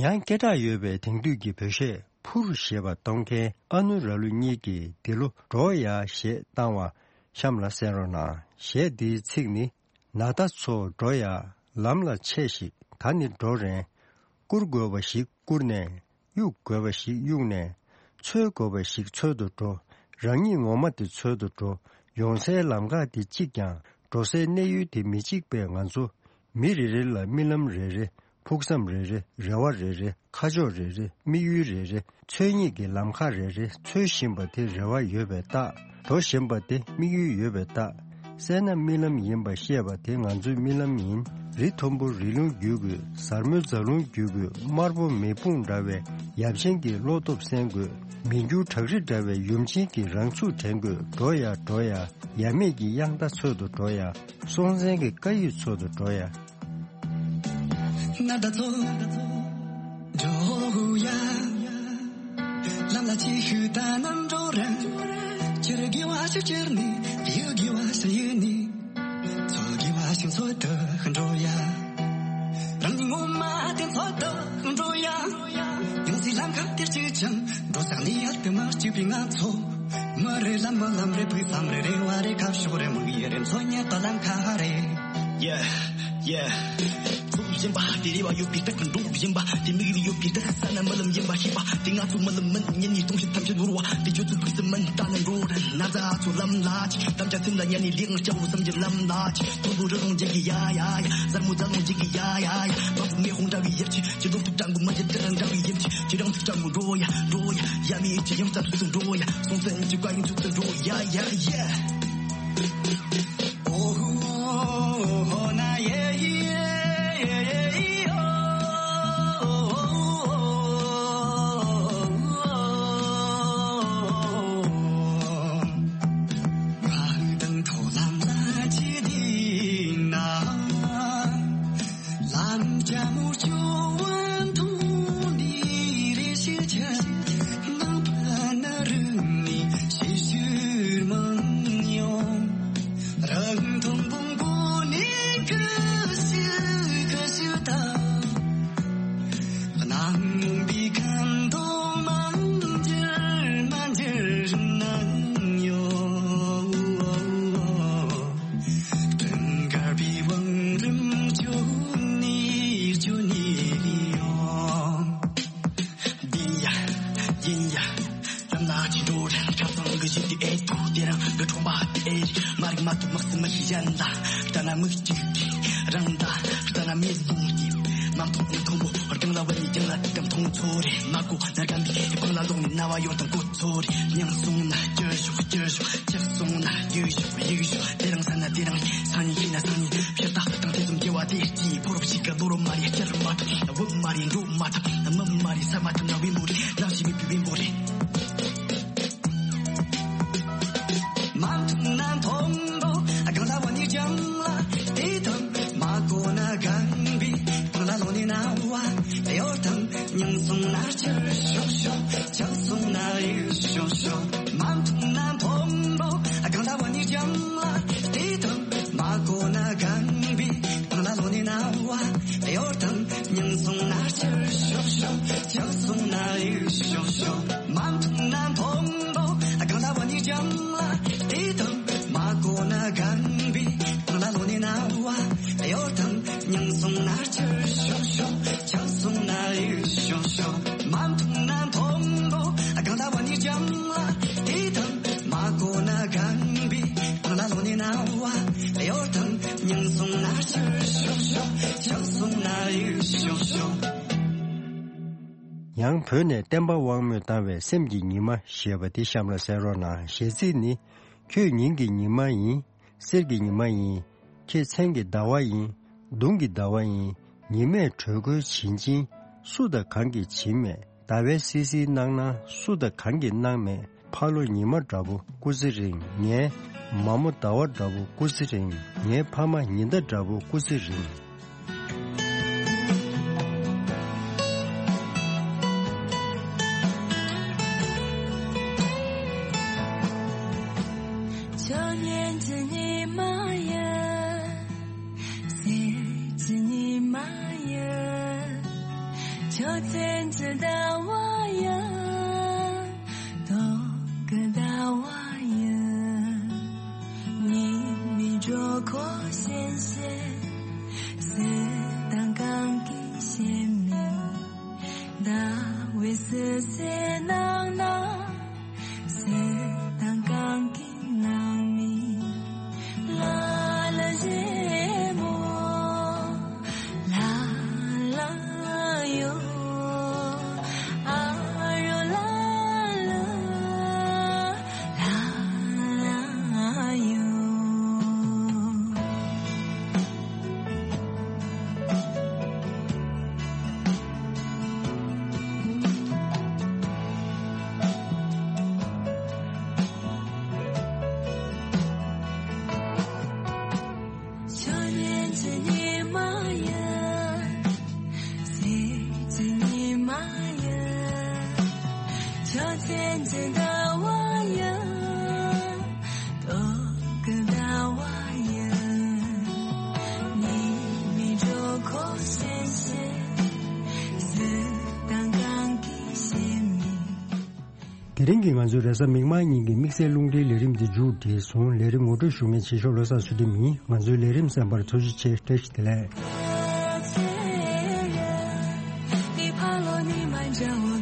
ཡང་སྐད་གྲགས་ཡོད་པའི་དེང་དུས་ཀྱི་བོད་གཞས་ཕུར་ཞེས་པ་གཏོང་མཁན་ཨ་ནུ་ར་ལུ་གཉིས་ཀྱིས་འདི་ལོ་འགྲོ་ཡ་ཞེས་བཏང་བ་གཤམ་ལ་གསན་རོགས་གནང་། གཞས་འདིའི་ཚིག་ནི། ན་ད་ཚོ་འགྲོ་ཡ། ལམ་ལ་ཆས་ཤིག་ད་ནི་འགྲོ་རན། བཀུར་དགོས་པ་ཞིག་བཀུར་ནས། གཡུག་དགོས་པ་ཞིག་གཡུག་ནས། འཚོལ་དགོས་པ་ཞིག་འཚོལ་དུ་འགྲོ། རང་ཉིད་ངོ་མ་དེ་འཚོལ་དུ་འགྲོ། ཡོང་སའི་ལམ་ཁ་དེ་གཅིག་ཀྱང་། འགྲོ་སའི་གནས་ཡུལ་དེ་མི་གཅིག་པས་ང་ཚོ། མི་རེ་རེ་ལ་རྨི་ལམ་རེ་རེ། ཕུགས་བསམ་རེ་རེ། རེ་བ་རེ་རེ། ཁ་ཕྱོགས་རེ་རེ། དམིགས་ཡུལ་རེ་རེ། འཚོལ་སྙེག་གི་ལམ་ཁ་རེ་རེ། འཚོལ་བཞིན་པ་དེ་རེ་བ་ཡོད་པའི་རྟགས། འགྲོ་བཞིན་པ་དེ་དམིགས་ཡུལ་ཡོད་པའི་རྟགས། བསད་ན་རྨི་ལམ་ཡིན་པ་ཤེས་པ་དེ་ང་ཚོའི་རྨི་ལམ་ཡིན། རི་མཐོན་པོ་རི་ལུང་བརྒྱུད་དགོས། གཟར་མོའི་རྫ་ལུང་བརྒྱུད་དགོས། དམར་པོ་མེ་དཔུང་འདྲ་བའི་ཡབ་ཆེན་གྱི་བློ་སྟོབས་གསན་དགོས། མི་འགྱུར་བྲག་རི་འདྲ་བའི་ཡུམ་ཆེན་གྱི་རང་ཚུགས་དྲན་དགོས། འགྲོ་ཡ་འགྲོ་ཡ། ཡབ་མེས་ཀྱི་དབྱངས་རྟ་འཚོལ་དུ་འགྲོ་ཡ། སྲོང་བཙན་གྱི་བཀའ་ཡིག་འཚོལ་དུ་འགྲོ་ཡ། ན་ད་ཚོ་འགྲོ་ཡ། ལམ་ལ་ཅི་ཞུ་ད་ནམ་འགྲོ་རན། ཅེར་ནི་ཡི་གེ་བ་ཞིག་ཡིན་ནི། ཚོ་གི་བ་ཞིག་ཚོ་དུ་འགྲོ་ཡ། རང་ཉིད་ངོ་མ་དེ་ཚོ་དུ་འགྲོ་ཡ། ཡང་སྲིད་ལམ་ཁ་དེར་གཅིག་ཅང་འགྲོ་ས་ནི་ཡལ་དུ་མ་གཅིག་པའི་ང་ཚོ། མི་རེ་ལ་མི་ལམ་རེ་བུ་སམ་རེ་རེ་བ་རེ་ཁ་ཕྱོགས་རེ་མི་ཡི་རེ་མཚོ་ཉལ་དུ་ལམ་ཁ་རེ། Yeah, yeah. ཚོགས་བཞིན་པ་དེ་རེ་བ་ཡོད་པའི་རྟགས་འགྲོ་བཞིན་པ་དེ་མིག་ལ་ཡོད་པའི་རྟགས་ས་ན་མི་ལམ་ཡིན་པ་ཤེས་པ་དེ་ང་ཚོ་མི་ལམ་མིན་ཉིན་ནས་སྟོང་ཤུགས་ཐམས་ཅད་ནོར་བ་དེ་ཁྱོད་ཚོ་ཕུགས་སུ་མིན་ལྟ་ན་འགྲོ་རེད། ན་ཚ་ཚོ་ལམ་ལ་ཅི་དམ་བཅའ་སེམས་ལ་ཉར་ནས་ལེགས་སྐྱ་བོ་བསམ་གྱི་ལམ་ལ་ཅི་མཐོན་པོ་རི་རོང་འཇིག་གི་ཡ་ཡ་ཡ། གཟར་མོ་རྫ་ལོང་འཇིག་གི་ཡ་ཡ་ཡ། མ་བུ་མེ་ཧོང་འདྲ་བའི་ཡིབ་ཆི་ཅི་ལོག་ཏུ་ཀྲང་གུ་མ་ཅི་ཏི་རང་འདྲ་བའི་ཡིབ་ཆི་ཅི་རང་ཚུགས་ཀྲང་གུ་འགྲོ་ཡ་འགྲོ་ཡ། ཡ་མི་ཅི་ཡང་ཙམ་ཚུགས་སུ་འགྲོ་ཡ། སོང་ཙན་ཅི་བཀའ་ཡིན་ཚུགས་སུ་འགྲོ་ཡ་ཡ་ཡ། རང་མཐོང་བོང་བུ་ནི་ཁུ་སིལ་ཁུ་སིལ་དང་། གནམ་མུན་པའི་ཁམས་དུ་མ་འགྱུར་མ་འགྱུར་སྣང་ཡོད། སྤྲིན་དཀར་པོའི་བང་རིམ་བསྐྱོད་ནས་བསྐྱོད་ནས་ཡོང་། འདི་ཡ་ཡིན་ཡ། ལམ་ལ་ཅི་འགྲོ་རེད། ཁ་སང་གི་གཞི་དེ་ཨེ་ཐུག་དེ་རིང་གི་ཁྲོམ་པ་དེ་ཨེ་རེད། མ་རིག་མ་ཐུབ་མ་སྲིད་མ་ཤེས་གཞན་ལ། ལྟ་ན་མིག་གཅིག་གིས་རང་ལྟ། ལྟ་ན་མི་ལུང་གིས་མ་མཐོང་མི་མཐོང་བོ། རྒན་ལ་བ་ནི་རྒན་ལ་དེ་ལྟར་མཐོང་ཚོ་རེད། མ་གོ་ན་རྒན་པའི་སྤང་ལ་ལོག་ནས་ན་བ་ཡོང་དང་གོ་ཚོ་རེད། སྙིང་སོང་ན་སྐྱོ་ཤོག་སྐྱོ་ཤོག་ཆགས་སོང་ན་ཡིག་ཤོག་ཡིག་ཤོག་དེ་རིང་ས་ན་དེ་རིང་སང་ཉིན་ཤི་ན་སང་ཉིན་ཕྱིར་ལྟ་དང་དེ་ཙམ་སྐྱེ་བ་དེ་སྐྱིད་ཕོ་རབ་ཞིག་གི་ལོ་རོ་མ་རེད། སྐྱར་མ་ཐུབ་བུ་མ་རེད། འགྲོ་མ་ཐུབ་མི་མ་རེད། ས་མ་ཐུབ་ན་བེམ་པོ་རེད། ནམ་ཞིག་མི་བུ་བེམ་པོ་རེད། མ་མཐོང་ན་མཐོན་པོ་གང་ལ་བ་ནི་ལྗང་ལ་དེ་དང་མ་གོ་ན་གང་བི་གང་ལ་ལོ་ནི་ན་བ་དེ་ཡོད་དང་། སྙིང་སོང་ན་ཆར་ཤོག་ཤོག་ཆགས་སོང་ན་ཡིག་ཤོག་ཤོག་མ་མཐོང་ན་མཐོན་པོ་གང་ལ་བ་ནི་ལྗང་ལ་དེ་དང་། མ་གོ་ན་གང་བི་གང་ལ་ལོ་ནི་ན་བ་དེ་ཡོད་དང་། སྙིང་སོང་ན་ཆར་ཤོག་ཤོག་ཆགས་སོང་ན་ཡིག་ཤོག་ཤོག་མ་མཐོང་ན་མཐོན་པོ་གང་ལ་བ་ནི་ལྗང་ལ་དེ་དང་། མ་གོ་ན་གང་བི་གང་ལ་ལོ་ནི་ན་བ་དེ་ཡོད་དང་། སྙིང་སོང་ན་ཆར་ཤོག་ཤོག་ཆགས་སོང་ན་ཡིག་ཤོག་ཤོག་མ་མཐོང་ན་མཐོན་པོ་གང་ལ་བ་ནི་ལྗང་ལ་དེ་དང་། མ་གོ་ན་གང་བི་གང་ལ་ལོ་ནི་ན་བ་དེ་ཡོད་དང་། སྙིང་སོང་ན་ཆར་ཤོག་ཤོག་ཆགས་སོང་ན་ཡིག་ཤོག་ཤོག་ཡང་བོད་ནས་བསྟན་པ་དབང་མོས་བཏང་བའི་སེམས་ཀྱི་ཉི་མ་ཞེས་པ་འདི་གཤམ་ལ་གསན་རོགས་གནང་། གཞས་ཚིག་ནི། ཁྱོད་ཉིན་གྱི་ཉི་མ་ཡིན། གསེར་གྱི་ཉི་མ་ཡིན། ཁྱེད་མཚན་གྱི་ཟླ་བ་ཡིན། གདུང་གི་ཟླ་བ་ཡིན། ཉི་མས་དྲོད་ཁོལ་བྱིན་ཅིང་། སུ་དང་གང་གིས་བྱིན་མེད། ཟླ་བས་བསིལ་བསིལ་གནང་ན། སུ་དང་གང་གིས་གནང་མེད། ཕ་ལོ་ཉི་མ་འདྲ་བོ་སྐུ་ཚེ་རིང་། ངའི་མ་མོ་ཟླ་བ་འདྲ་བོ་སྐུ་ཚེ་རིང་། ངའི་ཕ་མ་ཉི་ཟླ་འདྲ་བོ་སྐུ་ཚེ་རིང་། ཆོས་ཉིད་ཀྱི་ཉི་མ་ཡིན། གསེར་གྱི་ཉི་མ་ཡིན། ཆོས་ཅན་གྱི་ཟླ་བ་ཡིན། སྟོང་གི་ཟླ་བ་ཡིན། ཉི་མའི་དྲོད་ཁོལ་བྱིན་བྱིན། སུ་དང་གང་གིས་བྱིན་མེད། ཟླ་བས་བསིལ་བསིལ་གནང་ན། སུ་དང་གང་གིས་གནང་མེད། ལ་ལ་ཞེ་མོ། ལ་ལ་ཡོ། ཨ་རོ་ལ་ལ། ལ་ལ་ཡོ། ཆོས་ཉིད་ཀྱི་ཉི་མ་ཡིན། གསེར་གྱི་ཉི་མ་ཡིན། ཆོས་ཅན་གྱི་ཟླ་བ་ཡིན། དེ་རིང་གི་ང་ཚོའི་རེས་གཟའ་མིག་དམར་ཉིན་གྱི་དམིགས་བསལ་རླུང་འཕྲིན་ལས་རིམ་འདི་མཇུག་བསྒྲིལ་སོང་། ལས་རིམ་ངོ་སྤྲོད་ཞུ་མཁན་ཆེ་ཤོས་བློ་བཟང་ཚུལ་ཁྲིམས་ཡིན། ང་ཚོའི་ལས་རིམ་གསན་པར་ཐུགས་རྗེ་ཆེ། བཀྲ་ཤིས་བདེ་ལེགས།